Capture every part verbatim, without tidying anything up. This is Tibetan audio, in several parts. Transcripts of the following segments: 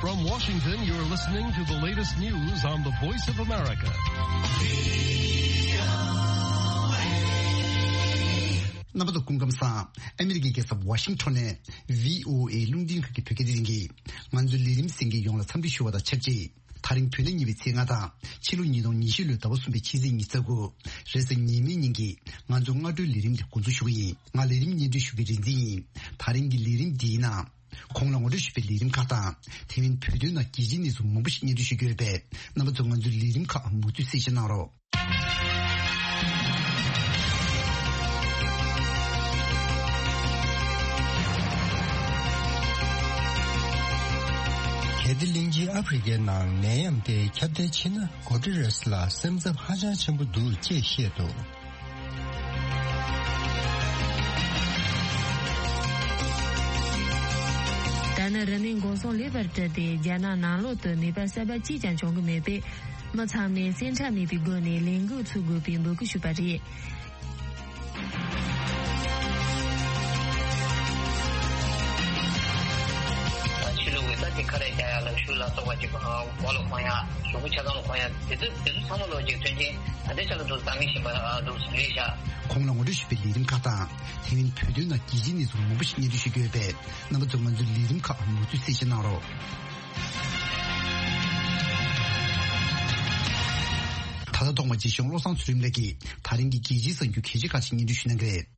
From Washington, you're listening to the latest news on the Voice of America. རྣམ་པ་ཚོ་སྐུ་ཁམས་བཟང་། ཨ་མི་རི་ཀའི་རྒྱལ་ས་ཝ་ཤིང་ཊོན་ནས་བྷི་ཨོ་ཨེ་རླུང་འཕྲིན་ཁང་གི་བོད་སྐད་སྡེ་ཚན་གྱིས་ང་ཚོའི་ལས་རིམ་གསན་མཁན་ཡོངས་ལ་འཚམས་འདྲི་ཞུ་བ་དང་ཆབས་ཅིག་ད་རིང་བོད་ཟླ་གཉིས་པའི་ཚེས་ལྔ་དང་ཕྱི་ལོ་ཉིས་སྟོང་ཉི་ཤུ་ལོའི་ཟླ་བ་གསུམ་པའི་ཕྱི་ཚེས་ཉི་ཤུ་རྩ་དགུ་རེས་གཟའ་ཉི་མའི་ཉིན་གྱི་ང་ཚོའི་སྔ་དྲོའི་ལས་རིམ་དེ་འགོ་འཛུགས་ཞུ་གི་ཡིན། ང་ལས་རིམ་སྙན་སྒྲོན་ཞུ་མཁན་རིག་འཛིན་ཡིན། ད་རིང་གི་ལས་རིམ་འདིའི་ནང་། གོང་ལ་ངོ་སྤྲོད་ཞུས་པའི་ལས་རིམ་ཁག་དང་། དེ་མིན་བོད་དོན་ནང་རྒྱལ་སྤྱིའི་གནས་ཚུལ་མང་པོ་ཞིག་སྙན་སྒྲོན་ཞུ་རྒྱུ་ཡོད་པས། རྣམ་པ་ཚོ་ང་ཚོའི་ལས་རིམ་ཁག་མུ་མཐུད་གསན་བཞེས་གནང་རོགས། གལ་ཏེ་གླིང་ཆེན་ཨ་ཧྥེ་རི་ཁའི་ནང་ནད་ཡམས་དེ་ཁྱབ་གདལ་ཕྱིན་ན། གོ་ཊི་རེས་ལ་སེམས་འཚབ་ཧ་ཅང་ཆེན་པོ་འདུག་ཅེས་བཤད་འདུག་ད་ནི་རིམས་ནད་འགོག་སྲུང་ལེགས་པར་བསྒྲུབས་ཏེ། རྒྱ་ནག་ནང་ལོགས་སུ་ནད་པ་གསར་པ་གཅིག་ཀྱང་བྱུང་གི་མེད་པས། མི་ཚང་མས་སེམས་ཁྲལ་མེད་པའི་སྒོ་ནས་ལས་འགུལ་ཚུགས་དགོས་པའི་འབོད་སྐུལ་ཞུས་པ་རེད། ཕྱི་ལུགས་ཀྱི་ས་ཆའི་ཁ་རས་རྒྱག་ཡ་ལ་ཤུགས་ལ་སོགས་པ་ཅིག་མགོ་ལ་གོན་ཡ། གཟུགས་པོ་ཆ་ཚང་ལ་གོན་ཡ། དེ་ཚོ་དེ་ཚོ་ཚང་མ་ལོ་ཅིག་མཐུན་རྐྱེན་ད་ལྟའི་ཆ་ལ་འདུག་བཟང་ངན་ཞིག་འདུག་ཟེར་རེད་ཤག་གོང་ལ་ངོ་སྤྲོད་ཞུས་པའི་ལས་རིམ་ཁག་དང་། དེ་མིན་བོད་དོན་ནང་རྒྱལ་སྤྱིའི་གནས་ཚུལ་མང་པོ་ཞིག་སྙན་སྒྲོན་ཞུ་རྒྱུ་ཡོད་པས། རྣམ་པ་ཚོ་ང་ཚོའི་ལས་རིམ་ཁག་མུ་མཐུད་གསན་བཞེས་གནང་རོགས། ད་ལྟ་ཐོག་མར་རྗེ་གཞུང་བློ་བཟང་ཚུལ་ཁྲིམས་ལགས་ཀྱིས་ད་རིང་གི་རྒྱལ་སྤྱིའི་གསར་འགྱུར་གལ་ཆེ་ཁག་ཅིག་སྙན་སྒྲོན་ཞུ་གནང་གི་རེད།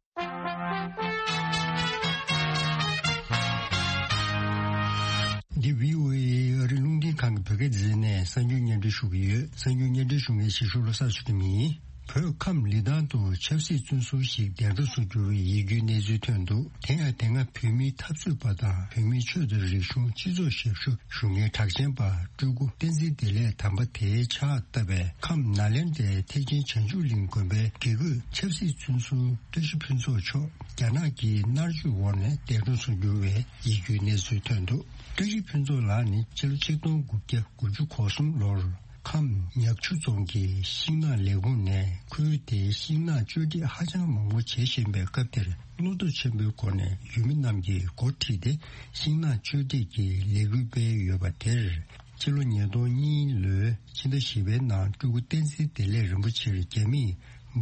འདི་བྷི་ཨོ་ཨེ་ཨ་རི་རླུང་འཕྲིན་ཁང་གི་བོད་སྐད་སྡེ་ཚན་ནས་གསར་འགྱུར་སྙན་སྒྲོན་ཞུ་གི་ཡོད། གསར་འགྱུར་སྙན་སྒྲོན་ཞུ་མཁན་ཞིག་ཞུ་བློ་གསར་ཞུ་གི་མིན། བོད་ཁམས་ལི་ཐང་དུ་ཆབ་སྲིད་བཙོན་ཟུར་ཞིག་འདས་གྲོངས་སུ་གྱུར་བའི་ཡིད་སྐྱོའི་གནས་ཚུལ་ཐོན་འདུག་དེ་ཡང་དེ་སྔ་བོད་མིའི་འཐབ་རྩོད་པ་དང་བོད་མིའི་ཆོས་དང་རིག་གཞུང་སྤྱི་ཚོགས་ཞབས་ཞུ་ཞུ་མཁན་གྲགས་ཅན་པ་སྤྲུལ་སྐུ་བསྟན་འཛིན་བདེ་ལེགས་དམ་པ་དེའི་ཕྱག་བཏབ་པའི་ཁམས་ནཱ་ལེནྡྲའི་ཐེག་ཆེན་བྱང་ཆུབ་གླིང་དགོན་པའི་དགེ་བསྐོས་ཆབ་སྲིད་བཙོན་ཟུར་བཀྲ་ཤིས་ཕུན་ཚོགས་མཆོག་རྒྱ་ནག་གི་མནར་གཅོད་འོག་ནས་འདས་གྲོངས་སུ་གྱུར་བའི་ཡིད་སྐྱོའི་གནས་ཚུལ་ཐོན་འདུག་བཀྲ་ཤིས་ཕུན་ཚོགས་ལགས་ནི་ཕྱི་ལོ་ཆིག་སྟོང་དགུ་བརྒྱ་དགུ་བཅུ་གོ་གསུམ་ལོར་ཁམས་ཉག་ཆུ་རྫོང་གི་ཤིང་ནགས་ལས་ཁུངས་ནས་ཁུལ་དེའི་ཤིང་ནགས་གཅོད་འབྲེག་ཧ་ཅང་མང་པོ་བྱེད་བཞིན་པའི་སྐབས་དེར། བློ་སྟོབས་ཆེན་པོའི་སྒོ་ནས་ཡུལ་མི་རྣམས་ཀྱིས་འགོ་ཁྲིད་དེ་ཤིང་ནགས་གཅོད་འབྲེག་གི་ལས་འགུལ་སྤེལ་ཡོད་པ་དེར། ཕྱི་ལོ་ཉིས་སྟོང་གཉིས་ལོའི་ཕྱི་ཟླ་བཞི་པའི་ནང་སྤྲུལ་སྐུ་བསྟན་འཛིན་བདེ་ལེགས་རིན་པོ་ཆེར་རྒྱ་མིས་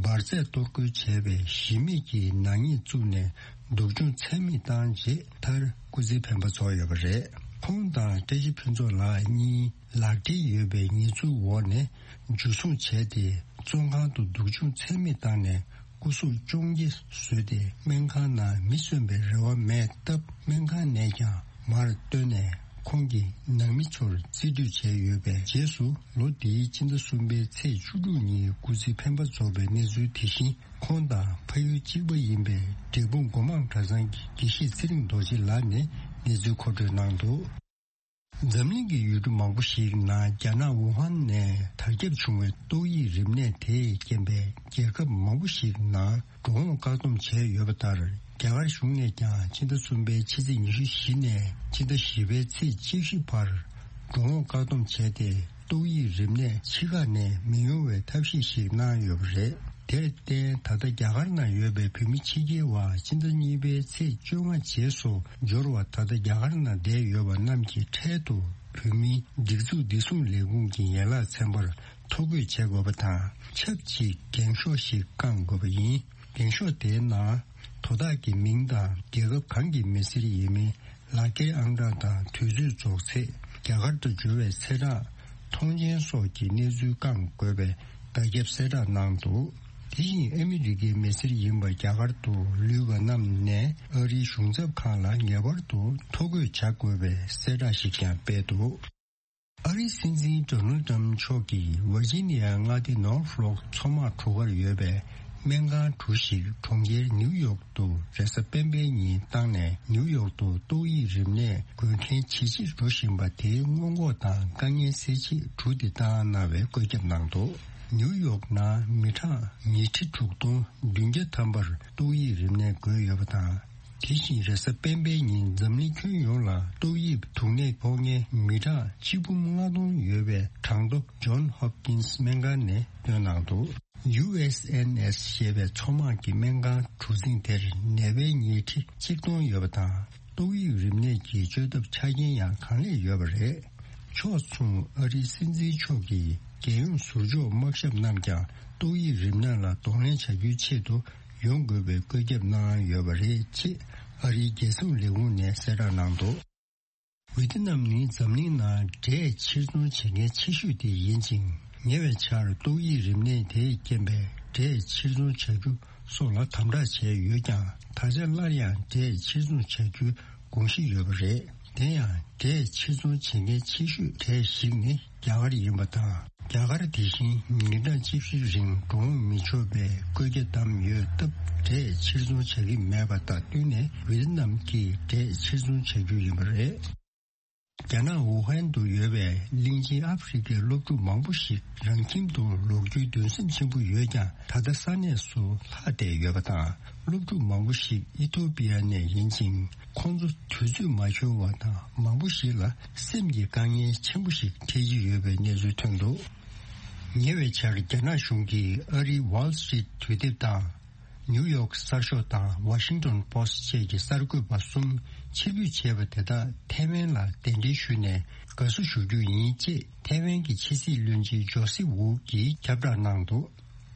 འབར་རྫས་གཏོར་རྒོལ་བྱས་པའི་གཞི་མེད་ཀྱི་ནག་ཉེས་བཙུགས་ནས་སྡུག་སྦྱོང་ཚད་མེད་བཏང་རྗེས་མཐར་སྐུ་ཚེའི་འཕེན་པ་རྫོགས་ཡོད་པ་རེད། ཁོང་དང་བཀྲ་ཤིས་ཕུན་ཚོགས་ལགས་གཉིས་ལག་འབྲེལ་ཡོད་པའི་ཉེས་འཛུགས་འོག་ནས་འཇུ་བཟུང་བྱས་ཏེ། བཙོན་ཁང་དུ་སྡུག་སྦྱོང་ཚད་མེད་བཏང་ནས་སྐུ་གཟུགས་བཅོས་རྒྱ་བཟོས་ཏེ། སྨན་ཁང་ནང་མི་གསོན་པའི་རེ་བ་མེད་སྟབས། སྨན་ཁང་ནས་ཀྱང་མར་བཏོན་ནས་ཁོང་གི་ནང་མི་ཚོར་རྩིས་སྤྲོད་བྱས་ཡོད་པའི་རྗེས་སུ། ལོ་འདིའི་ཕྱི་ཟླ་གསུམ་པའི་ཚེས་བཅུ་དྲུག་ཉིན་སྐུ་ཚེ་འཕེན་པ་རྫོགས་པའི་གནས་ཚུལ་དེ་བཞིན། ཁོང་དང་ཕ་ཡུལ་གཅིག་པ་ཡིན་པའི་འབྲས་སྤུངས་སྒོ་མང་གྲྭ་ཚང་གི་དགེ་བཤེས་ཚེ་རིང་རྡོ་རྗེ་ལགས་ནས་གནས་ཚུལ་མཁོ་སྤྲོད་གནང་འདུག་འཛམ་གླིང་གི་ཡུལ་གྲུ་མང་པོ་ཞིག་ནང་རྒྱ་ནག་ཝུ་ཧན་ནས་དར་ཁྱབ་བྱུང་བའི་ཏོག་དབྱིབས་རིམས་ནད་དེས་རྐྱེན་པས་རྒྱལ་ཁབ་མང་པོ་ཞིག་ནང་འགྲོ་འོང་བཀག་སྡོམ་བྱས་ཡོད་པ་ལྟར། རྒྱ་གར་གཞུང་ནས་ཀྱང་ཕྱི་ཟླ་གསུམ་པའི་ཕྱི་ཚེས་ཉི་ཤུ་བཞི་ནས་ཕྱི་ཟླ་བཞི་པའི་ཚེས་བཅུ་བཞི་བར་འགྲོ་འོང་བཀག་སྡོམ་བྱས་ཏེ། ཏོག་དབྱིབས་རིམས་ནད་ཕྱི་ཁ་ནས་མི་ཡོང་བའི་ཐབས་ཤེས་ཤིག་གནང་ཡོད་པ་རེད། དེར་བརྟེན། ད་ལྟ་རྒྱ་གར་ནང་ཡོད་པའི་བོད་མི་ཕྱི་རྒྱལ་བ་ཕྱི་ཟླ་གཉིས་པའི་ཚེས་བཅོ་ལྔ་རྗེས་སུ་འབྱོར་བ། ད་ལྟ་རྒྱ་གར་ནང་བསྡད་ཡོད་པ་རྣམས་ཀྱི་འཕྲལ་དུ་བོད་མིའི་སྒྲིག་འཛུགས་བདེ་སྲུང་ལས་ཁུངས་ཀྱི་ཡན་ལག་ཚན་པར་ཐོ་འགོད་བྱེད་དགོས་པ་དང་། ཆབས་ཅིག་འགེངས་ཤོག་ཞིག་བསྐང་དགོས་པ་ཡིན། འགེངས་ཤོག་དེའི་ནང་དོ་བདག་གི་མིང་དང་། རྒྱལ་ཁབ་གང་གི་མི་སེར་ཡིན་མིན། ལག་འཁྱེར་ཨང་གྲངས་དང་དུས་ཚོད་རྫོགས་ཚེས། རྒྱ་གར་དུ་འབྱོར་བའི་ཚེས་གྲངས། ཐོངས་མཆན་སོགས་ཀྱི་གནས་ཚུལ་བསྐང་དགོས་པའི་བརྡ་ཁྱབ་གསལ་བསྒྲགས་གནང་འདུག་དེ་བཞིན་ཨ་མི་རི་ཀའི་མི་སེར་ཡིན་པ། རྒྱ་གར་དུ་ལུས་པ་རྣམས་ནས་ཨ་རིའི་གཞུང་ཚབ་ཁང་ལ་ངེས་པར་དུ་ཐོ་འགོད་བྱ་དགོས་པའི་གསལ་བསྒྲགས་ཤིག་ཀྱང་སྤེལ་འདུག་ཨ་རིའི་སྲིད་འཛིན་ཌོ་ནལ་ཏྲམ་མཆོག་གིས་ཝར་ཇི་ནི་ཡ་མངའ་སྡེ་ནོར་ཕོ་ལོག་མཚོ་དམག་གྲུ་ཁར་ཡོད་པའི་སྨན་ཁང་གྲུ་ཞིག་གྲོང་ཁྱེར་ནིའུ་ཡོག་ཏུ་རེས་གཟའ་སྤེན་པའི་ཉིན་བཏང་ནས། ནིའུ་ཡོག་ཏུ་ཏོག་དབྱིབས་རིམས་ནད་འགོས་མཁན་ཇེ་ཆེར་འགྲོ་བཞིན་པ་དེའི་སྔོན་འགོག་དང་དཀའ་ངལ་སེལ་ཆེད་གྲུ་དེ་བཏང་གནང་བའི་བཀོད་ཁྱབ་གནང་འདུག་ནིའུ་ཡོག་ནང་མི་གྲངས་ཉིས་ཁྲི་དྲུག་སྟོང་བདུན་བརྒྱ་ཐམ་པར་ཏོག་དབྱིབས་རིམས་ནད་འགོས་ཡོད་པ་དང་། དེ་བཞིན་རེས་གཟའ་སྤེན་པའི་ཉིན་འཛམ་གླིང་ཁྱོན་ཡོངས་ལ་ཏོག་དབྱིབས་དུག་ནད་ཕོག་མཁན་མི་གྲངས་ཆིག་འབུམ་ལྔ་སྟོང་ཡོད་པའི་གྲངས་ཐོ་ཇོན་ཧོབ་ཀིན་སི་སྨན་ཁང་ནས་བཏོན་གནང་འདུག་ཡུ་ཨེས་ཨེན་ཨེས་ཞེས་པའི་མཚོ་དམག་གི་སྨན་ཁང་གྲུ་གཟིངས་དེར་ནད་པའི་ཉིས་ཁྲི་གཅིག་སྟོང་ཡོད་པ་དང་། ཏོག་དབྱིབས་རིམས་ནད་ཀྱི་བཅོས་ཐབས་ཆ་རྐྱེན་ཡང་གང་ལེགས་ཡོད་པ་རེད། ཕྱོགས་མཚུངས་ཨ་རིའི་སྲིད་འཛིན་མཆོག་གིས་རྒྱལ་ཡོངས་ཟུར་འཇོག་དམག་ཞབས་རྣམས་ཀྱང་ཏོག་དབྱིབས་རིམས་ནད་ལ་གདོང་ལེན་བྱ་རྒྱུའི་ཆེད་དུ་ཡོང་དགོས་པའི་བཀོད་ཁྱབ་གནང་ཡོད་པ་རེད་ཅེས་ཨ་རིའི་རྒྱལ་སྲུང་ལས་ཁུངས་ནས་གསལ་བསྒྲགས་གནང་འདུག་ཝེ་ཏི་ནམ་ནི་འཛམ་གླིང་ནང་འབྲས་ཕྱིར་ཚོང་བྱེད་མཁན་ཆེ་ཤོས་དེ་ཡིན་ཅིང་། ཉེ་བའི་ཆར་ཏོག་དབྱིབས་རིམས་ནད་དེས་རྐྱེན་པས་འབྲས་ཕྱིར་ཚོང་བྱ་རྒྱུ་སོགས་ལ་དམ་དྲག་བྱས་ཡོད་ཀྱང་། ད་ཆ་སླར་ཡང་འབྲས་ཕྱིར་ཚོང་བྱ་རྒྱུའི་དགོངས་གཞི་ཡོད་པ་རེད། དེ་ཡང་འབྲས་ཕྱིར་ཚོང་བྱེད་མཁན་ཆེ་ཤོས་གྲས་ཤིག་ནི་རྒྱ་གར་ཡིན་པ་དང་། རྒྱ་གར་དེ་བཞིན་ཉིན་གྲངས་བཅུ་བཞི་རིང་འགྲོ་འོང་མི་ཆོག་པའི་བཀོད་རྒྱ་བསྡམས་ཡོད་སྟབས། འབྲས་ཕྱིར་ཚོང་བྱ་གི་མེད་པ་དང་བསྟུན་ནས་ཝེ་ཏི་ནམ་གྱིས་འབྲས་ཕྱིར་ཚོང་བྱ་རྒྱུ་ཡིན་པ་རེད། རྒྱ་ནག་ཝུ་ཧན་དུ་ཡོད་པའི་གླིང་ཆེན་ཨ་ཧྥེ་རི་ཁའི་སློབ་ཕྲུག་མང་པོ་ཞིག་རང་ཁྱིམ་དུ་ལོག་རྒྱུའི་འདུན་སེམས་ཆེན་པོ་ཡོད་ཀྱང་། ད་ལྟ་ས་གནས་སུ་ལྷག་བསྡད་ཡོད་པ་དང་། སློབ་ཕྲུག་མང་པོ་ཞིག་ཨི་ཐོ་པི་ཡ་ནས་ཡིན་ཅིང་། ཁོང་ཚོ་དུས་ཚོད་མ་འཁྱོལ་བ་དང་། མང་པོ་ཞིག་ལ་སེམས་ཀྱི་དཀའ་ངལ་ཆེན་པོ་ཞིག་འཕྲད་ཀྱི་ཡོད་པའི་གནས་ཚུལ་ཐོན་འདུག་ཉེ་བའི་ཆར་རྒྱ་ནག་གཞུང་གིས་ཨ་རིའི་Wall Street་དུས་དེབ་དང་། ནིའུ་ཡོག་གསར་ཤོག་དང་Washington Post་བཅས་ཀྱི་གསར་འགོད་པ་གསུམ་ཕྱིར་འབུད་བྱས་པ་དེ་དག་ཐའེ་ཝན་ལ་གདན་འདྲེན་ཞུས་ནས་དགའ་བསུ་ཞུ་རྒྱུ་ཡིན་ཅེས་ཐའེ་ཝན་གྱི་ཕྱི་སྲིད་བློན་ཆེན་ཇོ་སི་ཝུ་གིས་ཁྱབ་བསྒྲགས་གནང་འདུག་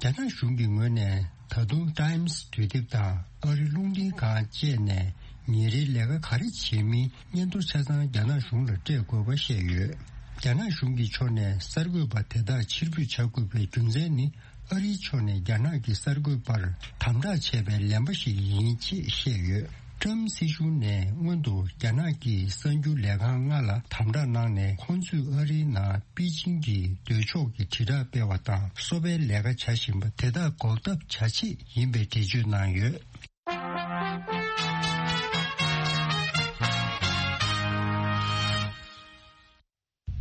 རྒྱ་ནག་གཞུང་གི་ངོས་ནས་ད་དུང་Times་དུས་དེབ་དང་ཨ་རི་རླུང་འཕྲིན་ཁང་བཅས་ནས་ཉིན་རེའི་ལས་ཀ་ག་རེ་བྱེད་མིན་སྙན་ཐོ་ཆ་ཚང་རྒྱ་ནག་གཞུང་ལ་སྤྲད་དགོས་པ་བཤད་ཡོད། རྒྱ་ནག་གཞུང་གི་ཕྱོགས་ནས་གསར་འགོད་པ་དེ་དག་ཕྱིར་འབུད་བྱ་དགོས་པའི་རྒྱུ་མཚན་ནི། ཨ་རིའི་ཕྱོགས་ནས་རྒྱ་ནག་གི་གསར་འགོད་པར་དམ་དྲག་བྱས་པའི་ལན་པ་ཞིག་ཡིན་ཅེས་བཤད་ཡོད། ཀྲམ་སྲིད་གཞུང་ནས་སྔོན་དུ་རྒྱ་ནག་གི་གསར་འགྱུར་ལས་ཁང་ལྔ་ལ་དམ་དྲག་གནང་ནས། ཁོང་ཚོས་ཨ་རིའི་ནང་པེ་ཅིང་གི་འདོད་ཕྱོགས་ཀྱི་དྲིལ་བསྒྲགས་སྤེལ་བ་དང་། སོ་པའི་ལས་ཀ་བྱ་བཞིན་པ་དེ་དག་འགོག་ཐབས་བྱ་ཆེད་ཡིན་པའི་འགྲེལ་བརྗོད་གནང་ཡོད།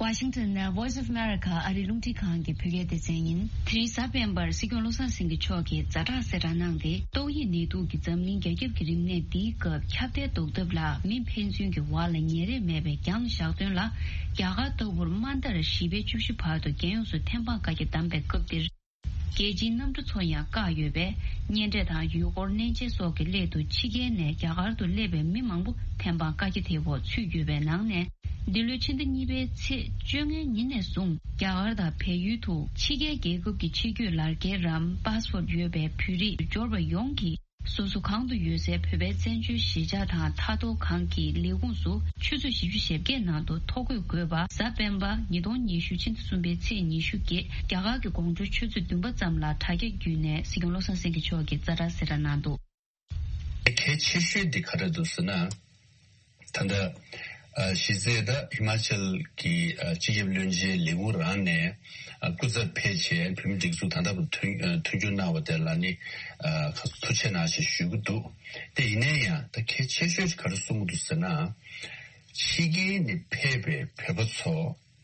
ཝ་ཤིང་ཊོན་ནས་Voice of America་ཨ་རི་རླུང་འཕྲིན་ཁང་གི་བོད་སྐད་སྡེ་ཚན་ཡིན། དེ་རིང་གཟའ་སྤེན་པར་སྲིད་སྐྱོང་བློ་བཟང་སེང་གེ་མཆོག་གིས་ཛ་དྲག་གསལ་བསྒྲགས་གནང་སྟེ། ཏོག་དབྱིབས་ནད་དུག་གིས་འཛམ་གླིང་རྒྱ་ཁྱབ་ཀྱི་རིམས་ནད་འདིའི་སྐབས་ཁྱབ་གདལ་ཟློག་ཐབས་ལ་མི་ཕན་ཚུན་གྱི་བར་ལ་ཉེ་རེས་མེད་པའི་རྒྱང་བཞག་དོན་ལ། རྒྱ་གར་ལྟ་བུར་དམའ་མཐར་བཞི་པའི་བཅུ་བཞི་བར་དུ་རྒྱལ་ཡོངས་སུ་ཐེམ་སྤང་བཀའ་རྒྱ་བསྡམས་པའི་སྐབས་འདིར། རྒྱལ་སྤྱིའི་གནམ་གྲུ་ཚོ་ཡང་བཀག་ཡོད་པས། གཉེན་འཕྲད་དང་ཡུལ་སྐོར་གནས་མཇལ་སོགས་ཀྱི་སླད་དུ་ཕྱི་རྒྱལ་ནས་རྒྱ་གར་དུ་སླེབས་པའི་མི་མང་པོ་ཐེམ་སྤང་བཀའ་རྒྱ་དེའི་འོག་ཚུད་ཡོད་པའི་ནང་ནས། འདི་ལོའི་ཕྱི་ཟླ་གཉིས་པའི་ཚེས་བཅོ་ལྔའི་ཉིན་ནས་བཟུང་རྒྱ་གར་དང་བལ་ཡུལ་དུ་ཕྱི་རྒྱལ་རྒྱལ་ཁབ་ཀྱི་ཕྱི་སྐྱོད་ལག་འཁྱེར་རམ་པཱ་སི་པོར་ཡོད་པའི་བོད་རིགས་འབྱོར་པ་ཡོངས་ཀྱིས། སོ་སོ་གང་དུ་ཡོད་སའི་བོད་པའི་བཙན་བྱོལ་གཞིས་ཆགས་དང་མཐའ་སྡོད་ཁང་གི་ལས་ཁུངས་སུ་ཆུ་ཚོད་བཞི་བཅུ་ཞེ་བརྒྱད་ནང་དུ་ཐོ་འགོད་དགོས་པ། གཟའ་སྤེན་པ་ཉིས་སྟོང་ཉི་ཤུ་ཕྱི་ཟླ་གསུམ་པའི་ཚེས་ཉི་ཤུ་གི་རྒྱ་གར་གྱི་དགོང་དྲོ་ཆུ་ཚོད་བདུན་པ་ཙམ་ལ་དྲ་རྒྱ་བརྒྱུད་ནས་སྲིད་སྐྱོང་བློ་བཟང་སེང་གེ་མཆོག་གིས་ཛ་དྲག་གསལ་བསྒྲགས་གནང་འདུག་གལ་ཆེ་ཤོས་འདི་ག་རེ་འདུག་ཟེར་ན། ད་ལྟ་ཨ་གཞི་རྩའི་ད་ཧི་མ་ཅལ་གྱི་ཨ་སྤྱི་ཁྱབ་བློན་ཆེན་ལས་ཁུངས་རང་ནས་ཨ་སྐུ་ཚབ་ཕེབས་བྱས་བོད་མི་སྒྲིག་འཛུགས་ད་ལྟ་བར་མཐུན་ཨ་མཐུན་འགྱུར་གནང་བ་དེ་ལ་ནི་ཨ་ཁ་ཐུགས་རྗེ་ཆེ་གནང་ཞེས་ཞུ་གི་འདུག་དེ་ཡིན་ན་ཡང་ད་གལ་ཆེ་ཤོས་ག་རེ་གསུང་གི་འདུག་ཟེར་ན། ཕྱི་རྒྱལ་ནས་ཕེབས་པའི་བོད་པ་ཚོ་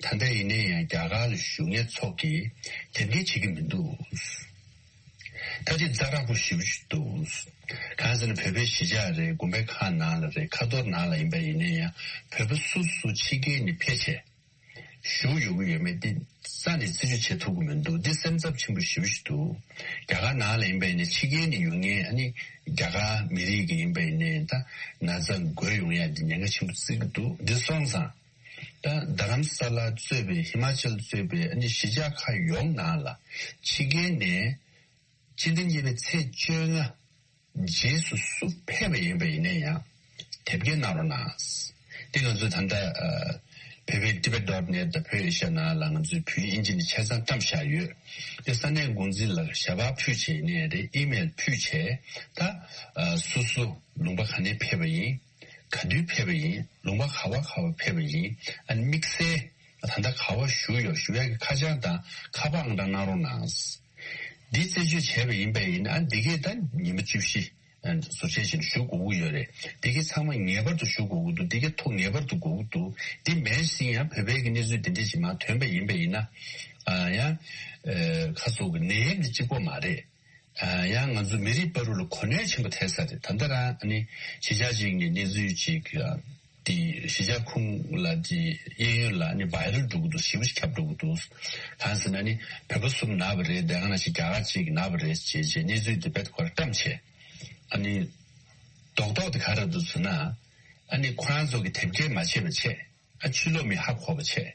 ད་ལྟ་ཡིན་ན་ཡང་རྒྱ་གར་ལ་བཞུགས་མཁན་ཚོ་གིས་དེ་འདྲ་བྱེད་ཀྱི་མི་འདུག་ད་ཅི་ཛ་དྲག་པོ་ཞེ་པོ་ཞིག་འདུག་གང་ཟེར་ན་བོད་པའི་གཞིས་ཆགས་རེད། དགོན་པའི་ཁང་ནང་ལ་རེད། ཁ་ཐོར་ནང་ལ་ཡིན་པ་ཡིན་ན་ཡང་བོད་པ་སུ་སུ་ཕྱི་རྒྱལ་ནས་ཕེབས་བྱས་བཞུགས་ཡོང་གི་ཡོད་མེད་འདི་རྩ་ནས་རྩད་གཅོད་བྱེད་ཐུབ་ཀྱི་མི་འདུག་འདི་སེམས་འཚབ་ཆེན་པོ་ཞེ་པོ་ཞིག་འདུག་རྒྱ་གར་ནང་ལ་ཡིན་པ་ཡིན་ན་ཕྱི་རྒྱལ་ནས་ཡོང་མཁན་ཨ་ནི་རྒྱ་གར་མི་རིགས་ཀྱི་ཡིན་པ་ཡིན་ན་ད་ན་ཚ་འགོས་ཡོང་ཡ་འདི་ཉེན་ཁ་ཆེན་པོ་བརྩི་གི་འདུག་འདི་སོང་ཙང་ད་རྡ་རམ་ས་ལ་གཙོས་པའི་ཧི་མ་ཅལ་གཙོས་པའི་ཨ་ནི་གཞིས་ཆགས་ཁག་ཡོངས་ནང་ལ་ཕྱི་རྒྱལ་ནས་སྤྱི་ཟླ་གཉིས་པའི་ཚེས་བཅོ་ལྔ་རྗེས་སུ་སུ་ཕེབས་པ་ཡིན་པ་ཡིན་ན་ཡང་དེབ་སྐྱེལ་གནང་རོགས་གནང་། དེ་ང་ཚོས་ད་ལྟ་ཨ་བོད་པའི་Tibet dot net་དང་བོད་ཨེ་ཤ་ཡ་ནང་ལ་ང་ཚོས་བོད་ཡིག་ཨིན་ཇི་ནས་ཆ་ཚང་བཀྲམ་བཞག་ཡོད། དེ་ས་གནས་འགོ་འཛིན་ལ་ཞལ་པར་ཕུལ་བྱས་ཡིན་ནའི་རེད། ཨི་མེལ་ཕུལ་བྱས་ད་ཨ་སོ་སོ་ལུང་པ་ག་ནས་ཕེབས་པ་ཡིན། ག་དུས་ཕེབས་པ་ཡིན། ལུང་པ་ག་བ་ག་བ་ཕེབས་པ་ཡིན། ཨ་ནི་དམིགས་བསལ་ད་ལྟ་ག་བ་བཞུགས་ཡོད་ཞུ་ཡག་གི་ཁ་བྱང་དང་ཁ་པར་ཨང་གྲངས་གནང་རོགས་གནང་། འདི་རྩད་གཅོད་བྱས་པ་ཡིན་པ་ཡིན་ན་ཨ་འདི་གས་ད་ཉི་མ་བཅུ་བཞི་ཟུར་བཅད་བྱས་ནས་ཞུ་དགོས་ཀྱི་ཡོད་རེད། འདི་གས་ཚང་མ་ངེས་པར་དུ་ཞུ་དགོས་ཀྱི་འདུག་འདི་གས་ཐོ་ངེས་པར་དུ་དགོས་ཀྱི་འདུག་འདི་མེད་ཟིན་ཡང་བོད་པའི་གི་གནས་ཚུལ་འདི་འདྲས་ཅིག་མར་ཐོན་པ་ཡིན་པ་ཡིན་ན་ཨ་ཡང་ཁ་སོགས་ཀྱི་ནད་ཡམས་འདི་གཅིག་པོ་མ་རེད། ཡང་ང་ཚོ་མི་རིགས་བར་ལ་གོ་གནས་ཆེན་པོ་ཐེབས་ས་རེད། ད་ལྟ་རང་ཨ་ནི་གཞིས་ཆགས་གཅིག་ནས་གནས་ཚུལ་གཅིག་དེ་གཞིས་ཆགས་ཁོངས་ལ་དེ་གཡས་གཡོན་ལ་ཨ་ནི་བྷའི་རལ་འགྲོ་གི་འདུག་ཞེ་པོ་ཞིག་ཁྱབ་འགྲོ་གི་འདུག་གང་ཟེར་ན་ཨ་ནི་བོད་པ་གསུམ་ན་བ་རེད། དེ་ག་ནང་བཞིན་རྒྱ་གར་གཅིག་ན་བ་རེད་ཅེས་བྱས་གནས་ཚུལ་དེ་བེད་ཁོ་ར་བཀྲམ་བྱས། ཨ་ནི་རྡོག་རྡོག་དེ་ག་རེ་འདུག་ཟེར་ན། ཨ་ནི་ཁོ་རང་ཚོ་གི་དེབ་སྐྱེལ་མ་བྱས་པ་བྱས། ཨ་ཕྱི་ལོགས་མི་ཧ་གོ་བ་བྱས།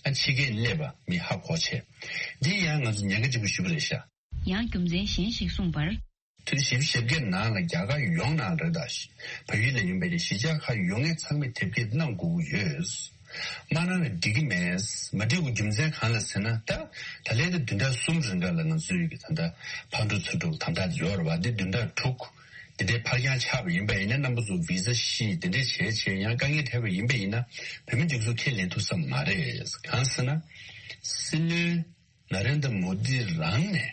ཨ་ཕྱི་རྒྱལ་སླེབས་པ་མི་ཧ་གོ་བྱས། འདི་ཡང་ང་ཚོ་ཉེན་ཁ་ཆེན་པོ་ཞེ་པོ་རེད་ཤག་ཡང་རྒྱུ་མཚན་གཞན་ཞིག་གསུངས་པར། དུས་བཞི་བཅུ་ཞེ་བརྒྱད་ནང་ལ་རྒྱ་གར་ཡོངས་ནང་རེད་ད། བལ་ཡུལ་ལ་ཡིན་པའི་གཞིས་ཆགས་ཁག་ཡོད་མཁན་ཚང་མས་དེབ་སྐྱེལ་གནང་དགོས་ཀྱི་ཡོད། མ་གནང་ན་འགྲིག་གི་མེད། མ་འགྲིག་པའི་རྒྱུ་མཚན་གང་ལ་ཟེར་ན། ད་ད་ལན་དེ་བདུན་ཕྲག་གསུམ་རིང་ག་ལ་ང་ཚོའི་གི་ད་ལྟ་ཕར་འགྲོ་ཚུར་འགྲོ་དམ་དྲག་ཡོད་རེད་བ། འདི་བདུན་ཕྲག་དྲུག་འདི་འདྲའི་ཕར་འགྱངས་ཆགས་པ་ཡིན་པ་ཡིན་ན། རྣམ་པ་ཚོ་བི་ཟ་བཞེས་འདི་འདྲས་བྱས་བྱས་ཡང་དཀའ་ངལ་འཕྲད་པ་ཡིན་པ་ཡིན་ན། བོད་མི་སྒྲིག་འཛུགས་ཁས་ལེན་ཐུབ་ས་མ་རེད། གང་ཟེར་ན། སྲིད་བློན་ན་རེན་དྲ་མོ་དི་རང་ནས་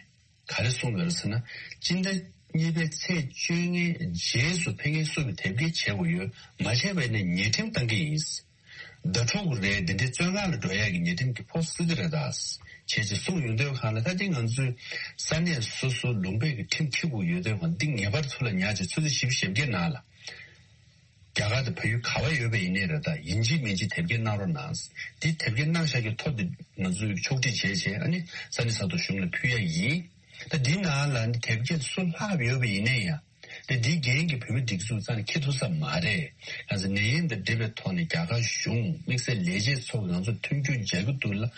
ག་རེ་གསུངས་ཡོད་ཟེར་ན། སྤྱི་ཟླ་གཉིས་པའི་ཚེས་བཅོ་ལྔའི་རྗེས་སུ་ཕེབས་མཁན་སུ་གི་དེབ་སྐྱེལ་བྱེད་དགོས་ཡོད། མ་བྱས་པ་ཡིན་ན་ཉེས་ཁྲིམས་བཏང་གི་ཡིན། ཟླ་དྲུག་རེད། འདི་འདྲའི་བཙོན་ཁང་ལ་འགྲོ་ཡག་གི་ཉེས་ཁྲིམས་ཀྱི་ཕོགས་སྲིད་ཀྱི་རེད་ད། བྱས་ཙང་གསུངས་ཡོང་དུས་སྒང་ལ། ད་འདི་ང་ཚོའི་ས་གནས་སོ་སོ་ལུང་པའི་གི་ཁྲིམས་འཁྱེར་དགོས་ཡོད་དུས་སྒང་འདི་ངེས་པར་ཚུར་ལ་ཉར་བྱས། ཆུ་ཚོད་བཞི་བཅུ་ཞེ་བརྒྱད་ནང་ལ་རྒྱ་གར་དང་བལ་ཡུལ་ག་བ་ཡོད་པ་ཡིན་ནའི་རེད་ད། ཡིན་གཅིག་མིན་གཅིག་དེབ་སྐྱེལ་གནང་རོགས་གནང་། འདི་དེབ་སྐྱེལ་གནང་བཞག་གི་ཐོ་འདི་ང་ཚོས་ཕྱོགས་སྒྲིག་བྱས་བྱས། ཨ་ནི་ས་གནས་ས་ཐོག་གཞུང་ལ་ཕུལ་ཡ་ཡིན། ད་འདི་ནང་ལ་ནི་དེབ་སྐྱེལ་སུ་ལྷག་ཡོད་པ་ཡིན་ནའི་ཡང་། དེ་འདི་འགན་གྱི་བོད་མི་སྒྲིག་འཛུགས་རྩ་ནས་འཁྱེར་ཐུབ་ས་མ་རེད། ང་ཚོ་ནད་ཡམས་དང་འབྲེལ་བའི་ཐོག་ནས་རྒྱ་གར་གཞུང་དམིགས་བསལ་ལས་བྱེད་ཚོ་ང་ཚོ་མཐུན་འགྱུར་མཇལ་གྱི་འདུག་ལ།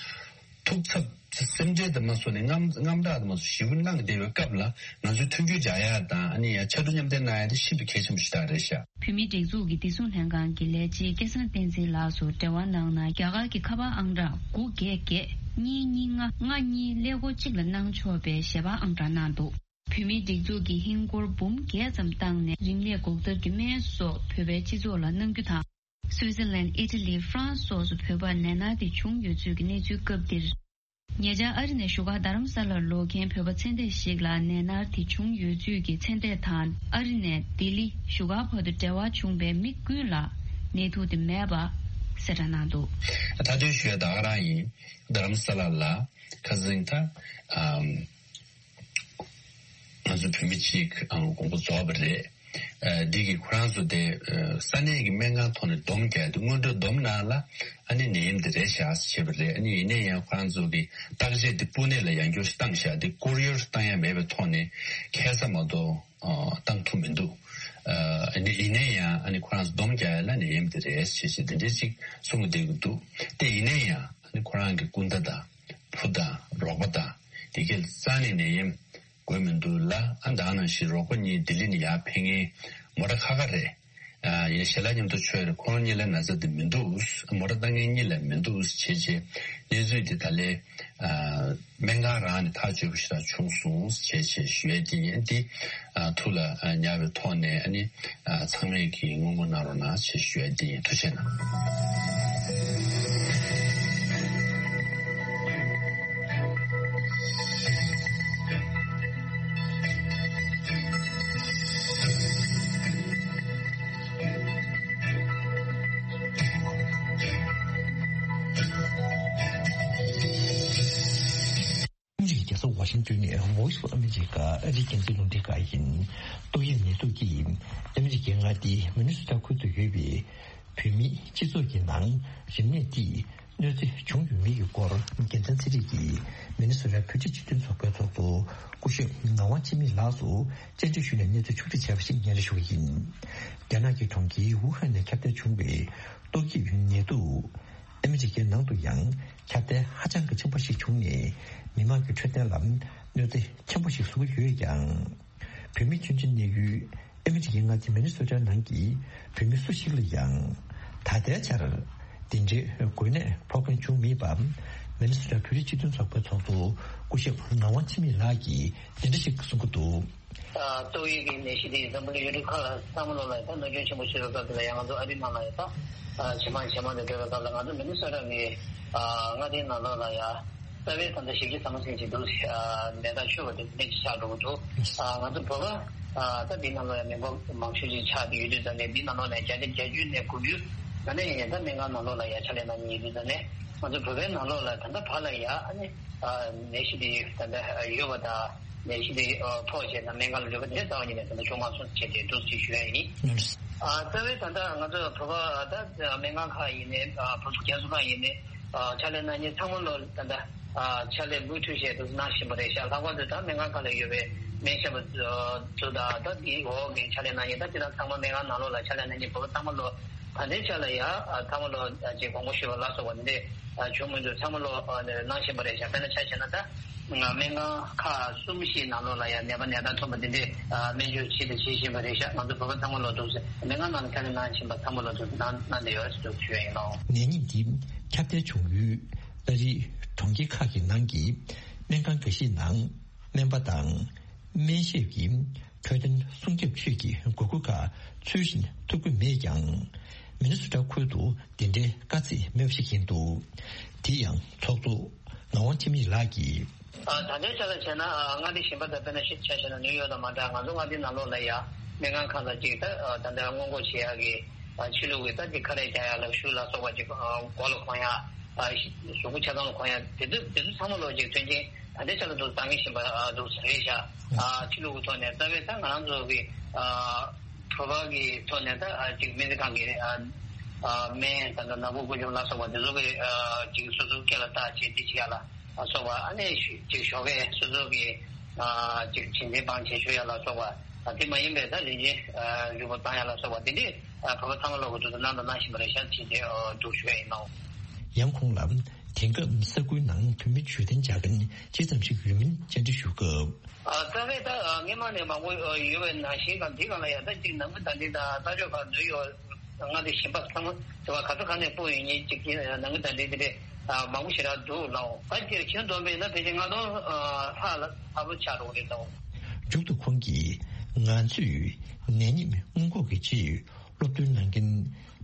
ཐུགས་འཚབ་སེམས་ཁྲལ་དུ་མ་སོང་ནས་དངངས་དངངས་སྐྲག་དུ་མ་སོང་ཞེ་པོ་གནང་བསྡད་པའི་སྐབས་ལ། ང་ཚོས་མཐུན་འགྱུར་སྦྱར་ཡ་དང་། ཨ་ནི་ཡང་ཕྱར་གྲུ་མཉམ་འདེགས་གནང་ཡ་དེ་ཤིན་ཏུ་གལ་ཆེན་པོ་ཞིག་ད་རེད་ཤག་བོད་མིའི་སྒྲིག་འཛུགས་ཀྱི་བདེ་སྲུང་ལྷན་ཁང་གི་ལས་བྱེད་སྐལ་བཟང་བསྟན་འཛིན་ལགས་སུ་འབྲེལ་བ་གནང་ན། རྒྱ་གར་གྱི་ཁ་པར་ཨང་གྲངས་དགུ་བརྒྱད་བརྒྱད་གཉིས་གཉིས་ལྔ་ལྔ་གཉིས་ཀླད་ཀོར་གཅིག་ལ་གནང་ཆོག་པའི་ཞལ་པར་ཨང་གྲངས་གནང་འདུག་བོད་མིའི་སྒྲིག་འཛུགས་ཀྱིས་ཧིན་སྒོར་འབུམ་བརྒྱད་ཙམ་བཏང་ནས་རིན་མེད་འགོག་ཐབས་ཀྱི་སྨན་སོགས་བོད་པའི་སྤྱི་ཚོགས་ལ་གནང་རྒྱུ་དང་། སུའི་ཙི་ལན། ཨི་ཊ་ལི། ཧྥ་རན་སི་སོགས་སུ་བོད་པར་ནད་མནར་དེ་བྱུང་ཡོད་ཚུལ་གྱི་གནས་ཚུལ་སྐབས་འདིར། ཉེ་ཆར་ཨ་རི་ནས་བཞུགས་སྒར་རྡ་རམ་ས་ལར་ལོག་མཁན་བོད་པ་ཚེ་འདས་ཤིག་ལ་ནད་མནར་དེ་བྱུང་ཡོད་ཚུལ་གྱི་ཚེ་འདས་དང་ཨ་རི་ནས་ལྡི་ལི་བཞུགས་སྒར་བར་དུ་འབྲེལ་བ་བྱུང་བའི་མི་ཀུན་ལ་ནད་དུག་དེ་མེད་པ་གསལ་བསྒྲགས་གནང་འདུག། མཐའ་དོན་ཞུ་ཡ་ད་ག་རང་ཡིན། རྡ་རམ་ས་ལ་ལ་ཁ་སང་ད་ཨམ། ང་ཚོ་བོད་མི་གཅིག་ཨང་དགོངས་པ་རྫོགས་པ་རེད། ཨ་འདི་གི་ཁོ་རང་ཚོ་དེ་ཨ་ས་གནས་ཀྱི་སྨན་ཁང་ཐོག་ནས་སྡོམ་རྒྱག་དུས་སྔོན་འགྲོ་སྡོམ་ནང་ལ་ཨ་ནི་ནད་ཡམས་དེ་རེད་ཤག་བྱས་པ་རེད། ཨ་ནི་ཡིན་ན་ཡང་ཁོ་རང་ཚོ་གི་བརྟག་དཔྱད་དེ་པུ་ནེ་ལ་ཡང་བསྐྱར་བཏང་ཤག་དེ་ཀུ་རི་ཡར་བཏང་ཡ་མེད་པའི་ཐོག་ནས་ཁ་སང་མ་གཏོགས་ཨ་བཏང་ཐུབ་མི་འདུག། ཨ་ནི་ཡིན་ན་ཡང་ཨ་ནི་ཁོ་རང་ཚོ་སྡོམ་རྒྱག་ཡ་ལ་ནད་ཡམས་དེ་རེད་ཟེར་བྱས་དེ་འདྲས་ཅིག་གསུང་གི་བསྡད་ཀྱི་འདུག། དེ་ཡིན་ན་ཡང་ཨ་ནི་ཁོ་རང་གི་སྐུ་ཟླ་དང་བུ་དང་རོགས་པ་དང་དེ་གའི་རྩ་ནས་ནད་ཡམས་འགོས་མི་འདུག་ལ། ཨ་ད་ནང་བཞིན་རོགས་པ་གཉིས་ལྡི་ལི་ནས་ཡར་ཕེབས་མཁན་མོ་ཊ་ཁ་ཁ་རེད། ཨ་ཡིན་ཞལ་ལག་མཉམ་དུ་མཆོད་རེད། ཁོང་གཉིས་ལ་ན་ཚ་དེ་མི་འདུག། མོ་ཊ་བཏང་མཁན་གཉིས་ལ་མི་འདུག་བྱས་བྱས་གནས་ཚུལ་འདི་ད་ལས་ཨ་སྨན་ཁང་རང་ནས་ཐག་གཅོད་པ་ཞིག་རང་བྱུང་སོང་བྱས་བྱས་ཞུ་ཡས་འདི་ཡིན། འདི་ཨ་ཐུགས་ལ་ཨ་ཉར་བའི་ཐོག་ནས་ཨ་ནི་ཨ་ཚང་མས་ཀྱིས་བསྔོ་སྨོན་གནང་རོགས་གནང་ཞེས་ཞུ་ཡ་འདི་ཡིན། ཐུགས་རྗེ་གནང་། ཨ་མི་རི་ཀའི་རྒྱལ་ས་ཝ་ཤིང་ཏོན་ནས་Voice of America ཨ་རིའི་རྒྱང་སྲིང་རླུང་འཕྲིན་ཁང་ཡིན། ཏོག་དབྱིབས་ནད་དུག་གིས་ཨ་མི་རི་ཀའི་མངའ་སྡེ་མི་ནི་སོ་ཊ་ཁུལ་དུ་ཡོད་པའི་བོད་མིའི་སྤྱི་ཚོགས་ཀྱི་ནང་རིམས་ནད་འདིས་གནོད་འཚེ་བྱུང་ཡོད་མེད་ཀྱི་སྐོར་རྒྱལ་མཚན་ཚེ་རིང་གིས་མི་ནི་སོ་ཊ་བོད་རིགས་སྤྱི་མཐུན་ཚོགས་པའི་ཚོགས་གཙོ་སྐུ་ཞབས་ངག་དབང་འཆི་མེད་ལགས་སུ་བཅར་འདྲི་ཞུས་ནས་གནས་ཚུལ་ཕྱོགས་སྒྲིག་བྱས་པ་ཞིག་སྙན་སྒྲོན་ཞུ་གི་ཡིན། རྒྱ་ནག་གི་གྲོང་ཁྱེར་ཝུ་ཧན་ནས་ཁྱབ་གདལ་བྱུང་བའི་ཏོག་དབྱིབས་ནད་དུག་ཨ་མི་རི་ཀའི་ནང་དུ་ཡང་ཁྱབ་གདལ་ཧ་ཅང་གི་ཆེན་པོ་ཞིག་བྱུང་ནས་མི་མང་གི་འཕྲོད་བསྟེན་ལ་གནོད་འཚེ་ཆེན་པོ་ཞིག་བཟོ་གི་ཡོད་ཀྱང་། བོད་མི་ཆུང་ཆུང་གནས་ཡུལ་ཨ་མི་རི་ཀའི་མངའ་སྡེ་མི་ནི་སོ་ཊ་ནང་གི་བོད་མི་སུ་ཞིག་ལ་ཡང་ད་ལྟའི་ཆར་དེ་འདྲའི་འགོས་ནད་ཕོག་མཁན་བྱུང་མེད་པ། མི་ནི་སོ་ཊ་བོད་རིགས་སྤྱི་མཐུན་ཚོགས་པའི་ཚོགས་གཙོ་སྐུ་ཞབས་ངག་དབང་འཆི་མེད་ལགས་ཀྱིས་འདི་འདྲ་ཞིག་གསུང་གི་འདུག། ཏོག་དབྱིབས་ཀྱི་ནད་གཞི་དེ་འཛམ་བུ་གླིང་ཡུལ་གྲུ་ཁག་ལ་ཚང་མ་ལོག་ལ་ཡང་ད་གནོད་སྐྱོན་ཆེན་པོ་བྱས་པའི་སྐབས་དེ་ལ་ཡང་ང་ཚོ་ཨ་རིའི་ནང་ལ་ཡང་ད་ཇེ་མང་ཇེ་མང་དུ་འགྲོ་བའི་སྐབས་ལ་ང་ཚོ་མི་ནི་སོ་ཊ་གི་མངའ་སྡེའི་ནང་ལོགས་ལ་ཡང་རྩ་བའི་ད་ལྟ་ཞེ་གི་ཟ་མ་ཟིན་གྱི་འདུག། ནད་རྟགས་ཤོར་བ་དེ་ནད་ཅིག་ཆགས་འགྲོ་གི་འདུག། ང་ཚོ་བོད་པ་ད་འདི་ནང་ལོགས་ཡང་མི་འབོར་མང་ཤོས་ཅིག་ཆགས་བསྡད་ཡོད་དུས་ཙང་ནས་འདི་ནང་ལོགས་ནས་བརྒྱ་ཆ་བརྒྱད་ཅུ་ནས་དགུ་བཅུ་ད་ནས་ཡང་ད་སྨན་ཁང་ནང་ལོགས་ལ་ཡང་ཕྱག་ལས་གནང་མཁན་ཡོད་དུས་ཙང་ནས་ང་ཚོ་བོད་པའི་ནང་ལོགས་ལ་ད་ལྟ་བར་ལ་ཡང་ཨ་ནི་ནད་གཞི་དེ་ད་ལྟ་ཡོད་པ་དང་། ནད་གཞི་དེ་ཕོག་བྱས་ན་སྨན་ཁང་ལ་ལུས་པ་དེ་རྩ་བ་ཉིད་ནས་ད་ལྟ་བྱུང་མ་སོང་ཞེས་དེ་འདུག་ཅེས་ཞུ་ཡ་ཡིན། རྩ་བའི་ད་ལྟ་ང་ཚོ་བོད་པ་ད་སྨན་ཁང་ཁག་ཡིན་ནའི་བོད་ཟུར་རྒྱ་ཟུར་ཁག་ཡིན་ནའི་ཕྱག་ལས་གནང་མཁན་ཚང་མ་ལོ་ད་ལྟ་ཕྱག་ལས་མུ་མཐུད་བྱས་འདུག་གནང་བཞིན་པ་རེད་ཤག། ལྷག་པར་དུ་ད་སྨན་ཁང་ཁག་ལ་ཡོད་པའི་སྨན་ཞབས་པ་ཚོ་དང་ད་དེའི་འོག་གི་ཕྱག་ལས་གནང་མཁན་ད་སྤྱིར་བཏང་ཚང་མ་སྨན་ཁང་ནང་ལོགས་ལ་ཕྱག་ལས་གནང་མཁན་བོད་པ་ཚང་མ་ལོ་ ད་ལྟའི་ཆ་ལ་ཡ་ཨ་ཚང་མ་ལོ་ཨ་ཅིག་དགོངས་པ་ཞུས་པ་ལ་སོགས་པ་འདི་འདྲ་ཨ་བྱུང་མི་འདུག་ཚང་མ་ལོ་ཨ་གནང་བཞིན་པ་རེད་ཤག་དཔེར་ན་ཆ་བཞག་ན་ད་སྨན་ཁང་ཁག་གསུམ་བཞིའི་ནང་ལོགས་ལ་ཡ་ནད་པ་ནད་རྟགས་ཐོན་པ་འདི་འདྲ་ཨ་སྨན་བཅོས་བྱེད་དང་བྱེད་བཞིན་པ་རེད་ཤག་ང་ཚོ་བོད་པ་ཚང་མ་ལོ་འདུག་ཟེར་སྨན་ཁང་ནང་ལ་ཁྱབ་སྤེལ་གནང་བཞིན་པ་ཚང་མ་ལོ་འདུག་གནང་གནང་བསྡད་ཡོད་ཟེར་འདུག་ཞུ་ཡ་ཡིན་ནོ། ནད་ཉིད་འདི་ཁྱབ་གདལ་བྱུང་ཡུལ་ཨ་རིའི་གྲོང་ཁྱེར་ཁག་གི་ནང་གི་སྨན་ཁང་འགའ་ཞིག་ནང་སྨན་པ་དང་སྨན་ཞབས་ཀྱི་འཕྲོད་བསྟེན་སྲུང་སྐྱོབ་ཆེད་ཀྱི་དགོས་མཁོ་ཁག་ཚུལ་བཞིན་ཐོབ་ཀྱི་མེད་ཀྱང་། མི་ནི་སོ་ཊ་ཁུལ་དུ་འདི་འདྲའི་དཀའ་ཚེགས་མེད་པ་ཞིག་ཡིན་འདུག་དེ་ཡང་ཚོགས་གཙོ་ངག་དབང་འཆི་མེད་ལགས་ཀྱིས། ད་ལྟའི་ཆ་ལ་བྱས་ན་མངའ་སྡེ་གཞན་པ་དང་དཔེར་ན་ཆ་བཞག་ན་ནིའུ་ཡོག་དང་མ་འདྲ་ང་ཚོ་མངའ་སྡེའི་ནང་ལོགས་ལ་ཡ་སྨན་ཁང་ཁག་ལ་ཅིག་ད་ད་ལྟ་སྔོན་འགོག་བྱེད་ཡག་གི་ཕྱི་ལུགས་ཀྱི་ད་ཅིག་ཁ་རས་རྒྱག་ཡག་ལག་ཤུབས་ལ་སོགས་པ་ཅིག་མགོ་ལ་གོན་ཡག་གཟུགས་པོ་ཆ་ཚང་ལ་གོན་ཡག་དེ་ཚོ་དེ་ཚོ་ཚང་མ་ལོ་ཅིག་མཐུན་རྐྱེན། ད་ལྟའི་ཆ་ལ་འདུག་བཟང་ངན་ཞིག་འདུག་ཟེར་རེད་ཤག་ཕྱི་ལུགས་ཀྱི་ཐོག་ནས་རྩ་བའི་ད་ང་རང་ཚོ་གི་བོད་པ་གི་ཐོག་ནས་ད་ཅིག་སྨན་རྩིས་ཁང་གི་སྨན་ད་ལྟ་ནག་པོ་ཀུན་འབྱུང་ལ་སོགས་པ་དེ་ཚོ་གི་ཅིག་སོ་སོའི་སྐེ་ལ་བཏགས་བྱས་འདི་བྱེད་ཡ་ལ་སོགས་པ་ཨ་ནི་ཅིག་ཞོགས་ཀས་སོ་སོ་གི་ཅིག་བྱིན་ཚན་བང་བྱེད་ཆོག་ཡ་ལ་སོགས་པ་དེ་མ་ཡིན་པའི་ད་རིན་ཆེན་རིལ་པོ་བཏང་ཡ་ལ་སོགས་པ་དེ་འདྲས་བོད་པ་ཚང་མ་ལོག་གི་འདུག་ད་གནང་དང་གནང་བཞིན་པ་རེད་ཤག་བྱས་ཏེ་འདུག་ཞུ་ཡ་ཡིན་ནོ། ཡང་ཁོང་ལ་དེང་སྐབས་ས་ཁུལ་ནང་བོད་མི་འབྱོར་ལྡན་བྱ་མཁན་ཅི་ཙམ་ཞིག་ཡོད་མིན་བཅར་འདྲི་ཞུ་སྐབས། ཨ་རྩ་བའི་ད་ཨ་སྔོན་མ་ནས་མང་པོ་ཨ་ཡོད་པའི་ནང་བཞིན་དང་འདི་གང་ལ་ཡང་ད་ཅིག་ནང་མི་ད་འདི་དང་ས་ཕྱོགས་ཁག་འདི་ཡོད་མངའ་སྡེ་གཞན་པ་ཚང་མ་དེ་བ་ག་ཚོད་ག་ནས་སྤོ་ཡོད་མཁན་ཅིག་གི་ནང་མི་ད་འདི་འདི་རེད་ཨ་མང་པོ་ཞེ་དྲག་འདུག་ལགས། ད་ཅིག་ཁྱོན་བསྡོམས་པས་ན་ཕལ་ཆེར་ལྔ་སྟོང་ཨ་ལྷག་ལ་ལྷག་པོ་ཆགས་འགྲོ་གི་རེད་ལགས། མཇུག་ཏུ་ཁོང་གིས་ང་ཚོས་ནད་ཉིད་སྔོན་འགོག་གི་ཆེད། སློབ་སྟོན་གནང་མཁན་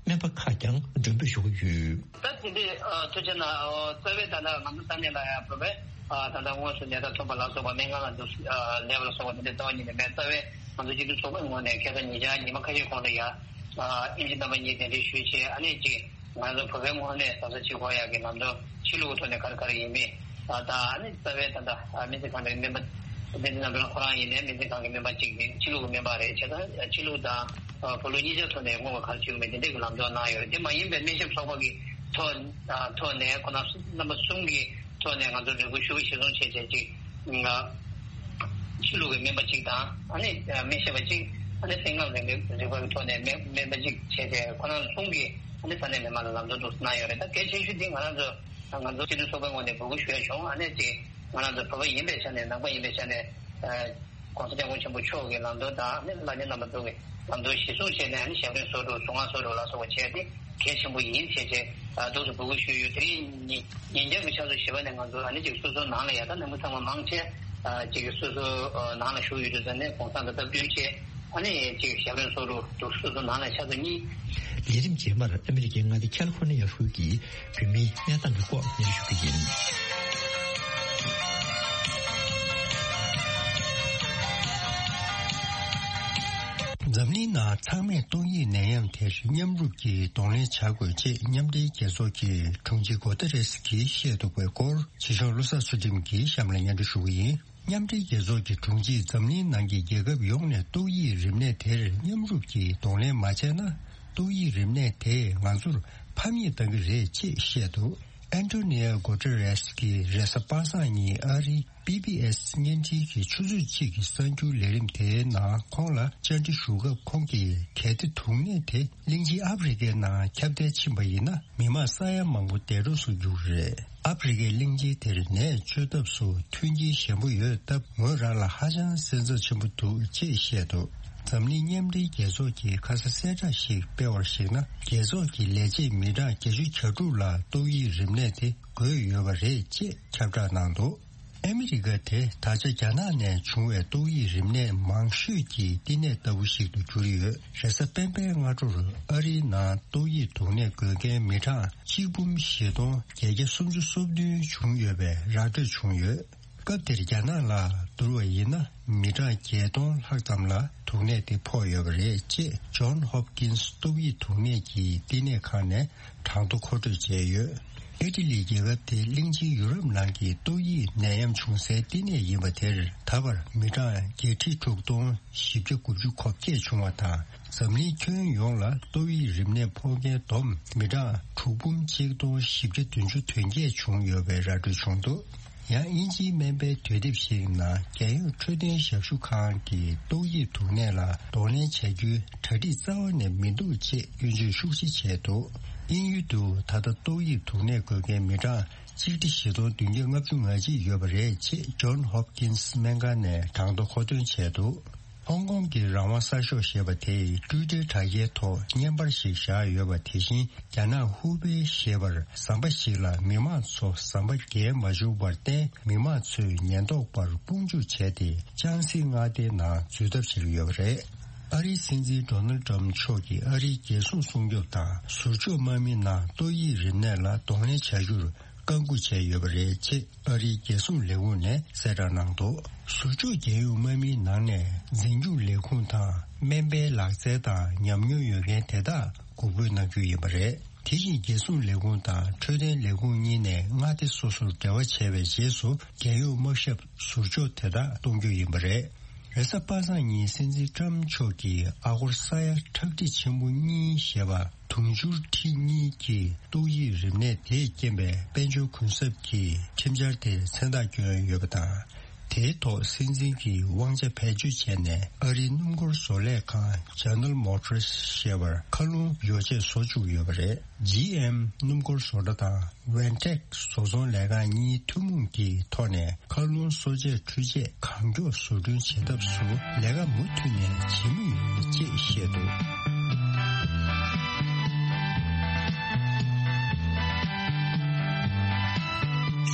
སྨན་པ་ཁག་ཀྱང་མགྲོན་འབོད་ཞུ་གི་ཡོད། ད་དེ་འདྲའི་ཨ་ཐུགས་རྗེ་གནང་། ཨོ་རྩ་བའི་ད་ལྟ་ང་ཚོ་ས་གནས་ལ་ཡང་བོད་པའི་ཨ་ད་ལྟ་དངོས་སུ་ནད་རྟགས་ཐོན་པ་ལ་སོགས་པ་སྨན་ཁང་ལ་འདུག་ཨ་སླེབས་པ་ལ་སོགས་པ་དེ་འདྲའི་རྩ་བ་ཉིད་ནས་མེད། རྩ་བའི་ང་ཚོ་སྤྱི་མཐུན་ཚོགས་པའི་ངོས་ནས་ཁ་སང་ཉེ་ཆར་ཉི་མ་ཁ་ཤས་གོང་ལ་ཡང་ཨ་ཨིན་ཇི་རྣམ་པ་གཉིས་གདན་འདྲེན་ཞུས་བྱས་ཨ་ནི་གཅིག་ང་ཚོ་བོད་པའི་ངོས་ནས་བཟའ་ཟླ་གཅིག་གོ་ཡག་གི་ལམ་སྟོན་ཕྱི་ལུགས་ཐོག་ནས་ག་རེ་ག་རེ་ཡིན་མིན། ཨ་ད་ཨ་ནི་རྩ་བའི་ད་ལྟ་ཨ་སྨན་རྩིས་ཁང་གི་སྨན་པ་བསྟན་འཛིན་རྣམ་གྲོལ་ཁོ་རང་ཡིན་ནའི་སྨན་རྩིས་ཁང་གི་སྨན་པ་གཅིག་ནི་ཕྱི་ལུགས་ཀྱི་སྨན་པ་རེད། བྱས་ཙང་ཕྱི་ལུགས་དང་བོད་ལུགས་གཉིས་ཆ་ཐོག་ནས་སྔོན་ལ་ག་རེ་བྱུང་མེད་དེ་འདྲས་ཀྱི་ལམ་སྟོན་གནང་ཡོད་རེད། དེ་མ་ཡིན་པའི་སྨན་ཞབས་ཚོགས་པ་གི་ཐོག་ཐོག་ནས་ཁོ་ན་རྣམ་པ་གསུམ་གྱི་ཐོག་ནས་ང་ཚོ་རེ་སྐུལ་ཞུ་གཞིར་བཟུང་བྱས་བྱས་ཅིག་ཕྱི་ལུགས་ཀྱི་སྨན་པ་གཅིག་དང་ཨ་ནི་སྨན་ཞབས་པ་གཅིག་ཨ་ནི་སེམས་ཁམས་རིག་པའི་རིག་པ་གི་ཐོག་ནས་སྨན་སྨན་པ་གཅིག་བྱས་ཏེ་ཁོ་རང་གསུམ་གྱིས་ཨ་ནི་ས་གནས་མི་མང་ལ་ལམ་སྟོན་འདུག་གནང་ཡོད་རེད། ད་གལ་ཆེ་ཤོས་འདི་ང་རང་ཚོ་ང་ཚོ་སྤྱི་མཐུན་ཚོགས་པའི་ངོས་ནས་འབོད་སྐུལ་ཞུ་ཡ་བྱུང་། ཨ་ནི་ཅིག་ང་རང་ཚོ་བོད་པ་ཡིན་པའི་ཆ་ནས་ནང་པ་ཡིན་པའི་ཆ་ནས་༸གོང་ས་༸སྐྱབས་མགོན་ཆེན་པོ་མཆོག་གི་ལམ་སྟོན་དང་ཨ་ནི་བླ་ཆེན་རྣམ་པ་ཚོ་གི་ལམ་སྟོན་གཞིར་བཟུང་བྱས་ནས་ཨ་ནི་ཞབས་རིམ་སོ་དྲུག་གཟུངས་སྔགས་སོ་དྲུག་ལ་སོགས་པ་བྱས་ཏེ་གལ་ཆེན་པོ་ཡིན་ཞེས་བྱས་འདུག་སེ་འབོད་སྐུལ་ཞུས་ཡོད། དེ་རིང་ཉིན་ཉིན་རྒྱབ་ཀྱི་ཆུ་ཚོད་བཞི་པ་ནས་ང་ཚོ་ཨ་ནི་ཅིག་སོ་སོའི་ནང་ལ་ཡ་ད་ནང་མི་ཚང་མ་མང་ཆེ་ཅིག་སོ་སོའི་ནང་ལ་བཞུགས་ཡོད་དུས་ཙང་ནས་གུང་སེང་དང་སྟབས་བསྟུན་བྱས་ཨ་ནི་ཅིག་ཞབས་རིམ་སོ་དྲུག་འདུག་སོ་སོའི་ནང་ལ་ཆུ་ཚོད་གཉིས། ལས་རིམ་རྗེས་མར་ཨ་མི་རི་ཀའི་མངའ་སྡེ་ཁ་ལི་ཧྥོར་ནི་ཡ་ཧྲུའུ་ཀྱི་བོད་མིའི་གནས་སྟངས་ཀྱི་སྐོར་སྙན་ཞུ་གི་ཡིན། འཛམ་གླིང་ནང་ཚང་མས་ཏོག་དབྱིབས་ནད་ཡམས་དེར་མཉམ་རུབ་ཀྱིས་གདོང་ལེན་བྱ་དགོས་ཅེས་མཉམ་འབྲེལ་རྒྱལ་ཚོགས་ཀྱི་དྲུང་ཆེ་གོ་ཏེ་རེས་ཀྱིས་བཤད་འདུག་པའི་སྐོར་ཕྱི་ཕྱོགས་བློ་བཟང་ཚུལ་ཁྲིམས་ཀྱིས་གཤམ་ལ་སྙན་སྒྲོན་ཞུ་གི་ཡིན། མཉམ་འབྲེལ་རྒྱལ་ཚོགས་ཀྱི་དྲུང་ཆེས་འཛམ་གླིང་ནང་གི་རྒྱལ་ཁབ་ཡོངས་ནས་ཏོག་དབྱིབས་རིམས་ནད་དེར་མཉམ་རུབ་ཀྱིས་གདོང་ལེན་མ་བྱས་ན། ཏོག་དབྱིབས་རིམས་ནད་དེས་ང་ཚོར་ཕམ་ཉེས་བཏང་གི་རེད་ཅེས་བཤད་འདུག་ཨན་ཏོ་ནི་ཡ་གོ་ཏེ་རེས་ཀྱིས་རེས་གཟའ་པ་སངས་ཉིན་ཨ་རིའི་བི་བི་ཨེས་བརྙན་འཕྲིན་གྱི་ཆུ་ཚོད་གཅིག་གི་གསར་འགྱུར་ལས་རིམ་དེའི་ནང་ཁོང་ལ་བཅར་འདྲི་ཞུ་སྐབས་ཁོང་གིས་གལ་ཏེ་དུག་ནད་དེ་གླིང་ཆེན་ཨ་ཕི་རི་ཀའི་ནང་ཁྱབ་གདལ་ཕྱིན་པ་ཡིན་ན། མི་མང་ས་ཡ་མང་པོ་འདས་གྲོངས་སུ་འགྱུར་རེད། ཨ་ཕི་རི་ཀའི་གླིང་ཆེན་དེར་ནད་བཅོས་ཐབས་སུ་མཐུན་རྐྱེན་ཞན་པོ་ཡོད་སྟབས། ངོས་རང་ལ་ཧ་ཅང་སེམས་འཚབ་ཆེན་པོ་འདུག་ཅེས་བཤད་འདུག་འཛམ་གླིང་མཉམ་འབྲེལ་རྒྱལ་ཚོགས་ཀྱིས་ཁ་ས་གསལ་བསྒྲགས་ཤིག་སྤེལ་བར་གཞིགས་ན། རྒྱལ་ཚོགས་ཀྱི་ལས་བྱེད་མི་གྲངས་བརྒྱད་ཅུ་གྱ་དྲུག་ལ་ཏོག་དབྱིབས་རིམས་ནད་དེ་འགོས་ཡོད་པ་རེད་ཅེས་ཁྱབ་བསྒྲགས་གནང་འདུག་ཨ་མི་རི་ཀ་དེ་ད་ཆ་རྒྱ་ནག་ནས་བྱུང་བའི་ཏོག་དབྱིབས་རིམས་ནད་མང་ཤོས་ཀྱི་བསྟི་གནས་ལྟ་བུ་ཞིག་ཏུ་གྱུར་ཡོད། རེས་གཟའ་སྤེན་པའི་སྔ་དྲོར་ཨ་རིའི་ནང་ཏོག་དབྱིབས་དུག་ནད་འགོས་མཁན་མི་གྲངས་གཅིག་འབུམ་བཞི་སྟོང་བརྒྱད་བརྒྱ་སུམ་ཅུ་སོ་བདུན་བྱུང་ཡོད་པའི་ར་སྤྲོད་བྱུང་ཡོད། སྐབས་དེར་རྒྱ་ནག་ལ་བསྡུར་བ་ཡིན་ན། མི་གྲངས་བརྒྱད་སྟོང་ལྷག་ཙམ་ལ་དུག་ནད་དེ་ཕོག་ཡོད་པ་རེད་ཅེས་ཇོན་ཧོབ་ཀིན་སི་ཏོག་དབྱིབས་དུག་ནད་ཀྱི་བསྟི་གནས་ཁང་ནས་གྲངས་ཐོ་མཁོ་སྤྲོད་བྱས་ཡོད། ཨི་ཊ་ལི་རྒྱལ་ཁབ་དེ་གླིང་ཆེན་ཡུ་རོབ་ནང་གི་ཏོག་དབྱིབས་ནད་ཡམས་བྱུང་སའི་བསྟི་གནས་ཡིན་པ་དེར། ད་བར་མི་གྲངས་བརྒྱད་ཁྲི་དྲུག་སྟོང་བཞི་བརྒྱ་དགུ་བཅུ་གོ་བརྒྱད་བྱུང་བ་དང་། འཛམ་གླིང་ཁྱོན་ཡོངས་ལ་ཏོག་དབྱིབས་རིམས་ནད་ཕོག་མཁན་བསྡོམས་མི་གྲངས་དྲུག་འབུམ་གཅིག་སྟོང་བཞི་བརྒྱ་བདུན་ཅུ་དོན་བརྒྱད་བྱུང་ཡོད་པའི་ར་སྤྲོད་བྱུང་འདུག་ཡང་དབྱིན་ཇིའི་སྨན་པའི་དུས་དེབ་ཞིག་ནང་རྒྱལ་ཡོངས་འཕྲོད་བསྟེན་ཞབས་ཞུ་ཁང་གིས་ཏོག་དབྱིབས་དུག་ནད་ལ་གདོང་ལེན་བྱ་རྒྱུའི་གྲ་སྒྲིག་རྩ་བ་ནས་མི་འདུག་ཅེས་སྐྱོན་བརྗོད་ཤུགས་ཆེ་བྱས་འདུག་དབྱིན་ཡུལ་དུ་ད་ལྟ་ཏོག་དབྱིབས་དུག་ནད་འགོས་མཁན་མི་གྲངས་གཅིག་ཁྲི་བཞི་སྟོང་བདུན་བརྒྱ་ལྔ་བཅུ་ང་གཅིག་ཡོད་པ་རེད་ཅེས་John Hopkins སྨན་ཁང་ནས་གྲངས་ཐོ་མཁོ་འདོན་བྱས་འདུག་ཧོང་ཀོང་གི་རང་དབང་གསར་ཤོག་ཞེས་པ་དེས་ཊུའི་ཊར་དྲ་རྒྱའི་ཐོག་བརྙན་པར་ཞིག་བཞག་ཡོད་པ། དེ་བཞིན་རྒྱ་ནག་ཧུའུ་པེ་ཞེས་པར་ཟམ་པ་ཞིག་ལ་མི་མང་ཚོ་ཟམ་པ་བརྒལ་མ་བཅུག་པར་བརྟེན། མི་མང་ཚོས་ཉེན་རྟོག་པར་དཔུང་འཇུག་བྱས་ཏེ། ལྕང་སྲེ་མངའ་སྡེའི་ནང་འཛུལ་ཐབས་བྱེད་ཀྱི་ཡོད་པ་རེད། ཨ་རིའི་སྲིད་འཛིན་ཌོ་ནལ་ཌི་ཊརམ་མཆོག་གིས་ཨ་རིའི་རྒྱལ་སྲུང་སྲུང་སྐྱོབ་དང་ཟུར་འཇོག་དམག་མི་ནང་ཏོག་དབྱིབས་རིམས་ནད་ལ་གདོང་ལེན་བྱ་རྒྱུར་བཀའ་འགུག་བྱས་ཡོད་པ་རེད་ཅེས་ཨ་རིའི་རྒྱལ་སྲུང་ལས་ཁུངས་ནས་གསལ་བསྒྲགས་གནང་འདུག་ཟུར་འཇོག་རྒྱལ་ཡོངས་དམག་མིའི་ནང་ནས་འཛིན་སྐྱོང་ལས་ཁུངས་དང་སྨན་པའི་ལག་རྩལ་དང་ཉམས་མྱོང་ཡོད་མཁན་དེ་དག་འགོག་རྒོལ་གནང་རྒྱུ་ཡིན་པ་རེད། དེ་བཞིན་རྒྱལ་སྲུང་ལས་ཁུངས་དང་འཕྲོད་བསྟེན་ལས་ཁུངས་གཉིས་ནས་མངའ་སྡེ་སོ་སོར་འབྲེལ་བ་བྱས་པའི་རྗེས་སུ་རྒྱལ་ཡོངས་དམག་ཞབས་ཟུར་འཇོག་དེ་དག་གཏོང་རྒྱུ་ཡིན་པ་རེད། རེས་གཟའ་པ་སངས་ཉིན་སྲིད་འཛིན་ཊརམ་མཆོག་གིས་ཨ་སྒོར་ས་ཡ་ཁྲག་ཁྲིག་ཆེན་པོ་གཉིས་ཞེས་པ་དུང་ཕྱུར་ཁྲི་གཉིས་ཀྱི་ཏོག་དབྱིབས་རིམས་ནད་དེས་རྐྱེན་པའི་དཔལ་འབྱོར་གུན་གསབ་ཀྱི་ཁྲིམས་འཆར་དེར་མཚན་རྟགས་བསྐྱོན་ཡོད་པ་དང་། དེའི་ཐོག་སྲིད་འཛིན་གྱིས་དབང་ཆ་བེད་སྤྱོད་བྱས་ནས་ཨ་རིའི་སྣུམ་འཁོར་བཟོ་ལས་ཁང་General Motors ཞེས་པར་མཁའ་རླུང་ཡོ་བྱད་བཟོ་བཅུག་ཡོད་པ་རེད། ཇི་ཨེམ་སྣུམ་འཁོར་བཟོ་གྲྭ་དང་Ventec བཟོ་ཚོང་ལས་ཁང་གཉིས་ཐུན་མོང་གི་ཐོག་ནས་མཁའ་རླུང་གསོ་དཔྱད་འཕྲུལ་ཆས་གང་མགྱོགས་བཟོ་སྐྲུན་བྱེད་ཐབས་སུ་ལས་ཀ་མུ་མཐུད་ནས་བྱེད་མུས་ཡིན་ཅེས་བཤད་འདུག་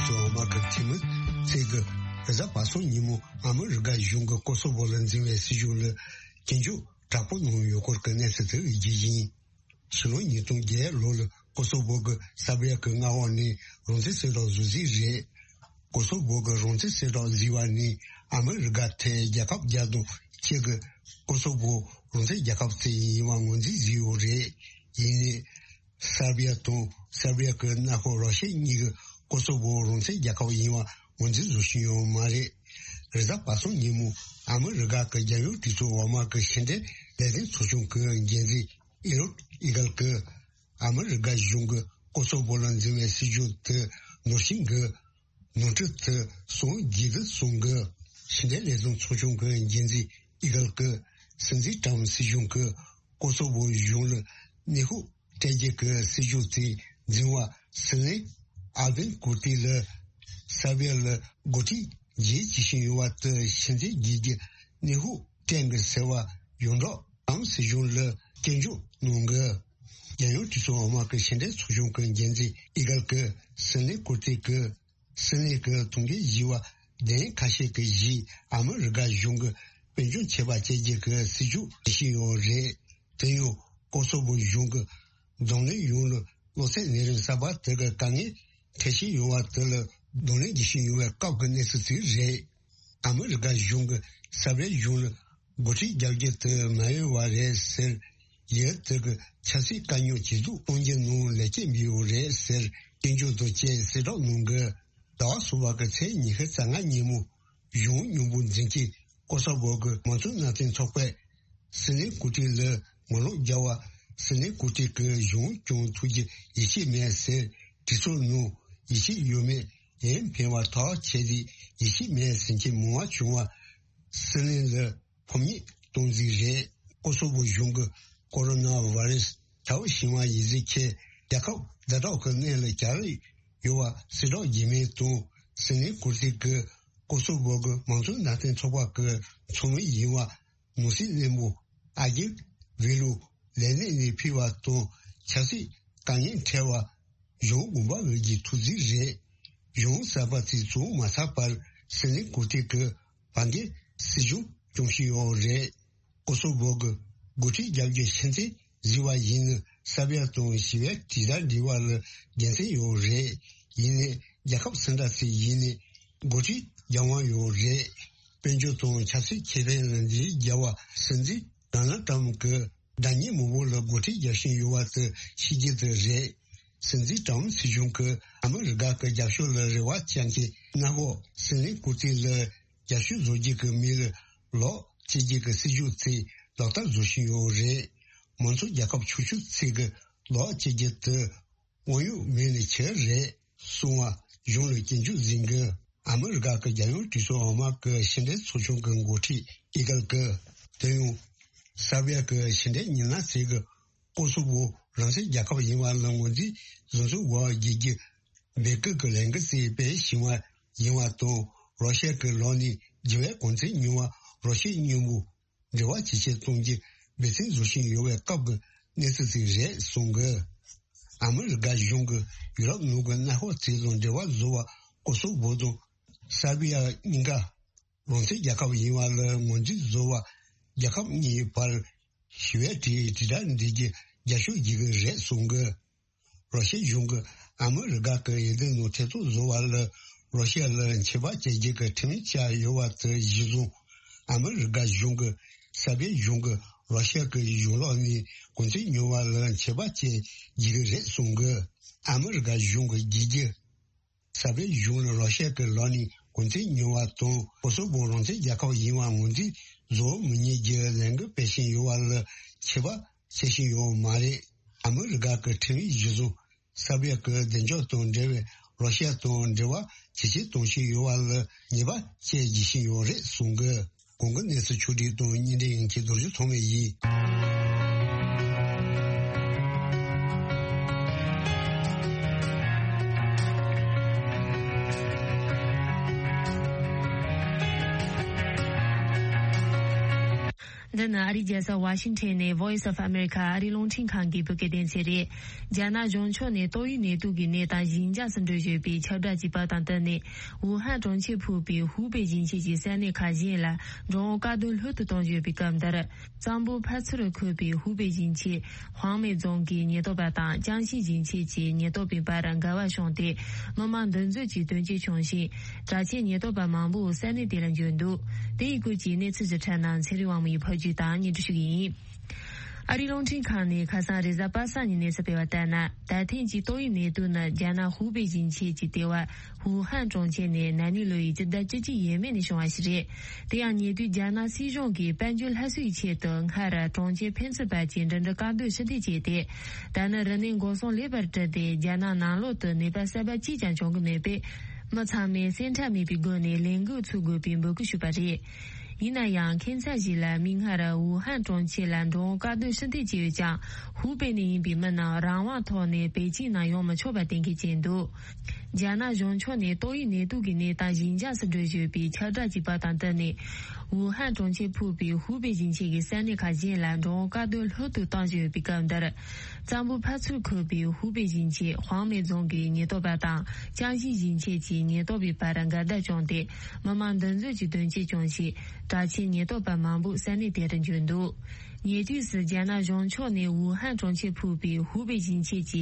ཞོགས་མ་གི་ཁྱིམ་མི་ཚེ་གི་གཟའ་པ་སངས་ཉིན་མོ་ཨ་མི་རི་ཀ་གཞུང་གི་ཀོ་སོ་བོ་ལ་འཛིན་པའི་སྲིད་གཞུང་ལ་སྐྱོན་བརྗོད་དྲག་པོ་གནང་ཡོད་སྐོར་གྱི་གནས་ཚུལ་དེ་ཡིན་རྒྱུ་ཡིན། ཕྱི་ལོ་ཉིས་སྟོང་བརྒྱད་ལོ་ལ་ཀོ་སོ་བོ་གི་སར་བི་ཡ་གི་མངའ་འོག་ནས་རང་བཙན་གསལ་བསྒྲགས་བཟོ་རྩིས་རེད། ཀོ་སོ་བོ་གི་རང་བཙན་གསལ་བསྒྲགས་བཟོས་པ་ནས་ཨ་མི་རི་ཀ་དེ་རྒྱལ་ཁབ་བརྒྱ་དང་གཅིག་གི་ཀོ་སོ་བོ་རང་བཙན་རྒྱལ་ཁབ་ཅིག་ཡིན་པ་ངོས་འཛིན་བཟོས་ཡོད་རེད། ཡིན་ནའི། སར་བི་ཡ་དང་སར་བི་ཡ་གི་མངའ་ཁོངས་རོ་ཤི་ཡ་གཉིས་ཀྱིས་ཀོ་སོ་བོ་རང་བཙན་རྒྱལ་ཁབ་ཡིན་པ་ངོས་འཛིན་བཟོ་བཞིན་ཡོད་མ་རེད། རེས་གཟའ་པ་སངས་ཉིན་མོ་ཨ་མི་རི་ཀ་གི་རྒྱལ་ཡོངས་གྲོས་ཚོགས་འོག་མ་གི་ཕྱི་འབྲེལ་ལས་དོན་ཚོགས་ཆུང་གི་འགན་འཛིན་ཨི་རོད་ཨི་གལ་གྱིས་ཨ་མི་རི་ཀ་གཞུང་གིས་ཀོ་སོ་བོ་ལ་འཛིན་པའི་སྲིད་ཇུས་དེ་ནོར་ཤིང་གི་ནོར་འཁྲུལ་དེ་སོང་རྒྱུ་དེ་སོང་གི། ཕྱི་འབྲེལ་ལས་དོན་ཚོགས་ཆུང་གི་འགན་འཛིན་ཨི་གལ་གྱིས་སྲིད་འཛིན་ཀྲམ་སྲིད་གཞུང་གིས་ཀོ་སོ་བོ་གཞུང་ལ་གནོན་ཤུགས་སྤྲད་རྒྱུ་གི་སྲིད་ཇུས་དེ་འཛིན་པ་སྲིད་བློན་ཨལ་བིན་ཀུར་ཏི་ལ་སར་བི་ཡ་ལ་འགོ་ཁྲིད་བྱེད་བྱེད་བཞིན་ཡོད་པ་དེ་ཕྱིར་འཐེན་བྱེད་རྒྱུ་གནོན་ཤུགས་སྤྲད་གི་ཟེར་བ་ཡོངས་གྲགས་ཀྲམ་སྲིད་གཞུང་ལ་སྐྱོན་བརྗོད་གནང་གི། རྒྱལ་ཡོངས་གྲོས་ཚོགས་འོག་མ་གི་ཕྱི་འབྲེལ་ཚོགས་ཆུང་གི་འགན་འཛིན་ཨི་གལ་གྱིས་སྲིད་བློན་ཀུར་ཏི་གི་སྲིད་བློན་གྱི་ཐུགས་འགན་བཞེས་པ་གདན་ཁ་ཤས་ཀྱི་གཞིས་ཨ་མི་རི་ཀ་གཞུང་གིས་དཔལ་འབྱོར་ཆད་པ་བཅད་རྒྱུ་གི་སྲིད་ཇུས་བྱེད་བཞིན་ཡོད་རེད། དེ་ཡང་ཀོ་སོ་བོ་གཞུང་གི་རྫོང་ལས་ཡོངས་ལ་གློ་ཚད་ནད་རིམས་གསར་པ་དེ་གི་དཀའ་ངལ་འཕྲད་བཞིན་ཡོད་པ་དེ་ལ་གདོང་ལེན་བྱེད་བཞིན་ཡོད་པའི་སྐབས་ཀྱི་གནས་ཚུལ་ཞིག་རེད། ཨ་མི་རི་ཀ་གཞུང་གིས་སར་བི་ཡ་གཞུང་ལ་འགོ་ཁྲིད་རྒྱག་རྒྱུ་དེ་མ་འོས་པ་རེད་ཟེར། ཡུལ་དེ་གི་ཆབ་སྲིད་དཀའ་རྙོག་ཇེ་སྡུག་གཏོང་རྒྱུ་ནང་ལེགས་སྐྱེས་འབུལ་ཡོད་རེད་ཟེར་སྐྱོན་བརྗོད་དང་བཅས་གསལ་བསྒྲགས་གནང་གི། ཟླ་བ་གསུམ་པ་གི་ཚེས་ཉི་ཤུ་རྩ་ལྔ་ཉིན་མོ་གཞུང་མཉམ་པོ་འཛིན་གྱི་ཀོ་སོ་བོ་གི་མང་གཙོའི་མནའ་མཐུན་ཚོགས་པས་སྲིད་བློན་ཀུར་ཏི་ལ་ངོ་ལོག་རྒྱག་པ། སྲིད་བློན་ཀུར་ཏི་གི་གཞུང་སྐྱོང་ཐུབ་རྒྱུ་ཡིད་ཆེས་མེད་ཟེར་དྲི་ཚོར་གནང་། ཡིད་ཆེས་ཡོད་མེད་ཡན་ཕན་པ་ཐག་ཆད་དེ་ཡིད་ཆེས་མེད་ཟེར་མཁན་མང་བ་བྱུང་བ། སྲིད་བློན་ལ་ཕམ་ཉེས་གཏོང་རྩིས་རེད། ཀོ་སོ་བོ་གཞུང་གི་ཀོ་རོ་ན་བྷ་རེ་སི་དྲག་པོ་ཕྱིན་པ་ཡིན་ཟེར་མཁན་རྒྱལ་ཁབ་ཛ་དྲག་གི་གནས་ལ་གྱར་ཡོད་པ་གསལ་བསྒྲགས་རྒྱུ་མེད་དང་སྲིད་བློན་ཀུར་ཏི་གི་ཀོ་སོ་བོ་གི་མང་གཙོའི་མནའ་མཐུན་ཚོགས་པ་གི་ཚོགས་མི་ཡིན་པ་ནོར་སྲིད་བློན་པོ་ཨ་གིབ་ཝེ་ལུ་ལས་གནས་ནས་ཕུད་པ་དང་ཆབ་སྲིད་དཀའ་ངལ་འཕྲད་པ་གཞུང་དགོངས་པ་འོས་ཀྱི་ཐུགས་རྩིས་རེད། གཞུང་གསར་པ་དེ་བཙུགས་མ་ཚར་བར་སྲིད་བློན་ཀུར་ཏི་གི་བར་འགན་སྲིད་གཞུང་སྐྱོང་བཞིན་ཡོད་རེད། ཀོ་སོ་བོ་གི་འགོ་ཁྲིད་རྒྱབ་ཀྱི་ཕྱི་འཐེན་བཟོས་པ་ཡིན་ན་སར་བི་ཡ་དང་ཞི་བའི་དྲིལ་བསྒྲགས་འབྲེལ་བ་ལ་དགེ་མཚན་ཡོད་རེད། ཡིན་ནའི་རྒྱལ་ཁབ་སུ་འདྲ་ཞིག་ཡིན་ནའི་འགོ་ཁྲིད་རྒྱབ་དབང་ཡོད་རེད། དཔལ་འབྱོར་དང་ཆབ་སྲིད་ཁེ་ཕན་ལ་འདི་རྒྱལ་བ་སྲིད་འཛིན་ཌོ་ནལ་ཊམ་གྱི་དགྲ་གཉེན་མང་པོ་ལ་འགོ་ཁྲིད་རྒྱབ་བཞིན་ཡོད་པ་དེ་ཤེས་རྒྱུ་དེ་རེད། སྲིད་འཛིན་ཊམ་སྲིད་གཞུང་གིས་ཨ་མི་རི་ཀ་གི་རྒྱབ་ཕྱོགས་ལ་རེ་བ་བཅངས་ཀྱི་མངའ་འོག་སྲིད་བློན་ཀུར་ཏི་ལ་རྒྱབ་སྐྱོར་བཟོ་རྒྱུ་གི་མི་ལ་ལོག་བྱེད་རྒྱུ་གི་སྲིད་ཇུས་ཚིག་ལག་བསྟར་བཟོ་བཞིན་ཡོད་རེད། མང་གཙོ་རྒྱལ་ཁབ་ཆུང་ཆུང་ཚིག་གི་ལོག་བྱེད་རྒྱུ་དེ་དབང་ཡོད་མེད་ནི་ཆེ་རེད་གསུང་བ་གཞུང་ལ་སྐྱོན་བརྗོད་ཟིན་གི། ཨ་མི་རི་ཀ་གི་རྒྱལ་ཡོངས་གྲོས་ཚོགས་འོག་མ་གི་ཕྱི་འབྲེལ་ཚོགས་ཆུང་གི་འགོ་ཁྲིད་ཨི་གལ་གི། དེ་ཡང་སར་བྷི་ཡ་གི་ཕྱི་འབྲེལ་མི་སྣ་ཚོས་གི་ཀོ་སོ་བོ་རང་བཙན་རྒྱལ་ཁབ་ཡིན་པ་ལ་ངོས་འཛིན་བཟོ་འཛུགས་འོག་བསྒྱུར་རྒྱུ་འབོད་སྐུལ་གྱི་ལས་འགུལ་ཞིག་སྤེལ་བཞིན་པ་ཡིན་པ་དང་། རོ་ཤི་ཡ་གི་ལག་ནས་རྒྱུ་བའི་གོ་མཚོན་ཉོ་བ་རོ་ཤི་ཡའི་མཉམ་པོ་འབྲེལ་བ་ཇེ་ཆེར་གཏོང་རྒྱུ་འབད་བརྩོན་བཟོ་བཞིན་ཡོད་པའི་སྐབས་ཀྱི་གནས་ཚུལ་ཞིག་རེད་གསུངས་གི། ཨ་མི་རི་ཀ་གཞུང་གིས་ཡུ་རོབ་ནང་གི་མནའ་འབྲེལ་ཚོགས་དང་འབྲེལ་བ་བཟོ་བར་ཀོ་སོ་བོ་དང་སར་བྷི་ཡ་གཉིས་ཀ་རང་བཙན་རྒྱལ་ཁབ་ཡིན་པ་ལ་ངོས་འཛིན་བཟོ་བར་རྒྱལ་ཁབ་གཉིས་བར་ཞི་བའི་དྲིལ་དྲིལ་བསྒྲགས་འབྲི་རྒྱུ་རྒྱབ་སྐྱོར་བྱེད་ཀྱི་རེད་གསུངས་གི། རོ་ཤི་ཡ་གཞུང་གིས་ཨ་མི་རི་ཀ་གི་འོས་བསྡུ་ནང་ཐེ་གཏོགས་བཟོ་བ་ལ་རོ་ཤི་ཡ་ལ་ཆད་པ་གཅོད་རྒྱུ་གི་ཁྲིམས་ཡིག་བཅས་ཡོད་པ་དེ་གཞིར་བཟུང་། ཨ་མི་རི་ཀ་གཞུང་གིས་སར་བྷི་ཡ་གཞུང་གིས་རོ་ཤི་ཡ་གི་གཞུང་ལག་ནས་གོ་མཚོན་ཉོ་བ་ལ་ཆད་པ་གཅོད་རྒྱུ་རེད་གསུངས་གི། ཨ་མི་རི་ཀ་གཞུང་གི་བསྒྱུར་རྒྱུ། སར་བྷི་ཡ་གཞུང་ལ་རོ་ཤི་ཡ་གི་ལག་ནས་གོ་མཚོན་ཉོ་བ་དང་ཀོ་སོ་བོ་རང་བཙན་རྒྱལ་ཁབ་ཡིན་པ་ངོས་འཛིན་བཟོ་མི་ཉན་རྒྱུ་ལས་འགུལ་སྤེལ་བཞིན་ཡོད་པ་ལ་ཆད་པ་བཅད་བཞིན་ཡོད་མ་རེད། ཨ་མི་རི་ཀ་གི་ཁྲིམས་ཡིག་གཞིར་བཟུང་། སར་བྷི་ཡ་གི་བདེ་འཇགས་དང་འབྲེལ་བའི་རོ་ཤི་ཡ་དང་འབྲེལ་བ་ཇེ་ཆེར་གཏོང་བཞིན་ཡོད་པ་ལ་ཉེས་པ་བཅས་བགྱིད་བཞིན་ཡོད་རེད་གསུངས་གི། གོང་གི་གནས་ཚུལ་ཕྱོགས་བསྒྲིགས་དང་སྙན་སྒྲོན་ཡན་ཆད་རྡོ་རྗེ་ཐོགས་མེད་ཡིན། འདི་ནི་ཨ་རིའི་རྒྱལ་ས་ཝ་ཤིང་ཊོན་ནས་Voice of America ཨ་རིའི་རླུང་འཕྲིན་ཁང་གི་བོད་སྐད་སྡེ་ཚན་རེད། རྒྱ་ནག་གཞུང་ཕྱོགས་ནས་ཏོག་དབྱིབས་ནད་དུག་གི་གནས་སྟངས་ཞི་འཇགས་སུ་འགྲོ་བཞིན་པའི་ཁྱབ་བསྒྲགས་བྱས་པ་དང་བསྟུན་ནས། ཝུ་ཧན་གྲོང་ཁྱེར་ཕུད་པའི་ཧུའུ་པེ་ཞིང་ཆེན་གྱི་ས་གནས་ཁག་གཞན་ལ་འགྲོ་འོང་བཀག་སྡོམ་ལྷོད་དུ་གཏོང་བཞིན་ཡོད་པའི་སྐབས་འདིར། གཙང་པོ་ཕར་ཚུར་འཁོད་པའི་ཧུའུ་པེ་ཞིང་ཆེན་ཧུའང་མེ་རྫོང་གི་ཉེན་རྟོག་པ་དང་ཅང་ཤིང་ཞིང་ཆེན་གྱི་ཉེན་རྟོག་པའི་བར་འགལ་བ་བྱུང་སྟེ། མི་མང་འདུ་འཛོམས་ཀྱི་དོན་རྐྱེན་བྱུང་ཞིང་། དྲག་ཆས་ཉེན་རྟོག་པ་མང་པོ་ས་གནས་དེ་ལ་འབྱོར་འདུག་དེ་ཡི་སྐོར་གྱི་གནས་ཚུལ་ཞིབ་ཕྲ་རྣམས་ཚེ་རིང་དབང་མོ་ཡིས་ཕབ་སྒྱུར་དང་སྙན་སྒྲོན་ཞུ་གི་ཡིན། ཨ་རིའི་རླུང་འཕྲིན་ཁང་ནས་ཁ་སང་རེས་གཟའ་པ་སངས་ཉིན་གནས་ཚུལ་སྤེལ་བ་ལྟར་ན། ད་ཐེངས་ཀྱི་ཏོག་དབྱིབས་ནད་དུག་ནི་རྒྱ་ནག་ཧུའུ་པེ་ཞིང་ཆེན་གྱི་ལྟེ་བ་ཝུ་ཧན་གྲོང་ཁྱེར་ནས་ན་ནིང་ལོ་ཡི་སྤྱི་ཟླ་བཅུ་གཅིག་ཡས་མས་ནས་བྱུང་བ་ཞིག་རེད། དེ་ཡང་ཉེ་དུས་རྒྱ་ནག་སྲིད་གཞུང་གིས་དཔལ་འབྱོར་སླར་གསོའི་ཆེད་དུ་སྔར་གྲོང་ཁྱེར་ཕན་ཚུན་བར་གྱི་འགྲིམ་འགྲུལ་བཀག་སྡོམ་ཕྱིར་འཐེན་བྱས་ཏེ། ད་ནི་རིམས་ནད་འགོག་སྲུང་ལེགས་པར་གྲུབ་སྟེ་རྒྱ་ནག་ནང་ལོགས་སུ་ནད་པ་གསར་པ་གཅིག་ཀྱང་བྱུང་གི་མེད་པས། མི་ཚང་མས་སེམས་ཁྲལ་མེད་པའི་སྒོ་ནས་ལས་འགུལ་འཚོགས་དགོས་པའི་འབོད་སྐུལ་ཞུས་པ་རེད། ཡིན་ན་ཡང་ཁྱིམ་ཚང་ཞིག་ལ་མིག་སྔར་ཝུ་ཧན་གྲོང་ཁྱེར་ལ་འགྲོ་འོང་བཀག་སྡོམ་ཕྱིར་འཐེན་བྱས་ཡོད་ཀྱང་། ཧུའུ་པེ་ནས་ཡིན་པའི་མི་རྣམས་རང་དབང་ཐོག་ནས་པེ་ཅིང་ནང་ཡོང་མི་ཆོག་པ་གཏན་འཁེལ་བྱས་འདུག་རྒྱ་ནག་གཞུང་ཕྱོགས་ནས་ཏོག་དབྱིབས་ནད་དུག་གི་གནས་སྟངས་ཞི་འཇགས་སུ་འགྲོ་བཞིན་ཡོད་པའི་ཁྱབ་བསྒྲགས་བྱས་པ་དང་བསྟུན་ནས། ཝུ་ཧན་གྲོང་ཁྱེར་ཕུད་པའི་ཧུའུ་པེ་ཞིང་ཆེན་གྱི་ས་གནས་ཁག་གཞན་ལ་འགྲོ་འོང་བཀག་སྡོམ་ལྷོད་དུ་གཏོང་བཞིན་ཡོད་པའི་སྐབས་འདིར། གཙང་པོ་ཕར་ཚུར་འཁོད་པའི་ཧུའུ་པེ་ཞིང་ཆེན་ཧུའང་མེ་རྫོང་གི་ཉེན་རྟོག་པ་དང་ཅང་ཞིང་ཞིང་ཆེན་གྱི་ཉེན་རྟོག་པའི་བར་འགལ་ཟླ་བྱུང་སྟེ། མི་མང་འདུ་འཛོམས་ཀྱི་དོན་རྐྱེན་བྱུང་ཞིང་། དྲག་ཆས་ཉེན་རྟོག་པ་མང་པོ་ས་གནས་དེར་འབྱོར་འདུག་ཉེ་དུས་སུ་རྒྱ་ནག་གཞུང་ཕྱོགས་ནས་ཝུ་ཧན་གྲོང་ཁྱེར་ཕུད་པའི་ཧུའུ་པེ་ཞིང་ཆེན་གྱི་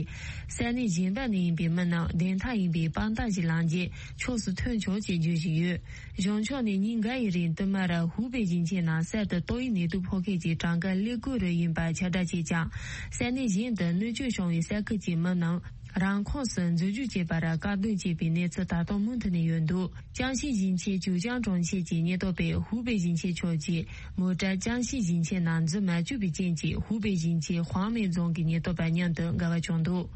ས་གནས་གཞན་པ་ནས་ཡིན་པའི་མི་རྣམས་བདེན་མཐའ་ཡིན་པའི་དཔང་རྟགས་ཤིག་བླངས་རྗེས་ཕྱོགས་སུ་ཐོན་ཆོག་ཅེས་བརྗོད་བཞིན་ཡོད། གཞུང་ཕྱོགས་ནས་ཉིན་འགའ་ཡི་རིང་བསྟུད་མར་ཧུའུ་པེ་ཞིང་ཆེན་ནང་གསར་དུ་ཏོག་དབྱིབས་ནད་དུག་ཕོག་མཁན་གྱི་གྲངས་ཀ་ཀླད་ཀོར་རུ་ཡིན་པ་ཁྱབ་བསྒྲགས་བྱས་ཀྱང་། ས་གནས་གཞན་དུ་གནོད་སྐྱོན་བྱུང་བའི་ས་ཁུལ་གྱི་མི་རྣམས་རང་ཁོངས་སུ་འཛུལ་ཞུགས་བྱེད་པར་བཀག་སྡོམ་བྱས་པའི་གནས་ཚུལ་ད་དུང་མུ་མཐུད་ནས་ཡོད་འདུག་ཅང་ཤིང་ཞིང་ཆེན་ཅུའུ་ཅང་གྲོང་ཁྱེར་གྱི་ཉེན་རྟོག་པས་ཧུའུ་པེ་ཞིང་ཆེན་ཕྱོགས་ཀྱི་མོ་ཊ་ཅང་ཤིང་ཞིང་ཆེན་ནང་འཛུལ་མ་བཅུག་པའི་རྐྱེན་གྱིས་ཧུའུ་པེ་ཞིང་ཆེན་ཧུའང་མེ་རྫོང་གི་ཉེན་རྟོག་པ་མཉམ་དུ་འགལ་བ་བྱུང་འདུག་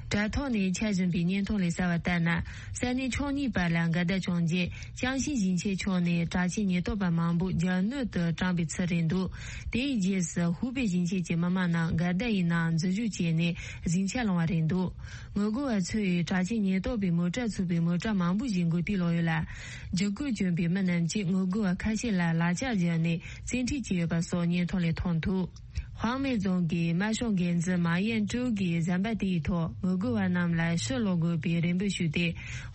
དྲ་ཐོག་ནས་འཆར་བཞིན་པའི་བརྙན་ཐུང་ལ་གསལ་བ་ལྟར་ན། ས་གནས་ཕྱོགས་གཉིས་བར་ལ་འགལ་ཟླ་བྱུང་རྗེས། ཅང་ཤིང་ཞིང་ཆེན་ཕྱོགས་ནས་དྲག་ཆས་ཉེན་རྟོག་པ་མང་པོ་རྒྱ་སྣོད་དུ་དྲངས་པའི་ཚུལ་རེད་འདུག་དེའི་རྗེས་སུ་ཧུའུ་པེ་ཞིང་ཆེན་གྱི་མི་མང་རྣམས་འགལ་ཟླ་ཡི་ནང་འཛུལ་ཞུགས་བྱས་ནས་ཟིང་ཆ་སློང་བ་རེད་འདུག་ངོ་རྒོལ་བ་ཚོས་དྲག་ཆས་ཉེན་རྟོག་པའི་མོ་ཊ་ཚུད་པའི་མོ་ཊ་མང་པོ་ཞིག་འགོ་ཐད་ལོག་ཡོད་ལ། འཇིགས་སྐུལ་བསྐྱོན་པའི་མི་རྣམས་ཀྱིས་ངོ་རྒོལ་བ་ཁ་ཤས་ལ་ལག་ཆ་སྦྱར་ནས་བཙན་ཁྲིད་བྱས་ཡོད་པ་སོགས་བརྙན་ཐུང་ལས་མཐོང་ཐུབ། ཧུའང་མེ་རྫོང་གི་དམར་ཤོག་འགན་འཛིན་མཱ་ཡན་ཀྲོའུ་གིས་གཟའ་པ་དེའི་ཐོག་ངོ་རྒོལ་བ་རྣམས་ལ་ཕྱིར་ལོག་དགོས་པའི་རེ་འབོད་ཞུས་ཏེ།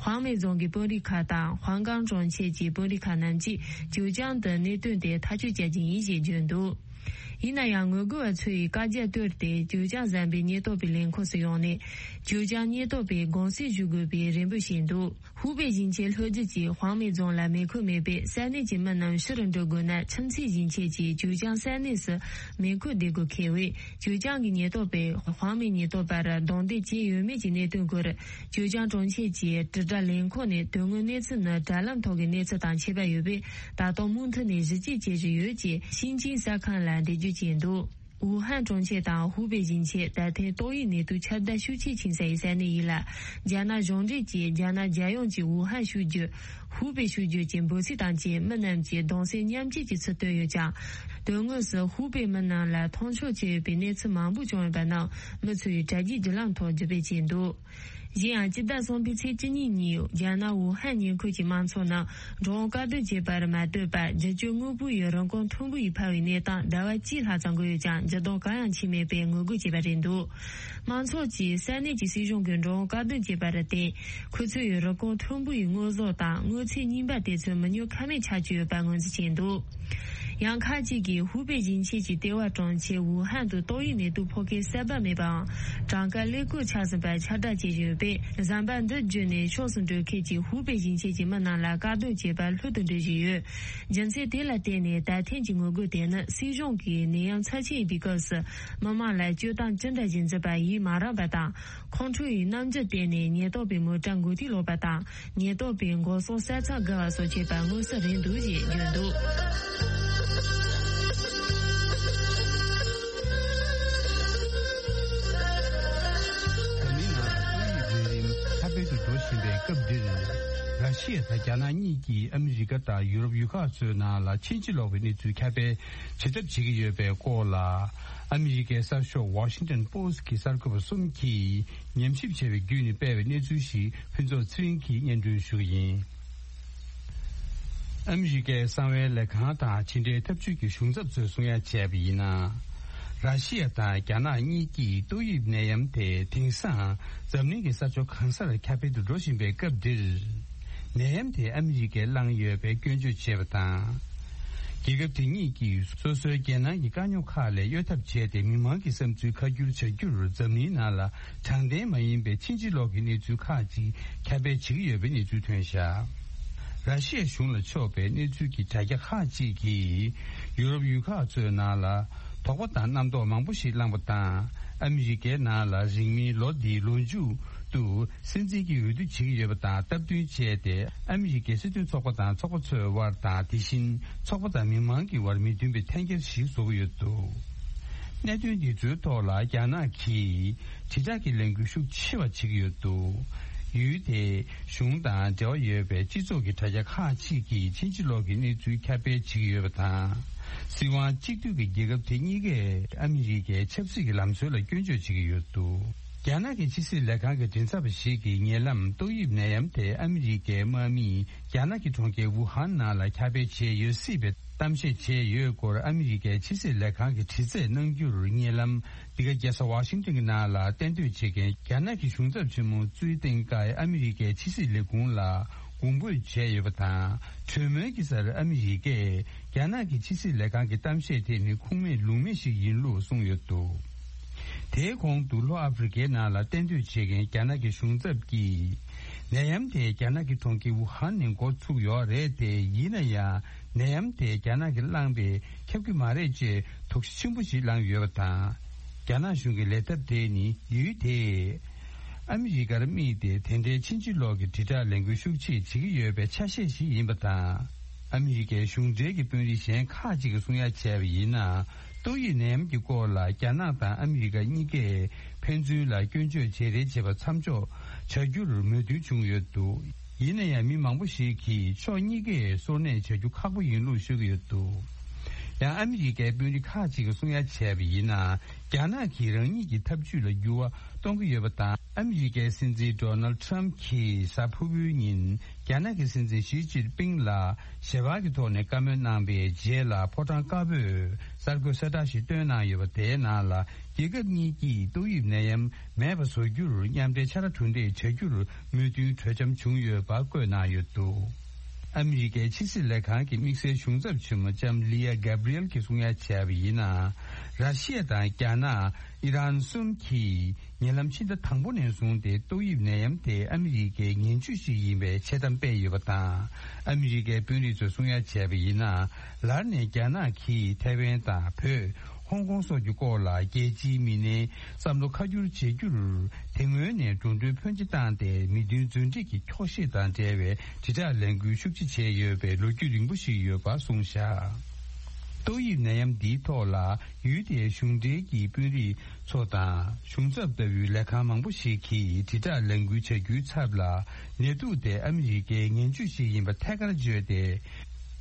ཧུའང་མེ་རྫོང་གི་དཔོན་རིགས་ཁག་དང་ཧུའང་ཀང་གྲོང་ཁྱེར་གྱི་དཔོན་རིགས་ཁག་རྣམས་ཀྱིས་ཅུའུ་ཅང་དུ་གནད་དོན་དེ་ཐག་གཅོད་བྱ་རྒྱུ་ཡིན་ཞེས་བརྗོད་འདུག་ཡིན་ན་ཡང་ངོ་རྒོལ་བ་ཚོས་བཀག་རྒྱ་བཏོལ་ཏེ་ཅུའུ་ཅང་ཟམ་པའི་ཉེན་རྟོག་པའི་ལས་ཁུངས་སུ་ཡོང་ནས་ཅུའུ་ཅང་ཉེན་རྟོག་པས་དགོངས་སེལ་ཞུ་དགོས་པའི་རེ་འབོད་བྱས་འདུག་ཧུའུ་པེ་ཞིང་ཆེན་ལྷོ་རྒྱུད་ཀྱི་ཧུའང་མེ་རྫོང་ལ་མེ་འཁོད་མེད་པས་ས་གནས་ཀྱི་མི་རྣམས་ཕྱིར་འགྲོ་དགོས་ན་ཁྱིམ་མཚེས་ཞིང་ཆེན་གྱི་ཅུའུ་ཅང་ས་གནས་སུ་མེ་འཁོད་བསྡད་དགོས་འཁེལ་བས། ཅུའུ་ཅང་གི་ཉེན་རྟོག་པས་ཧུའང་མེ་ཉེན་རྟོག་པར་རྡུང་རྡེག་བྱས་ཡོད་མེད་ཀྱི་གནད་དོན་སྐོར། ཅུའུ་ཅང་གྲོང་ཁྱེར་གྱི་དྲིལ་བསྒྲགས་ལས་ཁུངས་ནས་དོན་དངོས་གནས་ཚུལ་ནི་དྲ་ལམ་ཐོག་གི་གནས་ཚུལ་དང་ཁྱད་པར་ཡོད་པས། ད་དུང་མུ་མཐུད་ནས་ཞིབ་དཔྱད་བྱེད་བཞིན་ཡོད་ཅེས་ཤིན་ཅིང་གསར་ཁང་ལ་འགྲེལ་བརྗོད་བྱས་འདུག་ཝུ་ཧན་གྲོང་ཁྱེར་དང་ཧུའུ་པེ་ཞིང་ཆེན་ད་ཐེངས་ཏོག་དབྱིབས་ནད་དུག་ཁྱབ་གདལ་ཤུགས་ཆེས་ཆེ་ས་ཡི་ས་གནས་ཡིན་ལ། རྒྱ་ནག་གཞུང་འབྲེལ་གྱིས་རྒྱ་ནག་རྒྱལ་ཡོངས་ཀྱི་ཝུ་ཧན་ཤུགས་རྒྱུད། ཧུའུ་པེ་ཤུགས་རྒྱུད་ཀྱི་འབོད་ཚིག་དང་བཅས་མི་རྣམས་ཀྱིས་གདུང་སེམས་མཉམ་སྐྱེད་ཀྱི་ཚུལ་བཏོན་ཡོད་ཀྱང་། དོན་དངོས་སུ་ཧུའུ་པེ་མི་རྣམས་ལ་མཐོང་ཆོས་བྱས་ཡོད་པའི་གནས་ཚུལ་མང་པོ་བྱུང་ཡོད་པ་རྣམས་མི་ཚོས་དྲ་རྒྱའི་བརྒྱུད་ལམ་ཐོག་བརྒྱུད་སྤེལ་བྱས་འདུག་གཞན་ཡང་སྤྱི་ཟླ་གསུམ་པའི་ཚེས་བཅུ་གཉིས་ཉིན་རྒྱ་ནག་ཝུ་ཧན་ཉེ་འཁོར་གྱི་དམངས་ཚོགས་རྣམས་འགྲོ་འོང་བཀག་སྡོམ་བྱས་པར་མ་ལྟོས་པར་རྒྱུ་སྤྱོད་དངོས་པོ་ཡི་རིན་གོང་མཐོན་པོ་ཡིས་འཕར་བའི་གནས་སྟངས་ཟླ་བ་གཅིག་ལྷག་ཙམ་འགོར་ཡོད་ཀྱང་འགྱུར་ལྡོག་གང་ཡང་ཕྱིན་མེད་པའི་ངོ་རྒོལ་བྱས་པ་རེད་འདུག་དམངས་ཚོགས་ཀྱིས་ས་གནས་ཀྱི་སྲིད་གཞུང་གིས་འགྲོ་འོང་བཀག་སྡོམ་བྱས་པར་བརྟེན། ཁོ་ཚོས་ཡི་རིན་གོང་མཐོན་པོ་ཡི་དངོས་ཟོག་དང་དངོས་ཚན་རྙིང་པ་དེ་ཚོ་མི་ཉོ་ཁ་མེད་ཆགས་ཀྱི་ཡོད་པ་ངོས་འཛིན་བྱས་འདུག་ཡང་ཁག་ཅིག་གིས་ཧུའུ་པེ་ཞིང་ཆེན་གྱི་ལྟེ་བ་གྲོང་ཁྱེར་ཝུ་ཧན་དུ་ཏོག་དབྱིབས་ནད་དུག་ཕོག་མཁན་གསར་པ་མེད་པའམ་གྲངས་ཀ་ཀླད་ཀོར་ཆགས་ཟིན་པར་ཁྱབ་བསྒྲགས་བྱས་ཡོད་པས། ཟམ་པ་འདི་བརྒྱུད་ནས་ཕྱོགས་སུ་འགྲོ་མཁན་གྱི་ཧུའུ་པེ་ཞིང་ཆེན་གྱི་མི་རྣམས་ལ་བཀག་སྡོམ་བྱས་པ་ལྷོད་དུ་འགྲོ་བཞིན་ཡོད། རྒྱུ་མཚན་དེ་ལ་བརྟེན་ནས་ད་ཐེངས་ཀྱི་ངོ་རྒོལ་དེ་ནི་སྲིད་གཞུང་གིས་ནད་ཡམས་ཚབས་ཆེན་ཡིན་པའི་སྐབས་སུ་མི་མང་ལ་སྤྱོད་སྟངས་ཅི་འདྲ་ཞིག་འཛིན་པ་ཡིན་མ་རག་པ་དང་། ཁོང་ཁྲོ་ཡི་རྣམ་འགྱུར་བསྟན་ནས་ཉེན་རྟོག་པའི་མོ་ཊ་འགོ་ཐིག་སློག་པ་དང་། ཉེན་རྟོག་པའི་འགོག་སྲུང་ས་ཚང་བརྒལ་བ་སོགས་བྱས་པ་མངོན་གསལ་རེད་འདུག་ཅེས་བརྗོད་འདུག་འཛམ་གླིང་ནང་ཏོག་དབྱིབས་ནད་རིམས་ཁྱབ་སྤེལ་དུ་འགྲོ་བཞིན་པའི་སྐབས་འདིར། ར་ཤི་ཡ་དང་རྒྱ་ནག་གཉིས་ཀྱིས་ཨ་མི་རི་ཀ་དང་ཡུ་རོབ་ཡུལ་ཁག་ཚོའི་ནང་ལ་ཕྱིན་ཅི་ལོག་པའི་གནས་ཚུལ་ཁྱབ་སྤེལ་བྱེད་ཐབས་བྱེད་ཀྱི་ཡོད་པའི་སྐོར་ལ། ཨ་མི་རི་ཀའི་གསར་ཤོག་Washington Post་གྱི་གསར་འགོད་པ་གསུམ་གྱིས་ཉམས་ཞིབ་བྱས་པའི་བརྒྱུད་ནས་སྤེལ་བའི་གནས་ཚུལ་ཞིག་ཕུན་ཚོགས་ཚེ་རིང་གིས་སྙན་སྒྲོན་ཞུ་གི་ཡིན། ཨ་མི་རི་ཀའི་གསང་བའི་ལས་ཁང་དང་ཕྱི་འབྲེལ་ཐབས་ཇུས་ཀྱི་གཞུང་ཚབ་ཚོས་གསུང་ཡ་བྱས་པ་ཡིན་ན། ར་ཤི་ཡ་དང་རྒྱ་ནག་གཉིས་ཀྱིས་ཏོག་དབྱིབས་ནད་ཡམས་དེ་དེང་སང་འཛམ་གླིང་གི་ས་ཕྱོགས་གང་སར་ཁྱབ་སྤེལ་དུ་འགྲོ་བཞིན་པའི་སྐབས་འདིར། ནད་ཡམས་དེ་ཨ་མི་རི་ཀས་བསླངས་ཡོད་པའི་སྐྱོན་བརྗོད་བྱས་པ་དང་། རྒྱལ་ཁབ་དེ་གཉིས་ཀྱིས་སོ་སོའི་རྒྱལ་ནང་གི་དཀའ་རྙོག་ཁག་ལས་གཡོལ་ཐབས་བྱས་ཏེ་མི་མང་གི་བསམ་ཚུལ་ཁ་བསྒྱུར་བྱ་རྒྱུར་འཛམ་གླིང་ནང་ལ་དྲང་བདེན་མ་ཡིན་པའི་ཕྱིན་ཅི་ལོག་གི་གནས་ཚུལ་ཁག་ཅིག་ཁྱབ་སྤེལ་བྱེད་ཀྱི་ཡོད་པའི་གནས་ཚུལ་ཐོན་བཞག་ར་ཤི་ཡ་གཞུང་ལ་ཕྱོགས་པའི་གནས་ཚུལ་གྱི་དྲ་རྒྱ་ཁག་ཅིག་གིས་ཡུ་རོབ་ཡུལ་ཁག་ཚོའི་ནང་ལ་དོགས་པ་དང་རྣམ་རྟོག་མང་པོ་ཞིག་བསླངས་པ་དང་། ཨ་མི་རི་ཀའི་ནང་ལ་རིང་མིན་ལོ་འདིའི་ལོ་མཇུག་ཏུ་སྲིད་འཛིན་གྱི་འོས་བསྡུ་བྱེད་ཀྱི་ཡོད་པ་དང་སྟབས་བསྟུན་བྱས་ཏེ། ཨ་མི་རི་ཀའི་སྲིད་དོན་ཚོགས་པ་དང་ཚོགས་པ་ཚོའི་དབར་དང་། དེ་བཞིན་ཚོགས་པ་དང་མི་མང་གི་དབར་མི་མཐུན་པའི་འཐེན་འཁྱེར་ཞིག་བཟོ་གི་ཡོད་འདུག་གནད་དོན་འདི་ཚོའི་ཐོག་ལ་རྒྱ་ནག་གིས་དྲིལ་བསྒྲགས་ཀྱི་ལས་འགུལ་ཤུགས་ཆེ་བ་བྱེད་ཀྱི་ཡོད་འདུག་ཡུལ་དེའི་གཞུང་དང་འབྲེལ་བ་ཡོད་པའི་སྤྱི་ཚོགས་ཀྱི་དྲ་རྒྱ་ཁག་ཅིག་གིས་ཕྱིན་ཅི་ལོག་གི་གནས་ཚུལ་ཁྱབ་སྤེལ་བྱེད་ཀྱི་ཡོད་པ་དང་། སྲིད་དབང་གཅིག་སྡུད་ཀྱི་རྒྱལ་ཁབ་དེ་གཉིས་ཀས་ཨ་མི་རི་ཀའི་ཆབ་སྲིད་ཀྱི་ལམ་སྲོལ་ལ་སྐྱོན་བརྗོད་བྱེད་ཀྱི་ཡོད་འདུག་རྒྱ་ནག་གི་ཕྱི་སྲིད་ལས་ཁང་གི་མགྲིན་ཚབ་པ་ཞིག་གིས་ཉེ་ལམ་ཏོག་དབྱིབས་ནད་ཡམས་དེ་ཨ་མི་རི་ཀའི་དམག་མིས་རྒྱ་ནག་གི་གྲོང་ཁྱེར་ཝུ་ཧན་ནང་ལ་ཁྱབ་སྤེལ་བྱས་ཡོད་སྲིད་པའི་གཏམ་བཤད་བྱས་ཡོད་སྐོར་ཨ་མི་རི་ཀའི་ཕྱི་སྲིད་ལས་ཁང་གིས་དྲི་རྩད་གནང་རྒྱུར། ཉེ་ལམ་འདི་ག་རྒྱལ་ས་ཝ་ཤིང་ཏོན་གྱི་ནང་ལ་གཏན་སྡོད་བྱེད་མཁན་རྒྱ་ནག་གི་གཞུང་ཚབ་ཆེན་མོ་ཙུའི་ཏེང་ཀའི་ཨ་མི་རི་ཀའི་ཕྱི་སྲིད་ལས་ཁུངས་ལ་དགོངས་འབོད་བྱས་ཡོད་པ་དང་། གྲོས་མོལ་གྱི་སར་ཨ་མི་རི་ཀས་རྒྱ་ནག་གི་ཕྱི་སྲིད་ལས་ཁང་གི་གཏམ་བཤད་དེ་ནི་ཁུངས་མེད་ལུང་མེད་ཞིག་ཡིན་ལུགས་གསུངས་ཡོད་འདུག་དེའི་གོང་དུ་ལྷོ་ཨ་ཧྥེ་རི་ཀའི་ནང་ལ་གཏན་སྡོད་བྱེད་མཁན་རྒྱ་ནག་གི་གཞུང་ཚབ་ཀྱིས། ནད་ཡམས་དེ་རྒྱ་ནག་གི་གྲོང་ཁྱེར་ཝུ་ཧན་ནས་འགོ་ཚུགས་ཡོད་རེད་དེ། ཡིན་ན་ཡང་ནད་ཡམས་དེ་རྒྱ་ནག་གིས་བསླངས་པས་ཁྱབ་ཀྱི་མ་རེད་ཅེས་དོགས་གཞི་ཆེན་པོ་ཞིག་བསླངས་ཡོད་པ་དང་། རྒྱ་ནག་གཞུང་གི་ལས་ཐབས་དེ་ནི་ཡུལ་དེས་ཨ་མི་རི་ཀར་དམིགས་ཏེ་དེ་འདྲའི་ཕྱིན་ཅི་ལོག་གི་དྲིལ་བསྒྲགས་ལས་འགུལ་ཤུགས་ཆེ་བྱེད་ཀྱི་ཡོད་པའི་ཆ་ཤས་ཤིག་ཡིན་པ་དང་། ཨ་མི་རི་ཀའི་གཞུང་འབྲེལ་གྱི་དཔོན་རིགས་གཞན་ཁག་ཅིག་གིས་གསུང་ཡ་བྱས་པ་ཡིན་ན། ཏོག་དབྱིབས་ནད་ཡམས་ཀྱི་སྐོར་ལ་རྒྱ་ནག་དང་ཨ་མི་རི་ཀ་གཉིས་ཀས་ཕན་ཚུན་ལ་སྐྱོན་བརྗོད་བྱེད་རེས་བྱེད་པ་མཚམས་འཇོག་བྱ་རྒྱུར་མོས་མཐུན་བྱུང་ཡོད་འདུག་ཡིན་ན་ཡང་མི་མང་པོ་ཞིག་གིས་ཕྱོགས་གཉིས་ཀས་སོར་གནས་བྱ་རྒྱུ་ཁག་པོ་ཡིན་ལུགས་ཤོད་ཀྱི་ཡོད་འདུག་ཡང་ཨ་མི་རི་ཀའི་དཔོན་རིགས་ཁག་ཅིག་གིས་གསུང་ཡ་བྱས་པ་ཡིན་ན། རྒྱ་ནག་གིས་རང་ཉིད་ཀྱི་ཐབས་ཇུས་ལ་འགྱུར་བ་གཏོང་གི་ཡོད་པ་དང་། ཨ་མི་རི་ཀའི་སྲིད་འཛིན་ཌོ་ནལ་ཊམ་གྱིས་གཟའ་ཕུར་བུའི་ཉིན། རྒྱ་ནག་གི་སྲིད་འཛིན་ཞི་ཅིན་ཕིང་ལ་ཞལ་པར་གྱི་ཐོག་ནས་བཀའ་མོལ་གནང་བའི་རྗེས་ལ། ཕོ་བྲང་དཀར་པོས་གསར་འགོད་གསལ་བསྒྲགས་ཤིག་བཏོན་གནང་ཡོད་པ། དེའི་ནང་ལ། རྒྱལ་ཁབ་གཉིས་ཀྱིས་ཏོག་དབྱིབས་ནད་ཡམས་མེད་པ་བཟོ་རྒྱུར་མཉམ་འབྲེལ་ཕྱག་ར་གྲུ་འདེགས་བྱ་རྒྱུར་མོས་མཐུན་གྲོས་འཆམ་བྱུང་ཡོད་པ་བཀོད་གནང་ཡོད་འདུག་ཨ་མི་རི་ཀའི་ཕྱི་སྲིད་ལས་ཁང་གི་དམིགས་བསལ་གཞུང་ཚབ་ཆེན་མོ་ལྕམ་ལི་ཡ་གྷ་བྷི་རི་ཨེལ་གྱིས་གསུང་ཡ་བྱས་པ་ཡིན་ན། ར་ཤི་ཡ་དང་རྒྱ་ནག་ཨི་རན་གསུམ་གྱིས། ཉེ་ལམ་ཕྱི་ཟླ་དང་པོ་ནས་བཟུང་སྟེ་ཏོག་དབྱིབས་ནད་ཡམས་དེ་ཨ་མི་རི་ཀའི་ངན་ཇུས་ཤིག་ཡིན་པའི་འཆལ་གཏམ་སྤེལ་ཡོད་པ་དང་། ཨ་མི་རི་ཀའི་དཔོན་རིགས་ཚོས་གསུང་ཡ་བྱས་པ་ཡིན་ན། ལར་ནས་རྒྱ་ནག་གིས་ཐའེ་ཝན་དང་བོད། ཧོང་ཀོང་སོགས་ཀྱི་སྐོར་ལ་རྒྱལ་སྤྱིའི་མི་སྣའི་བསམ་བློ་ཁ་བསྒྱུར་བྱེད་རྒྱུར། དེ་སྔོན་ནས་འགྲོ་གྲོན་ཕོན་ཆེ་བཏང་སྟེ་མི་མཐུན་རྫུན་སྒྲིག་གི་འཁྱོག་བཤད་དང་འབྲེལ་བའི་དྲིལ་བསྒྲགས་ལས་འགུལ་ཤུགས་ཆེ་བྱས་ཡོད་པའི་ལོ་རྒྱུས་རིང་པོ་ཞིག་ཡོད་པ་གསུངས་བཞག་ཏོག་དབྱིབས་ནད་ཡམས་འདིའི་ཐོག་ལ་ཡུལ་དེའི་གཞུང་འབྲེལ་གྱི་དཔོན་རིགས་ཚོ་དང་གཞུང་ཚབ་ལྟ་བུའི་ལས་ཁང་མང་པོ་ཞིག་གིས་དྲིལ་བསྒྲགས་ལས་འགུལ་བྱ་རྒྱུའི་ཚབ་ལ་ནད་དུག་དེ་ཨ་མི་རི་ཀའི་ངན་ཇུས་ཤིག་ཡིན་པ་ཐད་ཀར་བརྗོད་དེ།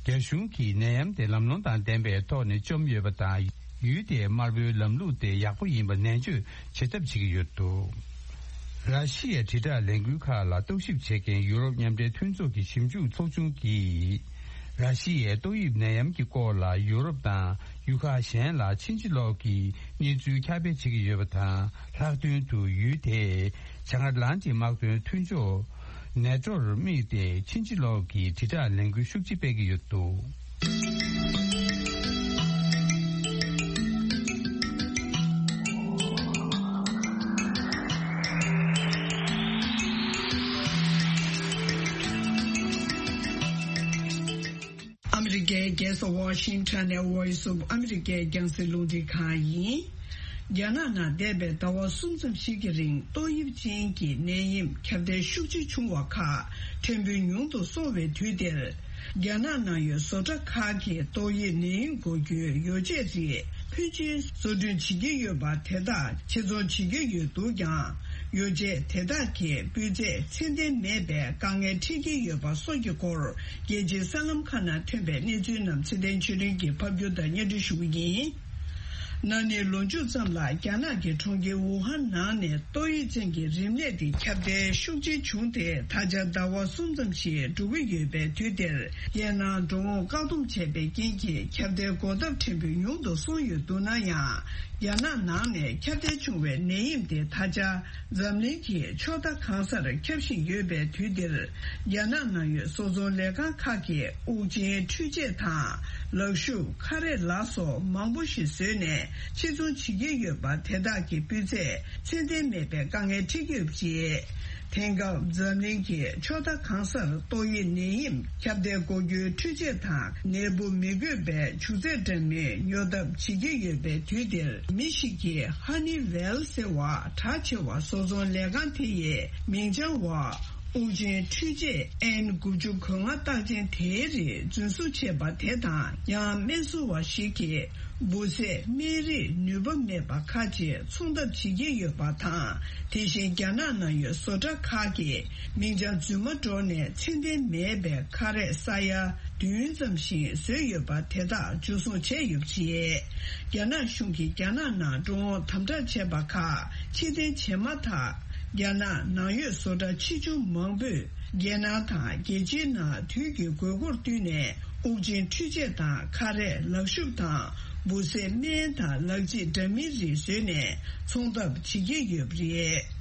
རྒྱ་གཞུང་གིས་ནད་ཡམས་དེ་ལམ་ལྷོང་དང་ལྡན་པའི་ཐོག་ནས་བཅོམ་ཡོད་པ་དང་། ཡུལ་དེའི་དམར་པོའི་ལམ་ལུགས་དེ་ཡག་པོ་ཡིན་པ་ནན་བརྗོད་བྱེད་ཐབས་བྱེད་ཀྱི་ཡོད་འདུག་ར་ཤི་ཡའི་དྲིལ་བསྒྲགས་ལས་འགུལ་ཁག་ལ་རྟོག་ཞིབ་བྱེད་མཁན་ཡུ་རོབ་མཉམ་འབྲེལ་མཐུན་ཚོགས་ཀྱི་ཞིབ་འཇུག་ཚོགས་ཆུང་གིས། ར་ཤི་ཡའི་ཏོག་དབྱིབས་ནད་ཡམས་ཀྱི་སྐོར་ལ་ཡུ་རོབ་དང་ཡུལ་ཁག་གཞན་ལ་ཕྱིན་ཅི་ལོག་གི་གནས་ཚུལ་ཁྱབ་སྤེལ་བྱེད་ཀྱི་ཡོད་པ་དང་། ལྷག་དོན་དུ་ཡུལ་དེས་བྱང་ཨེཊ་ལན་ཊིག་དམག་དོན་མཐུན་ཕྱོགས་ནེ་ཊོར་དམིགས་ཏེ་ཕྱིན་ཅི་ལོག་གི་དྲིལ་བསྒྲགས་ལས་འགུལ་ཤུགས་ཆེ་སྤེལ་གྱི་ཡོད་འདུག་ཨ་མི་རི་ཀའི་རྒྱལ་ས་ཝ་ཤིང་ཊོན་ནས་Voice of America་རྒྱང་སྲིང་རླུང་འཕྲིན་ཁང་ཡིན། རྒྱ་ནག་ནང་འདས་པའི་ཟླ་བ་གསུམ་ཙམ་ཞིག་གི་རིང་ཏོག་དབྱིབས་ཅན་གྱི་ནད་ཡམས་ཁྱབ་གདལ་ཤུགས་ཆེ་བྱུང་བ་ཁག་ཕྲན་བུ་ཉུང་དུ་སོང་བའི་དུས་འདིར། རྒྱ་ནག་ནང་ཡོད་བཟོ་གྲྭ་ཁག་གིས་ཏོག་དབྱིབས་ནད་ཡམས་འགོག་རྒྱུའི་ཡོ་བྱད་རིགས་ཕོན་ཆེན་བཟོ་སྐྲུན་བྱེད་ཀྱི་ཡོད་པ་དེ་དག་ཕྱིར་ཚོང་བྱེད་ཀྱི་ཡོད་འདུག་ཀྱང་། ཡོ་བྱད་དེ་དག་གི་སྤུས་ཚད་ཚད་ལྡན་མེད་པའི་དཀའ་ངལ་འཕྲད་ཀྱི་ཡོད་པ་སོགས་ཀྱི་སྐོར། རྒྱལ་སྤྱིའི་གསར་ལམ་ཁག་ནང་ཐོན་པའི་གནས་ཚུལ་རྣམས་ཚེ་བརྟན་ཆོས་སྒྲོན་གྱིས་ཕབ་སྒྱུར་དང་སྙན་སྒྲོན་ཞུ་གི་ཡིན། ན་ནིང་ལོ་མཇུག་ཙམ་ལ་རྒྱ་ནག་གི་གྲོང་ཁྱེར་ཝུ་ཧན་ནང་ནས་ཏོག་དབྱིབས་ཅན་གྱི་རིམས་ནད་དེ་ཁྱབ་གདལ་ཤུགས་ཆེ་བྱུང་སྟེ། ད་ཆ་ཟླ་བ་གསུམ་ཙམ་ཞིག་འགྲོ་གི་ཡོད་པའི་དུས་འདིར། རྒྱལ་ནང་འགྲོ་འོང་བཀག་སྡོམ་བྱས་པའི་རྐྱེན་གྱིས་ཁྱབ་གདལ་འགོག་ཐབས་ཕྲན་བུ་ཉུང་དུ་སོང་ཡོད་འདུག་ན་ཡང་། རྒྱ་ནག་ནང་ནས་ཁྱབ་གདལ་བྱུང་བའི་ནད་ཡམས་དེ་ད་ཆ་འཛམ་གླིང་གི་ཕྱོགས་མཐའ་གང་སར་ཁྱབ་བཞིན་ཡོད་པའི་དུས་འདིར། རྒྱ་ནག་ནང་ཡོད་བཟོ་ཚོང་ལས་ཁང་ཁག་གིས་དབུགས་འབྱིན་འཕྲུལ་ཆས་དང་ལག་ཤུབས། ཁ་རས་ལ་སོགས་མང་པོ་ཞིག་བཟོས་ནས་ཕྱིར་ཚོང་བྱེད་ཀྱི་ཡོད་པ་དེ་དག་གི་སྤུས་ཚད་ཚད་ལྡན་མེད་པའི་དཀའ་ངལ་འཕྲད་ཀྱི་ཡོད་པ་རེད། དེང་སྐབས་འཛམ་གླིང་གི་ཕྱོགས་མཐའ་གང་སར་ཏོག་དབྱིབས་ནད་ཡམས་ཁྱབ་གདལ་འགོག་རྒྱུའི་འཕྲུལ་ཆས་དང་། ནད་འབུ་མི་འགོས་པའི་བྱུག་རྫས་འདྲ་མིན་ཉོ་ཐབས་བྱེད་ཀྱི་ཡོད་པའི་དུས་འདིར། མི་ཞིག་གིས་ཧ་ནི་ཝེལ་ཟེར་བ་གྲགས་ཆེ་བ་བཟོ་ཚོང་ལས་ཁང་དེ་ཡི་མིང་བྱང་བ། དབུགས་འབྱིན་འཕྲུལ་ཆས་ཨེན་དགུ་བཅུ་གོ་ལྔ་རྟགས་ཅན་དེའི་རིགས་རྫུན་བཟོ་བྱས་པ་དེ་དང་། ཡང་སྨན་བཟོ་བ་ཞིག་གིས་འབུ་བཟས་སྨན་རིགས་ནུས་པ་མེད་པ་ཁག་ཅིག་ཚོང་ཐབས་བྱེད་ཀྱི་ཡོད་པ་དང་། དེ་བཞིན་རྒྱ་ནག་ནང་ཡོད་བཟོ་གྲྭ་ཁག་གིས་མིང་བྱང་རྫུན་མ་སྒྲོག་ནས་ཚད་ལྡན་མེད་པའི་ཁ་རས་ས་ཡ་བདུན་ཙམ་ཞིག་བཟོས་ཡོད་པ་དེ་དག་འཇུ་བཟུང་བྱས་ཡོད་པ་རེད། རྒྱ་ནག་གཞུང་གིས་རྒྱ་ནག་ནང་འགྲོ་འོང་དམ་དྲག་བྱས་པ་ཁག་ཕྱིར་འཐེན་བྱས་མ་ཐག་རྒྱ་ནག་ནང་ཡོད་བཟོ་གྲྭ་ཆེ་ཆུང་མང་པོས་རྒྱལ་ནང་དང་རྒྱལ་སྤྱིའི་ནང་དུས་ཀྱི་དགོས་མཁོར་བསྟུན་ནས་དབུགས་འབྱིན་འཕྲུལ་ཆས་དང་ཁ་རས། ལག་ཤུབས་དང་འབུ་བཟས་སྨན་དང་ལག་རྗེས་འདྲ་མིན་རིགས་བཟོས་ནས་ཚོང་ཐབས་བྱེད་ཀྱི་ཡོད་པ་རེད།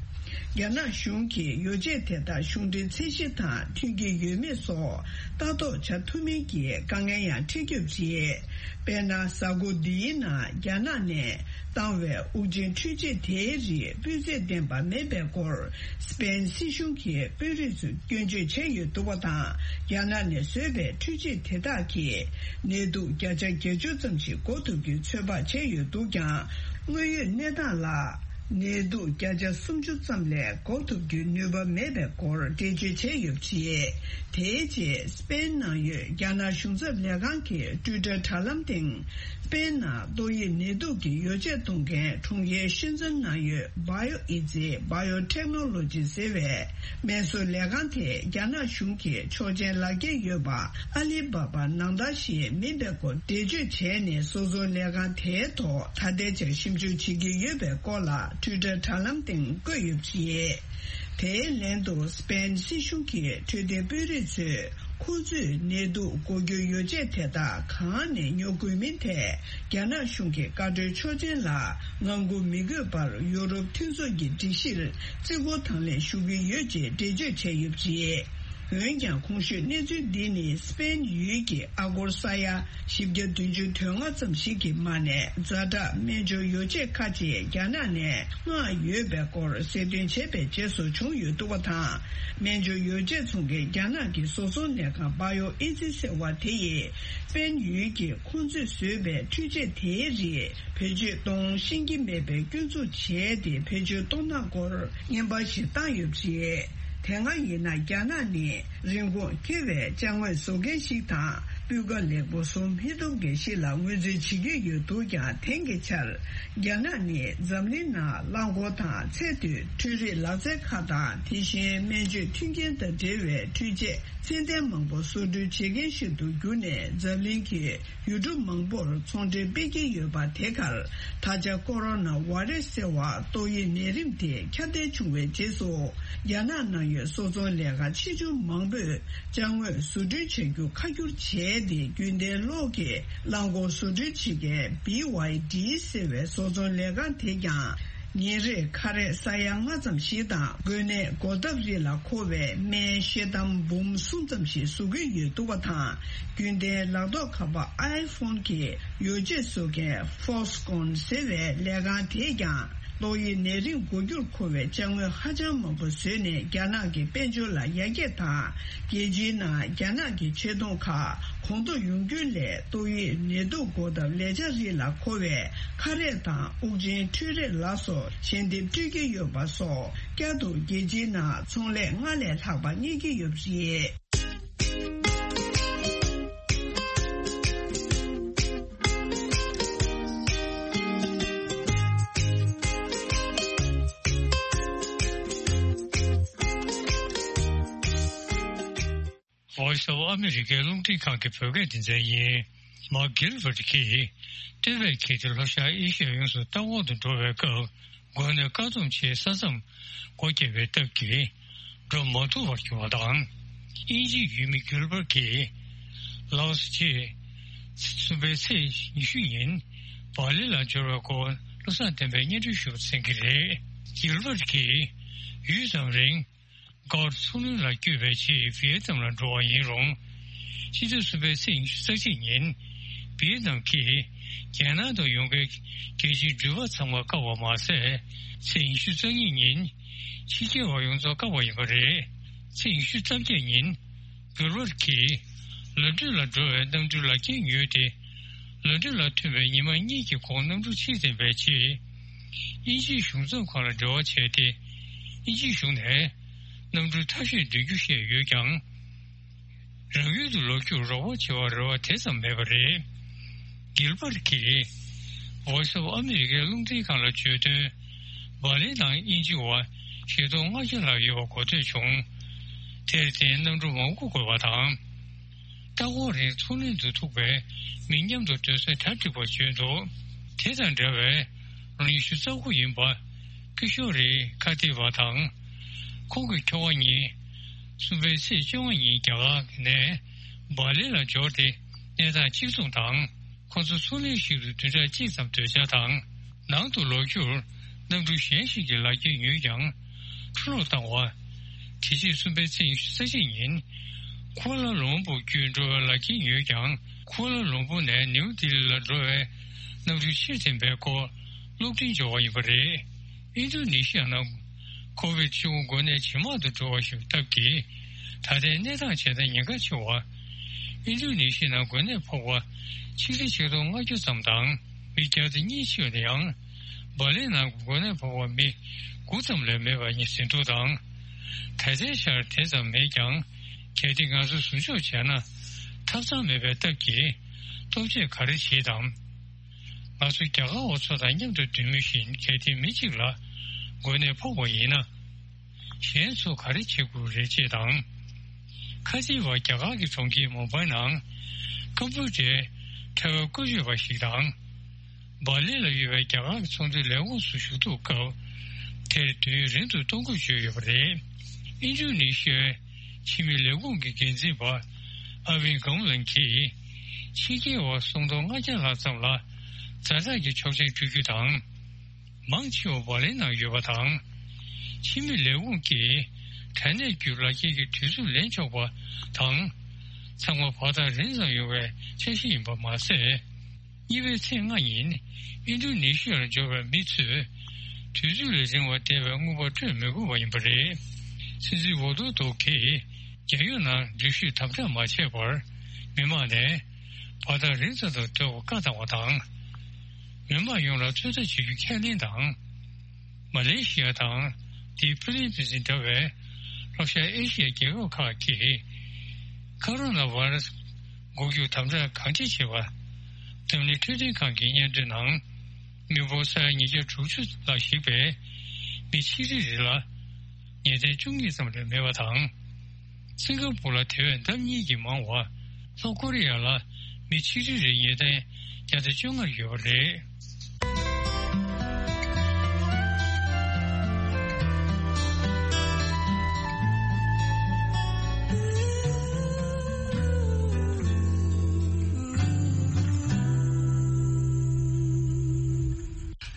རྒྱ་ནག་གཞུང་གིས་ཡོ་བྱད་དེ་དག་གཞུང་འབྲེལ་ཚད་གཞི་དང་མཐུན་གྱི་ཡོད་མེད་སོགས་ལྟ་རྟོག་བྱ་ཐུབ་མིན་གྱི་དཀའ་ངལ་ཡང་འཕྲད་ཀྱི་ཡོད་པ་རེད། དཔེར་ན། གཟའ་འཁོར་འདིའི་ནང་རྒྱ་ནག་ནས་བཏང་བའི་དབུགས་འབྱིན་འཕྲུལ་ཆས་དེའི་རིགས་སྤུས་ཚད་ལྡན་པ་མེད་པའི་སྐོར་སི་པེན་སྲིད་གཞུང་གི་དཔོན་རིགས་ཚོས་སྐྱོན་བརྗོད་བྱས་ཡོད་འདུག་པ་དང་། རྒྱ་ནག་ནས་བཟོས་པའི་འཕྲུལ་ཆས་དེ་དག་གིས་ནད་དུག་བརྒྱ་ཆ་བརྒྱད་ཅུ་ཙམ་ཞིག་འགོག་ཐུབ་རྒྱུའི་ཚོད་དཔག་བྱས་ཡོད་འདུག་ཀྱང་། དངོས་ཡོད་གནས་སྟངས་ལ། ནད་དུག་བརྒྱ་ཆ་སུམ་ཅུ་ཙམ་ལས་འགོག་ཐུབ་རྒྱུའི་ནུས་པ་མེད་པའི་སྐོར་འགྲེལ་བརྗོད་བྱས་ཡོད་པ་རེད། དེའི་རྗེས་སི་པེན་ནང་ཡོད་རྒྱ་ནག་གཞུང་ཚབ་ལས་ཁང་གི་ཊུའི་ཊར་དྲ་ལམ་སྟེང་། སི་པེན་ནང་ཏོག་དབྱིབས་ནད་དུག་གི་ཡོ་བྱད་གཏོང་མཁན་གྲོང་ཁྱེར་ཤན་ཙེན་ནང་ཡོད་བྷ་ཡོ་ཨི་ཛི། Biotechnology ཟེར་བའི་སྨན་བཟོ་ལས་ཁང་དེ་རྒྱ་ནག་གཞུང་གི་ཆོག་མཆན་ལག་ཁྱེར་ཡོད་པ་ཨ་ལི་བྷ་བྷ་ནང་ལྟར་ཞིག་མིན་པའི་སྐོར་འགྲེལ་བརྗོད་བྱས་ནས། བཟོ་ཚོང་ལས་ཁང་དེའི་ཐོག་ད་ལྟའི་ཆར་ཞིབ་འཇུག་བྱེད་ཀྱི་ཡོད་པའི་སྐོར་ལ་ཊུའི་ཊར་དྲ་ལམ་སྟེང་བཀོད་ཡོད་པ་རེད། དེའི་ལན་དུ་སི་པེན་སྲིད་གཞུང་གི་འཕྲོད་བསྟེན་དཔོན་རིགས་ཚོས་ཁོང་ཚོས་ནད་དུག་འགོག་རྒྱུའི་ཡོ་བྱད་དེ་དག་གང་ནས་ཉོ་དགོས་མིན་ཐད་རྒྱ་ནག་གཞུང་གི་བཀའ་འཁྲོལ་ཆོག་མཆན་ལ་ངང་སྒུག་མི་དགོས་པར་ཡུ་རོབ་མཐུན་ཚོགས་ཀྱི་སྒྲིག་གཞིར་བརྩི་བཀུར་དང་ལེན་ཞུ་གི་ཡོད་ཅེས་འགྲེལ་བརྗོད་བྱས་ཡོད་པ་རེད། འོན་ཀྱང་གོང་ཞུས་གནས་ཚུལ་འདི་ནི་སི་པེན་ཡུལ་གྱི་ཨ་སྒོར་ས་ཡ་བཞི་བརྒྱ་བདུན་ཅུ་དོན་ལྔ་ཙམ་ཞིག་གི་མ་ནས་ཛ་དྲག་སྨན་སྦྱོར་ཡོ་བྱད་ཁག་ཅིག་རྒྱ་ནག་ནས་མངགས་ཡོད་པའི་སྐོར་གསལ་སྟོན་བྱས་པའི་རྗེས་སུ་བྱུང་ཡོད་འདུག་པ་དང་། སྨན་སྦྱོར་ཡོ་བྱད་ཚོང་མཁན་རྒྱ་ནག་གི་བཟོ་ཚོང་ལས་ཁང་བྷ་ཡོ་ཨི་ཛི་ཟེར་བ་དེ་ཡིས་སི་པེན་ཡུལ་གྱི་ཁོང་ཚོས་བཟོས་པའི་འཕྲུལ་ཆས་དེའི་རིགས་བེད་སྤྱོད་གཏོང་ཤེས་ཀྱི་མེད་པའི་སྐྱོན་འཛུགས་བྱས་ཏེ། བེད་སྤྱོད་གཏོང་སྟངས་སྐོར་རྔན་པ་ཞིག་བཏང་ཡོད་པ་རེད། དེ་སྔ་ཡིན་ན་རྒྱ་ནག་ནི་རིན་གོང་ཁེ་བའི་ཅ་དངོས་བཟོ་མཁན་ཞིག་དང་ སྤུས་ཀ་ལེགས་པོ་བཟོ་མི་ཐུབ་མཁན་ཞིག་ལ་ངོས་འཛིན་བྱེད་ཀྱི་ཡོད་འདུག་ཀྱང་། དེང་གི་ཆར་རྒྱ་ནག་ནི་འཛམ་གླིང་ནང་རླངས་འཁོར་དང་ཚད་མཐོའི་འཕྲུལ་རིག་ལག་རྩལ་ཁག་དང་། དེ་བཞིན་སྨན་བཅོས་མཐུན་རྐྱེན་དང་འབྲེལ་བའི་འཕྲུལ་ཆས་ཚད་ལྡན་མང་པོ་བཟོ་སྐྲུན་བྱེད་མཁན་ཞིག་ཏུ་གྱུར་ནས། འཛམ་གླིང་གི་ཡུལ་གྲུ་མང་པོར་ཚོང་འབྲེལ་སྤེལ་གྱི་ཡོད་པ། དེ་གར་ད་ཆ་ཀོ་རོ་ན་བྷ་རེ་སི་ཟེར་བ་ཏོག་དབྱིབས་ནད་རིམས་དེ་ཁྱབ་གདལ་བྱུང་བའི་རྗེས་སུ། རྒྱ་ནག་ནང་ཡོད་བཟོ་ཚོང་ལས་ཁང་ཆེ་ཆུང་མང་པོས་ཅ་དངོས་བཟོ་སྐྲུན་བྱ་རྒྱུ་ཁ་བསྒྱུར་བྱས་ཏེ། རྒྱུན་ལྡན་གློག་གི་རླངས་འཁོར་བཟོ་སྐྲུན་བྱེད་མཁན་བྷི་ཝའི་ཌི་ཟེར་བའི་བཟོ་ཚོང་ལས་ཁང་དེས་ཀྱང་། ཉིན་རེར་ཁ་རས་ས་ཡ་ལྔ་ཙམ་ཞིག་དང་། འགོས་ནད་འགོག་ཐབས་རིགས་ལ་མཁོ་བའི་སྨན་ཤེལ་དམ་འབུམ་གསུམ་ཙམ་ཞིག་བཟོ་གི་ཡོད་འདུག་པ་དང་། རྒྱུན་ལྡན་ལག་ཐོགས་ཁ་པར་ཨའི་ཕོན་གྱི་ཡོ་བྱད་བཟོ་མཁན་ཧྥོག་སི་ཀོན་ཟེར་བའི་ལས་ཁང་དེས་ཀྱང་། ཏོག་དབྱིབས་ནད་རིམས་འགོག་རྒྱུར་མཁོ་བའི་ཅ་དངོས་ཧ་ཅང་མང་པོ་བཟོས་ནས། རྒྱ་ནག་གི་དཔལ་འབྱོར་ལ་ཡར་རྒྱས་དང་། རྒྱལ་སྤྱིའི་ནང་རྒྱ་ནག་གི་ཆེ་མཐོང་ཁག་གོང་མཐོར་ཡོང་རྒྱུ་ལས། ཏོག་དབྱིབས་ནད་དུག་འགོག་ཐབས་ལས་འཆར་རིགས་ལ་མཁོ་བའི་ཁ་རས་དང་དབུགས་འབྱིན་འཕྲུལ་རིགས་ལ་སོགས་ཞལ་འདེབས་སྤྲོད་ཀྱི་ཡོད་པ་སོགས། བསྐྱར་དུ་རྒྱལ་སྤྱིའི་ནང་ཚོང་ལས་སྔར་ལས་ལྷག་པ་རྙེད་ཀྱི་ཡོད་པ་རེད། Voice of America རླུང་འཕྲིན་ཁང་གི་བོད་སྐད་སྡེ་ཚན་ཡིན། མཱག་གྷིལ་བྷར་གྱིས་སྟོད་པའི་ཁྱི་དེ་ལྷོ་ཤར་ཨེ་ཤི་ཡ་ཡོངས་སུ་རྟ་འོག་ཏུ་འགྲོ་བའི་སྐབས། འགོས་ནད་བཀག་སྡོམ་ཆེད་ས་མཚམས་སྒོ་བརྒྱབ་པའི་སྟབས་ཀྱིས་འགྲོ་མ་ཐུབ་པར་གྱུར་བ་དང་། དབྱིན་ཇིའི་ཡུལ་མི་གྷིལ་བྷར་གྱིས་ལའོ་སི་ཆེད་གསུམ་པའི་ཚེས་ཉི་ཤུ་ཉིན་སྦ་ལི་ལ་འབྱོར་བའི་སྐོར་བློ་བཟང་བསྟན་པས་སྙན་སྒྲོན་ཞུ་བར་གསན་གྱི་རེད། གྷིལ་བྷར་གྱིས་ཡུད་ཙམ་རིང་སྒོར་མཚོ་གླིང་ལ་བསྐྱོད་པའི་ཆེད་ཝི་ཡེ་ནམ་ལ་འགྲོ་བ་ཡིན་རུང་། སྤྱི་ཟླ་གསུམ་པའི་ཚེས་ཉི་ཤུ་རྩ་གཅིག་ཉིན་ཝི་ཡེ་ནམ་གྱིས་རྒྱལ་ནང་དུ་ཡོང་མཁན་རྒྱལ་སྤྱིའི་འགྲུལ་པ་ཚང་མ་བཀག་པ་མ་ཟད། ཚེས་ཉི་ཤུ་རྩ་གཉིས་ཉིན་ཕྱི་རྒྱལ་བ་ཡོངས་རྫོགས་བཀག་པ་ཡིན་པ་རེད། ཚེས་ཉི་ཤུ་རྩ་བརྒྱད་ཉིན་གྷིལ་བྷར་གྱིས་ལ་ཌོ་ལ་འགྲོ་བའི་གནམ་གྲུའི་ལག་འཁྱེར་ཉོས་ཏེ། ལ་ཌོ་ལ་ཐོན་པའི་ཉི་མ་གཉིས་ཀྱི་གོང་གནམ་གྲུ་ཕྱིར་འཐེན་པའི་ཆེད་དབྱིན་ཇིའི་གཞུང་ཚབ་ཁང་ལ་འབྲེལ་བ་བྱས་ཏེ། དབྱིན་ཇིའི་གཞུང་ནས་གནམ་གྲུ་ཐབས་ཤེས་འདོན་རྒྱུ་བཤད་ཡོད་ཀྱང་། རང་ཡུལ་དུ་ལོག་རྒྱུར་རོགས་པ་བྱེད་པར་རེ་བ་དེ་ཙམ་མེད་པ་རེད། གྷིལ་བྷར་གྱིས་Voice of America རླུང་འཕྲིན་ཁང་ལ་བརྗོད་དོན། སྦ་ལི་དང་དབྱིན་ཇི་བར་བཞི་སྟོང་ལྔ་བརྒྱ་ལྷག་ཡོད་པ་གོ་ཐོས་བྱུང་། དེར་བརྟེན་གནམ་གྲུ་མང་པོ་དགོས་པ་དང་། ལྟ་སྐོར་རིང་མཚོ་གླིང་དུ་ཐུག་པའི་མི་མཉམ་དུ་སྡོད་སའི་གྲ་འགྲིག་པ་བརྗོད་འདུག་དེ་དང་འདྲ་བའི་ལོ་ཉི་ཤུ་རྩ་དགུ་ཡིན་པ་ཀི་ཤོ་རི་ཁ་ཏི་བ་དང་། ཁོང་གི་ཁྱོ་ག་གཉིས་གསུམ་པའི་ཚེས་བཅོ་ལྔ་ཉིན་རྒྱ་གར་ནས་སྦ་ལི་ལ་འབྱོར་ཏེ་གནས་སྟངས་གཅིག་མཚུངས་དང་། ཁོང་ཚོ་མཚོ་གླིང་ཞིག་ཏུ་བདུན་ཕྲག་གཅིག་ཙམ་སྡོད་འཆར་དང་། ནང་དུ་ལོག་རྒྱུར་གནམ་གྲུ་གཞན་ཞིག་གི་ལག་འཁྱེར་ཉོས་ཀྱང་འཕྲོ་བརླག་བཏང་བ། དེ་རྗེས་གསུམ་པའི་ཚེས་ཉི་ཤུ་རྩ་གཅིག་ཉིན་ཁུ་ཨ་ལ་ལུམ་པུར་བརྒྱུད་འགྲོ་བའི་ལག་འཁྱེར་ཉོས་ཀྱང་། ཁུ་ཨ་ལ་ལུམ་པུར་ནས་ནིའུ་ལྡི་ལི་ལ་འགྲོ་བའི་གནམ་གྲུ་ཕྱིར་འཐེན་པའི་སྐོར་གློག་འཕྲིན་འབྱོར་བ་ཡིན་པ་རེད། ཨིན་རྡུ་ནི་ཤི་ཡ་ནང་ཁོ་ཝིད་བཅུ་དགུ་འགོས་ནད་ཇེ་མང་དུ་འགྲོ་བ་ཞིག་སྟབས་ཀྱིས། ད་ལྟའི་གནས་སྟངས་ཇི་ལྟར་ཉེན་ཁ་ཆེ་བ། ཨིན་རྡུ་ནི་ཤི་ཡ་ནང་འགོས་ནད་ཕོག་པ་ཆིག་ཁྲི་ཆིག་སྟོང་ལྔ་བརྒྱ་ཙམ་དང་མི་བརྒྱ་དང་གཉིས་འཆི་བ་དེ་ཡང་། སྦ་ལི་ནང་འགོས་ནད་ཕོག་པ་མི་དགུ་ཙམ་ལས་མེད་པ་ཡིན་ཟིན་ཐོ་དང་། ད་ལྟའི་ཆར་དེ་ཙམ་མེད་ཀྱང་། གལ་ཏེ་ང་ཚོ་ཟུར་འཇོག་བྱས་ན་ཐབས་ཚང་མེད་པའི་སྟབས་ཀྱིས་སྟོབས་ཆེ་ག་རེ་བྱེད་དམ། ང་ཚོ་རྒྱ་གར་བ་ཚོ་དང་མཉམ་དུ་སྡོད་མུས་བཞིན་གལ་ཏེ་མི་གཅིག་ལ་འགོས་ནད་ཕོག་པ་ཡིན་ན། གཞན་ཚོ་ག་རེ་བྱེད་དགོས་རེད་ཅེས་དང་། ཁ་ཆེ་བ་རྒྱ་གར་གྱི་གྲོང་ཁྱེར་མུམ་བྷའི་ནང་ཀམ་པུ་ཊར་ཕྲེང་བའི་བཀོལ་སྤྱོད་པ་ཞིག་དང་། སྦ་ལི་ལ་ཡོད་པའི་རྒྱ་གར་གྱི་ཚོང་འབྲེལ་ལས་ཁུངས་སུ་ཞུགས་ཐུབ་སྐབས་དེར་དུས་ཡུན་རིང་དུ་གཏོང་དགོས་བརྗོད་ཡོད་པ་རེད། ཨིན་ཌོ་ནེ་ཤི་ཡའི་ཕྱི་མི་ལས་ཁུངས་ཀྱི་འགན་འཛིན་པ་ཨ་ཝིན་གྷམ་ལན་གྱིས་ཕྱི་རྒྱལ་བ་སུམ་སྟོང་ལྔ་བརྒྱ་ལྷག་ཙམ་ལ་ཛ་དྲག་གི་ཆོག་མཆན་སྤྲོད་རྒྱུ་དང་། མང་ཆེ་བ་སྦ་ལིའི་ནང་ཡོད་པ་དང་། ཕྱི་མི་ལས་ཁུངས་ཀྱིས་དྲག་གནོན་བརྒྱུད་ལག་འཁྱེར་གྱི་དུས་ཚོད་ལེན་ཆོག་པ་དང་། ཚང་མ་བར་ཐག་རིང་ཙམ་ཡོང་བའི་འཆར་གཞི་ཡིན་པ་མ་ཟད། གཉིས་པའི་ཚེས་ལྔ་ཉིན་ཨིན་རྡུ་ནེ་ཤི་ཡར་འབྱོར་བའི་མི་ཚོས་དུས་ཚོད་ལས་རིང་བ་བསྡད་པའི་དངུལ་པ་སྤྲོད་མི་དགོས་པ་ཡིན་པ་རེད། སྲིད་འཛིན་ཝོ་དོ་དོ་གིས་རྒྱལ་ཡོངས་ནང་འགྲུལ་བཞུད་དམ་དྲག་མ་བྱས་པར་མི་མང་ནས་བར་ཐག་རིང་ཙམ་དུ་སྡོད་པར་བཀའ་བཏང་བ་དང་། མི་མང་ཡོངས་ལ་ཚོད་ལྟ་བྱེད་རྒྱུ་ཁས་ལེན་དང་། མ་ལེ་ཤི་ཡ་དང་དེའི་ཕི་ལི་པིན་སི་འདྲ་བའི་ལྷོ་ཤར་ཨེ་ཤི་ཡའི་རྒྱལ་ཁབ་ཁག་གིས་ཁ་རོ་ན་བྷ་ར་སི་ འགོག་རྒྱུར་དམ་དྲག་གང་ཅི་བྱེད་པ། འཛམ་གླིང་འཕྲོད་བསྟེན་ཁང་གི་སྙན་སྒྲོན་ནང་། མི་འབོར་ས་ཡ་ཉིས་བརྒྱ་དྲུག་ཅུ་ལ་གཞིགས་པའི་མི་ཆིག་ཁྲི་རེ་ལ་ངེས་གཏན་བཅུ་གཉིས་ཙམ་ལས་མེད་པ་དང་། སིང་ག་པུར་ལ་དེ་བས་ལྡབ་གཉིས་ཀྱིས་མང་བ། ལྷོ་ཀོ་རི་ཡ་ལ་མི་ཆིག་ཁྲི་རེ་ངེས་གཏན་བརྒྱ་དང་བཅོ་ལྔ་ཡོད་པ་རེད།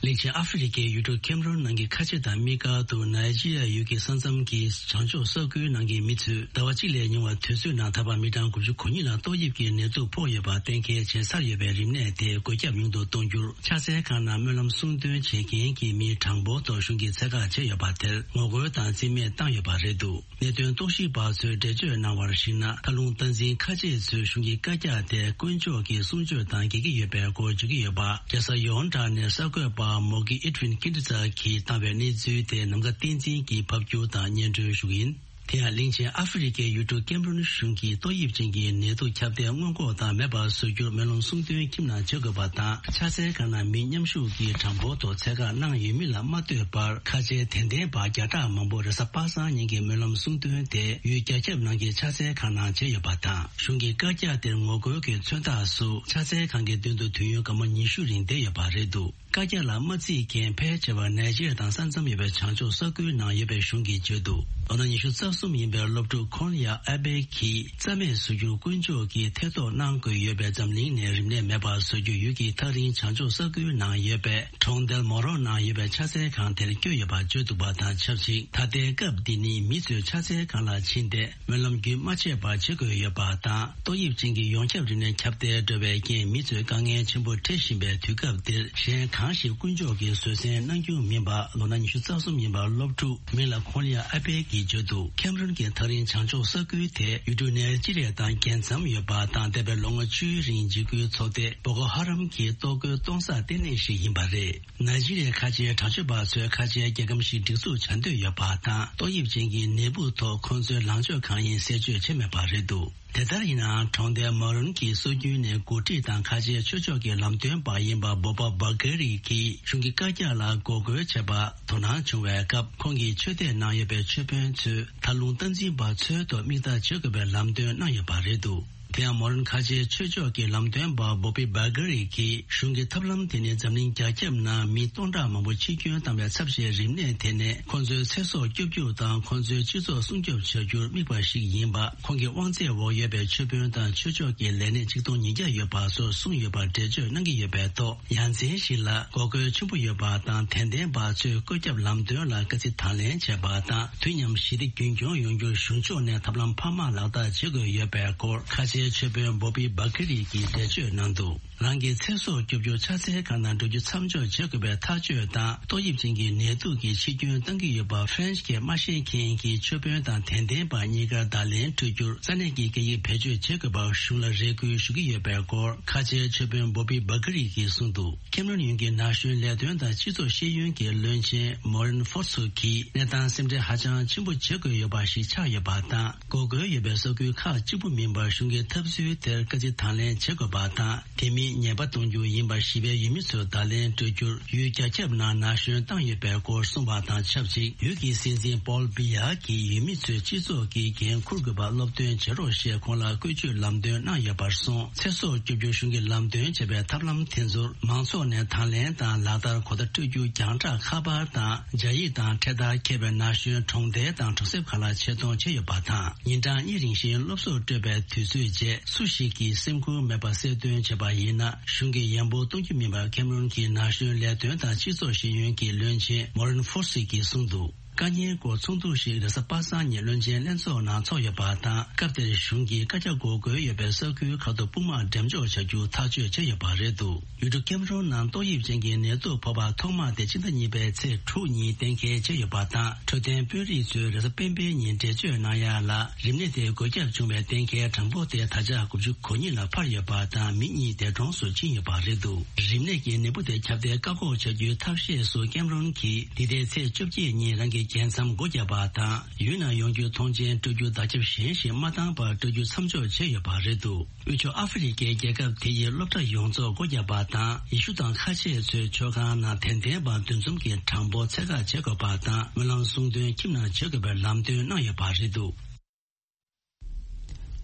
གླིང་ཆེན་ཨ་ཧྥེ་རི་ཁའི་ཡུལ་གྲུ་ཁེམ་རོན་ནང་གི་ཁ་ཆེ་དང་དམིགས་བཀར་དུ་ནཱི་ཇི་རི་ཡ་ཡུལ་གྱི་ས་མཚམས་ཀྱི་བྱང་ཕྱོགས་ས་ཁུལ་ནང་གི་མི་ཚོས་ཟླ་བ་གཅིག་ལས་ཉུང་བ་དུས་ཚོད་ནང་ད་བར་མི་གྲངས་དགུ་བཅུ་གོ་གཉིས་ལ་ཏོག་དབྱིབས་ཀྱི་ནད་དུག་ཕོག་ཡོད་པ་གཏན་འཁེལ་བྱས་ཚར་ཡོད་པའི་རིམས་ནད་དེ་འགོས་ཁྱབ་ཡོང་དུ་གཏོང་རྒྱུར་ཕྱག་འཚལ་ཁང་ནང་སྨོན་ལམ་གསུང་འདོན་བྱེད་མཁན་གྱི་མིའི་གྲངས་འབོར་ཐོག་གཞུང་གིས་ཚད་བཀག་བྱས་ཡོད་པ་དེར་ངོ་རྒོལ་དང་རྩིས་མེད་བཏང་ཡོད་པ་རེད་འདུག་གནད་དོན་རྟོག་ཞིབ་པ་ཚོས་འགྲེལ་བརྗོད་གནང་བར་གཞིགས་ན། མཐའ་ལུང་སྟངས་འཛིན་ཁ་ཆེ་ཚོས་གཞུང་གི་བཀའ་རྒྱ་དེ་དཀོན་མཆོག་གི་གསུང་ཆོས་དང་འགལ་གྱི་ཡོད་པའི་སྐོར་བརྗོད་ཀྱི་ཡོད་པ། རྒྱལ་ས་ཡོན་ཀྲང་ནས་གསར་འགོད་པ་མོ་གི་ཨེ་ཏྲིན་ཀིན་ཏི་ཙ་གིས་བཏང་བའི་གནས་ཚུལ་དེ་ནམ་མཁའ་བསྟན་འཛིན་གྱིས་ཕབ་སྒྱུར་དང་སྙན་སྒྲོན་ཞུ་གི་ཡིན། དེ་ཡང་གླིང་ཆེན་ཨ་ཧྥེ་རི་ཁའི་ཡུལ་གྲུ་ཀེམ་རོན་གཞུང་གིས་ཏོག་དབྱིབས་ཅན་གྱི་ནད་དུག་ཁྱབ་གདལ་སྔོན་འགོག་དང་མེད་པར་བཟོ་རྒྱུར་སྨོན་ལམ་གསུང་འདོན་ཁྱིམ་ནང་བྱེད་དགོས་པ་དང་། ཕྱག་འཚལ་ཁང་ནང་མི་མཉམ་ཞུགས་ཀྱི་གྲངས་འབོར་ཐོག་ཚད་བཀག་གནང་ཡོད་མིན་ལ་མ་ལྟོས་པར། ཁ་ཆེའི་དད་ལྡན་པ་བརྒྱ་ཕྲག་མང་པོ་རེས་གཟའ་པ་སངས་ཉིན་གྱི་སྨོན་ལམ་གསུང་འདོན་དེ་ཡུལ་རྒྱ་ཁྱབ་ནང་གི་ཕྱག་འཚལ་ཁང་ནང་བྱས་ཡོད་པ་དང་། གཞུང་གི་བཀའ་རྒྱ་དེར་ངོ་རྒོལ་གྱི་མཚོན་རྟགས་སུ་ཕྱག་འཚལ་ཁང་གི་མདུན་དུ་དུས་ཡུན་སྐར་མ་ཉི་ཤུ་རིང་བསྡད་ཡོད་པ་རེད་འདུག་བཀའ་རྒྱ་ལ་མ་བརྩིས་མཁན་ཕལ་ཆེ་བ་ནཱི་ཇི་རི་ཡ་དང་ས་མཚམས་ཡོད་པའི་བྱང་ཕྱོགས་ས་ཁུལ་ནང་ཡོད་པའི་གཞུང་གིས་བརྗོད་འདུག་ལོ་ན་ཉི་ཤུ་རྩ་གསུམ་ཡིན་པའི་སློབ་ཕྲུག་ཁོན་ཡ་ཨ་བེ་གིས་རྩ་མེད་བཟོ་རྒྱུར་དཀོན་མཆོག་གིས་ཐེ་གཏོགས་གནང་དགོས་ཡོད་པས། འཛམ་གླིང་ནས་རིམས་ནད་མེད་པར་བཟོ་རྒྱུ་ཡུལ་གྱི་ཐག་རིང་བྱང་ཕྱོགས་ས་ཁུལ་ནང་ཡོད་པའི་གྲོང་རྡལ་མོ་རོ་ནང་ཡོད་པའི་ཕྱག་འཚལ་ཁང་དེར་བསྐྱོད་ཡོད་པ་བརྗོད་འདུག་པ་དང་ཆབས་ཅིག་ད་ལྟའི་སྐབས་འདི་ནི་མི་ཚོས་ཕྱག་འཚལ་ཁང་ལ་ཕྱིན་ཏེ། སྨོན་ལམ་རྒྱུན་མ་ཆད་པར་བྱེད་དགོས་ཡོད་པ་དང་། ཏོག་དབྱིབས་ཅན་གྱི་ཡོངས་ཁྱབ་རིམས་ནད་ཁྱབ་གདལ་འགྲོ་བའི་རྐྱེན་མི་ཚོས་དཀའ་ངལ་ཆེན་པོ་འཕྲད་བཞིན་པའི་དུས་སྐབས་འདིར། གཞན་གང་ཞིག་དཀོན་མཆོག་གིས་བཟོད་བསྲན་གནང་རྒྱུ་མིན་པ། ལོ་ན་ཉི་ཤུ་རྩ་གསུམ་ཡིན་པ་སློབ་ཕྲུག་མིང་ལ་ཁོན་ཡ་ཨ་པེ་གིས་བརྗོད་འདུག་ཁེམ་རོན་གྱི་ཐག་རིང་བྱང་ཕྱོགས་ས་ཁུལ་དེ་ཡུལ་གྲུ་ནེ་ཇི་རི་ཡ་དང་རྒྱལ་མཚམས་ཡོད་པ་དང་། འདས་པའི་ལོ་ངོ་བཅུའི་རིང་འཇིགས་སྐུལ་ཚོགས་སྡེ་བོ་ཀོ་ཧ་རམ་གྱི་ལྟོ་གོས་གཏོང་ས་ལྟེ་གནས་ཤིག་ཡིན་པ་རེད། ནཱི་ཇི་རི་ཡའི་ཁ་ཆེའི་དྲག་སྤྱོད་པ་ཚོས་ཁ་ཆེའི་རྒྱལ་ཁམས་ཤིག་སྒྲིག་འཛུགས་བྱ་འདོད་ཡོད་པ་དང་། ཏོག་དབྱིབས་ཅན་གྱི་ནད་འབུ་ཐོག་ཁོང་ཚོའི་ལངས་ཕྱོགས་གང་ཡིན་གསལ་བརྗོད་བྱས་མེད་པ་རེད་འདུག་དེ་ལྟར་ཡིན་ནའང་། གྲོང་རྡལ་མ་རུན་གྱི་སྲོལ་རྒྱུན་ནས་འགོ་ཁྲིད་དང་ཁ་ཆེའི་ཆོས་ཕྱོགས་ཀྱི་ལམ་སྟོན་པ་ཡིན་པ་བོ་པ་བྷ་གྷ་རི་གིས་གཞུང་གི་བཀའ་རྒྱ་ལ་འགོག་རྒོལ་བྱས་པར་དོ་སྣང་བྱུང་བའི་སྐབས། ཁོང་གིས་ཆོས་དད་གནང་ཡོད་པའི་ཆོས་དཔོན་ཚོས་མཐའ་ལུང་སྟངས་འཛིན་པ་ཚོའི་ཐོག་མིག་ལྟ་བྱེད་དགོས་པའི་ལམ་སྟོན་གནང་ཡོད་པ་རེད་འདུག་དེ་ཡང་མོ་རན་ཁ་ཆེའི་ཆོས་ཕྱོགས་ཀྱི་ལམ་སྟོན་པ་བོ་པི་བྷ་གྷ་རི་གིས། གཞུང་གི་ཐབས་ལམ་དེ་ནི་འཛམ་གླིང་རྒྱ་ཁྱབ་ནང་མི་སྟོང་ཕྲག་མང་པོ་འཆི་སྐྱོན་བཏང་བའི་ཚབས་ཆེའི་རིམས་ནད་དེ་ནས་ཁོང་ཚོའི་ཚེ་སྲོག་སྐྱོབ་རྒྱུ་དང་། ཁོང་ཚོའི་སྤྱི་ཚོགས་སྲུང་སྐྱོབ་བྱ་རྒྱུར་དམིགས་པ་ཞིག་ཡིན་པ། ཁོང་གི་དབང་ཚད་འོག་ཡོད་པའི་ཆོས་དཔོན་དང་ཆོས་ཕྱོགས་ཀྱི་ལས་སྣེ་ཆིག་སྟོང་ཉིས་བརྒྱ་ཡོད་པ་སོགས་གསུངས་ཡོད་པར་འགྲེལ་བརྗོད་གནང་གི་ཡོད་པའི་ཐོག་ཡ་མཚན་ཞིག་ལ་འགོག་རྒོལ་ཆེན་པོ་ཡོད་པ་དང་། དད་ལྡན་པ་ཚོས་བཀོད་ཁྱབ་ལམ་སྟོན་ལ་དཀའ་ཚེགས་དང་ལེན་བྱས་པ་དང་། དུས་མཉམ་ཞི་བདེ་རྒྱུན་འཁྱོངས་ཡོང་རྒྱུར་གཞུང་ཕྱོགས་ནས་ཐབས་ལམ་འཕར་མ་ལག་བསྟར་བྱེད་དགོས་ཡོད་པའི་སྐོར་ཁ་ཆེའི་ཆོས་དཔོན་བོ་པི་བྷ་ཁི་རི་གིས་འགྲེལ་བརྗོད་གནང་འདུག་རང་གི་ཚེ་སྲོག་སྐྱོབ་རྒྱུར་ཕྱག་འཚལ་ཁང་ནང་འགྲོ་རྒྱུ་མཚམས་འཇོག་བྱེད་དགོས་པའི་ཐག་གཅོད་དང་། ཏོག་དབྱིབས་ཅན་གྱི་ནད་དུག་གིས་འཆི་སྐྱོན་གཏང་གི་ཡོད་པ་ཧྥ་རན་སི་སྐད་མ་ཤེས་མཁན་གྱི་ཆོས་དཔོན་དང་དད་ལྡན་པ་གཉིས་ཀར་བརྡ་ལན་སྤྲོད་རྒྱུར་ས་གནས་ཀྱི་སྐད་ཡིག་བེད་སྤྱོད་བྱེད་དགོས་པར་གཞུང་ལ་རེ་སྐུལ་ཞུ་གི་ཡོད་པའི་སྐོར་ཁ་ཆེའི་ཆོས་དཔོན་བོ་པི་བྷ་ཁི་རི་གིས་གསུངས་འདུག་ཁེམ་རོན་ཡུལ་གྱི་ན་གཞོན་ལས་དོན་དང་སྤྱི་ཚོགས་ཤེས་ཡོན་གྱི་བློན་ཆེན་མོ་རན་ཧྥོ་སུ་གིས་གནས་སྟངས་སེམས་ཁྲལ་ཧ་ཅང་ཆེན་པོ་བྱེད་དགོས་ཡོད་པ་ཞིག་ཆགས་ཡོད་པ་དང་། འགོག་རྒོལ་ཡོད་པའི་ས་ཁུལ་ཁག་གཅིག་པུ་མིན་པར་གཞུང་གི་ཐབས་ཚུལ་དེར་དཀའ་ཚེགས་དང་ལེན་བྱེད་དགོས་པ་དང་། དེ་མིན་ཉེས་པ་གཏོང་རྒྱུ་ཡིན་པ་ཞི་བའི་ཡུལ་མི་ཚོར་བརྡ་ལན་སྤྲོད་རྒྱུར་ཡུལ་རྒྱ་ཁྱབ་ནང་ན་གཞོན་བཏང་ཡོད་པའི་སྐོར་གསུངས་པ་དང་ཆབས་ཅིག་ཡུལ་གྱི་སྲིད་འཛིན་པོལ་བི་ཡ་གིས་ཡུལ་མི་ཚོས་སྤྱི་ཚོགས་ཀྱི་འགན་འཁུར་དགོས་པ་སློབ་སྟོན་བྱེད་རོགས་ཞེས་ཁོང་ལ་བཀོལ་སྤྱོད་ལམ་སྟོན་གནང་ཡོད་པར་སོང་། ཚེ་སྲོག་སྐྱོབ་རྒྱུར་གཞུང་གིས་ལམ་སྟོན་བྱས་པའི་ཐབས་ལམ་དེ་ཚོར་མང་ཚོགས་ནས་དང་ལེན་དང་ལག་བསྟར་གོ་བརྡ་སྤྲོད་རྒྱུ་རྒྱང་བསྒྲགས་ཁ་པར་དང་སྦྱར་ཡིག་དང་འཕྲེད་དར་འཁྱེར་བའི་ན་གཞོན་གྲོང་རྡལ་དང་གྲོང་གསེབ་ཁག་ལ་ཆེད་གཏོང་བྱས་ཡོད་པ་དང་། ཉིན་གྲངས་གཉིས་རིང་བཞིན་སློབ་གསོ་སྤྲོད་པའི་དུས་ཚོད་རྗེས་སུ་ཞིག་གིས་སེམས་ཁུར་མེད་པར་གསལ་སྟོན་བྱས་པ་ཡིན་ན། གཞུང་གིས་ཡན་པོ་གཏོང་རྒྱུ་མིན་པར་ཁེམ་རོན་གྱི་ན་གཞོན་ལས་དོན་དང་སྤྱི་ཚོགས་ཤེས་ཡོན་གྱི་བློན་ཆེན་མོ་རན་ཧྥོ་སི་གིས་གསུངས་འདུག་དཀའ་ཉེན་སྐོར་ཚོགས་འདུ་ཞིག་རེས་གཟའ་པ་སངས་ཉིན་བློན་ཆེན་ལྷན་ཚོགས་ནང་ཚོགས་ཡོད་པ་དང་། སྐབས་དེར་གཞུང་གིས་བཀའ་རྒྱ་འགོག་རྒོལ་ཡོད་པའི་ས་ཁུལ་ཁག་ཏུ་དཔུང་དམག་འགྲེམས་འཇོག་བྱ་རྒྱུ་ཐག་གཅོད་བྱས་ཡོད་པ་རེད་འདུག་ཡུལ་གྲུ་ཀེམ་རོན་ནང་ཏོག་དབྱིབས་ཅན་གྱི་ནད་དུག་ཕོག་པ་ཐོག་མ་དེ་ཕྱི་ཟླ་གཉིས་པའི་ཚེས་དྲུག་ཉིན་གཏན་འཁེལ་བྱས་ཡོད་པ་དང་། འཕྲོད་བསྟེན་དཔོན་རིགས་ཚོས་རེས་གཟའ་སྤེན་པའི་ཉིན་འགྲེལ་བརྗོད་གནང་ཡ་ལ། རིམས་ནད་དེ་འགོས་ཁྱབ་བྱུང་བའི་གཏན་འཁེལ་གྲངས་འབོར་དེ་ད་ཆ་དགུ་བཅུ་གོ་གཉིས་ལ་འཕར་ཡོད་པ་དང་། མི་གཉིས་འདས་གྲོངས་སུ་ཕྱིན་ཡོད་པ་རེད་འདུག་རིམས་ནད་ཀྱི་ནད་འབུ་དེ་ཁྱབ་གདལ་བཀག་འགོག་བྱ་རྒྱུའི་ཐབས་ཤེས་སུ་ཀེམ་རོན་གྱིས་འདི་ཟླའི་ཚེས་བཅོ་བརྒྱད་ཉིན་རང་གི་ རྒྱལ་མཚམས་སྒོ་བརྒྱབ་པ་དང་། ཡུལ་ནང་ཡོང་རྒྱུའི་མཐོང་མཆན་སྤྲོད་རྒྱུ་བརྡ་ཁྱབ་གཞན་ཞིག་མ་བཏང་བར་སྤྲོད་རྒྱུ་མཚམས་འཇོག་བྱས་ཡོད་པ་རེད་འདུག་དབུས་ཕྱོགས་ཨ་ཧྥེ་རི་ཁའི་རྒྱལ་ཁབ་དེ་ཡི་སློབ་གྲྭ་ཡོངས་རྫོགས་སྒོ་བརྒྱབ་པ་དང་། ཡེ་ཤུ་དང་ཁ་ཆེ་ཚོའི་ཚོགས་ཁང་ནང་དད་ལྡན་པ་འདུ་འཛོམས་ཀྱི་གྲངས་འབོར་ཚད་བཀག་བྱེད་དགོས་པ་དང་། སྨོན་ལམ་གསུང་འདོན་ཁྱིམ་ནང་བྱེད་དགོས་པའི་ལམ་སྟོན་གནང་ཡོད་པ་རེད་འདུག་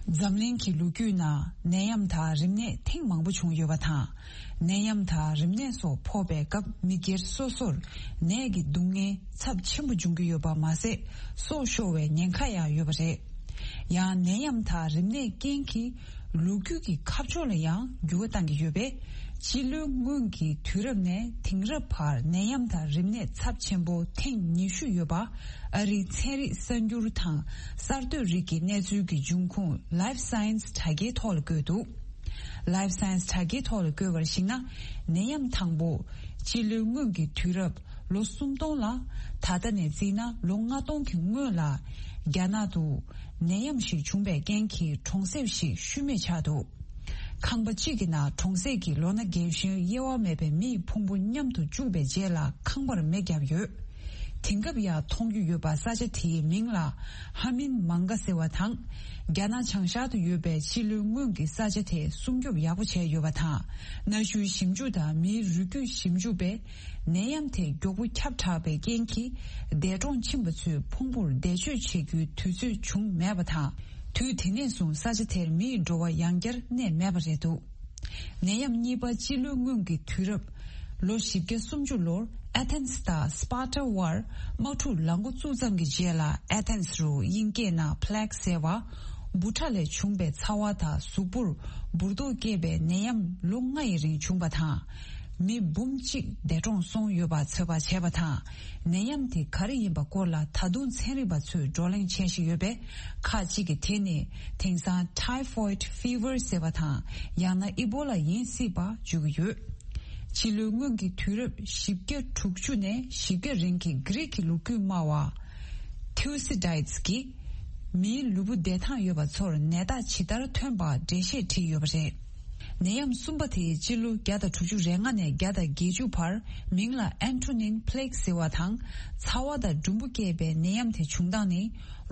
འཛམ་གླིང་གི་ལོ་རྒྱུས་ནང་ནད་ཡམས་དང་རིམས་ནད་ཐེངས་མང་པོ་བྱུང་ཡོད་པ་དང་། ནད་ཡམས་དང་རིམས་ནད་སོགས་ཕོག་པའི་སྐབས་མི་སྒེར་སོ་སོར་ནད་ཀྱི་སྡུག་བསྔལ་ཚབས་ཆེན་པོ་འབྱུང་གི་ཡོད་པ་མ་ཟད། སྲོག་ཤོར་བའི་ཉེན་ཁ་ཡང་ཡོད་པ་རེད། ཡང་ནད་ཡམས་དང་རིམས་ནད་རྐྱེན་གྱིས་ལོ་རྒྱུས་ཀྱི་ཁ་ཕྱོགས་ལ་ཡང་འགྱུར་བ་བཏང་གི་ཡོད་པས། སྤྱི་ལོའི་སྔོན་གྱི་དུས་རབས་ནས་དེང་རབས་བར་ནད་ཡམས་དང་རིམས་ནད་ཚབས་ཆེན་པོ་ཐེངས་ཉི་ཤུ་ཡོད་པ། ཨ་རིའི་ཚན་རིག་གསར་འགྱུར་དང་གསར་གཏོད་རིགས་ཀྱི་གནས་ཚུལ་གྱི་འབྱུང་ཁུངས་Life Science དྲ་རྒྱའི་ཐོག་ལ་བཀོད་འདུག Life Science དྲ་རྒྱའི་ཐོག་ལ་བཀོད་པར་གཞིགས་ན། ནད་ཡམས་དང་པོ་སྤྱི་ལོའི་སྔོན་གྱི་དུས་རབས་ལོ་སུམ་སྟོང་ལ། ད་ལྟ་ནས་བརྩིས་ན་ལོ་ལྔ་སྟོང་གི་སྔོན་ལ། རྒྱ་ནག་ཏུ་ནད་ཡམས་ཤིག་བྱུང་བའི་རྐྱེན་གྱིས་གྲོང་གསེབ་ཞིག་ཤུལ་མེད་ཆགས་འདུག་ཁང་པ་གཅིག་གི་ནང་གྲོང་གསེབ་ཀྱི་ལོ་ན་རྒན་གཞོན་དབྱེ་བ་མེད་པའི་མིའི་ཕུང་པོ་མཉམ་དུ་བཅུག་པའི་རྗེས་ལ་ཁང་པར་མེ་བརྒྱབ་ཡོད། དེང་སྐབས་ཡང་མཐོང་རྒྱུ་ཡོད་པ། ས་ཆ་དེའི་མིང་ལ་ཧ་མིན་མང་ག་ཟེར་བ་དང་། རྒྱ་ནག་བྱང་ཤར་དུ་ཡོད་པའི་སྤྱི་ལོའི་སྔོན་གྱི་ས་ཆ་དེ་སྲུང་སྐྱོབ་ཡག་པོ་བྱས་ཡོད་པ་དང་། གནའ་ཤུལ་ཞིབ་འཇུག་དང་མིའི་རུས་རྒྱུད་ཞིབ་འཇུག་པས། ནད་ཡམས་དེ་མགྱོགས་པོ་ཁྱབ་དྲགས་པའི་རྐྱེན་གྱིས། འདས་གྲོངས་ཕྱིན་པ་ཚོའི་ཕུང་པོར་འདས་མཆོད་བྱེད་རྒྱུའི་དུས་ཚོད་བྱུང་མེད་པ་དང་། དུས་དེ་ནས་བཟུང་ས་ཆ་དེར་མིའི་འགྲོ་བ་ཡང་བསྐྱར་གནས་མེད་པ་རེད་འདུག་ནད་ཡམས་གཉིས་པ་སྤྱི་ལོའི་སྔོན་གྱི་དུས་རབས་ལོ་བཞི་བརྒྱ་སུམ་ཅུ་ལོར་ཨེ་ཐེན་སི་དང་སི་པཱར་ཊ་དབར་དམག་འཁྲུག་ལངས་འགོ་བཙུགས་ཙམ་གྱི་རྗེས་ལ། ཨེ་ཐེན་སི་རུ་དབྱིན་སྐད་ནང་Plague ཟེར་བ། འབུ་ཕྲ་ལས་བྱུང་པའི་ཚ་བ་དང་གཟུགས་པོར་འབུར་ཏོག་སྐྱེས་པའི་ནད་ཡམས་ལོ་ལྔ་ཡི་རིང་བྱུང་བ་དང་། མི་འབུམ་གཅིག་འདས་གྲོངས་སོང་ཡོད་པ་ཚོད་དཔག་བྱས་པ་དང་། ནད་ཡམས་དེ་ག་རེ་ཡིན་པ་སྐོར་ལ་ད་དུང་ཚན་རིག་པ་ཚོས་བགྲོ་གླེང་བྱེད་བཞིན་ཡོད་པས། ཁག་ཅིག་གིས་དེ་ནི་དེང་སང་Typhoid Fever ཟེར་བ་དང་། ཡང་ན་ཨི་བོ་ལ་ཡིན་སྲིད་པ་བརྗོད་ཀྱི་ཡོད། སྤྱི་ལོའི་སྔོན་གྱི་དུས་རབས་བཞི་བརྒྱ་དྲུག་ཅུ་ནས་བཞི་བརྒྱ་རིང་གི་གྷི་རིག་གི་ལོ་རྒྱུས་སྨྲ་བ་Thucydides གྱིས། མིའི་ལུས་པོ་བདེ་ཐང་ཡོད་པ་ཚོར་ནད་རྟགས་ཇི་ལྟར་ཐོན་པ་འགྲེལ་བཤད་བྲིས་ཡོད་པ་རེད། ནད་ཡམས་གསུམ་པ་དེ་སྤྱི་ལོ་བརྒྱ་དང་དྲུག་ཅུ་རེ་ལྔ་ནས་བརྒྱ་དང་བརྒྱད་ཅུ་བར། མིང་ལ་Antonine Plague ཟེར་བ་དང་། ཚ་བ་དང་འབྲུམ་བུ་སྐྱེས་པའི་ནད་ཡམས་དེ་བྱུང་སྟངས་ནི།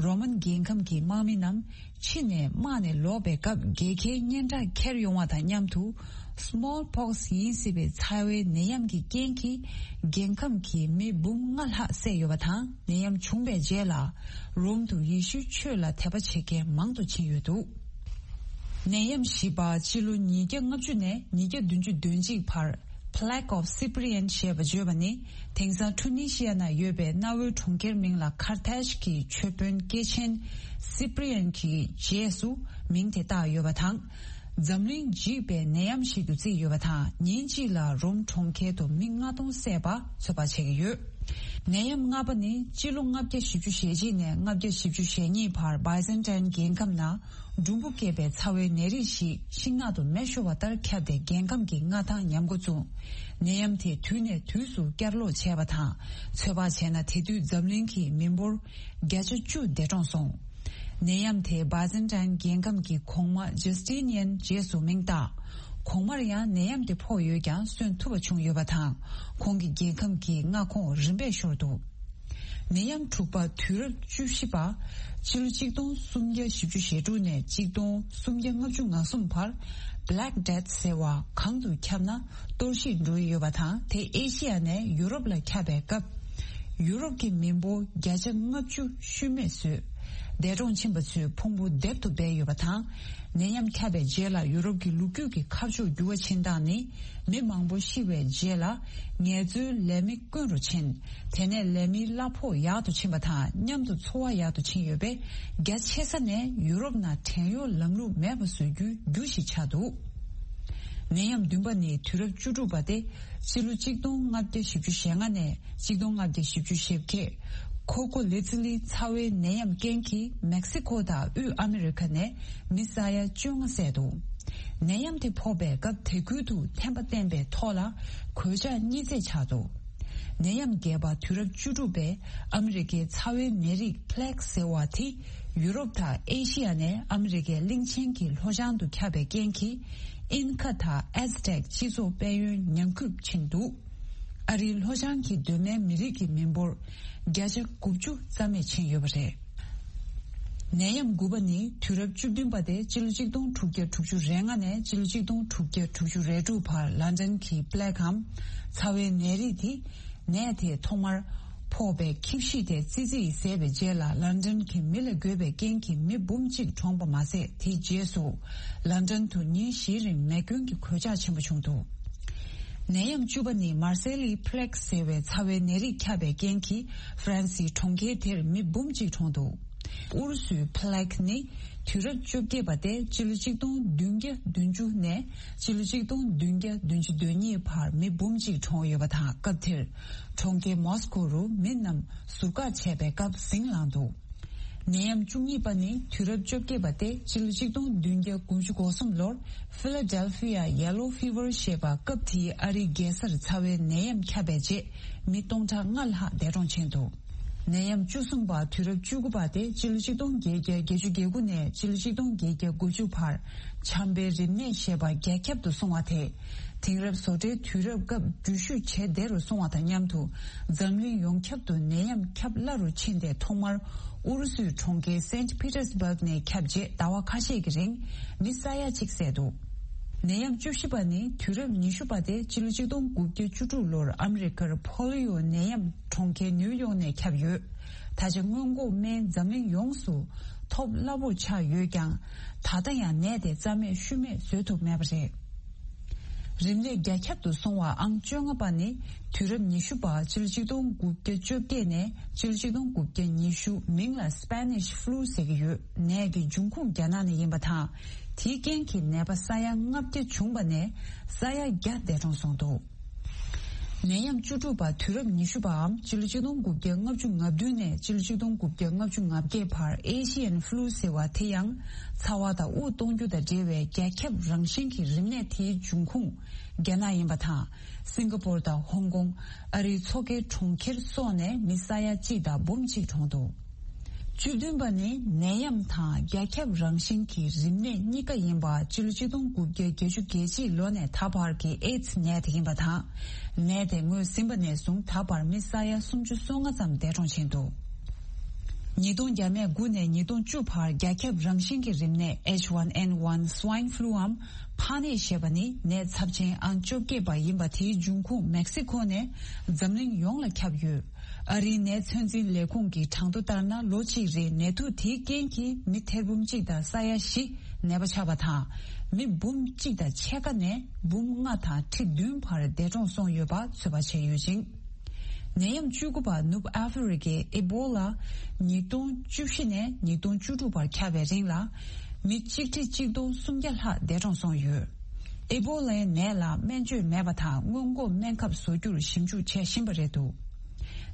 རོ་མན་རྒྱལ་ཁམས་ཀྱི་དམག་མི་རྣམས་ཕྱི་ནས་དམག་ནས་ལོག་པའི་སྐབས། རྒྱལ་ཁའི་སྙན་གྲགས་ཁྱེར་ཡོང་བ་དང་མཉམ་དུ། Smallpox ཡིན་སྲིད་པའི་ཚ་བའི་ནད་ཡམས་ཀྱི་རྐྱེན་གྱིས། རྒྱལ་ཁམས་ཀྱི་མི་འབུམ་ལྔ་ལྷག་བསད་ཡོད་པ་དང་། ནད་ཡམས་བྱུང་བའི་རྗེས་ལ། རོམ་དུ་ཡེ་ཤུའི་ཆོས་ལ་དད་པ་བྱེད་མཁན་མང་དུ་ཕྱིན་ཡོད་འདུག་ནད་ཡམས་བཞི་པ་སྤྱི་ལོ་ཉིས་བརྒྱ་ལྔ་བཅུ་ནས་ཉིས་བརྒྱ་བདུན་ཅུ་དོན་གཅིག་བར། Plague of Cyprian ཞེས་པ་བརྗོད་པ་ནི། དེང་སང་ཁྲུ་ནི་ཤི་ཡ་ན་ཡོད་པའི་གནའ་བོའི་གྲོང་ཁྱེར་མིང་ལ་ཁར་ཐེཇ་གྱི་ཆོས་དཔོན་སྐྱེས་ཆེན་སི་པི་རི་ཡན་གྱི་རྗེས་སུ་མིང་དེ་བཏགས་ཡོད་པ་དང་། འཛམ་གླིང་འཇིག་པའི་ནད་ཡམས་ཤིག་ཏུ་བརྩིས་ཡོད་པ་དང་། ཉིན་གཅིག་ལ་རོམ་གྲོང་ཁྱེར་དུ་མི་ལྔ་སྟོང་བསད་པ་ཚོད་དཔག་བྱེད་ཀྱི་ཡོད། ནད་ཡམས་ལྔ་པ་ནི་སྤྱི་ལོ་ལྔ་བརྒྱ་བཞི་བཅུ་ཞེ་གཅིག་ནས་ལྔ་བརྒྱ་བཞི་བཅུ་ཞེ་གཉིས་བར་Byzantine རྒྱལ་ཁམས་ནང་འབྲུམ་བུ་སྐྱེས་པའི་ཚ་བའི་ནད་རིགས་ཤིག་ཤིང་ནགས་དུ་མེ་ཤོར་བ་ལྟར་ཁྱབ་སྟེ། རྒྱལ་ཁམས་ཀྱི་མངའ་ཐང་ཉམས་འགོ་བཙུགས། ནད་ཡམས་དེ་དུས་ནས་དུས་སུ་བསྐྱར་ལོག་བྱས་པ་དང་། ཚོད་དཔག་བྱས་ན་དེ་དུས་འཛམ་གླིང་གི་མི་འབོར་བརྒྱ་ཆ་བཅུ་འདས་གྲོངས་སོང་། ནད་ཡམས་དེ་Byzantine རྒྱལ་ཁམས་ཀྱི་གོང་མ་Justinian རྗེས་སུ་མིང་བཏགས། གོང་མར་ཡང་ནད་ཡམས་དེ་ཕོག་ཡོད་ཀྱང་གསོན་ཐུབ་པ་བྱུང་ཡོད་པ་དང་། ཁོང་གི་རྒྱལ་ཁམས་ཀྱི་མངའ་ཁོངས་རིམ་པས་ཤོར་འདུག་ནད་ཡམས་དྲུག་པ་དུས་རབས་བཅུ་བཞི་པ། ཕྱི་ལོ་གཅིག་སྟོང་སུམ་བརྒྱ་བཞི་བཅུ་ཞེ་དྲུག་ནས་གཅིག་སྟོང་སུམ་བརྒྱ་ལྔ་བཅུ་ང་གསུམ་བར། Black Death ཟེར་བ་གང་དུ་ཁྱབ་ན་གཏོར་བཤིག་འགྲོ་ཡི་ཡོད་པ་དང་། དེ་ཨེ་ཤི་ཡ་ནས་ཡུ་རོབ་ལ་ཁྱབ་པའི་སྐབས། ཡུ་རོབ་ཀྱི་མི་འབོར་བརྒྱ་ཆ་ལྔ་བཅུ་ཤུལ་མེད་བཟོས། འདས་གྲོངས་ཕྱིན་པ་ཚོའི་ཕུང་པོ་རྡེབ་ཏུ་སྦས་ཡོད་པ་དང་། ནད་ཡམས་ཁྱབ་པའི་རྗེས་ལ་ཡུ་རོབ་ཀྱི་ལོ་རྒྱུས་ཀྱི་ཁ་ཕྱོགས་འགྱུར་བ་ཕྱིན་སྟངས་ནི། མི་མང་པོ་ཤི་བའི་རྗེས་ལ་ངལ་རྩོལ་ལས་མི་དཀོན་རུ་ཕྱིན། དེ་ནས་ལས་མིའི་གླ་ཕོགས་ཡག་ཏུ་ཕྱིན་པ་དང་མཉམ་དུ་འཚོ་བ་ཡག་ཏུ་ཕྱིན་ཡོད་པས། རྒྱ་ཆེ་ས་ནས་ཡུ་རོབ་ནང་བྲན་གཡོག་ལམ་ལུགས་མེད་པ་བཟོ་རྒྱུའི་རྒྱུ་ཞིག་ཆགས་འདུག་ནད་ཡམས་བདུན་པ་ནི་དུས་རབས་བཅུ་དྲུག་པ་སྟེ། ཕྱི་ལོ་གཅིག་སྟོང་ལྔ་བརྒྱ་བཞི་བཅུ་ཞེ་ལྔ་ནས་གཅིག་སྟོང་ལྔ་བརྒྱ་བཞི་བཅུ་ཞེ་བརྒྱད། ཁོ་ཁོ་ལེ་ཙི་ལི་ཚ་བའི་ནད་ཡམས་རྐྱེན་གྱིས་མེག་སི་ཁོ་དང་དབུས་ཨ་མི་རི་ཁ་ནས་མི་ས་ཡ་བཅོ་ལྔ་བསད་འདུག་ནད་ཡམས་དེ་ཕོག་པའི་སྐབས་དེ་ཁུལ་དུ་ཐན་པ་བསྟེན་པའི་ཐོག་ལ་གོད་ཆག་གཉིས་བརྩེགས་ཆགས་འདུག་ནད་ཡམས་བརྒྱད་པ་དུས་རབས་བཅུ་དྲུག་པའི་ཨ་མི་རི་ཀའི་ཚ་བའི་ནད་རིགས་Plague ཟེར་བ་དེ་ཡུ་རོབ་དང་ཨེ་ཤི་ཡ་ནས་ཨ་མི་རི་ཀའི་གླིང་ཆེན་གྱི་ལྷོ་བྱང་དུ་ཁྱབ་པའི་རྐྱེན་གྱིས། ཨིན་ཁ་དང་ཨེ་ཛི་ཏེག་སྤྱི་ཚོགས་དཔལ་ཡོན་ཉམས་རྒུད་ཕྱིན་འདུག་ཨ་རིའི་ལྷོ་བྱང་གི་གདོད་མའི་མི་རིགས་ཀྱི་མི་འབོར་བརྒྱ་ཆ་དགུ་བཅུ་རྩ་མེད་ཕྱིན་ཡོད་པ་རེད། ནད་ཡམས་དགུ་པ་ནི་དུས་རབས་བཅུ་བདུན་པ་སྟེ་སྤྱི་ལོ་གཅིག་སྟོང་དྲུག་བརྒྱ་དྲུག་ཅུ་རེ་ལྔ་ནས་སྤྱི་ལོ་གཅིག་སྟོང་དྲུག་བརྒྱ་དྲུག་ཅུ་རེ་དྲུག་བར་ལན་ཌན་གྱི་པི་ལེག་གམ་ཚ་བའི་ནད་རིགས་དེ། ནད་དེ་ཐོག་མར་ཕོག་པའི་ཁྱིམ་གཞིས་དེ་ཙི་ཙི་ཡིས་བཟས་པའི་རྗེས་ལ་ལན་ཌན་གྱི་མི་ལ་འགོས་པའི་རྐྱེན་གྱིས་མི་འབུམ་གཅིག་གྲོངས་པ་མ་ཟད། དེའི་རྗེས་སུ་ལན་ཌན་དུ་ཉིན་བཞིའི་རིང་མེ་སྐྱོན་གྱི་གོད་ཆག་ཆེན་པོ་བྱུང་འདུག་ནད་ཡམས་བཅུ་པ་ནི་མར་སེ་ལི་པི་ལེག་ཟེར་བའི་ཚ་བའི་ནད་རིགས་ཁྱབ་པའི་རྐྱེན་གྱིས་ཧྥ་རན་སིའི་གྲོང་ཁྱེར་དེར་མི་འབུམ་གཅིག་གྲོངས་འདུག་ཨུ་རུ་སུའི་པི་ལེག་ནི་དུས་རབས་བཅོ་བརྒྱད་པ་སྟེ་སྤྱི་ལོ་གཅིག་སྟོང་བདུན་བརྒྱ་བདུན་ཅུ་ནས་སྤྱི་ལོ་གཅིག་སྟོང་བདུན་བརྒྱ་བདུན་ཅུ་དོན་གཉིས་བར་མི་འབུམ་གཅིག་གྲོངས་ཡོད་པ་དང་། སྐབས་དེར་གྲོང་ཁྱེར་མོ་སི་ཀོ་རུ་མི་རྣམས་ཟུར་བཀག་བྱས་པའི་སྐབས་ཟིང་ལངས་འདུག་ནད་ཡམས་བཅུ་གཉིས་པ་ནི་དུས་རབས་བཅོ་བརྒྱད་པ་སྟེ་སྤྱི་ལོ་གཅིག་སྟོང་བདུན་བརྒྱ་དགུ་བཅུ་གོ་གསུམ་ལོར་ཕི་ལ་ཌེལ་ཕི་ཡ་ཡེ་ལོ་ཕི་ཝར་ཞེས་པ་སྐབས་དེའི་ཨ་རིའི་རྒྱལ་སར་ཚ་བའི་ནད་ཡམས་ཁྱབ་པའི་རྗེས་མི་སྟོང་ཕྲག་ལྔ་ལྷག་འདས་གྲོངས་ཕྱིན་འདུག་ནད་ཡམས་བཅུ་གསུམ་པ་དུས་རབས་བཅུ་དགུ་པ་སྟེ་སྤྱི་ལོ་གཅིག་སྟོང་བརྒྱད་བརྒྱ་བརྒྱད་ཅུ་གྱ་དགུ་ནས་སྤྱི་ལོ་གཅིག་སྟོང་བརྒྱད་བརྒྱ་དགུ་བཅུ་བར་བྱམས་པའི་རིམས་ནད་ཞེས་པ་རྒྱ་ཁྱབ་ཏུ་སོང་བ་དེས་དེང་རབས་བཟོ་གྲྭའི་དུས་རབས་སྐབས་འགྲུལ་བཞུད་བྱེད་བདེ་རུ་སོང་བ་དང་མཉམ་དུ་འཛམ་གླིང་ཡོངས་ཁྱབ་ཏུ་ནད་ཡམས་ཁྱབ་སླ་རུ་ཕྱིན་ཏེ་ཐོག་མར་ཨུ་རུ་སུའི་གྲོང་ཁྱེར་སེན་ཕི་ཏེར་སྦུག་ནས་ཁྱབ་རྗེས་ཟླ་བ་ཁ་ཤས་ཀྱི་རིང་མི་ས་ཡ་གཅིག་བསད་འདུག་ནད་ཡམས་བཅུ་བཞི་པ་ནི་དུས་རབས་ཉི་ཤུ་པ་སྟེ་སྤྱི་ལོ་གཅིག་སྟོང་དགུ་བརྒྱ་བཅུ་དྲུག་ལོར་ཨ་མི་རི་ཀར་ཕོ་ལི་ཡོ་ནད་ཡམས་གྲོང་ཁྱེར་ནིའུ་ཡོག་ནས་ཁྱབ་ཡོད། ད་ཆ་སྔོན་འགོག་སྨན་འཛམ་གླིང་ཡོངས་སུ་ཐོབ་སླ་པོ་ཆགས་ཡོད་ཀྱང་། ད་ལྟ་ཡང་ནད་དེ་རྩ་མེད་ཤུལ་མེད་བཟོ་ཐུབ་མེད་པ་རེད། རིམས་ནད་རྒྱ་ཁྱབ་ཏུ་སོང་བ་ཨང་བཅོ་ལྔ་པ་ནི་དུས་རབས་ཉི་ཤུ་པ་སྤྱི་ལོ་གཅིག་སྟོང་དགུ་བརྒྱ་བཅོ་བརྒྱད་ནས་སྤྱི་ལོ་གཅིག་སྟོང་དགུ་བརྒྱ་ཉི་ཤུ། མིང་ལ་སྤེ་ནིཤ་ཕུ་ལུ་ཟེར་གྱི་ཡོད། ནད་ཀྱི་འབྱུང་ཁུངས་རྒྱ་ནག་ནས་ཡིན་པ་དང་། དེའི་རྐྱེན་གྱིས་ནད་པ་ས་ཡ་ལྔ་བརྒྱ་བྱུང་བ་ནས་ས་ཡ་བརྒྱ་འདས་གྲོངས་སོང་འདུག་ནད་ཡམས་བཅུ་དྲུག་པ་དུས་རབས་ཉི་ཤུ་པའམ་སྤྱི་ལོ་གཅིག་སྟོང་དགུ་བརྒྱ་ལྔ་བཅུ་ང་བདུན་ནས་སྤྱི་ལོ་གཅིག་སྟོང་དགུ་བརྒྱ་ལྔ་བཅུ་ང་བརྒྱད་བར་ཨེ་ཤི་ཡན་ཕུ་ལུ་ཟེར་བ་དེ་ཡང་ཚ་བ་དང་དབུགས་གཏོང་རྒྱུ་དང་འབྲེལ་བའི་རྒྱ་ཁྱབ་རང་བཞིན་གྱི་རིམས་ནད་དེའི་འབྱུང་ཁུངས་རྒྱ་ནག་ཡིན་པ་དང་། སིང་ག་པོར་དང་ཧོང་ཀོང་། ཨ་རིའི་མཚོ་ཁའི་གྲོང་ཁྱེར་སོགས་ནས་མི་ས་ཡ་གཅིག་དང་འབུམ་གཅིག་གྲོངས་འདུག་བཅུ་བདུན་པ་ནི་ནད་ཡམས་དང་རྒྱ་ཁྱབ་རང་བཞིན་གྱི་རིམས་ནད་གཉིས་ཀ་ཡིན་པ་སྤྱི་ལོ་གཅིག་སྟོང་དགུ་བརྒྱ་བརྒྱད་ཅུ་གྱ་གཅིག་ལོ་ནས་ད་བར་གྱི་ཨེ་ཙི་ནད་དེ་ཡིན་པ་དང་། ནད་དེ་ངོས་ཟིན་པ་ནས་བཟུང་ད་བར་མི་ས་ཡ་སུམ་ཅུ་སོ་ལྔ་ཙམ་འདས་གྲོངས་ཕྱིན་འདུག་ཉིས་སྟོང་བརྒྱ་མེད་དགུ་ནས་ཉིས་སྟོང་བཅུ་བར་རྒྱ་ཁྱབ་རང་བཞིན་གྱི་རིམས་ནད་ཨེཆ་ཝན་ཨེན་ཝན་སུའིན་ཕུ་ལུའམ་ཕག་ནད་ཞེས་པ་ནི་ནད་ཚབས་ཆེན་ཨང་བཅོ་བརྒྱད་པ་ཡིན་པ་དེའི་འབྱུང་ཁུངས་མེག་སི་ཁོ་ནས་འཛམ་གླིང་ཡོངས་ལ་ཁྱབ་ཡོད། ཨ་རིའི་ནད་ཚོད་འཛིན་ལས་ཁུངས་ཀྱི་གྲངས་ཐོ་ལྟར་ན་ལོ་གཅིག་རེར་ནད་དུག་དེའི་རྐྱེན་གྱིས་མི་ཐེར་འབུམ་གཅིག་དང་ས་ཡ་བཞི་ནད་པ་ཆགས་པ་དང་། མི་འབུམ་གཅིག་དང་ཕྱེད་ཀ་ནས་འབུམ་ལྔ་དང་ཁྲི་བདུན་བར་འདས་གྲོངས་སོང་ཡོད་པ་ཚོད་དཔག་བྱས་ཡོད་ཅིང་། ནད་ཡམས་བཅུ་དགུ་པ་ནུབ་ཨ་ཧྥེ་རི་ཀའི་ཨེ་བོ་ལ་ཉིས་སྟོང་བཅུ་བཞི་ནས་ཉིས་སྟོང་བཅུ་དྲུག་བར་ཁྱབ་པའི་རིང་ལ་མི་གཅིག་ཁྲི་གཅིག་སྟོང་སུམ་བརྒྱ་ལྷག་འདས་གྲོངས་སོང་ཡོད། ཨེ་བོ་ལའི་ནད་ལ་སྨན་བཅོས་མེད་པ་དང་སྔོན་འགོག་སྨན་ཁབ་བཟོ་རྒྱུར་ཞིབ་འཇུག་བྱེད་བཞིན་པ་རེད་འདུག་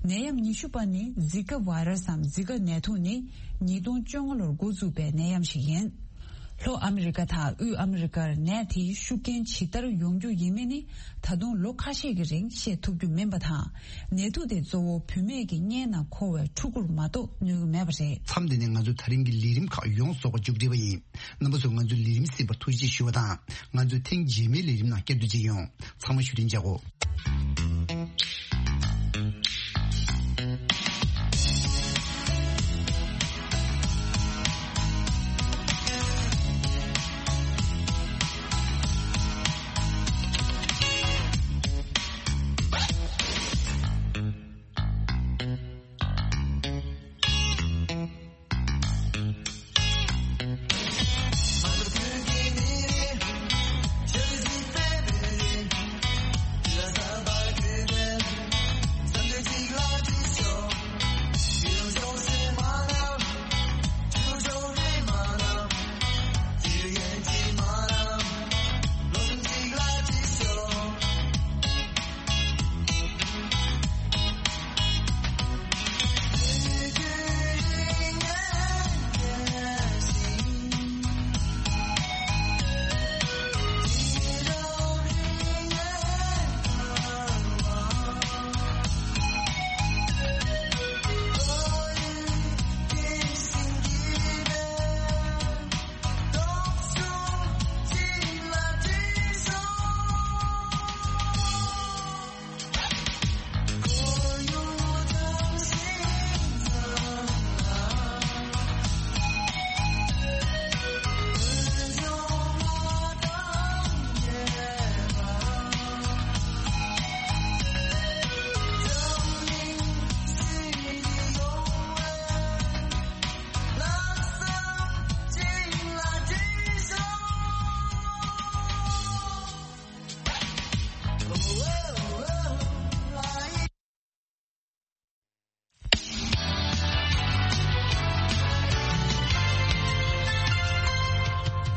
ནད་ཡམས་ཉི་ཤུ་པ་ནི་ཟི་ཀ་བྷ་ར་སམ་ཟི་ཀ་ནད་དུག་ནི་ཉིས་སྟོང་བཅོ་ལྔ་ལོར་འགོ་བཙུགས་པའི་ནད་ཡམས་ཤིག་ཡིན། ལྷོ་ཨ་མི་རི་ཀ་དང་དབུས་ཨ་མི་རི་ཀར་ནད་དེའི་ཤུགས་རྐྱེན་ཇི་ལྟར་ཡོང་རྒྱུ་ཡིན་མིན་ནི་ད་དུང་ལོ་ཁ་ཤས་ཀྱི་རིང་བཤད་ཐུབ་རྒྱུ་མིན་པ་དང་། ནད་དུག་དེ་གཙོ་བོ་བུད་མེད་ཀྱི་སྔས་ན་འཁོར་བའི་ཕྲུ་གུར་མ་གཏོགས་གནོད་ཀྱི་མེད་པ་རེད། མཚམས་འདི་ནས་ང་ཚོའི་ད་རིང་གི་ལས་རིམ་ཁག་ཡོངས་རྫོགས་པ་མཇུག་སྒྲིལ་བ་ཡིན། རྣམ་པ་ཚོས་ང་ཚོའི་ལས་རིམ་གསན་པར་ཐུགས་རྗེ་ཆེ་ཞུ་བ་དང་། ང་ཚོས་ཐེངས་རྗེས་མའི་ལས་རིམ་ནང་བསྐྱར་དུ་མཇལ་ཡོང་། ཚང་མ་བཞུགས་རིན་ཆགས་འོ།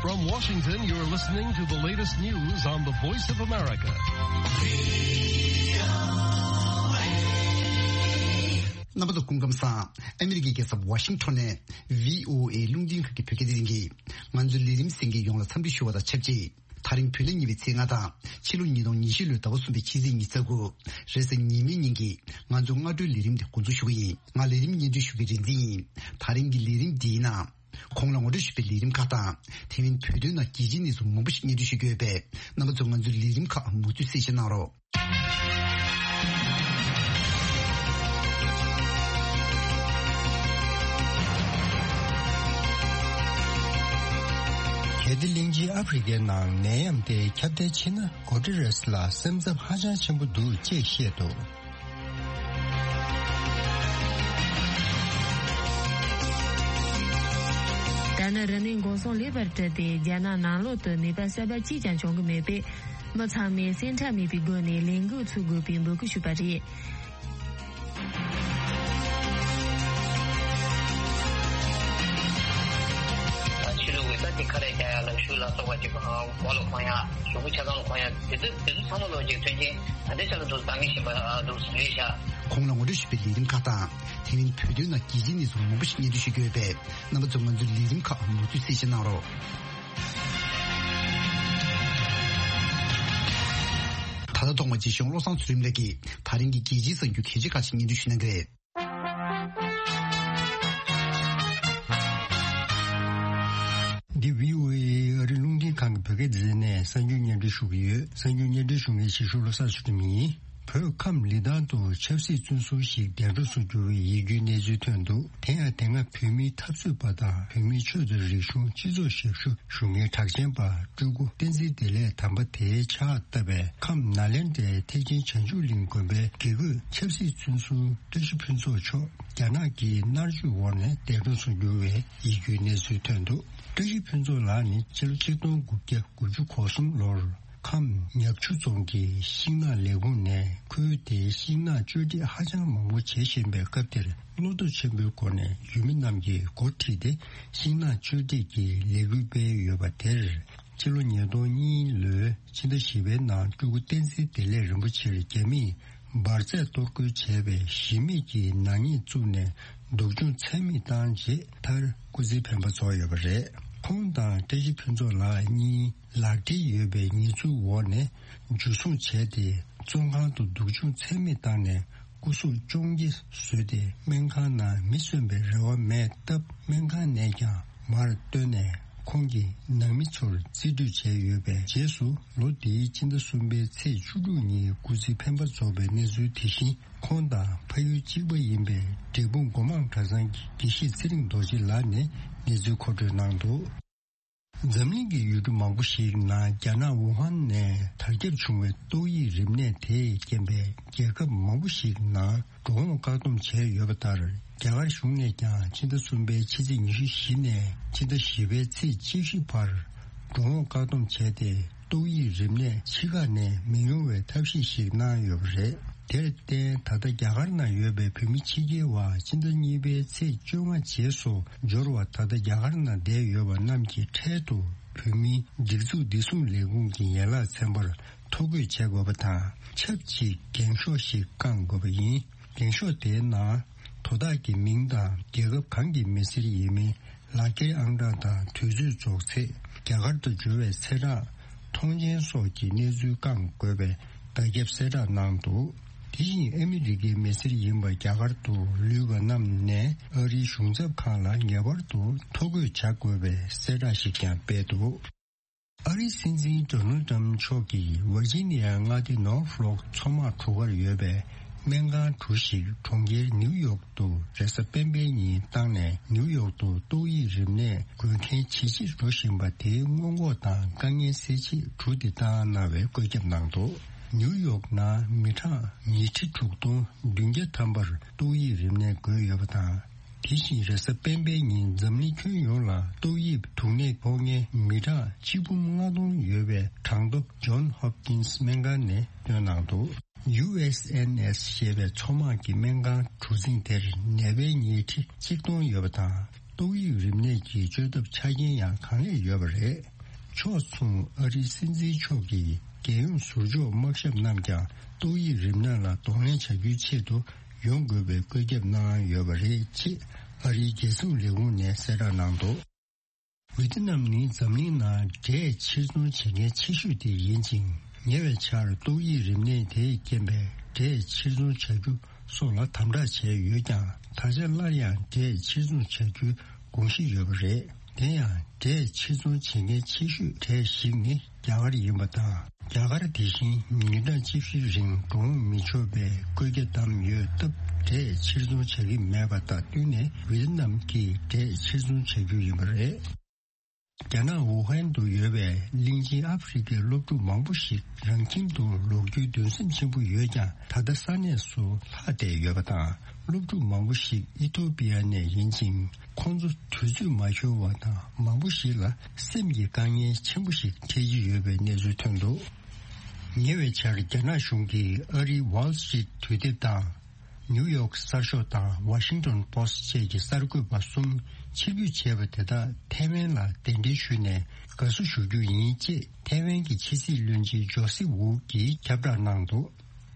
From Washington, you're listening to the latest news on the Voice of America. རྣམ་པ་ཚོ་སྐུ་ཁམས་བཟང་། ཨ་མི་རི་ཀའི་རྒྱལ་ས་ཝ་ཤིང་ཊོན་ནས་བྷི་ཨོ་ཨེ་རླུང་འཕྲིན་ཁང་གི་བོད་སྐད་སྡེ་ཚན་གྱིས་ང་ཚོའི་ལས་རིམ་གསན་མཁན་ཡོངས་ལ་འཚམས་འདྲི་ཞུ་བ་དང་ཆབས་ཅིག་དེ་རིང་བོད་ཟླ་གཉིས་པའི་ཚེས་ལྔ་དང་ཕྱི་ལོ་ཉིས་སྟོང་ཉི་ཤུ་ལོའི་ཟླ་བ་གསུམ་པའི་ཕྱི་ཚེས་ཉི་ཤུ་རྩ་དགུ་རེས་གཟའ་ཉི་མའི་ཉིན་གྱི་ང་ཚོའི་སྔ་དྲོའི་ལས་རིམ་དེ་འགོ་འཛུགས་ཞུ་གི་ཡིན། ང་ལས་རིམ་སྙན་སྒྲོན་ཞུ་མཁན་རིག་འཛིན་ཡིན། དེ་རིང་གི་ལས་རིམ་འདིའི་ནང་གོང་ལ་ངོ་སྤྲོད་ཞུས་པའི་ལས་རིམ་ཁག་དང་དེ་མིན་བོད་དོན་ནང་རྒྱལ་སྤྱིའི་གནས་ཚུལ་མང་པོ་ཞིག་སྙན་སྒྲོན་ཞུ་རྒྱུ་ཡོད་པས། རྣམ་པ་ཚོས་ང་ཚོའི་ལས་རིམ་ཁག་མུ་མཐུད་གསན་བཞེས་གནང་རོགས། གལ་ཏེ་གླིང་ཆེན་ཨ་ཧྥེ་རི་ཁའི་ནང་ནད་ཡམས་དེ་ཁྱབ་གདལ་ཕྱིན་ན། གོ་ཊི་རེས་ལ་སེམས་འཚབ་ཧ་ཅང་ཆེན་པོ་འདུག་ཅེས་བཤད་འདུག་ད་ནི་རིམས་ནད་འགོག་སྲུང་ལེགས་པར་སྤྲད་དེ། རྒྱ་ནག་ནང་ལོགས་སུ་ནད་པ་གསར་པ་གཅིག་ཀྱང་བྱུང་གི་མེད་པས། མི་ཚང་མས་སེམས་ཁྲལ་མེད་པའི་སྒོ་ནས་ལས་འགུལ་ཚུགས་དགོས་པའི་འབོད་སྐུལ་ཞུས་པ་རེད། ཕྱི་ལུགས་ཀྱི་ས་དེ་ཁ་རས་རྒྱག་ཡ་ལ་ཤུགས་ལ་སོགས་པ་ཅིག་གོ་ལ་གོན་ཡ། གཟུགས་པོ་ཆ་ཚང་ལ་གོན་ཡ། དེ་ཚོ་དེ་ཚོ་ཚང་མ་ལོ་ཅིག་མཐུན་རྐྱེན་ད་ལྟའི་ཆ་ལ་འདུག་འདང་ངེས་བཞིན་པ་འདུག་རེད་ཤག་གོང་ལ་ངོ་སྤྲོད་ཞུས་པའི་ལས་རིམ་ཁག་དང་། དེ་མིན་བོད་དོན་ནང་རྒྱལ་སྤྱིའི་གནས་ཚུལ་མང་པོ་ཞིག་སྙན་སྒྲོན་ཞུ་རྒྱུ་ཡོད་པས། རྣམ་པ་ཚོས་ང་ཚོའི་ལས་རིམ་ཁག་མུ་མཐུད་གསན་བཞེས་གནང་རོགས། ད་ལྟ་ཐོག་མ་རྗེ་གཞུང་བློ་བཟང་ཚུལ་ཁྲིམས་ལགས་ཀྱིས་དེ་རིང་གི་རྒྱལ་སྤྱིའི་གསར་འགྱུར་གལ་ཆེ་ཁག་ཅིག་སྙན་སྒྲོན་ཞུ་གནང་གི་རེད། འདི་བྷི་ཨོ་ཨེ་ཨ་རི་རླུང་འཕྲིན་ཁང་གི་བོད་སྐད་སྡེ་ཚན་ནས་གསར་འགྱུར་སྙན་སྒྲོན་ཞུ་གི་ཡོད། གསར་འགྱུར་སྙན་སྒྲོན་ཞུ་མཁན་ཞིག་ཞུ་བློ་བཟང་ཚུལ་ཁྲིམས་ཡིན། བོད་ཁམས་ལི་ཐང་དུ་ཆབ་སྲིད་བཙོན་ཟུར་ཞིག་འདས་གྲོངས་སུ་གྱུར་བའི་ཡིད་སྐྱོའི་གནས་ཚུལ་ཐོན་འདུག་དེ་ཡང་དེ་སྔ་བོད་མིའི་འཐབ་རྩོད་པ་དང་བོད་མིའི་ཆོས་དང་རིག་གཞུང་སྤྱི་ཚོགས་ཞབས་ཞུ་ཞུ་མཁན་གྲགས་ཅན་པ་སྤྲུལ་སྐུ་བསྟན་འཛིན་བདེ་ལེགས་དམ་པ་དེའི་ཕྱག་བཏབ་པའི་ཁམས་ནཱ་ལེནྡྲའི་ཐེག་ཆེན་བྱང་ཆུབ་གླིང་དགོན་པའི་དགེ་བསྐོས་ཆབ་སྲིད་བཙོན་ཟུར་བཀྲ་ཤིས་ཕུན་ཚོགས་མཆོག་རྒྱ་ནག་གི་མནར་གཅོད་འོག་ནས་འདས་གྲོངས་སུ་གྱུར་བའི་ཡིད་སྐྱོའི་གནས་ཚུལ་ཐོན་འདུག་བཀྲ་ཤིས་ཕུན་ཚོགས་ལགས་ནི་ཕྱི་ལོ་ཆིག་སྟོང་དགུ་བརྒྱ་དགུ་བཅུ་གོ་གསུམ་ལོར་ཁམས་ཉག་ཆུ་རྫོང་གི་ཤིང་ནགས་ལས་ཁུངས་ནས་ཁུལ་དེའི་ཤིང་ནགས་གཅོད་འབྲེག་ཧ་ཅང་མང་པོ་བྱེད་བཞིན་པའི་སྐབས་དེར། བློ་སྟོབས་ཆེན་པོའི་སྒོ་ནས་ཡུལ་མི་རྣམས་ཀྱིས་འགོ་ཁྲིད་དེ་ཤིང་ནགས་གཅོད་འབྲེག་གི་ལས་འགུལ་སྤེལ་ཡོད་པ་དེར། ཕྱི་ལོ་ཉིས་སྟོང་གཉིས་ལོའི་ཕྱི་ཟླ་བཞི་པའི་ནང་སྤྲུལ་སྐུ་བསྟན་འཛིན་བདེ་ལེགས་རིན་པོ་ཆེར་རྒྱ་མིས་འབར་རྫས་གཏོར་རྒོལ་བྱས་པའི་གཞི་མེད་ཀྱི་ནག་ཉེས་བཙུགས་ནས་སྡུག་སྦྱོང་ཚད་མེད་བཏང་རྗེས་མཐར་སྐུ་ཚེའི་འཕེན་པ་རྫོགས་ཡོད་པ་རེད། ཁོང་དང་བཀྲ་ཤིས་ཕུན་ཚོགས་ལགས་གཉིས་ལག་འབྲེལ་ཡོད་པའི་ཉེས་འཛུགས་འོག་ནས་འཇུ་བཟུང་བྱས་ཏེ། བཙོན་ཁང་དུ་སྡུག་སྦྱོང་ཚད་མེད་བཏང་ནས་སྐུ་གཟུགས་བཅོ་བརྒྱད་བཟོས་ཏེ། སྨན་ཁང་ནང་མི་གསོན་པའི་རེ་བ་མེད་སྟབས། སྨན་ཁང་ནས་ཀྱང་མར་བཏོན་ནས་ཁོང་གི་ནང་མི་ཚོར་རྩིས་སྤྲོད་བྱས་ཡོད་པའི་རྗེས་སུ། ལོ་འདིའི་ཕྱི་ཟླ་གསུམ་པའི་ཚེས་བཅུ་དྲུག་ཉིན་སྐུ་ཚེའི་འཕེན་པ་རྫོགས་པའི་གནས་ཚུལ་དེ་བཞིན། ཁོང་དང་ཕ་ཡུལ་གཅིག་པ་ཡིན་པའི་འབྲས་སྤུངས་སྒོ་མང་གྲྭ་ཚང་གི་དགེ་བཤེས་ཚེ་རིང་རྡོ་རྗེ་ལགས་ནས་གནས་ཚུལ་མཁོ་སྤྲོད་གནང་འདུག་འཛམ་གླིང་གི་ཡུལ་གྲུ་མང་པོ་ཞིག་ནང་རྒྱ་ནག་ཝུ་ཧན་ནས་དར་ཁྱབ་བྱུང་བའི་ཏོག་དབྱིབས་རིམས་ནད་དེས་རྐྱེན་པས་རྒྱལ་ཁབ་མང་པོ་ཞིག་ནང་འགྲོ་འོང་བཀག་སྡོམ་བྱས་ཡོད་པ་ལྟར། རྒྱ་གར་གཞུང་ནས་ཀྱང་ཕྱི་ཟླ་གསུམ་པའི་ཕྱི་ཚེས་ཉི་ཤུ་བཞི་ནས་ཕྱི་ཟླ་བཞི་པའི་ཚེས་བཅུ་བཞི་བར་འགྲོ་འོང་བཀག་སྡོམ་བྱས་ཏེ། ཏོག་དབྱིབས་རིམས་ནད་ཕྱི་ཁ་ནས་མི་ཡོང་བའི་ཐབས་ཤེས་ཤིག་གནང་ཡོད་པ་རེད། དེར་བརྟེན། ད་ལྟ་རྒྱ་གར་ནང་ཡོད་པའི་བོད་མི་ཕྱི་རྒྱལ་བ་ཕྱི་ཟླ་གཉིས་པའི་ཚེས་བཅོ་ལྔ་རྗེས་སུ་འབྱོར་བ། ད་ལྟ་རྒྱ་གར་ནང་བསྡད་ཡོད་པ་རྣམས་ཀྱི་འཕྲལ་དུ་བོད་མིའི་སྒྲིག་འཛུགས་བདེ་སྲུང་ལས་ཁུངས་ཀྱི་ཡན་ལག་ཚན་པར་ཐོ་འགོད་བྱེད་དགོས་པ་དང་། ཆབས་ཅིག་འགེངས་ཤོག་ཞིག་བསྐང་དགོས་པ་ཡིན། འགེངས་ཤོག་དེའི་ནང་དོ་བདག་གི་མིང་དང་རྒྱལ་ཁབ་གང་གི་མི་སེར་ཡིན་མིན། ལག་འཁྱེར་ཨང་གྲངས་དང་དུས་ཚོད་རྫོགས་ཚེས། རྒྱ་གར་དུ་འབྱོར་བའི་ཚེས་གྲངས། ཐོངས་མཆན་སོགས་ཀྱི་གནས་ཚུལ་བསྐང་དགོས་པའི་བརྡ་ཁྱབ་གསལ་བསྒྲགས་གནང་འདུག་དེ་བཞིན་ཨ་མི་རི་ཀའི་མི་སེར་ཡིན་པ་རྒྱ་གར་དུ་ལུས་པ་རྣམས་ནས་ཨ་རིའི་གཞུང་ཚབ་ཁང་ལ་ངེས་པར་དུ་ཐོ་འགོད་བྱ་དགོས་པའི་གསལ་བསྒྲགས་ཤིག་ཀྱང་སྤེལ་འདུག་ཨ་རིའི་སྲིད་འཛིན་ཌོ་ནལ་ཏྲམ་མཆོག་གིས་ཝར་ཇི་ནི་ཡའི་མངའ་སྡེ་ནོར་ཕ་ལོག་མཚོ་དམག་གྲུ་ཁར་ཡོད་པའི་སྨན་ཁང་གྲུ་ཞིག་གྲོང་ཁྱེར་ནིའུ་ཡོག་ཏུ་རེས་གཟའ་སྤེན་པའི་ཉིན་བཏང་ནས། ནིའུ་ཡོག་ཏུ་ཏོག་དབྱིབས་རིམས་ནད་འགོས་མཁན་ཇེ་ཆེར་འགྲོ་བཞིན་པ་དེའི་སྔོན་འགོག་དང་དཀའ་ངལ་སེལ་ཆེད་གྲུ་དེ་བཏང་གནང་བའི་བཀོད་ཁྱབ་གནང་འདུག་ནིའུ་ཡོག་ནང་མི་གྲངས་ཉིས་ཁྲི་དྲུག་སྟོང་བདུན་བརྒྱ་ཐམ་པར་ཏོག་དབྱིབས་རིམས་ནད་འགོས་ཡོད་པ་དང་། དེ་བཞིན་རེས་གཟའ་སྤེན་པའི་ཉིན་འཛམ་གླིང་ཁྱོན་ཡོངས་ལ་ཏོག་དབྱིབས་དུག་ནད་ཕོག་མཁན་མི་གྲངས་ཆིག་འབུམ་ལྔ་སྟོང་ཡོད་པའི་གྲངས་ཐོ་ཇོན་ཧོབ་ཀིན་སི་སྨན་ཁང་ནས་བཏོན་གནང་འདུག་ཡུ་ཨེས་ཨེན་ཨེས་ཞེས་པའི་མཚོ་དམག་གི་སྨན་ཁང་གྲུ་གཟིངས་དེར་ནད་པའི་ཉིས་ཁྲི་གཅིག་སྟོང་ཡོད་པ་དང་། ཏོག་དབྱིབས་རིམས་ནད་ཀྱི་བཅོས་ཐབས་ཆ་རྐྱེན་ཡང་གང་ལེགས་ཡོད་པ་རེད། ཕྱོགས་མཚུངས་ཨ་རིའི་སྲིད་འཛིན་མཆོག་གིས་རྒྱལ་ཡོངས་ཟུར་འཇོག་དམག་ཞབས་རྣམས་ཀྱང་ཏོག་དབྱིབས་རིམས་ནད་ལ་གདོང་ལེན་བྱ་རྒྱུའི་ཆེད་དུ་ཡོང་དགོས་པའི་བཀོད་ཁྱབ་གནང་ཡོད་པ་རེད་ཅེས་ཨ་རིའི་རྒྱལ་སྲུང་ལས་ཁུངས་ནས་གསལ་བསྒྲགས་གནང་འདུག་ཝི་ཏི་ནམ་ནི་འཛམ་གླིང་ནང་འབྲས་ཕྱིར་ཚོང་བྱེད་མཁན་ཆེ་ཤོས་དེ་ཡིན་ཅིང་། ཉེ་བའི་ཆར་ཏོག་དབྱིབས་རིམས་ནད་དེས་རྐྱེན་པས་འབྲས་ཕྱིར་ཚོང་བྱ་རྒྱུ་སོགས་ལ་དམ་དྲག་བྱས་ཡོད་ཀྱང་། ད་ཆ་སླར་ཡང་འབྲས་ཕྱིར་ཚོང་བྱ་རྒྱུའི་དགོངས་གཞི་ཡོད་པ་རེད། དེ་ཡང་འབྲས་ཕྱིར་ཚོང་བྱེད་མཁན་ཆེ་ཤོས་གྲས་ཤིག་ནི་རྒྱ་གར་ཡིན་པ་དང་། རྒྱ་གར་དེ་བཞིན་ཉིན་གྲངས་བཅུ་བཞི་རིང་འགྲོ་འོང་མི་ཆོག་པའི་བཀོད་རྒྱ་བསྡམས་ཡོད་སྟབས། འབྲས་ཕྱིར་ཚོང་བྱ་གི་མེད་པ་དང་བསྟུན་ནས་ཝི་ཏི་ནམ་གྱིས་འབྲས་ཕྱིར་ཚོང་བྱ་རྒྱུ་ཡིན་པ་རེད། རྒྱ་ནག་ཝུ་ཧན་དུ་ཡོད་པའི་གླིང་ཆེན་ཨ་ཧྥེ་རི་ཁའི་སློབ་ཕྲུག་མང་པོ་ཞིག་རང་ཁྱིམ་དུ་ལོག་རྒྱུའི་འདུན་སེམས་ཆེན་པོ་ཡོད་ཀྱང་། ད་ལྟ་ས་གནས་སུ་ལྷག་བསྡད་ཡོད་པ་དང་། སློབ་ཕྲུག་མང་པོ་ཞིག་ཨི་ཐོ་པི་ཡ་ནས་ཡིན་ཅིང་། ཁོང་ཚོ་དུས་ཚོད་མ་འཁྱོལ་བ་དང་། མང་པོ་ཞིག་ལ་སེམས་ཀྱི་དཀའ་ངལ་ཆེན་པོ་ཞིག་འཕྲད་ཀྱི་ཡོད་པའི་གནས་ཚུལ་ཐོན་འདུག་ཉེ་བའི་ཆར་རྒྱ་ནག་གཞུང་གིས་ཨ་རིའི་Wall Street་དུས་དེབ་དང་། ནིའུ་ཡོག་གསར་ཤོག་དང་Washington Post་བཅས་ཀྱི་གསར་འགོད་པ་གསུམ་ཕྱིར་འབུད་བྱས་པ་དེ་དག་ཐའེ་ཝན་ལ་གདན་འདྲེན་ཞུས་ནས་དགའ་བསུ་ཞུ་རྒྱུ་ཡིན་ཅེས་ཐའེ་ཝན་གྱི་ཕྱི་སྲིད་བློན་ཆེན་ཇོ་སི་ཝུ་གིས་ཁྱབ་བསྒྲགས་གནང་འདུག་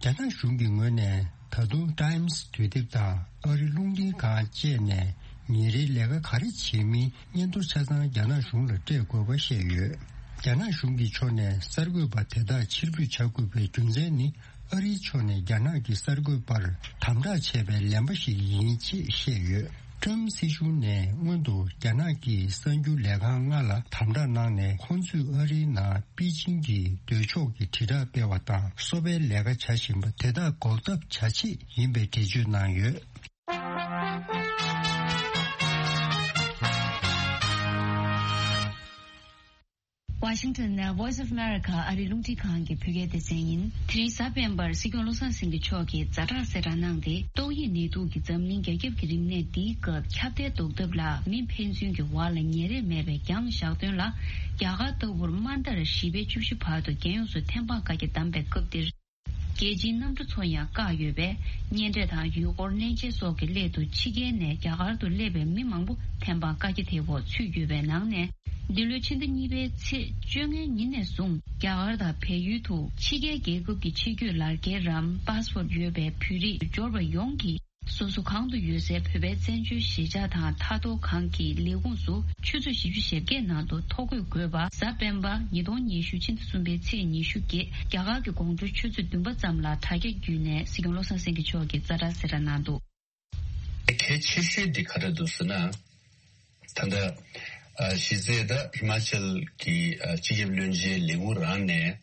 རྒྱ་ནག་གཞུང་གི་ངོས་ནས་ད་དུང་Times་དུས་དེབ་དང་ཨ་རི་རླུང་འཕྲིན་ཁང་བཅས་ནས་ཉིན་རེའི་ལས་ཀ་ག་རེ་བྱེད་མིན་སྙན་ཐོ་ཆ་ཚང་རྒྱ་ནག་གཞུང་ལ་སྤྲད་དགོས་པ་བཤད་ཡོད། རྒྱ་ནག་གཞུང་གི་ཕྱོགས་ནས་གསར་འགོད་པ་དེ་དག་ཕྱིར་འབུད་བྱ་དགོས་པའི་རྒྱུ་མཚན་ནི། ཨ་རིའི་ཕྱོགས་ནས་རྒྱ་ནག་གི་གསར་འགོད་པར་དམ་དྲག་བྱས་པའི་ལན་པ་ཞིག་ཡིན་ཅེས་བཤད་ཡོད། ཀྲམ་སྲིད་གཞུང་ནས་སྔོན་དུ་རྒྱ་ནག་གི་གསར་འགྱུར་ལས་ཁང་ལྔ་ལ་དམ་དྲག་གནང་ནས། ཁོང་ཚོས་ཨ་རིའི་ནང་པེ་ཅིང་གི་འདོད་ཕྱོགས་ཀྱི་དྲིལ་བསྒྲགས་སྤེལ་བ་དང་། སོ་པའི་ལས་ཀ་བྱ་བཞིན་པ་དེ་དག་འགོག་ཐབས་བྱ་ཆེད་ཡིན་པའི་འགྲེལ་བརྗོད་གནང་ཡོད། Washington་ནས་Voice of America་ཨ་རིའི་རླུང་འཕྲིན་ཁང་གི་བོད་སྐད་སྡེ་ཚན་ཡིན། དེ་རིང་གཟའ་སྤེན་པར་སྲིད་སྐྱོང་བློ་བཟང་སེང་གེ་མཆོག་གིས་ཛ་དྲག་གསལ་བསྒྲགས་གནང་སྟེ། ཏོག་དབྱིབས་ནད་དུག་གིས་འཛམ་གླིང་རྒྱ་ཁྱབ་ཀྱི་རིམས་ནད་འདིའི་སྐབས་ཁྱབ་གདལ་ཟློག་ཐབས་ལ་མི་ཕན་ཚུན་གྱི་བར་ལ་ཉེ་རེས་མེད་པའི་རྒྱང་བཞག་དོན་ལ། རྒྱ་གར་ལྟ་བུར་དམའ་མཐར་བཞི་པའི་བཅུ་བཞི་བར་དུ་རྒྱལ་ཡོངས་སུ་ཐེམ་སྤང་བཀའ་རྒྱ་བསྡམས་པའི་སྐབས་འདིར། རྒྱལ་སྤྱིའི་གནམ་གྲུ་ཚོ་ཡང་བཀག་ཡོད་པས། གཉེན་འཕྲད་དང་ཡུལ་སྐོར་གནས་མཇལ་སོགས་ཀྱི་སླད་དུ་ཕྱི་རྒྱལ་ནས་རྒྱ་གར་དུ་སླེབས་པའི་མི་མང་པོ་ཐེམ་སྤང་བཀའ་རྒྱ་དེའི་འོག་ཚུད་ཡོད་པའི་ནང་ནས། འདི་ལོའི་ཕྱི་ཟླ་གཉིས་པའི་ཚེས་བཅོ་ལྔའི་ཉིན་ནས་བཟུང་རྒྱ་གར་དང་བལ་ཡུལ་དུ་ཕྱི་རྒྱལ་རྒྱལ་ཁབ་ཀྱི་ཕྱི་སྐྱོད་ལག་འཁྱེར་རམ་པཱ་སི་པོར་ཡོད་པའི་བོད་རིགས་འབྱོར་པ་ཡོངས་ཀྱིས། སོ་སོ་གང་དུ་ཡོད་སའི་བོད་པའི་བཙན་བྱོལ་གཞིས་ཆགས་དང་མཐའ་སྡོད་ཁང་གི་ལས་ཁུངས་སུ་ཆུ་ཚོད་བཞི་བཅུ་ཞེ་བརྒྱད་ནང་དུ་ཐོ་འགོད་དགོས་པ། གཟའ་སྤེན་པ་ཉིས་སྟོང་ཉི་ཤུ་ཕྱི་ཟླ་གསུམ་པའི་ཚེས་ཉི་ཤུ་བརྒྱད། རྒྱ་གར་གྱི་དགོང་དྲོ་ཆུ་ཚོད་བདུན་པ་ཙམ་ལ་དྲ་རྒྱ་བརྒྱུད་ནས་སྲིད་སྐྱོང་བློ་བཟང་སེང་གེ་མཆོག་གིས་ཛ་དྲག་གསལ་བསྒྲགས་གནང་འདུག་གལ་ཆེ་ཤོས་འདི་ག་རེ་འདུག་ཟེར་ན། ད་ལྟ་ཨ་གཞི་རྩའི་ད་ཧི་མ་ཅལ་གྱི་ཨ་སྤྱི་ཁྱབ་བློན་ཆེན་ལས་ཁུངས་རང་ནས་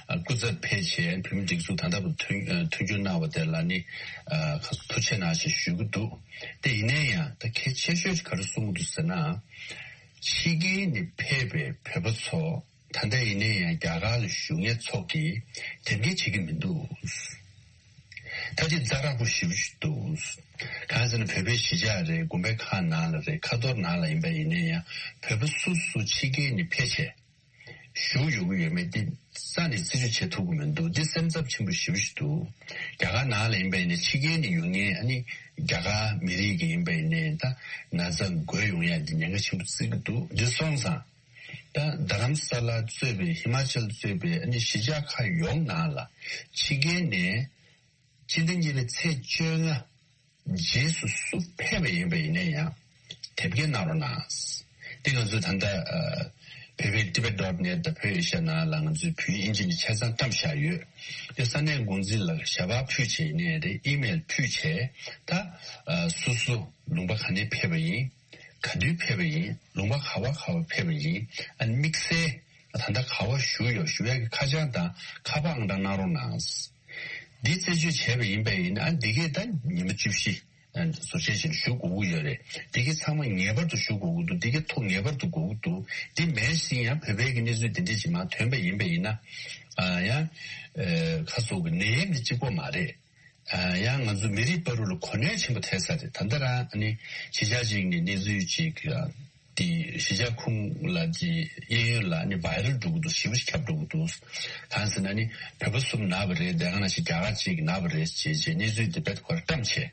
ཨ་སྐུ་ཚབ་ཕེབས་བྱས་བོད་མི་སྒྲིག་འཛུགས་ད་ལྟ་བར་མཐུན་ཨ་མཐུན་འགྱུར་གནང་བ་དེ་ལ་ནི་ཨ་ཁ་ཐུགས་རྗེ་གནང་ཞེས་ཞུ་གི་འདུག་དེ་ཡིན་ན་ཡང་ད་གལ་ཆེ་ཤོས་ག་རེ་གསུང་གི་འདུག་ཟེར་ན། ཕྱི་རྒྱལ་ནས་ཕེབས་པའི་བོད་པ་ཚོ་ད་ལྟ་ཡིན་ན་ཡང་རྒྱ་གར་ལ་བཞུགས་མཁན་ཚོ་གིས་དེབ་སྐྱེལ་བྱེད་ཀྱི་མི་འདུག་ད་ཅི་ཛ་དྲག་པོ་ཞེ་པོ་ཞིག་འདུག་གང་ཟེར་ན་བོད་པའི་གཞིས་ཆགས་རེད། དགོན་པའི་ཁག་ནང་ལ་རེད། ཁ་ཐོར་ནང་ལ་ཡིན་པ་ཡིན་ན་ཡང་བོད་པ་སུ་སུ་ཕྱི་རྒྱལ་ནས་ཕེབས་བྱས་བཞུགས་ཡོང་གི་ཡོད་མེད་འདི་རྩ་ནས་རྩད་གཅོད་བྱེད་ཐུབ་ཀྱི་མི་འདུག་འདི་སེམས་འཚབ་ཆེན་པོ་ཞེ་པོ་ཞིག་འདུག་རྒྱ་གར་ནང་ལ་ཡིན་པ་ཡིན་ན་ཕྱི་རྒྱལ་ནས་ཡོང་མཁན་ཨ་ནི་རྒྱ་གར་མི་རིགས་ཀྱི་ཡིན་པ་ཡིན་ནའི་ད་ན་ཚ་འགོས་ཡོང་ཡ་འདི་ཉེན་ཁ་ཆེན་པོ་བརྩི་གི་འདུག་འདི་སོང་ཙང་། ད་རྡ་རམ་ས་ལ་གཙོས་པའི་ཧི་མ་ཅལ་གཙོས་པའི་ཨ་ནི་གཞིས་ཆགས་ཁག་ཡོངས་ནང་ལ་ཕྱི་རྒྱལ་ནས་སྤྱི་ཟླ་གཉིས་པའི་ཚེས་བཅོ་ལྔ་རྗེས་སུ་སུ་ཕེབས་པ་ཡིན་པ་ཡིན་ན་ཡང་དེབ་སྐྱེལ་གནང་རོགས་གནང་། འདི་ང་ཚོས་ད་ལྟ་བོད་པའི་Tibet dot net་དང་བོད་ཨེ་ཤ་ཡ་ནང་ལ་ང་ཚོས་བོད་ཡིག་ཨིན་ཇི་ནས་ཆ་ཚང་བཀྲམ་བཞག་ཡོད། དེ་ས་གནས་འགོ་འཛིན་ལ་ཞལ་པར་ཕུལ་བྱས་ཡིན་ནའི་རེད། ཨི་མེལ་ཕུལ་བྱས་ད་སུ་སུ་ལུང་པ་ག་ནས་ཕེབས་པ་ཡིན། ག་དུས་ཕེབས་པ་ཡིན། ལུང་པ་ག་བ་ག་བ་ཕེབས་པ་ཡིན། ཨ་ནི་དམིགས་བསལ་ད་ལྟ་ག་བ་བཞུགས་ཡོད་བཞུགས་ཡག་གི་ཁ་བྱང་དང་ཁ་པར་ཨང་གྲངས་གནང་རོགས་གནང་། འདི་རྩད་གཅོད་བྱས་པ་ཡིན་པ་ཡིན་ན་ཨ་འདི་གས་ད་ཉི་མ་བཅུ་བཞི་ཟུར་བཤད་བྱས་ནས་བཞུགས་དགོས་ཀྱི་ཡོད་རེད། འདི་གས་ཚང་མ་ངེས་པར་དུ་བཞུགས་དགོས་ཀྱི་འདུག་འདི་གས་ཐོ་ངེས་པར་དུ་དགོས་ཀྱི་འདུག་འདི་མེད་ཟིན་ཡང་བོད་པའི་གི་གནས་ཚུལ་འདི་འདྲ་ཅིག་མར་ཐོན་པ་ཡིན་པ་ཡིན་ན་ཨ་ཡང་ཁ་སོག་གི་ནད་ཡམས་འདི་གཅིག་པོ་མ་རེད། ཡང་ང་ཚོ་མི་རིགས་བར་དུ་ལ་གོ་གནས་ཆེན་པོ་ཐེབས་ས་རེད། ད་ལྟ་རང་ཨ་ནི་གཞིས་ཆགས་གཅིག་ནས་གནས་ཚུལ་གཅིག་དེ་གཞིས་ཆགས་ཁུངས་ལ་ཅི་གཡས་གཡོན་ལ་ཨ་ནི་བྷའི་རལ་འགྲོ་གི་འདུག་ཞེ་པོ་ཞིག་ཁྱབ་འགྲོ་གི་འདུག་གང་ཟེར་ན་ཨ་ནི་བོད་པ་གསུམ་ན་བ་རེད། དེ་ག་ནང་བཞིན་རྒྱ་གར་གཅིག་ན་བ་རེད་ཅེས་བྱས་གནས་ཚུལ་དེ་རྦད་དེ་ཁོ་རང་བཀྲམ་བྱས།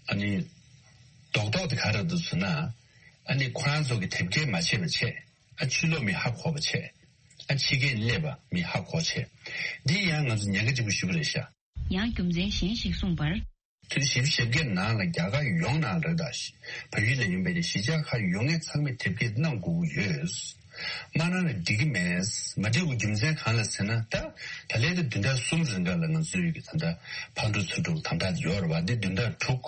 ཨ་ནི་རྡོག་རྡོག་དེ་ག་རེ་འདུག་ཟེར་ན་ཨ་ནི་ཁོ་རང་ཚོ་གི་དེབ་སྐྱེལ་མ་བྱས་པ་བྱས། ཨ་ཕྱི་ལོགས་མི་ཧ་གོ་བ་བྱས། ཨ་ཕྱི་རྒྱལ་སླེབས་པ་མི་ཧ་གོ་བྱས། འདི་ཡང་ང་ཚོ་ཉེན་ཁ་ཆེན་པོ་ཞིག་རེད་ཤག་ཡང་རྒྱུ་མཚན་གཞན་ཞིག་གསུངས་པར། ཚོད་བཞི་བཅུ་ཞེ་བརྒྱད་ནང་ལ་རྒྱ་གར་ཡོངས་ནང་རེད་ད། བལ་ཡུལ་ལ་ཡིན་པའི་གཞིས་ཆགས་ཁག་ཡོད་མཁན་ཚང་མས་དེབ་སྐྱེལ་གནང་དགོས་ཀྱི་ཡོད། མ་གནང་ན་འགྲིག་གི་མེད། མ་འགྲིག་པའི་རྒྱུ་མཚན་གང་ལ་ཟེར་ན། ད་ད་ལན་དེ་བདུན་ཕྲག་གསུམ་རིང་ག་ལ་ང་ཚོའི་གི་ད་ལྟ་ཕར་འགྲོ་ཚུར་འགྲོ་དམ་དྲག་ཡོད་རེད་བ། འདི་བདུན་ཕྲག་དྲུག་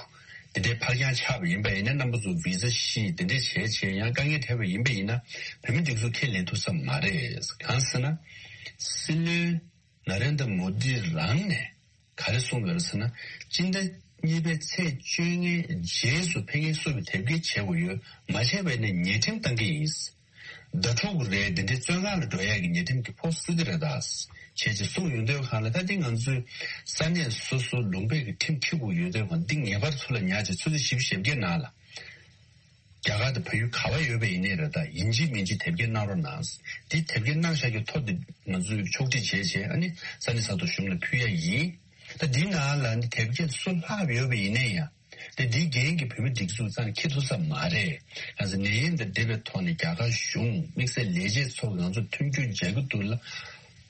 འདི་འདྲའི་ཕར་འགྱངས་ཆགས་པ་ཡིན་པ་ཡིན་ན། རྣམ་པ་ཚོ་བི་ཟ་ཤི་འདི་འདྲས་བྱས་བྱས་ཡང་དཀའ་ངལ་འཕྲད་པ་ཡིན་པ་ཡིན་ན། བོད་མི་སྒྲིག་འཛུགས་ཁས་ལེན་ཐུབ་ས་མ་རེད། གང་ཟེར་ན། སྲིད་བློན་ན་རེན་དྲ་མོ་དི་རང་ནས་ག་རེ་གསུངས་ཡོད་རེད་ཟེར་ན། སྤྱི་ཟླ་གཉིས་པའི་ཚེས་བཅོ་ལྔའི་རྗེས་སུ་ཕ་གིར་སུ་བས་དེབ་སྐྱེལ་བྱེད་དགོས་ཡོད། མ་བྱས་པ་ཡིན་ན་ཉེས་ཁྲིམས་བཏང་གི་ཡིན། ཟླ་དྲུག་རེད། འདི་འདྲའི་བཙོན་ཁང་ལ་འགྲོ་ཡག་གི་ཉེས་ཁྲིམས་ཀྱི་ཕོགས་སྲིད་ཀྱི་རེད་ད། བྱས་ཙང་གསུངས་ཡོང་དུས་སྒང་ལ། ད་འདི་ང་ཚོའི་ས་གནས་སོ་སོ་ལུང་པའི་གི་ཁྲིམས་འཁྲི་དགོས་ཡོད་དུས་སྒང་། འདི་ངེས་པར་ཚུར་ལ་ཉར་བྱས་ཚོད་ལྟ་བཞི་བཅུ་ཞེ་བརྒྱད་ནང་ལ། རྒྱ་གར་དང་བལ་ཡུལ་ག་པར་ཡོད་པ་ཡིན་ནའི་རེད་ད། ཡིན་གཅིག་མིན་གཅིག་དེབ་སྐྱེལ་གནང་རོགས་གནང་། འདི་དེབ་སྐྱེལ་གནང་བཞག་རྒྱུ་ཐོ་འདི་ང་ཚོས་ཕྱོགས་སྒྲིག་བྱས་བྱས། ཨ་ནི་ས་གནས་ས་ཐོག་གཞུང་ལ་ཕུལ་ཡ་ཡིན། ད་འདི་ནང་ལ་ནི་དེབ་སྐྱེལ་སུ་ལྷག་ཡོད་པ་ཡིན་ནའི་ཡང་། དེ་འདིའི་འགན་གྱི་བོད་མི་སྒྲིག་འཛུགས་རྩ་ནས་འཁྱེར་ཐུབ་ས་མ་རེད། གང་ཟེར་ན་ནད་ཡམས་དང་འབྲེལ་བའི་ཐོག་ནས་རྒྱ་གར་གཞུང་དམིགས་བསལ་ལས་བྱེད་ཚོ་གིས་ང་ཚོར་མཐུན་འགྱུར་མཇལ་གྱི་འདུག་ལ།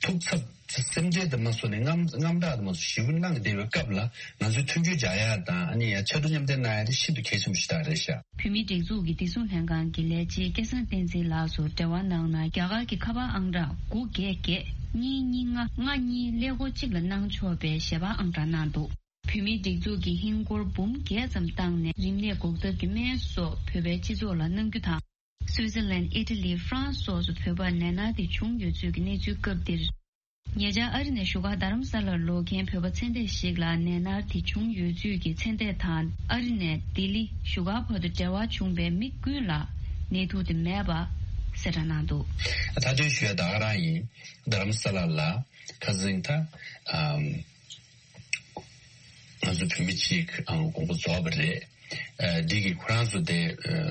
ཐུགས་འཚབ་སེམས་ཁྲལ་དང་མ་སོགས་ནས་དངངས་དངངས་སྐྲག་དང་མ་སོགས་ཞེ་པོ་གནང་བསྡད་པའི་སྐབས་ལ། ང་ཚོས་མཐུན་འགྱུར་སྦྱར་ཡ་དང་། ཨ་ནི་ཡང་ཕྱར་གྲུ་མཉམ་འདེགས་གནང་ཡ་དེ་ཤིན་ཏུ་གལ་ཆེན་པོ་ཞིག་ད་རེད་ཤག་བོད་མིའི་སྒྲིག་འཛུགས་ཀྱི་བདེ་སྲུང་ལྷན་ཁང་གི་ལས་བྱེད་སྐལ་བཟང་བསྟན་འཛིན་ལགས་སུ་འབྲེལ་བ་གནང་ན། རྒྱ་གར་གྱི་ཁ་པར་ཨང་གྲངས་དགུ་བརྒྱད་བརྒྱད་གཉིས་གཉིས་ལྔ་ལྔ་གཉིས་ཀླད་ཀོར་གཅིག་ལ་གནང་ཆོག་པའི་ཞལ་པར་ཨང་གྲངས་གནང་འདུག་བོད་མིའི་སྒྲིག་འཛུགས་ཀྱིས་ཧིན་སྒོར་འབུམ་བརྒྱད་ཙམ་བཏང་ནས་རིམས་ནད་འགོག་ཐབས་ཀྱི་སྨན་སོགས་བོད་པའི་སྤྱི་ཚོགས་ལ་གནང་རྒྱུ་དང་། སུའི་ཙེར་ལན། ཨི་ཊ་ལི། ཧྥ་རན་སི་སོགས་སུ་བོད་པར་ནད་མནར་དེ་བྱུང་ཡོད་ཚུལ་གྱི་གནས་ཚུལ་སྐབས་འདིར། ཉེ་ཆར་ཨ་རི་ནས་བཞུགས་སྒར་རྡ་རམ་ས་ལར་ལོག་མཁན་བོད་པ་ཚེ་འདས་ཤིག་ལ་ནད་མནར་དེ་བྱུང་ཡོད་ཚུལ་གྱི་ཚེ་འདས་དང་། ཨ་རི་ནས་ལྡི་ལི་བཞུགས་སྒར་བར་དུ་འབྲེལ་བ་བྱུང་བའི་མི་ཀུན་ལ་ནད་དུག་དེ་མེད་པ་གསལ་བསྒྲགས་གནང་འདུག་ད་དུང་ཞུ་ཡ་ད་ག་རང་ཡིན། རྡ་རམ་ས་ལ་ལ་ཁ་སང་ད་ཨམ། ང་ཚོ་བོད་མི་གཅིག་ཨང་དགོངས་པ་རྫོགས་པ་རེད། ཨ། འདི་གིས་ཁོ་རང་ཚོ་དེ་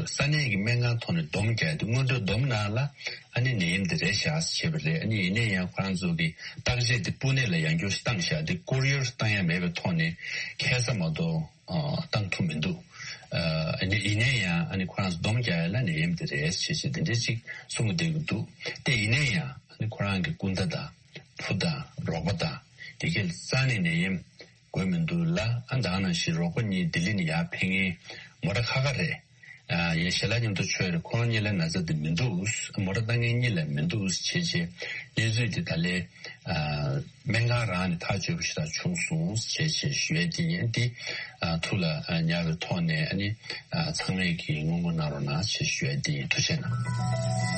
ས་གནས་ཀྱི་སྨན་ཁང་ཐོག་ནས་སྡོམ་རྒྱག་དེ། སྔོན་འགྲོ་སྡོམ་ནང་ལ་ཨ་ནི་ནད་ཡམས་དེ་རེད་ཤག་བྱས་པ་རེད། ཨ་ནི་ཡིན་ན་ཡང་ཁོ་རང་ཚོ་གི་བརྟག་དཔྱད་དེ་སྤུ་ནེ་ལ་ཡང་བསྐྱར་བཏང་ཤག་དེ་ཀོ་རི་ཡར་བཏང་ཡ་མེད་པའི་ཐོག་ནས་ཁ་སང་མ་གཏོགས་བཏང་ཐུབ་མི་འདུག་ཨ་ནི་ཡིན་ན་ཡང་ཨ་ནི་ཁོ་རང་ཚོ་སྡོམ་རྒྱག་ཡ་ལ་ནད་ཡམས་དེ་རེད་བྱས་བྱས་དེ་འདྲ་ཅིག་གསུང་གི་བསྡད་ཀྱི་འདུག་དེ་ཡིན་ན་ཡང་ཨ་ནི་ཁོ་རང་གི་སྐུ་ཟླ་དང་བུ་དང་རོགས་པ་དང་དེ་གས་རྩ་ནས་ནད་ཡམས་འགོས་མི་འདུག་ལ། ཨ། ད་ག་ནང་བཞིན་རོགས་པ་གཉིས་ལྡི་ལི་ནས་ཡར་ཕེབས་མཁན་མོ་ཊ་ཁ་ཁ་རེད། ཨ། ཡང་ཞལ་ལག་མཉམ་དུ་མཆོད་རེད། ཁོང་གཉིས་ལ་ན་ཚ་དེ་མི་འདུག་མོ་ཊ་བཏང་མཁན་གཉིས་ལ་མི་འདུག་བྱས་བྱས་གནས་ཚུལ་དེ་ད་ལས། ཨ། སྨན་ཁང་རང་ནས་ཐག་གཅོད་པ་ཞིག་ད་བྱུང་སོང་བྱས་བྱས་ཞུ་ཡ་དེ་ཡིན། དེ། ཨ། ཐུགས་ལ་ཉར་བའི་ཐོག་ནས་ཨ་ནི། ཨ། ཚང་མས་ཀྱིས་སྔོན་འགོག་གནང་རོགས་གནང་ཞེས་ཞུ་ཡ་འདི་ཡིན། ཐུགས་རྗེ་གནང་།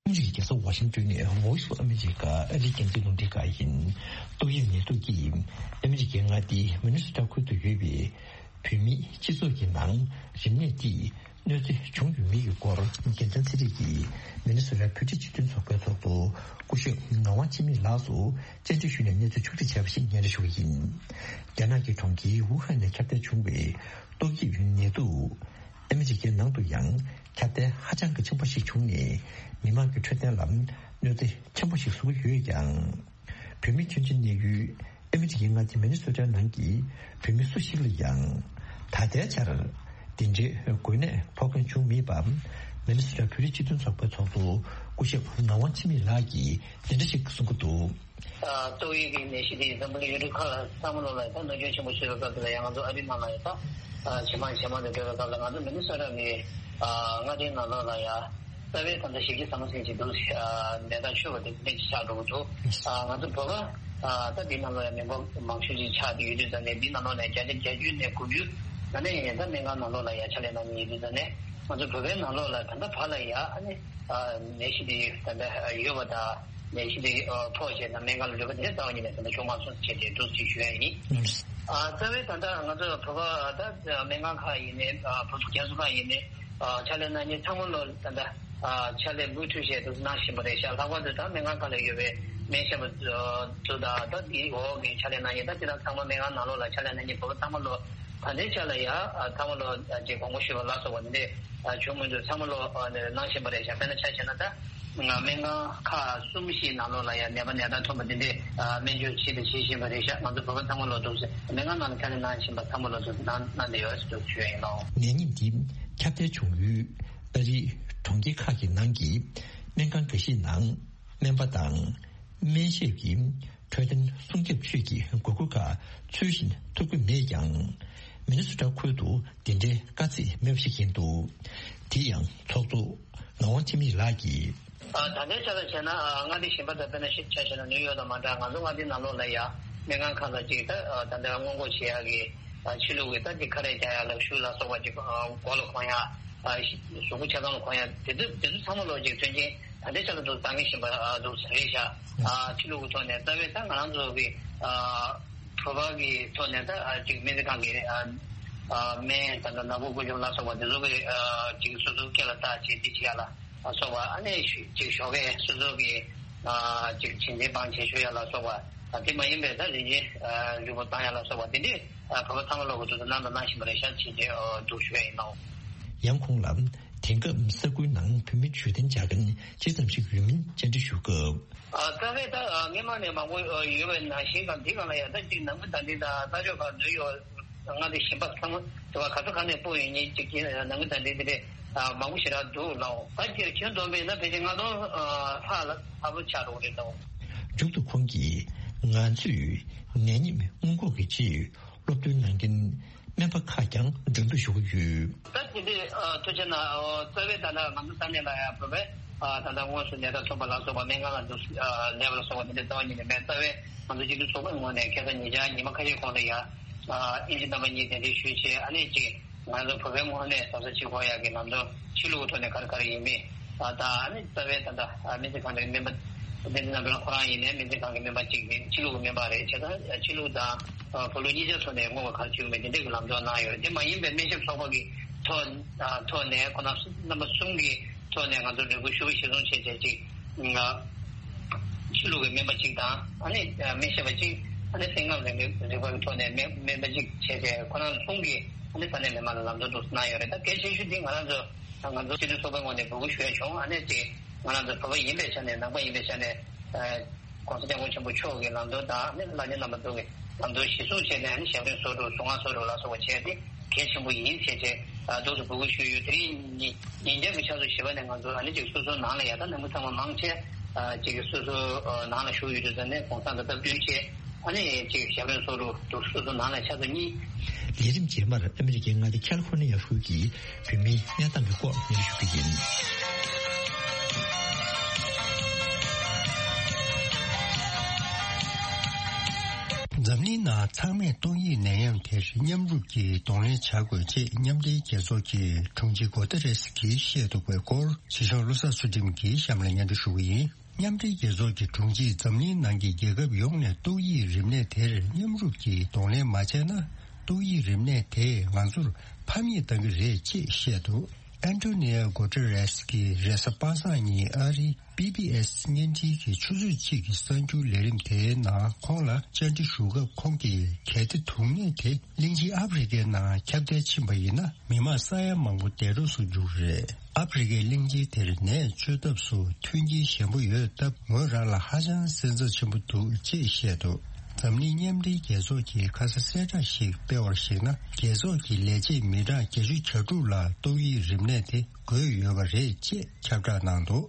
ཨ་མི་རི་ཀའི་རྒྱལ་ས་ཝ་ཤིང་ཏོན་ནས་Voice of America ཨ་རིའི་རྒྱང་སྲིང་རླུང་འཕྲིན་ཁང་ཡིན། ཏོག་དབྱིབས་ནད་དུག་གིས་ཨ་མི་རི་ཀའི་མངའ་སྡེ་མི་ནི་སོ་ཊ་ཁུལ་དུ་ཡོད་པའི་བོད་མིའི་སྤྱི་ཚོགས་ཀྱི་ནང་རིམས་ནད་འདིས་གནོད་འཚེ་བྱུང་ཡོད་མེད་ཀྱི་སྐོར་རྒྱལ་མཚན་ཚེ་རིང་གིས་མི་ནི་སོ་ཊ་བོད་རིགས་སྤྱི་མཐུན་ཚོགས་པའི་ཚོགས་གཙོ་སྐུ་ཞབས་ངག་དབང་འཆི་མེད་ལགས་སུ་བཅར་འདྲི་ཞུས་ནས་གནས་ཚུལ་ཕྱོགས་བསྒྲིགས་བྱས་པ་ཞིག་སྙན་སྒྲོན་ཞུ་གི་ཡིན། རྒྱ་ནག་གི་གྲོང་ཁྱེར་ཝུ་ཧན་ནས་ཁྱབ་གདལ་བྱུང་བའི་ཏོག་དབྱིབས་ནད་དུག་ཨ་མི་རི་ཀའི་ནང་དུ་ཡང་ཁྱབ་གདལ་ཧ་ཅང་གི་ཆེན་པོ་ཞིག་བྱུང་ནས། མི་མང་གི་འཕྲོད་བསྟེན་ལ་གནོད་འཚེ་ཆེན་པོ་ཞིག་བཟོ་གི་ཡོད་ཀྱང་། བོད་མི་ཁྱོན་ཆེ་གནས་ཡུལ་ཨ་མི་རི་ཀའི་མངའ་སྡེ་མི་ནི་སོ་ཊའི་ནང་གི་བོད་མི་སུ་ཞིག་ལ་ཡང་ད་ལྟའི་ཆར་འདི་འདྲའི་འགོས་ནད་ཕོག་མཁན་བྱུང་མེད་པ། མི་ནི་སོ་ཊ་བོད་རིགས་སྤྱི་མཐུན་ཚོགས་པའི་ཚོགས་གཙོ་སྐུ་ཞབས་ངག་དབང་འཆི་མེད་ལགས་ཀྱིས་འདི་འདྲ་ཞིག་གསུང་གི་འདུག་ཏོག་དབྱིབས་ཀྱི་ནད་གཞི་དེ་འཛམ་བུ་གླིང་ཡུལ་གྲུ་ཁག་ལ་ཚང་མ་ལོག་ལ་ད་གནོད་སྐྱོན་ཆེན་པོ་བཟོས་པའི་སྐབས་དེ་ལ་ཡང་། ང་ཚོ་ཨ་རིའི་ནང་ལ་ཡང་ད་ཇེ་མང་ཇེ་མང་དུ་འགྲོ་བའི་སྐབས་ལ། ང་ཚོ་མི་ནི་སོ་ཊ་གི་མངའ་སྡེའི་ནང་ལོགས་ལ་ཡང་རྩ་བའི་ད་ལྟ་གཞི་རྒྱ་ཟམ་པ་ཟིན་གྱི་འདུག་ནད་རྟགས་ཆོད་པ་དེ་འདྲ་ཅིག་ཆགས་འགྲོ་གི་འདུག་ང་ཚོ་བོད་པ་ད་འདི་ནང་ལོགས་ཡང་མི་འབོར་མང་ཤོས་ཅིག་ཆགས་བསྡད་ཡོད་དུས་ཙང་ནས། འདི་ནང་ལོགས་ནས་བརྒྱ་ཆ་བརྒྱད་ཅུ་ནས་དགུ་བཅུ་ད་ནས་ཡང་ད་སྨན་ཁང་ནང་ལོགས་ལ་ཡང་ཕྱག་ལས་གནང་མཁན་ཡོད་དུས་ཙང་ནས། ང་ཚོ་བོད་པའི་ནང་ལོགས་ལ་ད་ལྟ་བར་ལ་ཡང་ཨ་ནི་ནད་གཞི་དེ་ད་ལྟ་ཡོད་པ་དང་། ནད་གཞི་དེ་ཕོག་བྱས་ན་སྨན་ཁང་ལ་ལུས་པ་དེ་རྩ་བ་ཉིད་ནས་ད་ལྟ་བྱུང་མ་སོང་ཟེར་བྱས་ཏེ་འདུག་ཅེས་ཞུ་ཡ་ཡིན། རྩ་བའི་ད་ལྟ་ང་ཚོ་བོད་པ་ད་སྨན་ཁང་ཁག་ཡིན་ནའི་བོད་ཕྲུག་རྒན་གསོ་ཁང་ཡིན་ནའི་ཕྱག་ལས་གནང་མཁན་ཚང་མ་ལོ་ད་ལྟ་ཕྱག་ལས་མུ་མཐུད་བྱས་འདུག་གནང་བཞིན་པ་རེད་ཤག་ལྷག་པར་དུ་ད་སྨན་ཁང་ཁག་ལ་ཡོད་པའི་སྨན་ཞབས་པ་ཚོ་དང་། ད་དེའི་འོག་གི་ཕྱག་ལས་གནང་མཁན་ད་སྤྱིར་བཏང་ཚང་མ་སྨན་ཁང་ནང་ལོགས་ལ་ཕྱག་ལས་གནང་མཁན་བོད་པ་ཚང་མ་ལོ། ད་ལྟའི་ཆ་ལ་ཡ་ཨ་ཚང་མ་ལོ་ཨ་ཅིག་དགོངས་པ་ཞུས་པ་ལ་སོགས་པ་འདི་འདྲས་ཨ་བྱུང་མི་འདུག་ཚང་མ་ལོ་ཨ་ནི་གནང་བཞིན་པ་རེད་ཤག་དཔེར་ན་ཆ་བཞག་ན་ད་ང་སྨན་ཁང་ཁག་གསུམ་བཞིའི་ནང་ལོགས་ལ་ཡ་ནད་པ་ནད་རྟགས་ཐོན་པ་འདི་འདྲས་ཨ་སྨན་བཅོས་བྱེད་དང་བྱེད་བཞིན་པ་རེད་ཤག་ང་ཚོ་བོད་པ་ཚང་མ་ལོ་འདུག་ཟེར་སྨན་ཁང་ནང་ལ་ཁ་ལས་གནང་བཞིན་པ་ཚང་མ་ལོ་འདུག་གནང་གནང་བསྡད་ཡོད་ཟེར་འདུག་ཞུ་ཡ་ཡིན་ནོ། ནད་ཉིད་འདི་ཁྱབ་གདལ་བྱུང་ཡུལ་ཨ་རིའི་གྲོང་ཁྱེར་ཁག་གི་ནང་གི་སྨན་ཁང་འགའ་ཤས་ནང་སྨན་པ་དང་སྨན་ཞབས་ཀྱི་འཕྲོད་བསྟེན་སྲུང་སྐྱོབ་ཆོས་ཀྱི་དགོས་མཁོ་ཁག་ཚུལ་བཞིན་ཐོབ་ཀྱི་མེད་ཀྱང་། མི་ནི་སོ་ཊ་ཁུལ་དུ་འདི་འདྲའི་དཀའ་ཚེགས་མེད་པ་ཞིག་ཡིན་འདུག་དེ་ཡང་ཚོགས་གཙོ་ངག་དབང་འཆི་མེད་ལགས་ཀྱིས། ད་ལྟའི་ཆ་ལ་བྱས་ན་མངའ་སྡེ་གཞན་པ་དང་དཔེར་ན་ཆ་བཞག་ན་ནིའུ་ཡོག་དང་མ་འདྲ་ང་ཚོ་མངའ་སྡེ་ནང་ལོགས་ལ་ཡ་སྨན་ཁང་ཁག་ལ་ཅིག་ད་ད་ལྟ་སྔོན་འགོག་བྱེད་ཡག་གི་ཕྱི་ལུགས་ཀྱི་ད་ཅིག་ཁ་རས་རྒྱག་ཡག་ལ་ཤུགས་ལ་སོགས་པ་ཅིག་མགོ་ལ་གོན་ཡག་གཟུགས་པོ་ཆ་ཚང་ལ་གོན་ཡག་དེ་ཚོ་དེ་ཚོ་ཚང་མ་ལོ་ཅིག་མཐུན་རྐྱེན། ད་ལྟའི་ཆ་ལ་འདུག་བཏང་གི་བཞིན་པ་འདུག་ཟེར་རེད་ཤག་ཕྱི་ལུགས་ཀྱི་ཐོག་ནས་རྩ་བའི་ད་ང་རང་ཚོ་གི་བོད་པ་གི་ཐོག་ནས་ད་ཅིག་སྨན་རྩིས་ཁང་གི་སྨན་ད་ལྟ་ནག་པོ་ཀུན་འབྱུང་ལ་སོགས་པ་དེ་ཚོ་གི་ཅིག་སོ་སོའི་སྐེ་ལ་བཏགས་བྱས་འདི་བྱེད་ཡ་ལ་སོགས་པ་ཨ་ནེ་ཅིག་ཞོགས་ཀས་སོ་སོ་གི་ཅིག་བྱིན་ཚན་བང་བྱེད་ཆོག་ཡ་ལ་སོགས་པ་དེ་མ་ཡིན་པའི་ད་རིན་ཆེན་རིལ་བུ་བཏང་ཡ་ལ་སོགས་པ་དེ་འདྲས་བོད་པ་ཚང་མ་ལོག་གི་འདུག་ད་གནང་དང་གནང་བཞིན་པ་རེད་ཤག་བྱས་རྗེས་འདུག་ཞུ་ཡ་ཡིན་ནོ། ཡང་ཁོང་ལ་དེང་སྐབས་ས་ཁུལ་ནང་བོད་མི་འབྱོར་ལྡན་བྱ་མཁན་ཅི་ཙམ་ཞིག་ཡོད་མིན་བཅར་འདྲི་ཞུ་སྐབས། ཨ་རྩ་བའི་ད་ཨ་སྔོན་མ་ནས་མང་པོ་ཨ་ཡོད་པའི་ནང་བཞིན་དང་འདི་གང་ལ་ཡང་ད་ཅིག་ནང་མི་ད་འདི་དང་ས་ཕྱོགས་ཁག་འདུས་ཡོད་ང་འདི་ཞིང་པ་ཚང་མ་དེ་བ་ག་ཚོད་ག་ནས་སྤོ་ཡོད་ཉིན་ཅིག་གིས་ནང་མི་ད་འདི་འདི་རེད་ཨ་མང་པོ་ཞེ་དྲག་འདུག་ལའོ། ད་ཁྱེད་ཁྱོན་བསྡོམས་པས་ན་ཕལ་ཆེར་ལྔ་སྟོང་ཨ་ལྷག་ལ་ལྷག་པོ་ཆགས་འགྲོ་གི་རེད་དོ། མཇུག་ཏུ་ཁོང་གིས་ང་ཚོས་ནད་ཉིད་སྔོན་འགོག་གི་ཆེད། སློབ་སྟོན་གནང་མཁན་སྨན་པ་ཁག་ཀྱང་མགྲོན་འབོད་ཞུ་གི་ཡོད། ད་དེ་འདྲའི་ཨ་ཐུགས་རྗེ་གནང་། ཨོ་རྩ་བའི་ད་ལྟ་ང་ཚོ་ས་གནས་ལ་ཡང་བོད་པའི་ཨ་ད་ལྟ་དངོས་སུ་ནད་རྟགས་ཐོན་པ་ལ་སོགས་པ་སྨན་ཁང་ལ་འདུག་ཨ་སླེབས་པ་ལ་སོགས་པ་དེ་འདྲའི་རྩ་བ་ཉིད་ནས་མེད། རྩ་བའི་ང་ཚོ་སྤྱི་འཐུས་ཚོགས་པའི་ངོས་ནས་ཁ་སང་ཉིན་ཆ་ཉི་མ་ཁ་ཤས་གོང་ལ་ཡང་ཨ་དབྱིན་ཇི་རྣམ་པ་གཉིས་གདན་འདྲེན་ཞུས་བྱས་ཨ་ནེ་གཅིག་ང་ཚོ་བོད་པའི་ངོས་ནས་གཟབ་གཟབ་བྱེད་དགོས་ཡག་གི་ལམ་སྟོན་ཕྱི་ལུགས་ཐོག་ནས་ག་རེ་ག་རེ་ཡིན་མིན་ཨ་ད་ཨ་ནི་རྩ་བའི་ད་ལྟ་ཨ་སྨན་རྩིས་ཁང་དེའི་སྨན་པ་བསྟན་འཛིན་རྣམ་གྲོལ་ཁོ་རང་ཡིན་ནའི་སྨན་རྩིས་ཁང་གི་སྨན་པ་གཅིག་རེད། ཕྱི་ལུགས་ཀྱི་སྨན་པ་རེད། བྱས་ཙང་ཕྱི་ལུགས་དང་བོད་ལུགས་གཉིས་ཆ་ཐོག་ནས་སྔོན་མ་ག་རེ་བྱུང་མེད་དེ་འདྲས་ཀྱི་ལམ་སྟོན་གནང་ཡོད་རེད། དེ་མ་ཡིན་པའི་སྨན་ཞབས་ཚོགས་པ་གི་ཐོག་ཐོག་ནས་ཁོ་ན་རྣམ་པ་གསུམ་གྱི་ཐོག་ནས་ང་ཚོ་རེ་སྐུལ་ཞུ་གཞིར་བཟུང་བྱས་བྱས་ཅིག་ཕྱི་ལུགས་ཀྱི་སྨན་པ་གཅིག་དང་ཨ་ནི་སྨན་ཞབས་པ་གཅིག་ཨ་ནི་སེམས་ཁམས་རིག་པའི་རིག་པ་གི་ཐོག་ནས་སྨན་སྨན་པ་གཅིག་བྱས་བྱས་ཁོ་རང་གསུམ་གྱིས་ཨ་ནི་ས་གནས་མི་མང་ལ་ལམ་སྟོན་དུ་གནང་ཡོད་རེད། ད་གལ་ཆེ་ཤོས་འདི་ང་རང་ཚོ་ང་ཚོ་སྤྱི་འཐུས་ཚོགས་པའི་ངོས་ནས་འབོད་སྐུལ་ཞུ་ཡ་བྱུང་། ཨ་ནི་ཅིག་ང་རང་ཚོ་བོད་པ་ཡིན་པའི་ཆ་ནས་ནང་པ་ཡིན་པའི་ཆ་ནས་ཨ་༸གོང་ས་༸སྐྱབས་མགོན་ཆེན་པོ་མཆོག་གི་ལམ་སྟོན་དང་ཨ་ནི་བླ་ཆེན་རྣམ་པ་ཚོ་གི་ལམ་སྟོན་གཞིར་བཟུང་བྱས་ནས་ཨ་ནི་ཞབས་རིམ་སོ་དྲུག་གཟུངས་སྔགས་སོ་དྲུག་ལ་སོགས་པ་བྱས་ཏེ་གལ་ཆེན་པོ་ཡིན་ཞེས་བྱས་འདུག་སེ་འབོད་སྐུལ་ཞུས་ཡོད། དེ་རིང་ཉིན་ཉིན་རྒྱབ་ཀྱི་ཆུ་ཚོད་བཞི་པ་ནས་ང་ཚོ་ཨ་ནི་ཅིག་སོ་སོའི་ནང་ལ་ཡ་ད་ནང་མི་ཚང་མ་མང་ཆེ་ཅིག་སོ་སོའི་ནང་ལ་བཞུགས་ཡོད་དུས་ཙང་ནས་གུང་སེང་དང་སྟབས་བསྟུན་བྱས། ཨ་ནི་ཅིག་ཞབས་རིམ་སོ་དྲུག་འདུག་སོ་སོ་ནང་ལ་ཆ་ཚང་གཉིས། ལས་རིམ་རྗེས་མར་ཨ་མི་རི་ཀའི་མངའ་སྡེ་ཁ་ལི་ཧྥོར་ནི་ཡ་ཧྲུའུ་ཅིའི་བོད་མིའི་གནས་སྟངས་ཀྱི་སྐོར་ཉན་ཞུ་རྒྱུ་ཡིན། འཛམ་གླིང་ནང་ཚང་མས་ཏོག་དབྱིབས་ནད་ཡམས་དེར་མཉམ་རུབ་ཀྱིས་གདོང་ལེན་བྱ་དགོས་ཅེས་མཉམ་འབྲེལ་རྒྱལ་ཚོགས་ཀྱི་དྲུང་ཆེ་གོ་ཏེ་རེས་ཀྱིས་བཤད་འདུག་པའི་སྐོར་ཕྱི་ཕྱོགས་བློ་བཟང་ཚུལ་ཁྲིམས་ཀྱིས་གཤམ་ལ་སྙན་སྒྲོན་ཞུ་གི་ཡིན། མཉམ་འབྲེལ་རྒྱལ་ཚོགས་ཀྱི་དྲུང་ཆེས་འཛམ་གླིང་ནང་གི་རྒྱལ་ཁབ་ཡོངས་ནས་ཏོག་དབྱིབས་རིམས་ནད་དེར་མཉམ་རུབ་ཀྱིས་གདོང་ལེན་མ་བྱས་ན། ཏོག་དབྱིབས་རིམས་ནད་དེས་ང་ཚོར་ཕམ་ཉེས་གཏང་གི་རེད་ཅེས་བཤད་འདུག་ཨན་ཏོ་ནི་ཡ་གོ་ཏེ་རེས་ཀྱིས་རེས་གཟའ་པ་སངས་ཉིན་ཨ་རིའི་པི་བི་ཨེས་བརྙན་འཕྲིན་གྱི་ཆུ་ཚོད་གཅིག་གི་གསར་འགྱུར་ལས་རིམ་དེའི་ནང་ཁོང་ལ་བཅར་འདྲི་ཞུ་སྐབས་ཁོང་གིས་གལ་ཏེ་དུག་ནད་དེ་གླིང་ཆེན་ཨ་ཧྥེ་རི་ཁའི་ནང་ཁྱབ་གདལ་ཕྱིན་པ་ཡིན་ན་མི་མང་ས་ཡ་མང་པོ་འདས་གྲོངས་སུ་འགྲོ་གི་རེད། ཨ་ཧྥེ་རི་ཁའི་གླིང་ཆེན་དེར་ནད་བཅོས་ཐབས་སུ་མཐུན་རྐྱེན་ཞན་པོ་ཡོད་སྟབས་ངོས་རང་ལ་ཧ་ཅང་སེམས་འཚབ་ཆེན་པོ་འདུག་ཅེས་བཤད་འདུག་འཛམ་གླིང་མཉམ་འབྲེལ་རྒྱལ་ཚོགས་ཀྱིས་ཁ་ས་གསལ་བསྒྲགས་ཤིག་སྤེལ་བར་གཞིགས་ན། རྒྱལ་ཚོགས་ཀྱི་ལས་བྱེད་མི་གྲངས་བརྒྱད་ཅུ་གྱ་དྲུག་ལ་ཏོག་དབྱིབས་རིམས་ནད་དེ་འགོས་ཡོད་པ་རེད་ཅེས་ཁྱབ་བསྒྲགས་གནང་འདུག་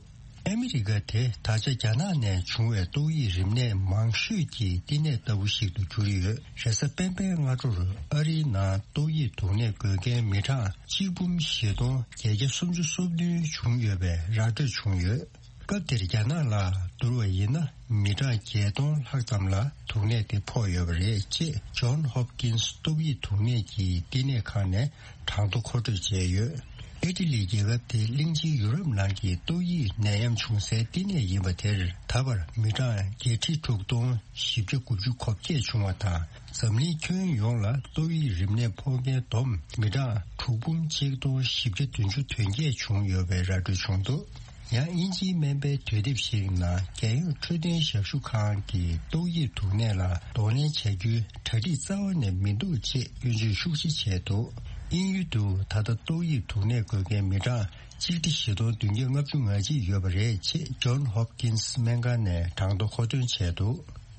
ཨ་མི་རི་ཀ་དེ་ད་ཆ་རྒྱ་ནག་ནས་བྱུང་བའི་ཏོག་དབྱིབས་རིམས་ནད་མང་ཤོས་ཀྱི་བསྟི་གནས་ལྟ་བུ་ཞིག་ཏུ་གྱུར་ཡོད། རེས་གཟའ་སྤེན་པའི་སྔ་དྲོར་ཨ་རིའི་ནང་ཏོག་དབྱིབས་དུག་ནད་འགོས་མཁན་མི་གྲངས་གཅིག་འབུམ་བཞི་སྟོང་བརྒྱད་བརྒྱ་སུམ་ཅུ་སོ་བདུན་བྱུང་ཡོད་པའི་ར་སྤྲོད་བྱུང་ཡོད། སྐབས་དེར་རྒྱ་ནག་ལ་བསྡུར་བ་ཡིན་ན་མི་གྲངས་བརྒྱད་སྟོང་ལྷག་ཙམ་ལ་དུག་ནད་དེ་ཕོག་ཡོད་པ་རེད་ཅེས་ཇོན་ཧོབ་ཀིན་སི་ཏོག་དབྱིབས་དུག་ནད་ཀྱི་བསྟི་གནས་ཁང་ནས་གྲངས་ཐོ་མཁོ་སྤྲོད་བྱས་ཡོད། ཨི་ཊ་ལི་རྒྱལ་ཁབ་དེ་གླིང་ཆེན་ཡུ་རོབ་ནང་གི་ཏོག་དབྱིབས་ནད་ཡམས་བྱུང་སའི་བསྟི་གནས་ཡིན་པ་དེར་ད་བར་མི་གྲངས་བརྒྱད་ཁྲི་དྲུག་སྟོང་བཞི་བརྒྱ་དགུ་བཅུ་གོ་བརྒྱད་བྱུང་བ་དང་། འཛམ་གླིང་ཁྱོན་ཡོངས་ལ་ཏོག་དབྱིབས་རིམས་ནད་ཕོག་མཁན་བསྡོམས་མི་གྲངས་དྲུག་འབུམ་གཅིག་སྟོང་བཞི་བརྒྱ་བདུན་ཅུ་དོན་བརྒྱད་བྱུང་ཡོད་པའི་ར་སྤྲོད་བྱུང་འདུག་ཡང་དབྱིན་ཇིའི་སྨན་པའི་དུས་དེབ་ཞིག་ནང་རྒྱལ་ཡོངས་འཕྲོད་བསྟེན་ཞབས་ཞུ་ཁང་གིས་ཏོག་དབྱིབས་དུག་ནད་ལ་གདོང་ལེན་བྱ་རྒྱུའི་གྲ་སྒྲིག་རྩ་བ་ནས་མི་འདུག་ཅེས་སྐྱོན་བརྗོད་ཤུགས་ཆེ་བྱས་འདུག་དབྱིན་ཡུལ་དུ་ད་ལྟ་ཏོག་དབྱིབས་དུག་ནད་འགོས་མཁན་མི་གྲངས་གཅིག་ཁྲི་བཞི་སྟོང་བདུན་བརྒྱ་ལྔ་བཅུ་ང་གཅིག་ཡོད་པ་རེད་ཅེས་John Hopkins སྨན་ཁང་ནས་གྲངས་ཐོ་མཁོ་འདོན་བྱས་འདུག་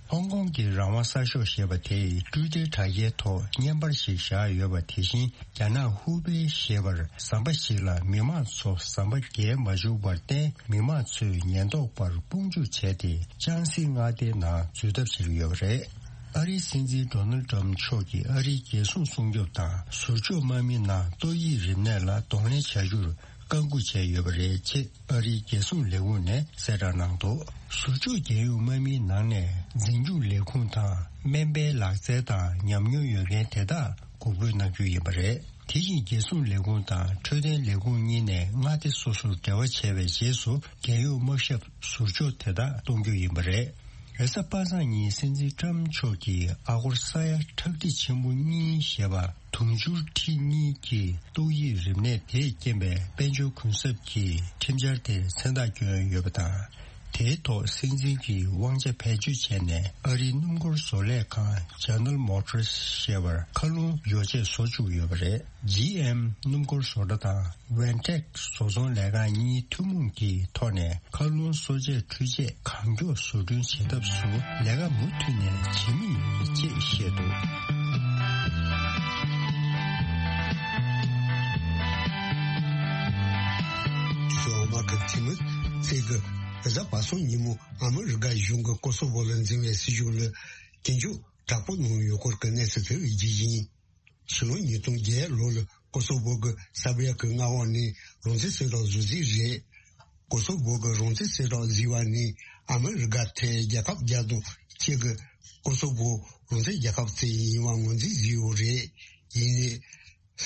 ཧོང་ཀོང་གི་རང་དབང་གསར་ཤོག་ཞེས་པ་དེས་ཊུའི་ཊར་དྲ་རྒྱའི་ཐོག་བརྙན་པར་ཞིག་བཞག་ཡོད་པ། དེ་བཞིན་རྒྱ་ནག་ཧུའུ་པེ་ཞེས་པར་ཟམ་པ་ཞིག་ལ་མི་མང་ཚོ་ཟམ་པ་བརྒལ་མ་བཅུག་པར་བརྟེན། མི་མང་ཚོས་ཉེན་རྟོག་པར་དཔུང་འཇུག་བྱས་ཏེ། ལྕང་སྲིད་མངའ་སྡེའི་ནང་འཛུལ་ཐབས་བྱེད་ཀྱི་ཡོད་པ་རེད། ཨ་རིའི་སྲིད་འཛིན་ཌོ་ནལ་ཌི་ཊརམ་མཆོག་གིས་ཨ་རིའི་རྒྱལ་སྲུང་སྲུང་སྐྱོབ་དང་ཟུར་འཇོག་དམག་མི་ནང་ཏོག་དབྱིབས་རིམས་ནད་ལ་གདོང་ལེན་བྱ་རྒྱུར་བཀའ་འགུག་བྱས་ཡོད་པ་རེད་ཅེས་ཨ་རིའི་རྒྱལ་སྲུང་ལས་ཁུངས་ནས་གསལ་བསྒྲགས་གནང་འདུག་ཟུར་འཇོག་རྒྱལ་ཡོངས་དམག་མིའི་ནང་ནས་འཛིན་སྐྱོང་ལས་ཁུངས་དང་སྨན་པའི་ལག་རྩལ་དང་ཉམས་མྱོང་ཡོད་མཁན་དེ་དག་འགོག་རྒོལ་གནང་རྒྱུ་ཡིན་པ་རེད། དེ་བཞིན་རྒྱལ་སྲུང་ལས་ཁུངས་དང་འཕྲོད་བསྟེན་ལས་ཁུངས་གཉིས་ནས་མངའ་སྡེ་སོ་སོར་འབྲེལ་བ་བྱས་པའི་རྗེས་སུ་རྒྱལ་ཡོངས་དམག་ཞབས་ཟུར་འཇོག་དེ་དག་གཏོང་རྒྱུ་ཡིན་པ་རེད། རེས་གཟའ་པ་སངས་ཉིན་སྲིད་འཛིན་ཊརམ་མཆོག་གིས་ཨ་སྒོར་ས་ཡ་ཁྲག་ཁྲིག་ཆེན་པོ་གཉིས་ཞེས་པ་དུང་ཕྱུར་ཁྲི་གཉིས་ཀྱི་ཏོག་དབྱིབས་རིམས་ནད་དེས་རྐྱེན་པས་དཔལ་འབྱོར་གུན་གསབ་ཀྱི་ཁྲིམས་འཆར་དེར་མཚན་རྟགས་བསྐྱོན་ཡོད་པ་དང་། དེའི་ཐོག་སྲིད་འཛིན་གྱིས་དབང་ཆ་བེད་སྤྱོད་བྱས་ནས་ཨ་རིའི་སྣུམ་འཁོར་བཟོ་ལས་ཁང་General Motors ཞེས་པར་མཁའ་རླུང་ཡོ་བྱད་བཟོ་བཅུག་ཡོད་པ་རེད། ཇི་ཨེམ་སྣུམ་འཁོར་བཟོ་གྲྭ་དང་Ventec བཟོ་ཚོང་ལས་ཁང་གཉིས་ཐུན་མོང་གི་ཐོག་ནས་མཁའ་རླུང་གསོ་དཔྱད་འཕྲུལ་ཆས་གང་མགྱོགས་བཟོ་སྐྲུན་བྱེད་ཐབས་སུ་ལས་ཀ་མུ་མཐུད་ནས་བྱེད་མུས་ཡིན་ཅེས་བཤད་འདུག་ཞོགས་མ་གི་ཐིམ་ཚེ་གི་རེས་གཟའ་པ་སངས་ཉིན་མོ་ཨ་མི་རི་ཀ་གཞུང་གི་ཀོ་སོ་བོ་ལ་འཛིན་པའི་སྲིད་ཇུས་ལ་སྐྱོན་བརྗོད་དྲག་པོ་གནང་ཡོད་སྐོར་གྱི་གནས་ཚུལ་དེ་རྒྱུ་ཡིན། ཕྱི་ལོ་ཉིས་སྟོང་བརྒྱད་ལོ་ལ་ཀོ་སོ་བོ་གི་སར་བྷི་ཡ་གི་མངའ་འོག་ནས་རང་བཙན་གསལ་བསྒྲགས་བཟོ་རྩིས་རེད། ཀོ་སོ་བོ་གི་རང་བཙན་གསལ་བསྒྲགས་བཟོས་པ་ནས་ཨ་མི་རི་ཀ་དེ་རྒྱལ་ཁབ་བརྒྱ་དང་གཅིག་གི་ཀོ་སོ་བོ་རང་བཙན་རྒྱལ་ཁབ་ཅིག་ཡིན་པ་ངོས་འཛིན་བཟོས་ཡོད་རེད། ཡིན་ནའི།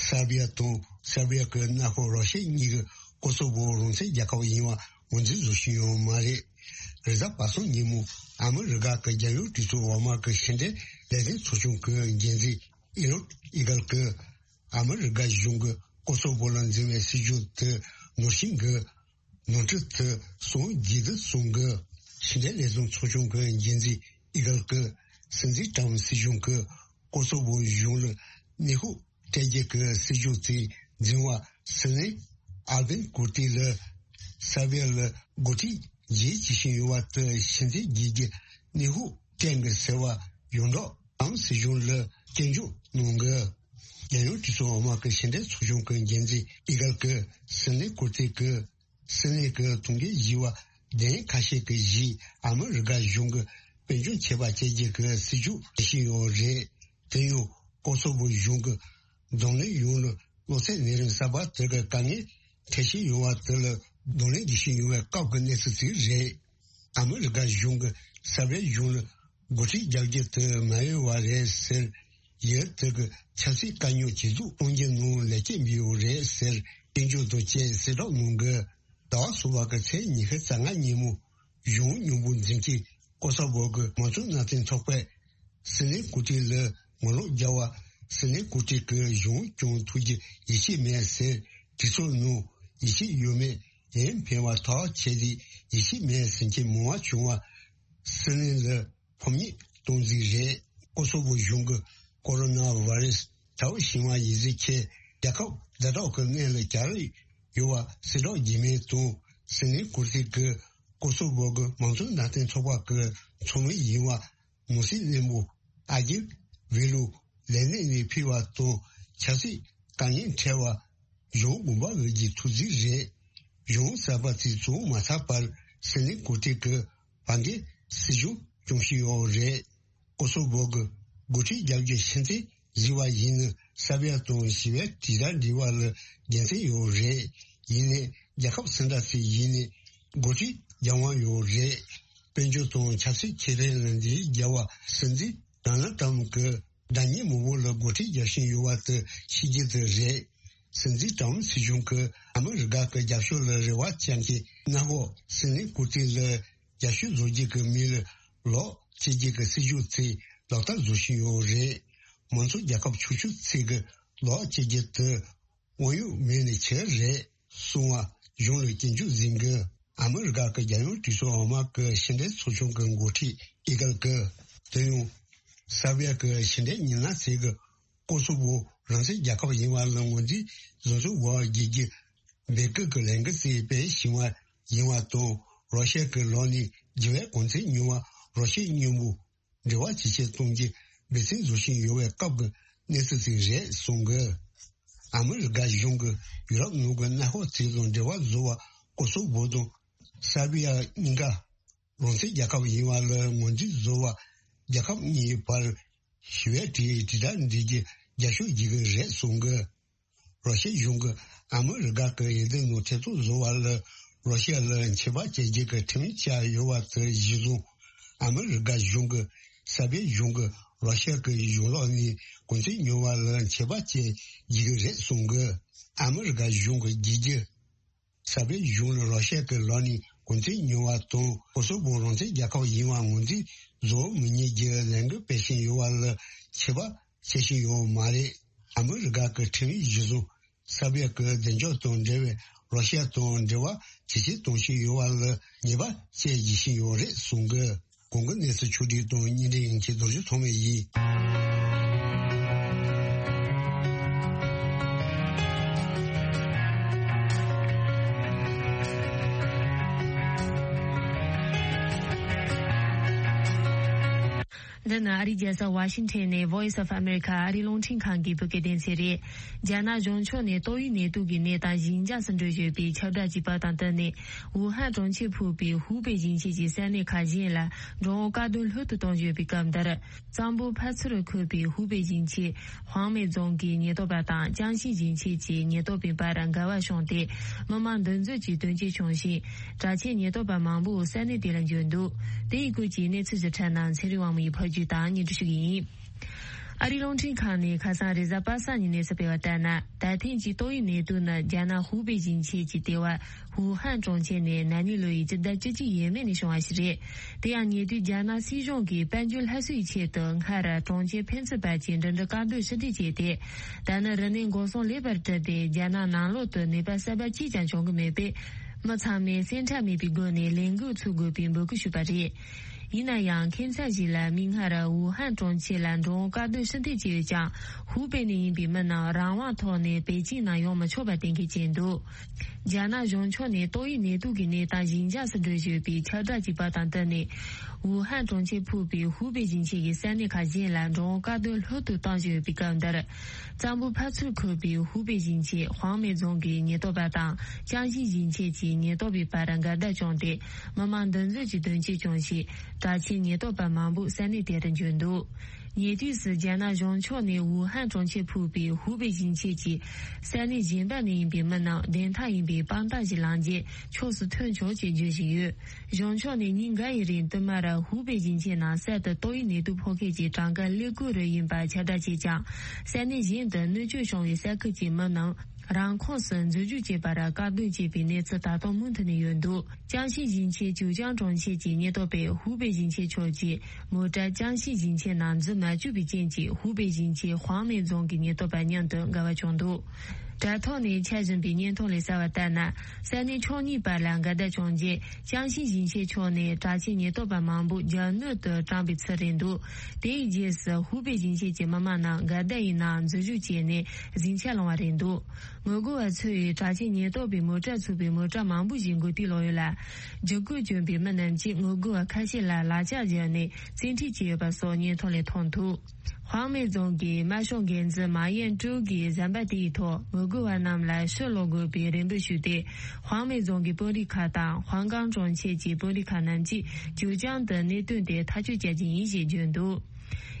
སར་བྷི་ཡ་དང་སར་བྷི་ཡ་གི་མངའ་ཁོངས་རོ་ཤི་ཡ་གཉིས་ཀྱི་ཀོ་སོ་བོ་རང་བཙན་རྒྱལ་ཁབ་ཡིན་པ་ངོས་འཛིན་བཟོ་བཞིན་ཡོད་མ་རེད། རེས་གཟའ་པ་སངས་ཉིན་མོ་ཨ་མི་རི་ཀ་གི་རྒྱལ་ཡོངས་གྲོས་ཚོགས་འོག་མ་གི་ཕྱི་འབྲེལ་ལས་དོན་ཚོགས་ཆུང་གི་འགན་འཛིན་ཨི་རོད་ཨི་གལ་གྱིས་ཨ་མི་རི་ཀ་གཞུང་གི་ཀོ་སོ་བོ་ལ་འཛིན་པའི་སྲིད་ཇུས་དེ་ནོར་ཤིང་གི་ནོར་འཁྲུལ་དེ་སོང་རྒྱུ་དེ་གསུང་གི། ཕྱི་འབྲེལ་ལས་དོན་ཚོགས་ཆུང་གི་འགན་འཛིན་ཨི་གལ་གྱིས་སྲིད་འཛིན་ཀྲམ་སྲིད་གཞུང་གིས་ཀོ་སོ་བོ་གཞུང་ལ་གནོན་ཤུགས་སྤྲད་རྒྱུ་གི་སྲིད་ཇུས་དེ་འཛིན་པ་སྲིད་བློན་ཨལ་བིན་ཀུར་ཏི་ལ་སར་བྷི་ཡ་ལ་འགོ་ཁྲིད་བྱེད་བྱེད་བཞིན་ཡོད་པ་དེ་ཕྱིར་འཐེན་བྱེད་རྒྱུ་གནོན་ཤུགས་སྤྲད་གི་ཟེར་བ་ཡོངས་གྲགས་ཀྲམ་སྲིད་གཞུང་ལ་སྐྱོན་བརྗོད་གནང་གི། རྒྱལ་ཡོངས་གྲོས་ཚོགས་འོག་མ་གི་ཕྱི་འབྲེལ་ཚོགས་ཆུང་གི་འགན་འཛིན་ཨི་གལ་གྱིས་སྲིད་བློན་ཀུར་ཏི་གིས་སྲིད་བློན་གྱི་ཐུགས་འགན་བཞེས་པ་གདན་ཁ་ཤས་ཀྱི་གཞིས་ཨ་མི་རི་ཀ་གཞུང་གིས་དཔལ་འབྱོར་ཆད་པ་བཅད་རྒྱུ་གི་སྲིད་ཇུས་བྱེད་བཞིན་ཡོད་རེད། དེ་ཡང་ཀོ་སོ་བོ་གཞུང་གི་གདོང་ལེན་ཡོང་ལ་གློ་ཚད་ནད་རིམས་གསར་པ་དེ་གི་དཀའ་ངལ་འཕྲད་བཞིན་ཡོད་པ་དེ་ལ་གདོང་ལེན་བྱེད་བཞིན་ཡོད་པའི་སྐབས་ཀྱི་གནས་ཚུལ་ཞིག་རེད། ཨ་མི་རི་ཀ་གཞུང་གིས་སར་བྷི་ཡ་གཞུང་ལ་འགོ་ཁྲིད་རྒྱག་རྒྱུ་དེ་མ་ཡོང་བ་རེད་ཟེར། ཡུལ་དེ་གི་ཆབ་སྲིད་དཀའ་རྙོག་ཇེ་སྡུག་གཏོང་རྒྱུ་ནང་ལེགས་སྐྱེས་འབུལ་ཡོད་རེད་ཟེར་སྐྱོན་བརྗོད་དང་བཅས་གསལ་བསྒྲགས་གནང་གི། ཟླ་བ་གསུམ་པ་གི་ཚེས་ཉི་ཤུ་རྩ་ལྔ་ཉིན་མོ་གཞུང་མཉམ་པོ་འཛིན་གྱི་ཀོ་སོ་བོ་གི་མང་གཙོ་མནའ་མཐུན་ཚོགས་པས་སྲིད་བློན་ཀུར་ཏི་ལ་ངོ་ལོག་རྒྱག་པ། སྲིད་བློན་ཀུར་ཏི་གིས་གཞུང་སྐྱོང་ཐུབ་རྒྱུ་ཡིད་ཆེས་མེད་ཟེར་གྲོས་ཚོགས་ནང་ཡིད་ཆེས་ཡོད་མེད་ཡན་ཕན་པ་ཐག་ཆད་དེ་ཡིད་ཆེས་མེད་ཟེར་མཁན་མང་བ་བྱུང་བ། སྲིད་བློན་ལ་ཕམ་ཉེས་གཏོང་རྩིས་རེད། ཀོ་སོ་བོ་གཞུང་གི་ཀོ་རོ་ན་བྷ་རེ་སི་དྲག་པོ་ཕྱིན་པ་ཡིན་ཟེར་མཁན་རྒྱལ་ཁབ་ཛ་དྲག་གི་སྔོན་ལ་གྱར་ཡོད་པ་གསལ་བསྒྲགས་རྒྱུ་མེད་དང་སྲིད་བློན་ཀུར་ཏི་གིས་ཀོ་སོ་བོ་གི་མང་གཙོ་མནའ་མཐུན་ཚོགས་པ་གི་ཚོགས་མི་ཡིན་པ་ནོར་སྲིད་བློན་པོ་ཨ་ཇིབ་ཝི་ལུ་ལས་གནས་ནས་ཕུད་པ་དང་ཆབ་སྲིད་དཀའ་ངལ་འཕྲད་པ་གཞུང་དགོངས་པ་འོས་ཀྱི་ཐུགས་རྗེ་རེད། གཞུང་གསར་པ་དེ་བཙུགས་མ་ཚར་བར་སྲིད་བློན་ཀུར་ཏི་གིས་བར་འགན་སྲིད་གཞུང་སྐྱོང་བཞིན་ཡོད་རེད། ཀོ་སོ་བོ་གི་འགོ་ཁྲིད་རྒྱག་རྒྱུ་ཕྱིར་འཐེན་བཟོས་པ་ཡིན་ན་སར་བྷི་ཡ་དང་ཞི་བའི་དྲིལ་བསྒྲགས་འབྲེལ་བ་ལ་དགེ་མཚན་ཡོད་རེད། ཡིན་ནའི་རྒྱལ་ཁབ་སུ་འདྲ་ཞིག་ཡིན་ནའི་འགོ་ཁྲིད་རྒྱག་དབང་ཡོད་རེད། དཔལ་འབྱོར་དང་ཆབ་སྲིད་ཁེ་ཕན་ལ་འདི་རྒྱལ་བ་སྲིད་འཛིན་ཌོ་ནལ་ཏྲམ་གྱི་དགྲ་གཉེན་མང་པོ་ལ་འགོ་ཁྲིད་རྒྱག་བཞིན་ཡོད་པ་དེ་ཤེས་རྒྱུ་དེ་རེད། སྲིད་འཛིན་ཏྲམ་སྲིད་གཞུང་གིས་ཨ་མི་རི་ཀ་གི་རྒྱབ་ཕྱོགས་ལ་རེ་བ་བཅངས་ཀྱི་མངའ་འོག་སྲིད་བློན་ཀུར་ཏི་ལ་རྒྱབ་སྐྱོར་བཟོ་རྒྱུ་གི་མི་ལ་ལོག་བྱེད་རྒྱུ་གི་སྲིད་ཇུས་དེ་ལག་བསྟར་བཟོ་བཞིན་ཡོད་རེད། མང་གཙོ་རྒྱལ་ཁབ་ཆུང་ཆུང་ཚོས་གི་ལོག་བྱེད་རྒྱུ་དེ་དབང་ཡོད་མེད་ནས་ཆེ་རེད་གསུང་བ་གཞུང་ལ་སྐྱོན་བརྗོད་འཛིན་གི། ཨ་མི་རི་ཀ་གི་རྒྱལ་ཡོངས་གྲོས་ཚོགས་འོག་མ་གི་ཕྱི་འབྲེལ་ཚོགས་ཆུང་གི་འགོ་ཁྲིད་ཨི་གལ་གི་དོན་ཡོད་སར་བྷི་ཡ་གི་ཕྱི་འབྲེལ་མི་སྣ་ཚོས་གི་ཀོ་སོ་བོ་རང་བཙན་རྒྱལ་ཁབ་ཡིན་པ་ལ་ངོས་འཛིན་བཟོ་ཚུལ་འོག་རྒྱལ་རྒྱུ་སྦེལ་ཀོབ་ཀྱི་ལས་འགུལ་བཙུགས་པའི་ཞི་བ་ཡིན་བ་དང་། རོ་ཤི་ཡ་གི་ལག་ནས་རྒྱལ་བའི་གོ་མཚོན་ཉོ་བ་རོ་ཤི་ཡ་མཉམ་པོ་འབྲེལ་བ་ཇེ་ཆེར་གཏོང་རྒྱུ་འབད་བརྩོན་བཟོ་བཞིན་ཡོད་པའི་སྐབས་ཀྱི་གནས་ཚུལ་ཞིག་རེད་གསུངས་གི། ཨ་མི་རི་ཀ་གཞུང་གིས་ཡུ་རོབ་ནང་གི་མནའ་འབྲེལ་ཚོགས་དང་འབྲེལ་བ་བཟོ་བར་ཀོ་སོ་བོ་དང་སར་བྷི་ཡ་གཉིས་ཀ་རང་བཙན་རྒྱལ་ཁབ་ཡིན་པ་ལ་ངོས་འཛིན་བཟོ་བར་རྒྱལ་ཁབ་གཉིས་བར་ཞི་བའི་དྲིལ་དྲིལ་བསྒྲགས་འབྲི་རྒྱུ་རྒྱབ་སྐྱོར་བྱེད་ཀྱི་རེད་གསུངས་གི། རོ་ཤི་ཡ་གཞུང་གིས་ཨ་མི་རི་ཀ་གི་འོས་བསྡུ་ནང་ཐེ་གཏོགས་བཟོ་བ་ལ་རོ་ཤི་ཡ་ལ་ཆད་པ་གཅོད་རྒྱུ་གི་ཁྲིམས་ཡིག་བཅས་ཡོད་པ་དེ་གཞིར་བཟུང་། ཨ་མི་རི་ཀ་གཞུང་གིས་སར་བྷི་ཡ་གཞུང་གིས་རོ་ཤི་ཡ་གི་གཞུང་ལག་ནས་གོ་མཚོན་ཉོ་བ་ལ་ཆད་པ་གཅོད་རྒྱུ་རེད་གསུངས་གི། ཨ་མི་རི་ཀ་གཞུང་གི་རྒྱལ་རྒྱུ་སར་བྷི་ཡ་གཞུང་ལ་རོ་ཤི་ཡ་གི་ལག་ནས་གོ་མཚོན་ཉོ་བ་དང་ཀོ་སོ་བོ་རང་བཙན་རྒྱལ་ཁབ་ཡིན་པ་ངོས་འཛིན་བཟོ་མི་ཉན་རྒྱུ་ལས་འགུལ་སྤེལ་བཞིན་ཡོད་པ་ལ་ཆད་པ་བཅད་བཞིན་ཡོད་མ་རེད། ཨ་མི་རི་ཀ་གི་ཁྲིམས་ཡིག་གཞིར་བཟུང་སར་བྷི་ཡ་གི་བདེ་འཇགས་དང་འབྲེལ་བའི་རོ་ཤི་ཡ་དང་འབྲེལ་བ་ཇེ་ཆེར་གཏོང་བཞིན་ཡོད་པ་ལ་ཉེས་པ་བཅད་བཞིན་ཡོད་རེད་གསུངས་གི། གོང་གི་གནས་ཚུལ་ཕྱོགས་བསྒྲིགས་དང་སྙན་སྒྲོན་ཡན་ཆད་རྡོ་རྗེ་ཐོགས་མེད་ཡིན། འདི་ནི་ཨ་རིའི་རྒྱལ་ས་ཝ་ཤིང་ཊོན་ནས་Voice of America ཨ་རིའི་རླུང་འཕྲིན་ཁང་གི་བོད་སྐད་སྡེ་ཚན་རེད། རྒྱ་ནག་གཞུང་ཕྱོགས་ནས་ཏོག་དབྱིབས་ནད་དུག་གི་ནད་དང་ཞི་འཇགས་སུ་འགྲོ་བཞིན་པའི་ཁྱབ་བསྒྲགས་ཀྱི་བར་དང་བསྟུན་ནས། ཝུ་ཧན་གྲོང་ཁྱེར་ཕུད་པའི་ཧུའུ་པེ་ཞིང་ཆེན་གྱི་ས་གནས་ཁག་གཞན་ལ་འགྲོ་འོང་བཀག་སྡོམ་ལྷོད་དུ་གཏོང་བཞིན་པའི་སྐབས་འདིར། གཙང་པོ་ཕར་ཚུར་འཁོད་པའི་ཧུའུ་པེ་ཞིང་ཆེན་ཧུའང་མེ་རྫོང་གི་ཉེན་རྟོག་པ་དང་ཅང་ཤིང་ཞིང་ཆེན་གྱི་ཉེན་རྟོག་པའི་བར་འགལ་བ་བྱུང་སྟེ། མི་མང་འདུ་འཛོམས་ཀྱི་དོན་རྐྱེན་བྱུང་ཞིང་། དྲག་ཆས་ཉེན་རྟོག་པ་མང་པོ་ས་གནས་དེ་ལ་འབྱོར་འདུག་དེ་ཡི་སྐོར་གྱི་གནས་ཚུལ་ཞིབ་ཕྲ་རྣམས་ཚེ་རིང་དབང་མོ་ཡིས་ཕབ་སྒྱུར་དང་སྙན་སྒྲོན་ཞུ་གི་ཡིན། ཨ་རིའི་རླུང་འཕྲིན་ཁང་ནས་ཁ་སང་རེས་གཟའ་པ་སངས་ཉིན་གནས་ཚུལ་སྤེལ་བ་ལྟར་ན། ད་ཐེངས་ཀྱི་ཏོག་དབྱིབས་ནད་དུག་ནི་རྒྱ་ནག་ཧུའུ་པེ་ཞིང་ཆེན་གྱི་ལྟེ་བ་ཝུ་ཧན་གྲོང་ཁྱེར་ནས་ན་ནིང་ལོ་ཡི་སྤྱི་ཟླ་བཅུ་གཅིག་ཡས་མས་ནས་བྱུང་བ་ཞིག་རེད། དེ་ཡང་ཉེ་དུས་རྒྱ་ནག་སྲིད་གཞུང་གིས་དཔལ་འབྱོར་སླར་གསོའི་ཆེད་དུ་སྔར་གྲོང་ཁྱེར་ཕན་ཚུན་བར་གྱི་འགྲིམ་འགྲུལ་བཀག་སྡོམ་ཕྱིར་འཐེན་བྱས་ཏེ། ད་ནི་རིམས་ནད་འགོག་སྲུང་ལེགས་པར་གྲུབ་སྟེ་རྒྱ་ནག་ནང་ལོགས་སུ་ནད་པ་གསར་པ་གཅིག་ཀྱང་བྱུང་གི་མེད་པས། མི་ཚང་མས་སེམས་ཁྲལ་མེད་པའི་སྒོ་ནས་ལས་འགུལ་འཚོགས་དགོས་པའི་འབོད་སྐུལ་ཞུས་པ་རེད། ཡིན་ན་ཡང་ཁྱིམ་ཚང་ཞིག་ལ་མིག་སྔར་ཝུ་ཧན་གྲོང་ཁྱེར་ལ་འགྲོ་འོང་བཀག་སྡོམ་ཕྱིར་འཐེན་བྱས་ཡོད་ཀྱང་། ཧུའུ་པེ་ནས་ཡིན་པའི་མི་རྣམས་རང་དབང་ཐོག་ནས་པེ་ཅིང་ནང་ཡོང་མི་ཆོག་པ་གཏན་འཁེལ་བྱས་འདུག་རྒྱ་ནག་གཞུང་ཕྱོགས་ནས་ཏོག་དབྱིབས་ནད་དུག་གི་ནད་དང་ཞི་འཇགས་སུ་འགྲོ་བཞིན་པའི་ཁྱབ་བསྒྲགས་ཀྱི་བར་དང་བསྟུན་ནས། ཝུ་ཧན་གྲོང་ཁྱེར་ཕུད་པའི་ཧུའུ་པེ་ཞིང་ཆེན་གྱི་ས་གནས་ཁག་གཞན་ལ་འགྲོ་འོང་བཀག་སྡོམ་ལྷོད་དུ་གཏོང་བཞིན་ཡོད་པའི་སྐབས་འདིར། གཙང་པོ་ཕར་ཚུར་འཁོད་པའི་ཧུའུ་པེ་ཞིང་ཆེན་ཧུའང་མེ་རྫོང་གི་ཉེན་རྟོག་པ་དང་ཅང་ཞིང་ཞིང་ཆེན་གྱི་ཉེན་རྟོག་པའི་བར་འགལ་ཟླ་བྱུང་སྟེ། མི་མང་འདུ་འཛོམས་ཀྱི་དོན་རྐྱེན་བྱུང་ཞིང་། དྲག་ཆས་ཉེན་རྟོག་པ་མང་པོ་ས་གནས་དེར་འབྱོར་འདུག་ཉེ་དུས་སུ་རྒྱ་ནག་གཞུང་ཕྱོགས་ནས་ཝུ་ཧན་གྲོང་ཁྱེར་ཕུད་པའི་ཧུའུ་པེ་ཞིང་ཆེན་གྱི་ས་གནས་གཞན་པ་ནས་ཡིན་པའི་མི་རྣམས་བདེན་མཐའ་ཡིན་པའི་དཔང་རྟགས་ཤིག་བླངས་རྗེས་ཕྱོགས་སུ་ཐོན་ཆོག་ཅེས་བརྗོད་བཞིན་ཡོད། གཞུང་ཕྱོགས་ནས་ཉིན་འགའ་ཡི་རིང་བསྟུད་མར་ཧུའུ་པེ་ཞིང་ཆེན་ནང་གསར་དུ་ཏོག་དབྱིབས་ནད་དུག་ཕོག་མཁན་གྱི་གྲངས་ཀ་ཀླད་ཀོར་རུ་ཡིན་པ་ཁྱབ་བསྒྲགས་བྱས་ཀྱང་། ས་གནས་གཞན་དུ་གནོད་སྐྱོན་བྱུང་བའི་ས་ཁུལ་གྱི་མི་རྣམས་རང་ཁོངས་སུ་འཛུལ་ཞུགས་བྱེད་པར་བཀག་སྡོམ་བྱས་པའི་གནས་ཚུལ་ད་དུང་མུ་མཐུད་ནས་ཡོད་འདུག་ཅང་ཤིང་ཞིང་ཆེན་ཅིའུ་ཅང་གྲོང་ཁྱེར་གྱི་ཉེན་རྟོག་པས་ཧུའུ་པེ་ཞིང་ཆེན་ཕྱོགས་ཀྱི་མོ་ཊ་ཅང་ཤིང་ཞིང་ཆེན་ནང་འཛུལ་མ་བཅུག་པའི་རྐྱེན་གྱིས་ཧུའུ་པེ་ཞིང་ཆེན་ཧུའང་མེ་རྫོང་གི་ཉེན་རྟོག་པ་མཉམ་དུ་འགལ་བ་བྱུང་འདུག་དྲ་ཐོག་ནས་འཆར་བཞིན་པའི་བརྙན་ཐུང་ལ་གསལ་བ་ལྟར་ན། ས་གནས་ཕྱོགས་གཉིས་བར་ལ་འགལ་ཟླ་བྱུང་རྗེས། ཅང་ཤིང་ཞིང་ཆེན་ཕྱོགས་ནས་དྲག་ཆས་ཉེན་རྟོག་པ་མང་པོ་རྒྱ་སྣོད་དུ་དྲངས་པའི་ཚུལ་རེད་འདུག་དེའི་རྗེས་སུ་ཧུའུ་པེ་ཞིང་ཆེན་གྱི་མི་མང་རྣམས་འགལ་ཟླ་ཡི་ནང་འཛུལ་ཞུགས་བྱས་ནས་ཟིང་ཆ་སློང་བ་རེད་འདུག་ངོ་རྒོལ་བ་ཚོས་དྲག་ཆས་ཉེན་རྟོག་པའི་མོ་ཊ་ཚུད་པའི་མོ་ཊ་མང་པོ་ཞིག་འགོ་ཐད་ལོག་ཡོད་ལ། འཇིགས་སྐུལ་བསྐྱོན་པའི་མི་རྣམས་ཀྱིས་ངོ་རྒོལ་བ་ཁ་ཤས་ལ་ལག་ཆ་སྦྱར་ནས་བཙན་ཁྲིད་བྱས་ཡོད་པ་སོགས་བརྙན་ཐུང་ལས་མཐོང་ཐུབ། ཧུའང་མེ་རྫོང་གི་དམར་ཤོག་འགན་འཛིན་མཱ་ཡན་ཀྲུའུ་གིས་གཟའ་པ་དེའི་ཐོག་ངོ་རྒོལ་བ་རྣམས་ལ་ཕྱིར་ལོག་དགོས་པའི་རེ་འབོད་ཞུས་ཏེ། ཧུའང་མེ་རྫོང་གི་དཔོན་རིགས་ཁག་དང་ཧུའང་ཀང་གྲོང་ཁྱེར་གྱི་དཔོན་རིགས་ཁག་རྣམས་ཀྱིས་ཅིའུ་ཅང་དུ་གནད་དོན་དེ་ཐག་གཅོད་བྱ་རྒྱུ་ཡིན་ཞེས་བརྗོད་འདུག་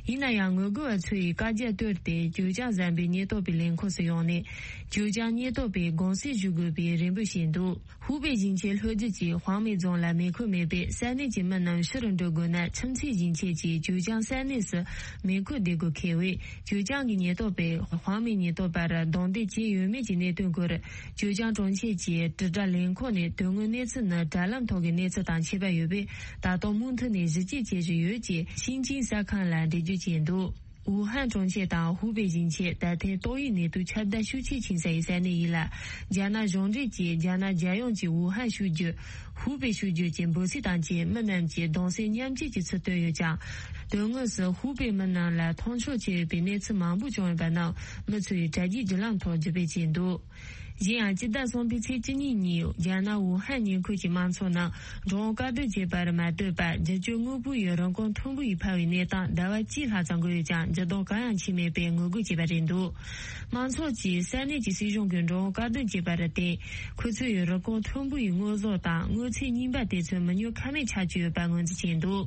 ཡིན་ན་ཡང་ངོ་རྒོལ་བ་ཚོས་བཀའ་རྒྱ་བཏོན་ཏེ་ཅིའུ་ཅང་ཟམ་པའི་ཉེན་རྟོག་པའི་ལས་ཁུངས་སུ་ཡོང་ནས་ཅིའུ་ཅང་ཉེན་རྟོག་པས་དགོངས་སེལ་ཞུ་དགོས་པའི་རེ་འབོད་བྱས་འདུག་ཧུའུ་པེ་ཞིང་ཆེན་ལྷོ་རྒྱུད་ཀྱི་ཧུའང་མེ་རྫོང་ལ་མེ་འཁོར་མེད་པས་ས་གནས་ཀྱི་མི་རྣམས་ཕྱིར་འགྲོ་དགོས་ན་ཁྱིམ་མཚེས་ཞིང་ཆེན་གྱི་ཅིའུ་ཅང་ས་གནས་སུ་མེ་འཁོར་བསྡད་དགོས་འཁེལ་བས། ཅིའུ་ཅང་གི་ཉེན་རྟོག་པས་ཧུའང་མེ་ཉེན་རྟོག་པར་རྡུང་རྡེག་བྱས་ཡོད་མེད་ཀྱི་གནད་དོན་སྐོར་ཅིའུ་ཅང་གྲོང་ཁྱེར་གྱི་དྲིལ་བསྒྲགས་ལས་ཁུངས་ནས་དོན་དངོས་གནས་ཚུལ་ནི་དྲ་ལམ་ཐོག་གི་གནས་ཚུལ་དང་ཁྱད་པར་ཡོད་པས། ད་དུང་མུ་མཐུད་ནས་ཞིབ་དཔྱད་བྱེད་བཞིན་ཡོད་ཅེས་ཤིན་ཅིང་གསར་ཁང་ལ་འགྲེལ་བརྗོད་བྱས་འདུག་ཝུ་ཧན་གྲོང་ཁྱེར་དང་ཧུའུ་པེ་ཞིང་ཆེན་ད་ཐེངས་ཏོག་དབྱིབས་ནད་དུག་ཁྱབ་གདལ་ཤུགས་ཆེས་ཆེ་ས་ཡི་ས་གནས་ཡིན་ལ། རྒྱ་ནག་གཞུང་འབྲེལ་གྱིས་རྒྱ་ནག་རྒྱལ་ཡོངས་ཀྱི་ཝུ་ཧན་ཤུགས་རྒྱུད། ཧུའུ་པེ་ཤུགས་རྒྱུད་ཀྱི་འབོད་ཚིག་དང་བཅས་མི་རྣམས་ཀྱིས་གདུང་སེམས་མཉམ་སྐྱེད་ཀྱི་ཚུལ་བཏོན་ཡོད་ཀྱང་། དོན་དངོས་སུ་ཧུའུ་པེ་མི་རྣམས་ལ་མཐོང་ཆོས་བྱས་ཡོད་པའི་གནས་ཚུལ་མང་པོ་བྱུང་ཡོད་པ་རྣམས་མི་ཚོས་དྲ་རྒྱའི་བརྒྱུད་ལམ་ཐོག་བརྒྱུད་སྤེལ་བྱས་འདུག་གཞན་ཡང་། སྤྱི་ཟླ་གསུམ་པའི་ཚེས་བཅུ་གཉིས་ཉིན་རྒྱ་ནག་ཝུ་ཧན་ཉེ་འཁོར་གྱི་དམངས་ཚོགས་རྣམས་འགྲོ་འོང་བཀག་སྡོམ་བྱས་པར་མ་ལྟོས་པར། རྒྱུ་སྤྱོད་དངོས་པོ་ཡི་རིན་གོང་མཐོན་པོ་ཡིས་འཕར་བའི་གནས་སྟངས་ཟླ་བ་གཅིག་ལྷག་ཙམ་འགོར་ཡོད་ཀྱང་། འགྱུར་ལྡོག་གང་ཡང་ཕྱིན་མེད་པའི་ངོ་རྒོལ་བྱས་པ་རེད་འདུག་དམངས་ཚོགས་ཀྱིས་ས་གནས་ཀྱི་སྲིད་གཞུང་གིས་འགྲོ་འོང་བཀག་སྡོམ་བྱས་པར་བརྟེན། ཁོ་ཚོས་ཡི་རིན་གོང་མཐོན་པོ་ཡི་དངོས་ཟོག་དང་དངོས་ཚན་རྙིང་པ་དེ་ཚོ་མི་ཉོ་ཁ་མེད་ཆགས་ཀྱི་ཡོད་པ་ངོས་འཛིན་བྱས་འདུག་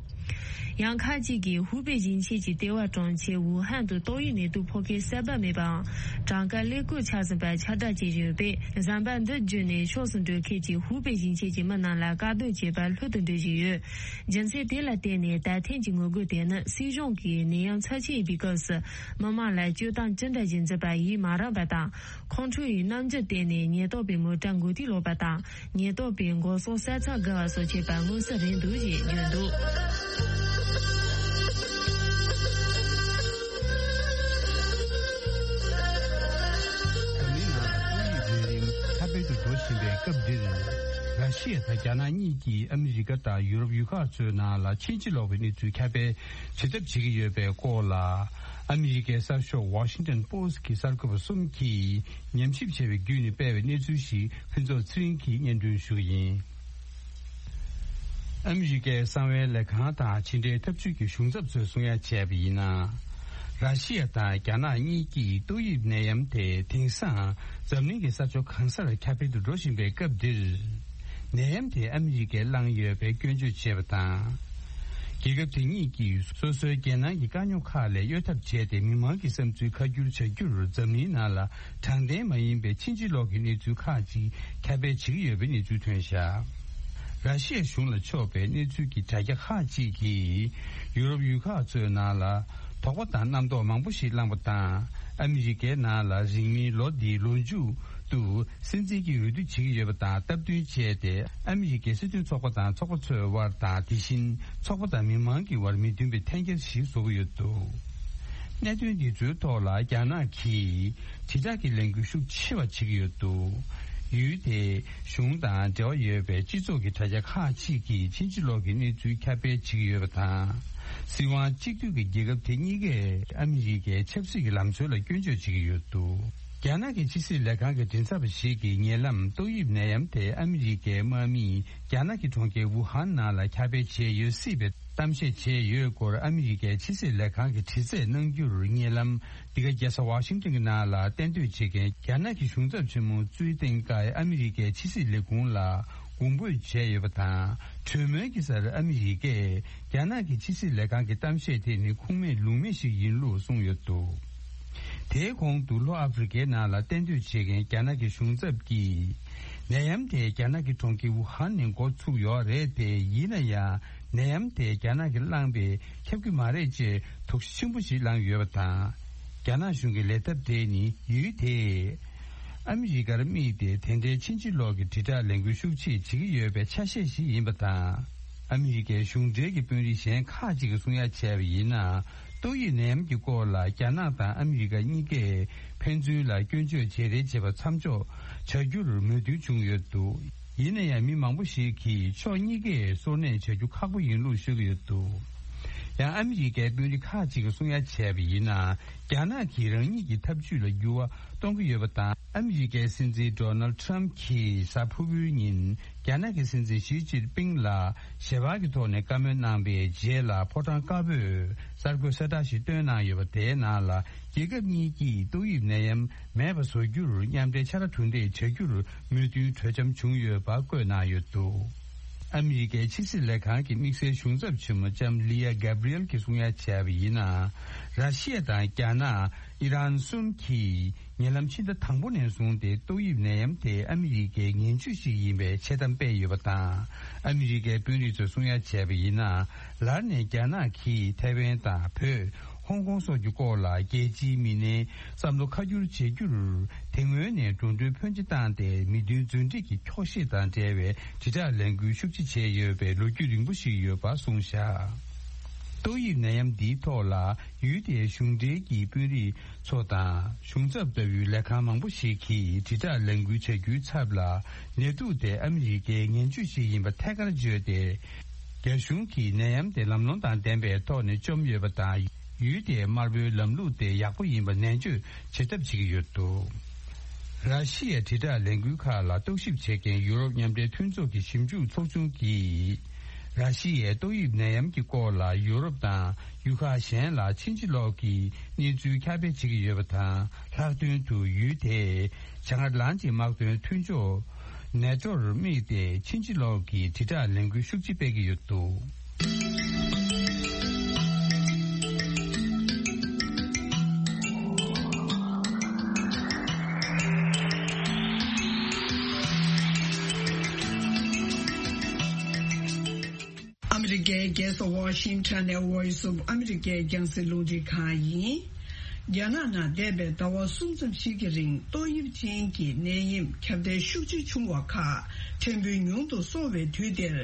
ཡང་ཁག་ཅིག་གིས་ཧུའུ་པེ་ཞིང་ཆེན་གྱི་ལྟེ་བ་གྲོང་ཁྱེར་ཝུ་ཧན་དུ་ཏོག་དབྱིབས་ནད་དུག་ཕོག་མཁན་གསར་པ་མེད་པའམ། གྲངས་ཀ་ཀླད་ཀོར་ཆགས་ཟིན་པ་ཁྱབ་བསྒྲགས་བྱེད་བཞིན་ཡོད་པས། ཟམ་པ་འདི་བརྒྱུད་ནས་ཕྱོགས་སུ་འགྲོ་མཁན་གྱི་ཧུའུ་པེ་ཞིང་ཆེན་གྱི་མི་རྣམས་ལ་བཀག་སྡོམ་བྱས་པ་ལྷོད་དུ་འགྲོ་བཞིན་ཡོད། རྒྱུ་མཚན་དེ་ལ་བརྟེན་ནས་ད་ཐེངས་ཀྱི་ངོ་རྒོལ་དེ་ནི་སྲིད་གཞུང་གིས་ནད་ཡམས་ཚབས་ཆེན་ཡིན་པའི་སྐབས་སུ་མི་དམངས་ལ་སྤྱོད་སྟངས་ཅི་འདྲ་ཞིག་འཛིན་པ་ཡིད་མ་རངས་པ་དང་། ཁོང་ཁྲོ་ཡི་རྣམ་འགྱུར་བསྟན་ནས་ཉེན་རྟོག་པའི་མོ་ཊ་མགོ་རྟིང་སློག་པ་དང་། ཉེན་རྟོག་པས་མགོ་སོགས་ས་མཚམས་བརྒལ་བ་སོགས་བྱས་པ་མངོན་གསལ་རེད་འདུག་ཅེས་བརྗོད་འདུག་ད་ལྟའི་ནང་ཏོག་དབྱིབས་ནད་རིམས་ཁྱབ་སྤེལ་དུ་འགྲོ་བཞིན་པའི་སྐབས་འདིར། ར་ཤི་ཡ་དང་རྒྱ་ནག་གཉིས་ཀྱིས་ཨ་མི་རི་ཀ་དང་ཡུ་རོབ་ཡུལ་ཁག་ཚོའི་ནང་ལ་ཕྱིན་ཅི་ལོག་པའི་གནས་ཚུལ་ཁྱབ་སྤེལ་བྱེད་ཐབས་བྱེད་ཀྱི་ཡོད་པའི་སྐོར་ལ། ཨ་མི་རི་ཀའི་གསར་ཤོག་ཝ་ཤིང་ཊོན་པོ་སི་ཊི་གི་གསར་འགོད་པ་གསུམ་གྱིས་ཉམས་ཞིབ་བྱས་པའི་བརྒྱུད་ནས་སྤེལ་བའི་གནས་ཚུལ་ཞིག་ཕུན་ཚོགས་ཚེ་རིང་གིས་སྙན་སྒྲོན་ཞུ་གི་ཡིན། ཨ་མི་རི་ཀའི་གསང་བའི་ལས་ཁང་དང་ཕྱི་འབྲེལ་ཐབས་ཇུས་ཀྱི་གཞུང་ཚབ་ཚོས་གསུང་ཡ་བྱས་པ་ཡིན་ན། ར་ཤི་ཡ་དང་རྒྱ་ནག་གཉིས་ཀྱིས་ཏོག་དབྱིབས་ནད་ཡམས་དེ་དེང་སང་འཛམ་གླིང་གི་ས་ཕྱོགས་གང་སར་ཁྱབ་སྤེལ་དུ་འགྲོ་བཞིན་པའི་སྐབས་འདིར། ནད་ཡམས་དེ་ཨ་མི་རི་ཀས་བསླངས་ཡོད་པའི་སྐྱོན་བརྗོད་བྱས་པ་དང་། རྒྱལ་ཁབ་དེ་གཉིས་ཀྱིས་སོ་སོའི་རྒྱལ་ནང་གི་དཀའ་རྙོག་ཁག་ལས་གཡོལ་ཐབས་བྱས་ཏེ། མི་མང་གི་བསམ་ཚུལ་ཁ་བསྒྱུར་བྱ་རྒྱུར་འཛམ་གླིང་ནང་ལ་དྲང་བདེན་མ་ཡིན་པའི་ཕྱིན་ཅི་ལོག་གི་གནས་ཚུལ་ཁག་ཅིག་ཁྱབ་སྤེལ་བྱེད་ཀྱི་ཡོད་པའི་གནས་ཚུལ་ཐོན་བཞག་ར་ཤི་ཡ་གཞུང་ལ་ཕྱོགས་པའི་གནས་ཚུལ་གྱི་དྲ་རྒྱ་ཁག་ཅིག་གིས། ཡུ་རོབ་ཡུལ་ཁག་ཚོའི་ནང་ལ་དོགས་པ་དང་རྣམ་རྟོག་མང་པོ་ཞིག་བསླངས་པ་དང་། ཨ་མི་རི་ཀའི་ནང་ལ་རིང་མིན་ལོ་འདིའི་ལོ་མཇུག་ཏུ། སྲིད་འཛིན་གྱི་འོས་བསྡུ་བྱེད་ཀྱི་ཡོད་པ་དང་སྟབས་བསྟུན་བྱས་ཏེ། ཨ་མི་རི་ཀའི་སྲིད་དོན་ཚོགས་པ་དང་ཚོགས་པ་ཚོའི་དབར་དང་། དེ་བཞིན་ཚོགས་པ་དང་མི་མང་གི་དབར་མི་མཐུན་པའི་འཐེན་འཁྱེར་ཞིག་བཟོ་གི་ཡོད་འདུག་གནད་དོན་འདི་ཚོའི་ཐོག་ལ་རྒྱ་ནག་གིས་དྲིལ་བསྒྲགས་ཀྱི་ལས་འགུལ་ཤུགས་ཆེ་བ་བྱེད་ཀྱི་ཡོད་འདུག་ཡུལ་དེའི་གཞུང་དང་འབྲེལ་བ་ཡོད་པའི་སྤྱི་ཚོགས་ཀྱི་དྲ་རྒྱ་ཁག་ཅིག་གིས་ཕྱིན་ཅི་ལོག་གི་གནས་ཚུལ་ཁྱབ་སྤེལ་བྱེད་ཀྱི་ཡོད་པ་དང་། སྲིད་དབང་གཅིག་སྡུད་ཀྱི་རྒྱལ་ཁབ་དེ་གཉིས་ཀས་ཨ་མི་རི་ཀའི་ཆབ་སྲིད་ཀྱི་ལམ་སྲོལ་ལ་སྐྱོན་བརྗོད་བྱེད་ཀྱི་ཡོད་འདུག་རྒྱ་ནག་གི་ཕྱི་སྲིད་ལས་ཁང་གི་མགྲིན་ཚབ་པ་ཞིག་གིས་ཉེ་ལམ་ཏོག་དབྱིབས་ནད་ཡམས་དེ་ཨ་མི་རི་ཀའི་དམག་མིས་རྒྱ་ནག་གི་གྲོང་ཁྱེར་ཝུ་ཧན་ནང་ལ་ཁྱབ་སྤེལ་བྱས་ཡོད་སྲིད་པའི་གཏམ་བཤད་བྱས་ཡོད་སྐོར། ཨ་མི་རི་ཀའི་ཕྱི་སྲིད་ལས་ཁང་གིས་དྲི་རྩད་གནང་རྒྱུར། ཉེ་ལམ་འདི་ག་རྒྱལ་ས་ཝ་ཤིང་ཊོན་གྱི་ནང་ལ་གཏན་སྡོད་བྱེད་མཁན་རྒྱ་ནག་གི་གཞུང་ཚབ་ཆེན་མོ་ཙུའི་ཏེང་ཀའི་ཨ་མི་རི་ཀའི་ཕྱི་སྲིད་ལས་ཁུངས་ལ་དགོངས་འབོད་བྱས་ཡོད་པ་དང་། གྲོས་མོལ་གྱི་སར་ཨ་མི་རི་ཀས་རྒྱ་ནག་གི་ཕྱི་སྲིད་ལས་ཁང་གི་གཏམ་བཤད་དེ་ནི་ཁུངས་མེད་ལུང་མེད་ཞིག་ཡིན་ལུགས་གསུངས་ཡོད་འདུག་དེའི་གོང་དུ་ལྷོ་ཨ་ཧྥེ་རི་ཀའི་ནང་ལ་གཏན་སྡོད་བྱེད་མཁན་རྒྱ་ནག་གི་གཞུང་ཚབ་ཀྱིས། ནད་ཡམས་དེ་རྒྱ་ནག་གི་གྲོང་ཁྱེར་ཝུ་ཧན་ནས་འགོ་ཚུགས་ཡོད་རེད་དེ། ཡིན་ན་ཡང་ནད་ཡམས་དེ་རྒྱ་ནག་གིས་བསླངས་པས་ཁྱབ་ཀྱི་མ་རེད་ཅེས་དོགས་གཞི་ཆེན་པོ་ཞིག་བསླངས་ཡོད་པ་དང་། རྒྱ་ནག་གཞུང་གི་ལས་ཐབས་དེ་ནི་ཡུལ་དེས་ཨ་མི་རི་ཀར་དམིགས་ཏེ་དེ་འདྲའི་ཕྱིན་ཅི་ལོག་གི་དྲིལ་བསྒྲགས་ལས་འགུལ་ཤུགས་ཆེ་བྱེད་ཀྱི་ཡོད་པའི་ཆ་ཤས་ཤིག་ཡིན་པ་དང་། ཨ་མི་རི་ཀའི་གཞུང་འབྲེལ་གྱི་དཔོན་རིགས་གཞན་ཁག་ཅིག་གིས་གསུང་ཡ་བྱས་པ་ཡིན་ན། ཏོག་དབྱིབས་ནད་ཡམས་ཀྱི་སྐོར་ལ་རྒྱ་ནག་དང་ཨ་མི་རི་ཀ་གཉིས་ཀས་ཕན་ཚུན་ལ་སྐྱོན་བརྗོད་བྱེད་རེས་བྱེད་པ་མཚམས་འཇོག་བྱ་རྒྱུར་མོས་མཐུན་བྱུང་ཡོད་འདུག་ཡིན་ན་ཡང་མི་མང་པོ་ཞིག་གིས་ཕྱོགས་གཉིས་ཀས་གསོ་གནས་བྱ་རྒྱུ་ཁག་པོ་ཡིན་ལུགས་ཤོད་ཀྱི་ཡོད་འདུག་ཡང་ཨ་མི་རི་ཀའི་དཔོན་རིགས་ཁག་ཅིག་གིས་གསུང་ཡ་བྱས་པ་ཡིན་ན། རྒྱ་ནག་གིས་རང་ཉིད་ཀྱི་ཐབས་ཇུས་ལ་འགྱུར་བ་གཏོང་གི་ཡོད་པ་དང་། ཨ་མི་རི་ཀའི་སྲིད་འཛིན་ཌོ་ནལ་ཊམ་གྱིས་གཟའ་ཕུར་བུའི་ཉིན། རྒྱ་ནག་གི་སྲིད་འཛིན་ཞི་ཅིན་ཕིང་ལ་ཞལ་པར་གྱི་ཐོག་ནས་བཀའ་མོལ་གནང་བའི་རྗེས་ལ། ཕོ་བྲང་དཀར་པོས་གསར་འགོད་གསལ་བསྒྲགས་ཤིག་བཏོན་གནང་ཡོད་པ། དེའི་ནང་ལ། རྒྱལ་ཁབ་གཉིས་ཀྱིས་ཏོག་དབྱིབས་ནད་ཡམས་མེད་པ་བཟོ་རྒྱུར་མཉམ་འབྲེལ་ཕྱག་ར་གྲུ་འདེགས་བྱ་རྒྱུར་མོས་མཐུན་གྲོས་འཆམ་བྱུང་ཡོད་པ་བཀོད་གནང་ཡོད་འདུག་ཨ་མི་རི་ཀའི་ཕྱི་སྲིད་ལས་ཁང་གི་དམིགས་བསལ་གཞུང་ཚབ་ཆེན་མོ་ལྕམ་ལི་ཡ་གྷ་བྷི་རི་ཨེལ་གྱིས་གསུང་ཡ་བྱས་པ་ཡིན་ན། ར་ཤི་ཡ་དང་རྒྱ་ནག་ཨི་རན་གསུམ་གྱིས། ཉེ་ལམ་ཕྱི་ཟླ་དང་པོ་ནས་བཟུང་སྟེ་ཏོག་དབྱིབས་ནད་ཡམས་དེ་ཨ་མི་རི་ཀའི་ངན་ཇུས་ཤིག་ཡིན་པའི་འཆལ་གཏམ་སྤེལ་ཡོད་པ་དང་། ཨ་མི་རི་ཀའི་དཔོན་རིགས་ཚོས་གསུང་ཡ་བྱས་པ་ཡིན་ན། ལར་ནས་རྒྱ་ནག་གིས་ཐའེ་ཝན་དང་བོད། ཧོང་ཀོང་སོགས་ཀྱི་སྐོར་ལ་རྒྱལ་སྤྱིའི་མི་སྣའི་བསམ་བློ་ཁ་བསྒྱུར་བྱེད་རྒྱུར། དེ་སྔོན་ནས་འགྲོ་གྲོན་ཕོན་ཆེ་བཏང་སྟེ་མི་མཐུན་རྫུན་སྒྲིག་གི་འཁྱོག་བཤད་དང་འབྲེལ་བའི་དྲིལ་བསྒྲགས་ལས་འགུལ་ཤུགས་ཆེ་བྱས་ཡོད་པའི་ལོ་རྒྱུས་རིང་པོ་ཞིག་ཡོད་པ་གསུངས་བཞག་ཏོག་དབྱིབས་ནད་ཡམས་འདིའི་ཐོག་ལ་ཡུལ་དེའི་གཞུང་འབྲེལ་གྱི་དཔོན་རིགས་ཚོ་དང་གཞུང་ཚབ་ལྟ་བུའི་ལས་ཁང་མང་པོ་ཞིག་གིས་དྲིལ་བསྒྲགས་ལས་འགུལ་བྱ་རྒྱུའི་ཚབ་ལ་ནད་དུག་དེ་ཨ་མི་རི་ཀའི་ངན་ཇུས་ཤིག་ཡིན་པ་ཐད་ཀར་བརྗོད་དེ། རྒྱ་གཞུང་གིས་ནད་ཡམས་དེ་ལམ་ལྷོང་དང་ལྡན་པའི་ཐོག་ནས་བཅོམ་ཡོད་པ་དང་། ཡུལ་དེའི་དམར་པོའི་ལམ་ལུགས་དེ་ཡག་པོ་ཡིན་པ་ནན་བརྗོད་བྱེད་ཐབས་བྱེད་ཀྱི་ཡོད་འདུག་ར་ཤི་ཡའི་དྲིལ་བསྒྲགས་ལས་འགུལ་ཁག་ལ་རྟོག་ཞིབ་བྱེད་མཁན་ཡུ་རོབ་མཉམ་འབྲེལ་མཐུན་ཚོགས་ཀྱི་ཞིབ་འཇུག་ཚོགས་ཆུང་གིས། ར་ཤི་ཡའི་ཏོག་དབྱིབས་ནད་ཡམས་ཀྱི་སྐོར་ལ་ཡུ་རོབ་དང་ཡུལ་ཁག་གཞན་ལ་ཕྱིན་ཅི་ལོག་གི་གནས་ཚུལ་ཁྱབ་སྤེལ་བྱེད་ཀྱི་ཡོད་པ་དང་། ལྷག་དོན་དུ་ཡུལ་དེས་བྱང་ཨེཊ་ལན་ཊིག་དམག་དོན་མཐུན་ཕྱོགས་ནེ་ཊོར་དམིགས་ཏེ་ཕྱིན་ཅི་ལོག་གི་དྲིལ་བསྒྲགས་ལས་འགུལ་ཤུགས་ཆེ་སྤེལ་གྱི་ཡོད་འདུག་ཨ་མི་རི་ཀའི་རྒྱལ་ས་ཝ་ཤིང་ཊོན་ནས་Voice of America་རྒྱང་སྲིང་རླུང་འཕྲིན་ཁང་ཡིན། རྒྱ་ནག་ནང་འདས་པའི་ཟླ་བ་གསུམ་ཙམ་ཞིག་གི་རིང་ཏོག་དབྱིབས་ཅན་གྱི་ནད་ཡམས་ཁྱབ་གདལ་ཤུགས་ཆེ་བྱུང་བ་ཁག་ཕྲན་བུ་ཉུང་དུ་སོང་བའི་དུས་འདིར།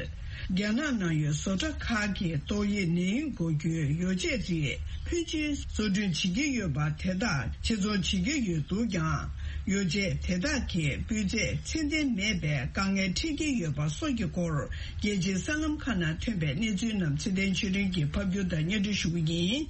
རྒྱ་ནག་ནང་ཡོད་བཟོ་གྲྭ་ཁག་གིས་ཏོག་དབྱིབས་ནད་ཡམས་འགོག་རྒྱུའི་ཡོ་བྱད་རིགས་ཕོན་ཆེན་བཟོ་སྐྲུན་བྱེད་ཀྱི་ཡོད་པ་དེ་དག་ཕྱིར་ཚོང་བྱེད་ཀྱི་ཡོད་འདུག་ཀྱང་། ཡོ་བྱད་དེ་དག་གི་སྤུས་ཚད་ཚད་ལྡན་མེད་པའི་དཀའ་ངལ་འཕྲད་ཀྱི་ཡོད་པ་སོགས་ཀྱི་སྐོར། རྒྱལ་སྤྱིའི་གསར་ལམ་ཁག་ནང་ཐོན་པའི་གནས་ཚུལ་རྣམས་ཚེ་བརྟན་ཆོས་སྒྲོན་གྱིས་ཕབ་སྒྱུར་དང་སྙན་སྒྲོན་ཞུ་གི་ཡིན།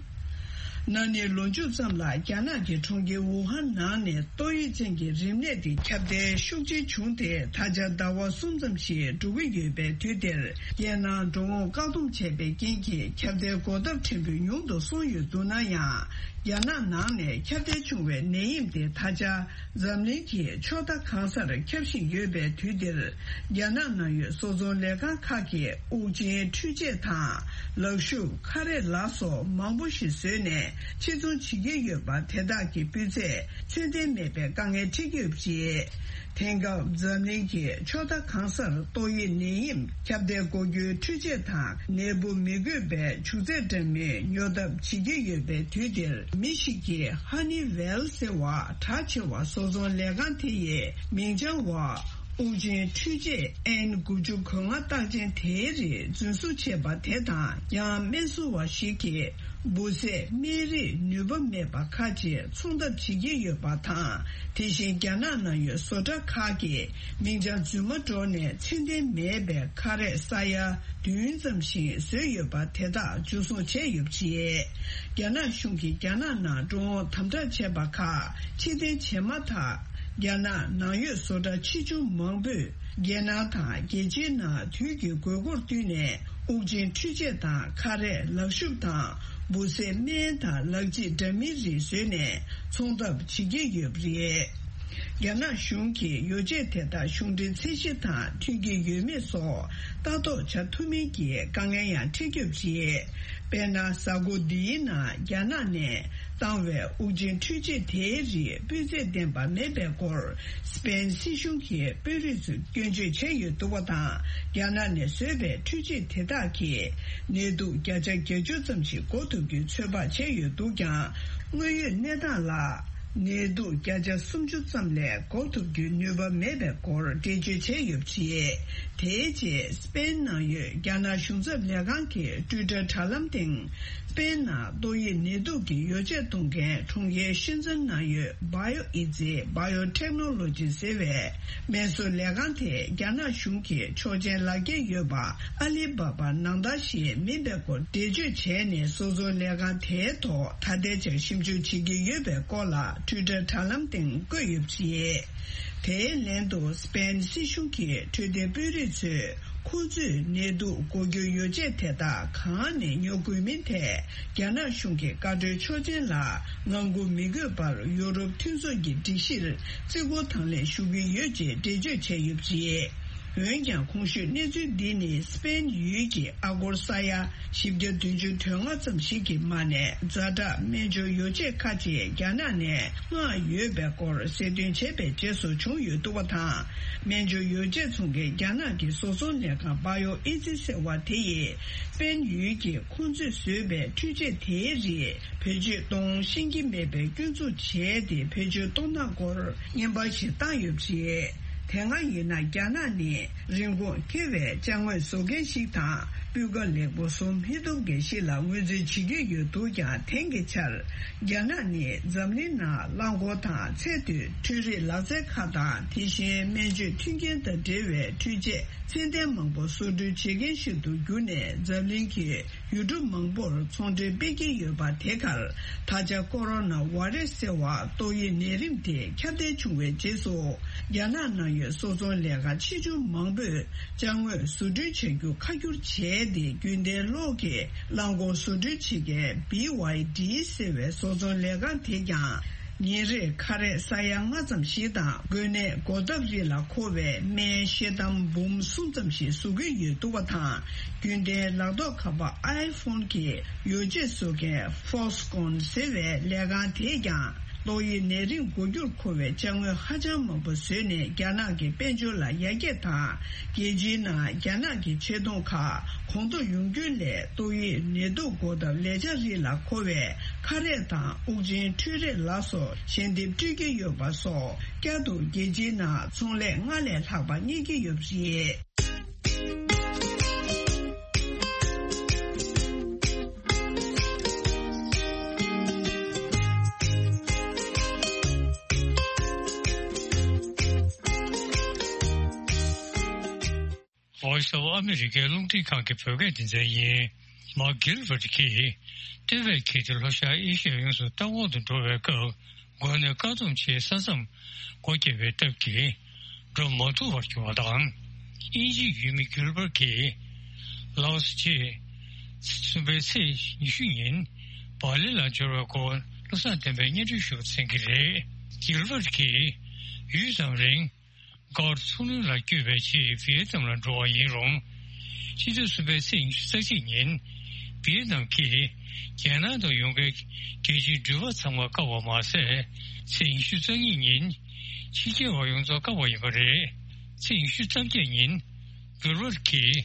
ན་ནིང་ལོ་མཇུག་ཙམ་ལ་རྒྱ་ནག་གི་གྲོང་ཁྱེར་ཝུ་ཧན་ནང་ནས་ཏོག་དབྱིབས་ཅན་གྱི་རིམས་ནད་དེ་ཁྱབ་གདལ་ཤུགས་ཆེ་བྱུང་སྟེ། ད་ཆ་ཟླ་བ་གསུམ་ཙམ་ཞིག་འགྲོ་གི་ཡོད་པའི་དུས་འདིར། རྒྱལ་ནང་འགྲོ་འོང་བཀག་སྡོམ་བྱས་པའི་རྐྱེན་གྱིས་ཁྱབ་གདལ་འགོག་ཐབས་ཕྲན་བུ་ཉུང་དུ་སོང་ཡོད་འདུག་ན་ཡང་། རྒྱ་ནག་ནང་ནས་ཁྱབ་གདལ་བྱུང་བའི་ནད་ཡམས་དེ་ད་ཆ་འཛམ་གླིང་གི་ཕྱོགས་མཐའ་གང་སར་ཁྱབ་བཞིན་ཡོད་པའི་དུས་འདིར། རྒྱ་ནག་ནང་ཡོད་བཟོ་ཚོང་ལས་ཁང་ཁག་གིས་དབུགས་འབྱིན་འཕྲུལ་ཆས་དང་ལག་ཤུབས། ཁ་རས་ལ་སོགས་མང་པོ་ཞིག་བཟོས་ནས་ཕྱིར་ཚོང་བྱེད་ཀྱི་ཡོད་པ། དེ་དག་གི་སྤུས་ཚད་ཚད་ལྡན་མེད་པའི་དཀའ་ངལ་འཕྲད་ཀྱི་ཡོད་པ་རེད། དེང་སྐབས་འཛམ་གླིང་གི་ཕྱོགས་མཐའ་གང་སར་ཏོག་དབྱིབས་ནད་ཡམས་ཁྱབ་གདལ་འགོག་རྒྱུའི་འཕྲུལ་ཆས་དང་ནད་འབུ་མི་འགོས་པའི་བྱུག་རྫས་འདྲ་མིན་ཉོ་ཐབས་བྱེད་ཀྱི་ཡོད་པའི་དུས་འདིར། མི་ཞིག་གིས་ཧ་ནི་ཝེལ་ཟེར་བ་གྲགས་ཆེ་བ་བཟོ་ཚོང་ལས་ཁང་དེ་ཡི་མིང་བྱང་བ། དབུགས་འབྱིན་འཕྲུལ་ཆས་ཨེན་དགུ་བཅུ་གོ་ལྔ་རྟགས་ཅན་དེའི་རིགས་རྫུན་བཟོ་བྱས་པ་དེ་དང་། ཡང་སྨན་བཟོ་བ་ཞིག་གིས་འབུ་བཟའི་སྨན་རིགས་ནུས་པ་མེད་པ་ཁག་ཅིག་ཚོང་ཐབས་བྱེད་ཀྱི་ཡོད་པ་དང་། དེ་བཞིན་རྒྱ་ནག་ནང་ཡོད་བཟོ་གྲྭ་ཁག་གིས་མིང་བྱང་རྫུན་མ་སྒྲོག་ནས་ཚད་ལྡན་མེད་པའི་ཁ་རས་ས་ཡ་བདུན་ཙམ་ཞིག་བཟོས་ཡོད་པ་དེ་དག་འཇུ་བཟུང་བྱས་ཡོད་པ་རེད། རྒྱ་ནག་གཞུང་གིས་རྒྱ་ནག་ནང་འགྲོ་འོང་དམ་དྲག་བྱས་པ་ཁག་ཕྱིར་འཐེན་བྱས་མ་ཐག་རྒྱ་ནག་ནང་ཡོད་བཟོ་གྲྭ་ཆེ་ཆུང་མང་པོས་རྒྱལ་ནང་དང་རྒྱལ་སྤྱིའི་ནང་དུས་ཀྱི་དགོས་མཁོར་བསྟུན་ནས་དབུགས་འབྱིན་འཕྲུལ་ཆས་དང་ཁ་རས། ལག་ཤུབས་དང་འབུ་བཟའི་སྨན་དང་ལག་རྗེས་འདྲ་མིན་རིགས་བཟོས་ནས་ཚོང་ཐབས་བྱེད་ཀྱི་ཡོད་པ་རེད། རྒྱ་ནག་གཞུང་གིས་ཡོ་བྱད་དེ་དག་གཞུང་འབྲེལ་ཚད་གཞི་དང་མཐུན་གྱི་ཡོད་མེད་སོགས་ལྟ་རྟོག་བྱ་ཐུབ་མིན་གྱི་དཀའ་ངལ་ཡང་འཕྲད་ཀྱི་ཡོད་པ་རེད། དཔེར་ན། གཟའ་འཁོར་འདིའི་ནང་རྒྱ་ནག་ནས་བཏང་བའི་དབུགས་འབྱིན་འཕྲུལ་ཆས་དེའི་རིགས་སྤུས་ཚད་ལྡན་པ་མེད་པའི་སྐོར་སི་པེན་སྲིད་གཞུང་གི་དཔོན་རིགས་ཚོས་སྐྱོན་བརྗོད་བྱས་ཡོད་འདུག་པ་དང་། རྒྱ་ནག་ནས་བཟོས་པའི་འཕྲུལ་ཆས་དེ་དག་གིས་ནད་དུག་བརྒྱ་ཆ་བརྒྱད་ཅུ་ཙམ་ཞིག་འགོག་ཐུབ་རྒྱུའི་ཚོད་དཔག་བྱས་ཡོད་འདུག་ཀྱང་། དངོས་ཡོད་གནས་སྟངས་ལ། ནད་དུག་བརྒྱ་ཆ་སུམ་ཅུ་ཙམ་ལས་འགོག་ཐུབ་རྒྱུའི་ནུས་པ་མེད་པའི་སྐོར་འགྲེལ་བརྗོད་བྱས་ཡོད་པ་རེད། དེའི་རྗེས་སི་པེན་ནང་ཡོད་རྒྱ་ནག་གཞུང་ཚབ་ལས་ཁང་གི་ཊུའི་ཊར་དྲ་ལམ་སྟེང་། སི་པེན་ནང་ཏོག་དབྱིབས་ནད་དུག་གི་ཡོ་བྱད་གཏོང་མཁན་གྲོང་ཁྱེར་ཤན་ཙེན་ནང་ཡོད་བྷ་ཡོ་ཨི་ཛི། Biotechnology་ཟེར་བའི་སྨན་བཟོ་ལས་ཁང་དེ་རྒྱ་ནག་གཞུང་གི་ཆོག་མཆན་ལག་འཁྱེར་ཡོད་པ་ཨ་ལི་བྷ་བྷ་ནང་ལྟར་ཞིག་མིན་པའི་སྐོར་འགྲེལ་བརྗོད་བྱས་ནས། བཟོ་ཚོང་ལས་ཁང་དེའི་ཐོག་ད་ལྟའི་ཆར་ཞིབ་འཇུག་བྱེད་ཀྱི་ཡོད་པའི་སྐོར་ལ་ཊུའི་ཊར་དྲ་ལམ་སྟེང་བཀོད་ཡོད་པ་རེད། དེའི་ལན་དུ་སི་པེན་སྲིད་གཞུང་གི་འཕྲོད་བསྟེན་དཔོན་རིགས་ཚོས་ཁོང་ཚོས་ནད་དུག་འགོག་རྒྱུའི་ཡོ་བྱད་དེ་དག་གང་ནས་ཉོ་དགོས་མིན་ཐད་རྒྱ་ནག་གཞུང་གི་བཀའ་འཁྲོལ་ཆོག་མཆན་ལ་ངང་སྒུག་མི་དགོས་པར་ཡུ་རོབ་མཐུན་ཚོགས་ཀྱི་སྒྲིག་གཞིར་བརྩི་བཀུར་དང་ལེན་ཞུ་གི་ཡོད་ཅེས་འགྲེལ་བརྗོད་བྱས་ཡོད་པ་རེད། འོན་ཀྱང་གོང་ཞུས་གནས་ཚུལ་འདི་ནི་སི་པེན་ཡུལ་གྱི་ཨ་སྒོར་ས་ཡ་བཞི་བརྒྱ་བདུན་ཅུ་དོན་ལྔ་ཙམ་ཞིག་གི་མ་ནས་ཛ་དྲག་སྨན་སྦྱོར་ཡོ་བྱད་ཁག་ཅིག་རྒྱ་ནག་ནས་མངགས་ཡོད་པའི་སྐོར་གསལ་སྟོན་བྱས་པའི་རྗེས་སུ་བྱུང་ཡོད་འདུག་པ་དང་། སྨན་སྦྱོར་ཡོ་བྱད་ཚོང་མཁན་རྒྱ་ནག་གི་བཟོ་ཚོང་ལས་ཁང་བྷ་ཡོ་ཨི་ཛི་ཟེར་བ་དེ་ཡིས་སི་པེན་ཡུལ་གྱི་ཁོང་ཚོས་བཟོས་པའི་འཕྲུལ་ཆས་དེའི་རིགས་བེད་སྤྱོད་གཏོང་ཤེས་ཀྱི་མེད་པའི་སྐྱོན་འཛུགས་བྱས་ཏེ། བེད་སྤྱོད་གཏོང་སྟངས་སྐོར་རྔན་པ་ཞིག་བཏང་ཡོད་པ་རེད། དེ་སྔ་ཡིན་ན་རྒྱ་ནག་ནི་རིན་གོང་ཁེ་བའི་ཅ་དངོས་བཟོ་མཁན་ཞིག་དང་ སྤུས་ཀ་ལེགས་པོ་བཟོ་མི་ཐུབ་མཁན་ཞིག་ལ་ངོས་འཛིན་བྱེད་ཀྱི་ཡོད་འདུག་ཀྱང་། དེང་གི་ཆར་རྒྱ་ནག་ནི་འཛམ་གླིང་ནང་རླངས་འཁོར་དང་ཚད་མཐོའི་འཕྲུལ་རིག་ལག་རྩལ་ཁག་དང་། དེ་བཞིན་སྨན་བཅོས་མཐུན་རྐྱེན་དང་འབྲེལ་བའི་འཕྲུལ་ཆས་ཚད་ལྡན་མང་པོ་བཟོ་སྐྲུན་བྱེད་མཁན་ཞིག་ཏུ་གྱུར་ནས། འཛམ་གླིང་གི་ཡུལ་གྲུ་མང་པོར་ཚོང་འབྲེལ་སྤེལ་གྱི་ཡོད་པ། དེ་གར་ད་ཆ་ཀོ་རོ་ན་བྷ་རེ་སི་ཟེར་བ་ཏོག་དབྱིབས་ནད་རིམས་དེ་ཁྱབ་གདལ་བྱུང་བའི་རྗེས་སུ། རྒྱ་ནག་ནང་ཡོད་བཟོ་ཚོང་ལས་ཁང་ཆེ་ཆུང་མང་པོས་ཅ་དངོས་བཟོ་སྐྲུན་བྱ་རྒྱུ་ཁ་བསྒྱུར་བྱས་ཏེ། རྒྱུན་ལྡན་གློག་གི་རླངས་འཁོར་བཟོ་སྐྲུན་བྱེད་མཁན་བྷི་ཝའི་ཌི་ཟེར་བའི་བཟོ་ཚོང་ལས་ཁང་དེས་ཀྱང་ཉིན་རེར་ཁ་རས་ས་ཡ་ལྔ་ཙམ་ཞིག་དང་། འགོས་ནད་འགོག་ཐབས་རིགས་ལ་མཁོ་བའི་སྨན་ཤེལ་དམ་འབུམ་གསུམ་ཙམ་ཞིག་བཟོ་གི་ཡོད་འདུག་པ་དང་། རྒྱུན་ལྡན་ལག་ཐོགས་ཁ་པར་ཨའི་ཕོན་གྱི་ཡོ་བྱད་བཟོ་མཁན་ཧྥོག་སི་ཀོན་ཟེར་བའི་ལས་ཁང་དེས་ཀྱང་ཏོག་དབྱིབས་ནད་རིམས་འགོག་རྒྱུར་མཁོ་བའི་ཅ་དངོས་ཧ་ཅང་མང་པོ་བཟོས་ནས། རྒྱ་ནག་གི་དཔལ་འབྱོར་ལ་ཡར་རྒྱས་དང་། རྒྱལ་སྤྱིའི་ནང་རྒྱ་ནག་གི་ཆེ་མཐོང་ཁག་གོང་མཐོར་ཡོང་རྒྱུ་ལས། ཏོག་དབྱིབས་ནད་དུག་འགོག་ཐབས་ལས་འཆར་རིགས་ལ་མཁོ་བའི་ཁ་རས་དང་དབུགས་འབྱིན་འཕྲུལ་རིགས་ལ་སོགས་ཞལ་འདེབས་སྤྲོད་ཀྱི་ཡོད་པ་སོགས། བསྐྱར་དུ་རྒྱལ་སྤྱིའི་ནང་ཚོང་ལས་སྔར་ལས་ལྷག་པ་རྙེད་ཀྱི་ཡོད་པ་རེད། Voice of America རླུང་འཕྲིན་ཁང་གི་བོད་སྐད་སྡེ་ཚན་ཡིན། མཱག་གྷིལ་བྷར་གྱིས་སྟོད་པའི་འཁྱིལ་ཏེ་ལྷོ་ཤར་ཨེ་ཤི་ཡ་ཡོངས་སུ་ལྟ་སྐོར་དུ་འགྲོ་བའི་སྐབས། འགོས་ནད་བཀག་སྡོམ་ཆེད་ས་མཚམས་སྒོ་བརྒྱབ་པའི་སྟབས་ཀྱིས་འགྲོ་མ་ཐུབ་པར་གྱུར་བ་དང་། དབྱིན་ཇིའི་ཡུལ་མི་གྷིལ་བྷར་གྱིས་ལའོ་སི་ཆེད་གསུམ་པའི་ཚེས་ཉི་ཤུ་ཉིན་སྦ་ལི་ལ་འབྱོར་བའི་སྐོར་བློ་བཟང་བསྟན་པས་སྙན་སྒྲོན་ཞུ་བར་འཚམས་ཀྱི་རེད། གྷིལ་བྷར་གྱིས་ཡུད་ཙམ་རིང་གྷར་མཚོ་ལྷུང་ལ་བསྐྱོད་པའི་ཆེད་ཝི་ཡེ་ནམ་ལ་འགྲོ་བ་ཡིན་རུང་། ཕྱི་ཚེས་གསུམ་པའི་ཚེས་ཉི་ཤུ་རྩ་གཅིག་ཉིན་ཝི་ཡེ་ནམ་གྱིས་རྒྱལ་ནང་དུ་ཡོང་མཁན་རྒྱལ་སྤྱིའི་འགྲུལ་པ་ཚང་མ་བཀག་པ་མ་ཟད། ཚེས་ཉི་ཤུ་རྩ་གཉིས་ཉིན་ཕྱི་རྒྱལ་བ་ཡོངས་རྫོགས་བཀག་པ་ཡིན་པ་རེད། ཚེས་ཉི་ཤུ་རྩ་བརྒྱད་ཉིན་གྷིལ་བྷར་གྱིས་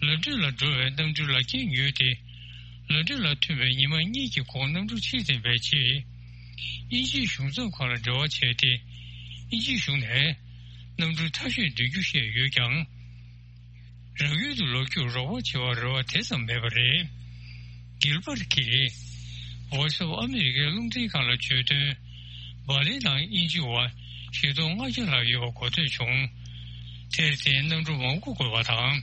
ལོན་ཌོན་ལ་འགྲོ་བའི་གནམ་གྲུའི་ལག་འཁྱེར་ཉོས་ཏེ། ལོན་ཌོན་ལ་ཐོན་པའི་ཉི་མ་གཉིས་ཀྱི་གོང་གནམ་གྲུ་ཕྱིར་འཐེན་པའི་ཆེད་དབྱིན་ཇིའི་གཞུང་ཚབ་ཁང་ལ་འབྲེལ་བ་བྱས་ཏེ། དབྱིན་ཇིའི་གཞུང་ནས་གནམ་གྲུ་ཐབས་ཤེས་འདོན་རྒྱུ་བཤད་ཡོད་ཀྱང་། རང་ཡུལ་དུ་ལོག་རྒྱུར་རོགས་པ་བྱེད་པར་རེ་བ་དེ་ཙམ་མེད་པ་རེད། གྷིལ་བྷར་གྱིས་Voice of America རླུང་འཕྲིན་ཁང་ལ་བརྗོད་དོན། སྦ་ལི་དང་དབྱིན་ཇི་བར་བཞི་སྟོང་ལྔ་བརྒྱ་ལྷག་ཡོད་པ་གོ་ཐོས་བྱུང་། དེར་བརྟེན་གནམ་གྲུ་མང་པོ་དགོས་པ་དང་།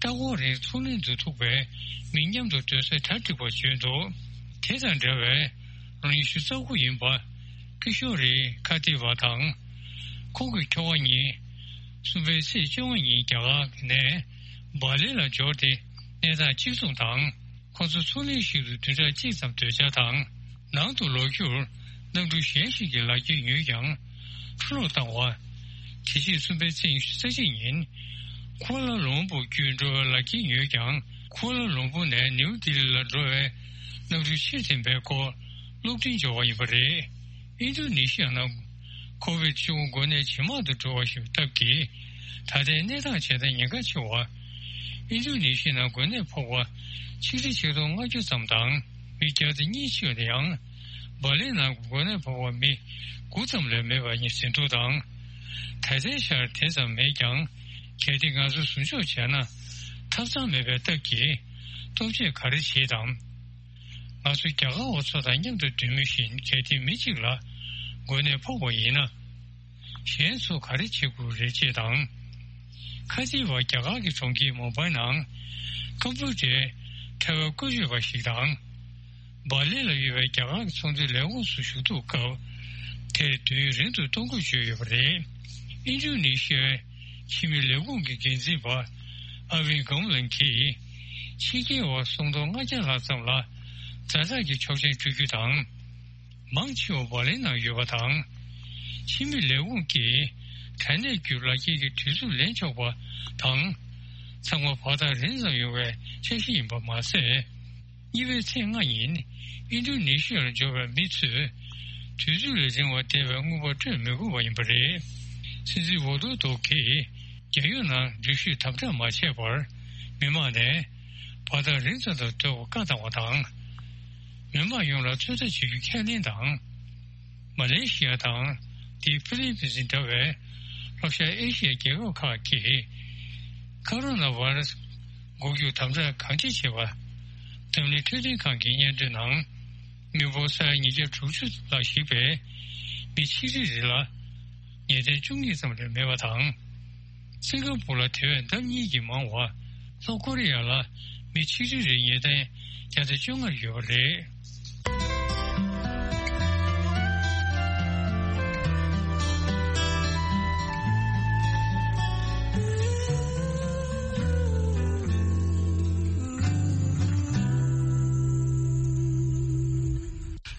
ལྟ་སྐོར་རིང་མཚོ་གླིང་དུ་ཐུག་པའི་མི་མཉམ་དུ་སྡོད་ས་གྲ་འགྲིག་པ་བརྗོད་འདུག་དེ་དང་འབྲེལ་བའི་ལོ་ཉི་ཤུ་རྩ་དགུ་ཡིན་པ་ཀི་ཤོ་རི་ཁ་ཏི་བ་དང་། ཁོང་གི་ཁྱོ་ག་གཉིས་གསུམ་པའི་ཚེས་བཅོ་ལྔ་ཉིན་རྒྱ་གར་ནས་སྦ་ལི་ལ་འབྱོར་ཏེ་གནས་སྟངས་གཅིག་མཚུངས་དང་། ཁོང་ཚོ་མཚོ་གླིང་ཞིག་ཏུ་བདུན་ཕྲག་གཅིག་ཙམ་སྡོད་འཆར་དང་། ནང་དུ་ལོག་རྒྱུར་གནམ་གྲུ་གཞན་ཞིག་གི་ལག་འཁྱེར་ཉོས་ཀྱང་འཕྲོ་བརླག་བཏང་བ། དེ་རྗེས་གསུམ་པའི་ཚེས་ཉི་ཤུ་རྩ་གཅིག་ཉིན་ཀུ་ཨ་ལ་ལུམ་བུར་བརྒྱུད་འགྲོ་བའི་ལག་འཁྱེར་ཉོས་ཀྱང་། ཀུ་ཨ་ལ་ལུམ་བུར་ནས་ནིའུ་ལྡི་ལི་ལ་འགྲོ་བའི་གནམ་གྲུ་ཕྱིར་འཐེན་པའི་སྐོར་གློག་འཕྲིན་འབྱོར་བ་ཡིན་པ་རེད། ཨིན་རྡུ་ནི་ཤི་ཡ་ནང་ཁོ་ཝིད་བཅུ་དགུ་འགོས་ནད་ཇེ་མང་དུ་འགྲོ་བ་ཞིག་སྟབས་ཀྱིས། ད་ལྟའི་གནས་སྟངས་ཇེ་ཐག་ཉེན་ཁ་ཆེ་བ། ཨིན་རྡུ་ནི་ཤི་ཡ་ནང་འགོས་ནད་ཕོག་པ་ཆིག་ཁྲི་ཆིག་སྟོང་ལྔ་བཅུ་ཙམ་དང་མི་བརྒྱ་དང་གཉིས་ཤི་ཡོད་ན་ཡང་། སྦ་ལི་ནང་འགོས་ནད་ཕོག་པ་མི་དགུ་ཙམ་ལས་མེད་པ་ཉིད་ཟིན་ཐོ་དང་། ད་ལྟའི་ཆར་དེ་ཙམ་མེད་ཀྱང་། གལ་ཏེ་ང་ཚོ་ཟུར་འཇོག་བྱས་ན་ཐབས་ཚང་མེད་པའི་སྟབས་ཀྱིས་སྟོབས་ཆེ་ག་རེ་བྱེད་དམ། ང་ཚོ་རྒྱ་གར་བ་ཚོ་དང་མཉམ་དུ་སྡོད་མུས་བཞིན་གལ་ཏེ་མི་གཅིག་ལ་འགོས་ནད་ཕོག་པ་ཡིན་ན། གཞན་ཚོ་ག་རེ་བྱེད་དགོས་རེད་ཅེས་དང་། ཁ་ཆེ་བ་རྒྱ་གར་གྱི་གྲོང་ཁྱེར་མུམ་བྷའི་ནང་ཀམ་པུ་ཊར་ཕྲེང་བའི་བཀོལ་སྤྱོད་པ་ཞིག་དང་། སྦ་ལི་ལ་ཡོད་པའི་རྒྱ་གར་གྱི་ཚོང་འབྲེལ་ལས་ཁུངས་སུ་ཞུགས་ཐུབ་སྐབས། དེར་དུས་ཡུན་རིང་དུ་གཏོང་དགོས་བརྗོད་ཡོད་པ་རེད། ཨིན་ཌོ་ནེ་ཤི་ཡའི་ཕྱི་མི་ལས་ཁུངས་ཀྱི་འགན་འཛིན་པ་ཨ་ཝིན་གྷམ་ལན་གྱིས། ཕྱི་རྒྱལ་བ་སུམ་སྟོང་ལྔ་བརྒྱ་ལྷག་ཙམ་ལ་ཛ་དྲག་གི་ཆོག་མཆན་སྤྲོད་རྒྱུ་དང་། མང་ཆེ་བ་སྦ་ལིའི་ནང་ཡོད་པ་དང་། ཕྱི་མི་ལས་ཁུངས་ཀྱིས་དྲག་གནོན་བརྒྱུད་ལག་འཁྱེར་གྱི་དུས་ཚོད་ལེན་ཆོག་པ་དང་། ཚང་མ་བར་ཐག་རིང་ཙམ་ཡོང་བའི་འཆར་གཞི་ཡིན་པ་མ་ཟད། གཉིས་པའི་ཚེས་ལྔ་ཉིན་ཨིན་ཌོ་ནེ་ཤི་ཡར་འབྱོར་བའི་མི་ཚོས་དུས་ཚོད་ལས་རིང་བ་བསྡད་པའི་དངུལ་པ་སྤྲོད་མི་དགོས་པ་ཡིན་པ་རེད། སྲིད་འཛིན་ཝོ་དོ་དོ་གིས་རྒྱལ་ཡོངས་ནང་འགྲུལ་བཞུད་དམ་དྲག་མ་བྱས་པར་མི་མང་ནས་བར་ཐག་རིང་ཙམ་དུ་སྡོད་པར་བཀའ་བཏང་བ་དང་། མི་མང་ཡོངས་ལ་ཚོད་ལྟ་བྱེད་རྒྱུ་ཁས་ལེན་དང་། མ་ལེ་ཤི་ཡ་དང་དེའི་ཧྥི་ལི་པིན་སི་འདྲ་བའི་ལྷོ་ཤར་ཨེ་ཤི་ཡའི་རྒྱལ་ཁབ་ཁག་གིས་ཀ་རོ་ན་བྷ་ར་སི་ འགུག་རྒྱུར་དམ་དྲག་གང་ཅི་བྱས་པ། འཛམ་གླིང་འཕྲོད་བསྟེན་ཁང་གི་སྙན་ཐོའི་ནང་། མི་འབོར་ས་ཡ་ཉིས་བརྒྱ་དྲུག་ཅུ་ལ་གཞིགས་པའི་མི་ཆིག་ཁྲི་རེ་ལ་ངེས་གཏན་བཅུ་གཉིས་ཙམ་ལས་མེད་པ་དང་། སིང་ག་པུར་ལ་དེ་བས་ལྡབ་གཉིས་ཀྱིས་མང་བ། ལྷོ་ཀོ་རི་ཡ་ལ་མི་ཆིག་ཁྲི་རེའི་ངེས་གཏན་བརྒྱ་ཆ་བཅོ་ལྔ་ཡོད་པ་རེད།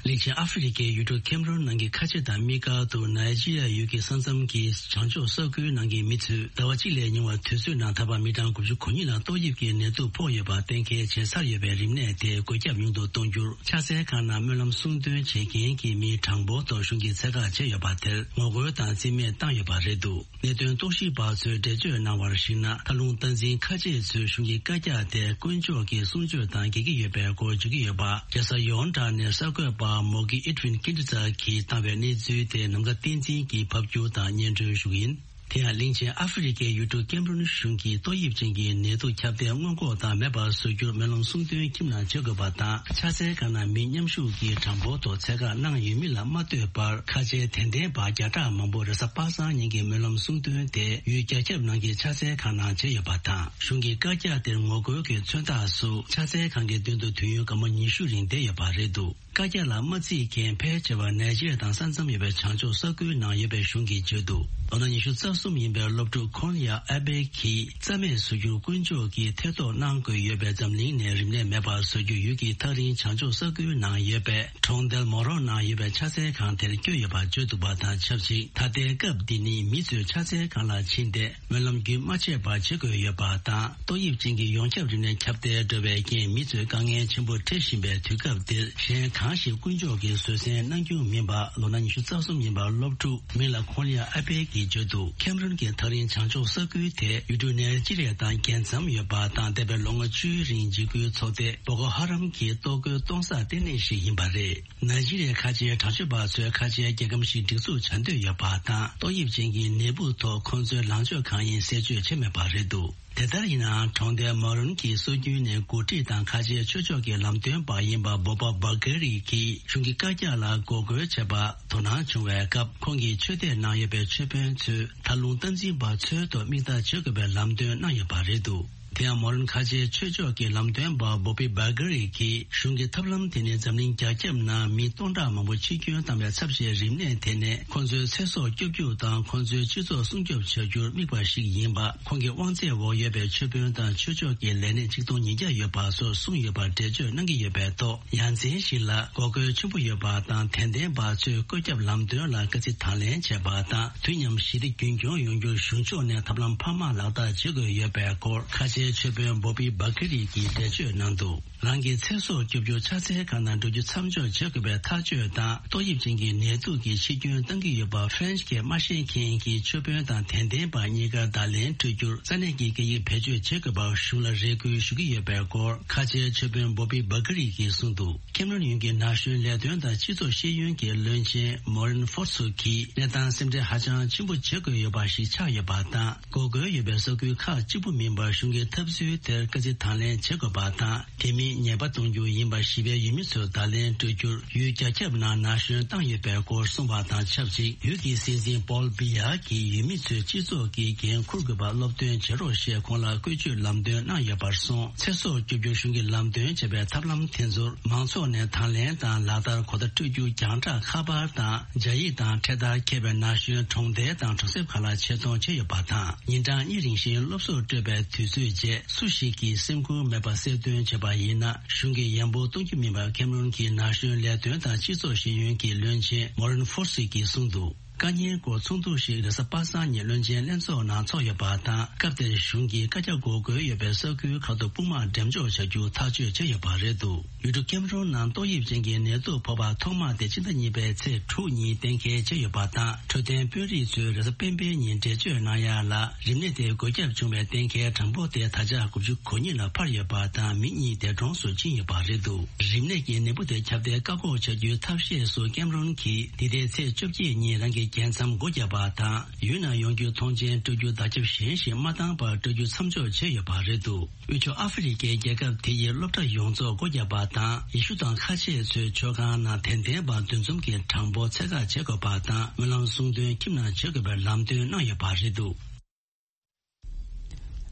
གླིང་ཆེན་ཨ་ཧྥེ་རི་ཁའི་ཡུལ་གྲུ་ཁེམ་རོན་ནང་གི་ཁ་ཆེ་དང་དམིགས་བཀར་དུ་ནཱི་ཇི་རི་ཡ་ཡུལ་གྱི་ས་མཚམས་ཀྱི་བྱང་ཕྱོགས་ས་ཁུལ་ནང་གི་མི་ཚོས་ཟླ་བ་གཅིག་ལས་ཉུང་བ་དུས་ཚོད་ནང་ད་བར་མི་གྲངས་དགུ་བཅུ་གོ་གཉིས་ལ་ཏོག་དབྱིབས་ཀྱི་ནད་དུག་ཕོག་ཡོད་པ་གཏན་འཁེལ་བྱས་ཚར་ཡོད་པའི་རིམས་ནད་དེ་འགོས་ཁྱབ་ཉུང་དུ་གཏོང་རྒྱུར་ཕྱག་འཚལ་ཁང་ནང་སྨོན་ལམ་གསུང་འདོན་བྱེད་མཁན་གྱི་མིའི་གྲངས་འབོར་ཐོག་གཞུང་གིས་ཚད་བཀག་བྱས་ཡོད་པ་དེར་ངོ་རྒོལ་དང་རྩིས་མེད་བཏང་ཡོད་པ་རེད་འདུག་གནད་དོན་རྟོག་ཞིབ་པ་ཚོས་འགྲེལ་བརྗོད་གནང་བར་གཞིགས་ན། མཐའ་ལྷུང་སྟངས་འཛིན་ཁ་ཆེ་ཚོས་གཞུང་གི་བཀའ་རྒྱ་དེ་དཀོན་མཆོག་གི་གསུང་ཆོས་དང་འགལ་གྱི་ཡོད་པའི་སྐོར་བརྗོད་ཀྱི་ཡོད་པ། རྒྱལ་ས་ཡོན་ཀྲང་ནས་གསར་འགོད་པ་མོ་གི་ཨི་ཏྲིན་ཀིན་ཏི་ཙ་གིས་བཏང་བའི་གནས་ཚུལ་དེ་ནམ་མཁའ་བསྟན་འཛིན་གྱིས་ཕབ་སྒྱུར་དང་སྙན་སྒྲོན་ཞུ་གི་ཡིན། དེ་ཡང་གླིང་ཆེན་ཨ་ཧྥེ་རི་ཁའི་ཡུལ་གྲུ་ཀེམ་རུན་གཞུང་གིས་ཏོག་དབྱིབས་ཅན་གྱི་ནད་དུག་ཁྱབ་གདལ་སྔོན་འགོག་དང་མེད་པར་བཟོ་རྒྱུར་སྨོན་ལམ་གསུང་འདོན་ཁྱིམ་ནང་བྱེད་དགོས་པ་དང་། ཕྱག་འཚལ་ཁང་ནང་མི་མཉམ་ཞུགས་ཀྱི་གྲངས་འབོར་ཐོག་ཚད་བཀག་གནང་ཡོད་མིན་ལ་མ་ལྟོས་པར། ཁ་ཆེའི་དད་ལྡན་པ་བརྒྱ་ཕྲག་མང་པོ་རེས་གཟའ་པ་སངས་ཉིན་གྱི་སྨོན་ལམ་གསུང་འདོན་དེ་ཡུལ་རྒྱ་ཁྱབ་ནང་གི་ཕྱག་འཚལ་ཁང་ནང་བྱས་ཡོད་པ་དང་། གཞུང་གི་བཀའ་རྒྱ་དེར་ངོ་རྒོལ་གྱི་མཚོན་རྟགས་སུ་ཕྱག་འཚལ་ཁང་གི་མདུན་དུ་དུས་ཡུན་སྐར་མ་ཉི་ཤུ་རིང་བསྡད་ཡོད་པ་རེད་འདུག་བཀའ་རྒྱ་ལ་མ་བརྩིས་མཁན་ཕལ་ཆེ་བ་ནཱི་ཇི་རི་ཡ་དང་ས་མཚམས་ཡོད་པའི་བྱང་ཕྱོགས་ས་ཁུལ་ནང་ཡོད་པའི་གཞུང་གིས་བརྗོད་འདུག་ལོ་ན་ཉི་ཤུ་རྩ་གསུམ་ཡིན་པའི་སློབ་ཕྲུག་ཁོན་ཡ་ཨ་བེ་གིས་རྩ་མེད་བཟོ་རྒྱུར་དཀོན་མཆོག་གིས་ཐེ་གཏོགས་གནང་དགོས་ཡོད་པས། འཛམ་གླིང་ནས་རིམས་ནད་མེད་པར་བཟོ་རྒྱུ་ཡུལ་གྱི་ཐག་རིང་བྱང་ཕྱོགས་ས་ཁུལ་ནང་ཡོད་པའི་གྲོང་རྡལ་མོ་རོ་ནང་ཡོད་པའི་ཕྱག་འཚལ་ཁང་དེར་བསྐྱོད་ཡོད་པ་བརྗོད་འདུག་པ་དང་ཆབས་ཅིག་ད་ལྟའི་སྐབས་འདི་ནི་མི་ཚོས་ཕྱག་འཚལ་ཁང་ལ་ཕྱིན་ཏེ། སྨོན་ལམ་རྒྱུན་མ་ཆད་པར་བྱེད་དགོས་ཡོད་པ་དང་། ཏོག་དབྱིབས་ཅན་གྱི་ཡོངས་ཁྱབ་རིམས་ནད་ཁྱབ་གདལ་འགྲོ་བའི་རྐྱེན་མི་ཚོས་དཀའ་ངལ་ཆེན་པོ་འཕྲད་བཞིན་པའི་དུས་སྐབས་འདིར། གཞན་གང་ཞིག་དཀོན་མཆོག་གིས་བཟོད་བསྲན་གནང་རྒྱུ་མིན་པ། ལོ་ན་ཉི་ཤུ་རྩ་གསུམ་ཡིན་པ་སློབ་ཕྲུག་མིང་ལ་ཁོང་ལི་ཡ་ཨ་པེ་གིས་བརྗོད་འདུག་ཁེམ་རོན་གྱི་ཐག་རིང་བྱང་ཕྱོགས་ས་ཁུལ་དེ་ཡུལ་གྲུ་ནེ་ཇི་རི་ཡ་དང་རྒྱལ་མཚམས་ཡོད་པ་དང་། འདས་པའི་ལོ་ངོ་བཅུའི་རིང་འཇིགས་སྐུལ་ཚོགས་སྡེ་བོ་ཀོ་ཧ་རམ་གྱི་གཏོར་རྒོལ་གཏོང་ས་ལྟེ་གནས་ཤིག་ཡིན་པ་རེད། ནཱི་ཇི་རི་ཡའི་ཁ་ཆེའི་དྲག་སྤྱོད་པ་ཚོས་ཁ་ཆེའི་རྒྱལ་ཁམས་ཤིག་སྒྲིག་འཛུགས་བྱ་འདོད་ཡོད་པ་དང་། ཏོག་དབྱིབས་ཅན་གྱི་ནད་འབུ་ཐོག་ཁོང་ཚོའི་ལངས་ཕྱོགས་གང་ཡིན་གསལ་བརྗོད་བྱས་མེད་པ་རེད་འདུག་དེ་ལྟར་ཡིན་ནའང་། གྲོང་རྡལ་མོ་རུན་གྱི་སྲོལ་རྒྱུན་ནས་འགོ་ཁྲིད་དང་ཁ་ཆེའི་ཆོས་ཕྱོགས་ཀྱི་ལམ་སྟོན་པ་ཡིན་པ་བོ་པ་བྷ་གྷ་རི་གིས་གཞུང་གི་བཀའ་རྒྱ་ལ་འགོག་རྒོལ་བྱས་པར་དོ་སྣང་བྱུང་བའི་སྐབས། ཁོང་གིས་ཆོས་དད་གནང་ཡོད་པའི་ཆོས་དཔོན་ཚོས་མཐའ་ལྷུང་སྟངས་འཛིན་པ་ཚོའི་ཐོག་མིག་ལྟ་བྱེད་དགོས་པའི་ལམ་སྟོན་གནང་ཡོད་པ་རེད་འདུག་དེ་ཡང་མོ་རན་ཁ་ཆེའི་ཆོས་ཕྱོགས་ཀྱི་ལམ་སྟོན་པ་བོ་པི་བྷ་གྷ་རི་གིས། གཞུང་གི་ཐབས་ལམ་དེ་ནི་འཛམ་གླིང་རྒྱ་ཁྱབ་ནང་མི་སྟོང་ཕྲག་མང་པོ་འཆི་སྐྱོན་བཏང་བའི་ཚབས་ཆེའི་རིམས་ནད་དེ་ནས་ཁོང་ཚོའི་ཚེ་སྲོག་སྐྱོབ་རྒྱུ་དང་། ཁོང་ཚོའི་སྤྱི་ཚོགས་སྲུང་སྐྱོབ་བྱ་རྒྱུར་དམིགས་པ་ཞིག་ཡིན་པ། ཁོང་གི་དབང་ཚད་འོག་ཡོད་པའི་ཆོས་དཔོན་དང་ཆོས་ཕྱོགས་ཀྱི་ལས་སྣེ་ཆིག་སྟོང་ཉིས་བརྒྱ་ཡོད་པ་སོགས་གསུངས་ཡོད་པར་འགྲེལ་བརྗོད་གནང་གི་ཡོད་པའི་ཐོག་ཡ་མཚན་ཞིག་ལ་འགོག་རྒོལ་ཆེན་པོ་ཡོད་པ་དང་། དད་ལྡན་པ་ཚོས་བཀོད་ཁྱབ་ལམ་སྟོན་ལ་དཀའ་ཚེགས་དང་ལེན་བྱས་པ་དང་། དུས་མཉམ་ཞི་བདེ་རྒྱུན་འཁྱོངས་ཡོང་རྒྱུར་གཞུང་ཕྱོགས་ནས་ཐབས་ལམ་འཕར་མ་ལག་བསྟར་བྱེད་དགོས་ཡོད་པའི་སྐོར་ཁ་ཆེའི་ཆོས་དཔོན་བོ་པི་བྷ་ཀི་རི་གིས་འགྲེལ་བརྗོད་གནང་འདུག་རང་གི་ཚེ་སྲོག་སྐྱོབ་རྒྱུར་ཕྱག་འཚལ་ཁང་ནང་འགྲོ་རྒྱུ་མཚམས་འཇོག་བྱེད་དགོས་པའི་ཐག་གཅོད་དང་། ཏོག་དབྱིབས་ཅན་གྱི་ནད་དུག་གིས་འཆི་སྐྱོན་གཏང་གི་ཡོད་པ་ཧྥ་རན་སི་སྐད་མ་ཤེས་མཁན་གྱི་ཆོས་དཔོན་དང་དད་ལྡན་པ་གཉིས་ཀར་བརྡ་ལན་སྤྲོད་རྒྱུར་ས་གནས་ཀྱི་སྐད་ཡིག་བེད་སྤྱོད་བྱེད་དགོས་པར་གཞུང་ལ་རེ་སྐུལ་ཞུ་གི་ཡོད་པའི་སྐོར་ཁ་ཆེའི་ཆོས་དཔོན་བོ་པི་བྷ་ཀི་རི་གིས་གསུངས་འདུག་ཁེམ་རོན་ཡུལ་གྱི་ན་གཞོན་ལས་དོན་དང་སྤྱི་ཚོགས་ཤེས་ཡོན་གྱི་བློན་ཆེན་མོ་རན་ཧྥོར་སུ་གིས་གནས་སྟངས་སེམས་ཁྲལ་ཧ་ཅང་ཆེན་པོ་བྱེད་དགོས་ཡོད་པ་ཞིག་ཆགས་ཡོད་པ་དང་། འགོག་རྒོལ་ཡོད་པའི་ས་ཁུལ་ཁག་གཅིག་པུ་མིན་པར་གཞུང་གི་ཐབས་ཚུལ་དེར་དཀའ་ཚེགས་དང་ལེན་བྱེད་དགོས་པ་དང་། དེ་མིན་ཉེས་པ་གཏོང་རྒྱུ་ཡིན་པ་ཞི་བའི་ཡུལ་མི་ཚོར་བརྡ་ལན་སྤྲོད་རྒྱུར་ཡུལ་རྒྱ་ཁྱབ་ནང་ན་གཞོན་བཏང་ཡོད་པའི་སྐོར་གསུངས་པ་དང་ཆབས་ཅིག་ཡུལ་གྱི་སྲིད་འཛིན་པོལ་བི་ཡ་གིས་ཡུལ་མི་ཚོས་སྤྱི་ཚོགས་ཀྱི་འགན་འཁུར་དགོས་པར་སློབ་སྟོན་བྱེད་རོགས་ཞེས་ཁོང་ལ་བཀོལ་སྤྱོད་ལམ་སྟོན་གནང་ཡོད་པར་སོང་། ཚེ་སྲོག་སྐྱོབ་རྒྱུར་གཞུང་གིས་ལམ་སྟོན་བྱས་པའི་ཐབས་ལམ་དེ་ཚོར་མང་ཚོགས་ནས་དང་ལེན་དང་ལག་བསྟར་གོ་བརྡ་སྤྲོད་རྒྱུ་རྒྱང་བསྒྲགས་ཁ་པར་དང་སྦྱར་ཡིག་དང་འཕྲེད་དར་འཁྱེར་བའི་ན་གཞོན་གྲོང་རྡལ་དང་གྲོང་གསེབ་ཁག་ལ་ཆེད་གཏོང་བྱས་ཡོད་པ་དང་། ཉིན་གྲངས་གཉིས་རིང་བཞིན་སློབ་གསོ་སྤྲོད་པའི་དུས་ཚོད་རྗེས་སུ་ཞིག་གིས་སེམས་ཁུར་མེད་པར་གསལ་སྟོན་བྱས་པ་ཡིན་ན། གཞུང་གིས་ཡན་པོ་གཏོང་རྒྱུ་མིན་པར་ཁེམ་རོན་གྱི་ན་གཞོན་ལས་དོན་དང་སྤྱི་ཚོགས་ཤེས་ཡོན་གྱི་བློན་ཆེན་མོ་རན་ཧྥོར་སི་གིས་གསུངས་འདུག་དཀའ་ཉེན་སྐོར་ཚོགས་འདུ་ཞིག་རེས་གཟའ་པ་སངས་ཉིན་བློན་ཆེན་ལྷན་ཚོགས་ནང་ཚོགས་ཡོད་པ་དང་། སྐབས་དེར་གཞུང་གིས་བཀའ་རྒྱ་འགོག་རྒོལ་ཡོད་པའི་ས་ཁུལ་ཁག་ཏུ་དཔུང་དམག་འགྲེམས་འཇོག་བྱ་རྒྱུ་ཐག་གཅོད་བྱས་ཡོད་པ་རེད་འདུག་ཡུལ་གྲུ་ཀེམ་རོན་ནང་ཏོག་དབྱིབས་ཅན་གྱི་ནད་དུག་ཕོག་པ་ཐོག་མ་དེ་ཕྱི་ཟླ་གཉིས་པའི་ཚེས་དྲུག་ཉིན་གཏན་འཁེལ་བྱས་ཡོད་པ་དང་། འཕྲོད་བསྟེན་དཔོན་རིགས་ཚོས་རེས་གཟའ་སྤེན་པའི་ཉིན་འགྲེལ་བརྗོད་གནང་ཡ་ལ། རིམས་ནད་དེ་འགོས་ཁྱབ་བྱུང་བའི་གཏན་འཁེལ་གྲངས་འབོར་དེ་ད་ཆ་དགུ་བཅུ་གོ་གཉིས་ལ་འཕར་ཡོད་པ་དང་། མི་གཉིས་འདས་གྲོངས་སུ་ཕྱིན་ཡོད་པ་རེད་འདུག་རིམས་ནད་ཀྱི་ནད་འབུ་དེ་ཁྱབ་གདལ་བཀག་འགོག་བྱ་རྒྱུའི་ཐབས་ཤེས་སུ་ཀེམ་རོན་གྱིས་འདི་ཟླའི་ཚེས་བཅོ་བརྒྱད་ཉིན་རང་གི་ རྒྱལ་མཚམས་སྒོ་བརྒྱབ་པ་དང་། ཡུལ་ནང་ཡོང་རྒྱུའི་ཐོངས་མཆན་སྤྲོད་རྒྱུ་བརྡ་ཁྱབ་གཞན་ཞིག་མ་བཏང་བར་སྤྲོད་རྒྱུ་མཚམས་འཇོག་བྱས་ཡོད་པ་རེད་འདུག་དབུས་ཕྱོགས་ཨ་ཧྥེ་རི་ཁའི་རྒྱལ་ཁབ་དེ་ཡི་སློབ་གྲྭ་ཡོངས་རྫོགས་སྒོ་བརྒྱབ་པ་དང་། ཡེ་ཤུ་དང་ཁ་ཆེ་ཚོའི་ཆོས་ཁང་ནང་དད་ལྡན་པ་འདུ་འཛོམས་ཀྱི་གྲངས་འབོར་ཚད་བཀག་བྱེད་དགོས་པ་དང་། སྨོན་ལམ་གསུང་འདོན་ཁྱིམ་ནང་བྱེད་དགོས་པའི་ལམ་སྟོན་གནང་ཡོད་པ་རེད་འདུག་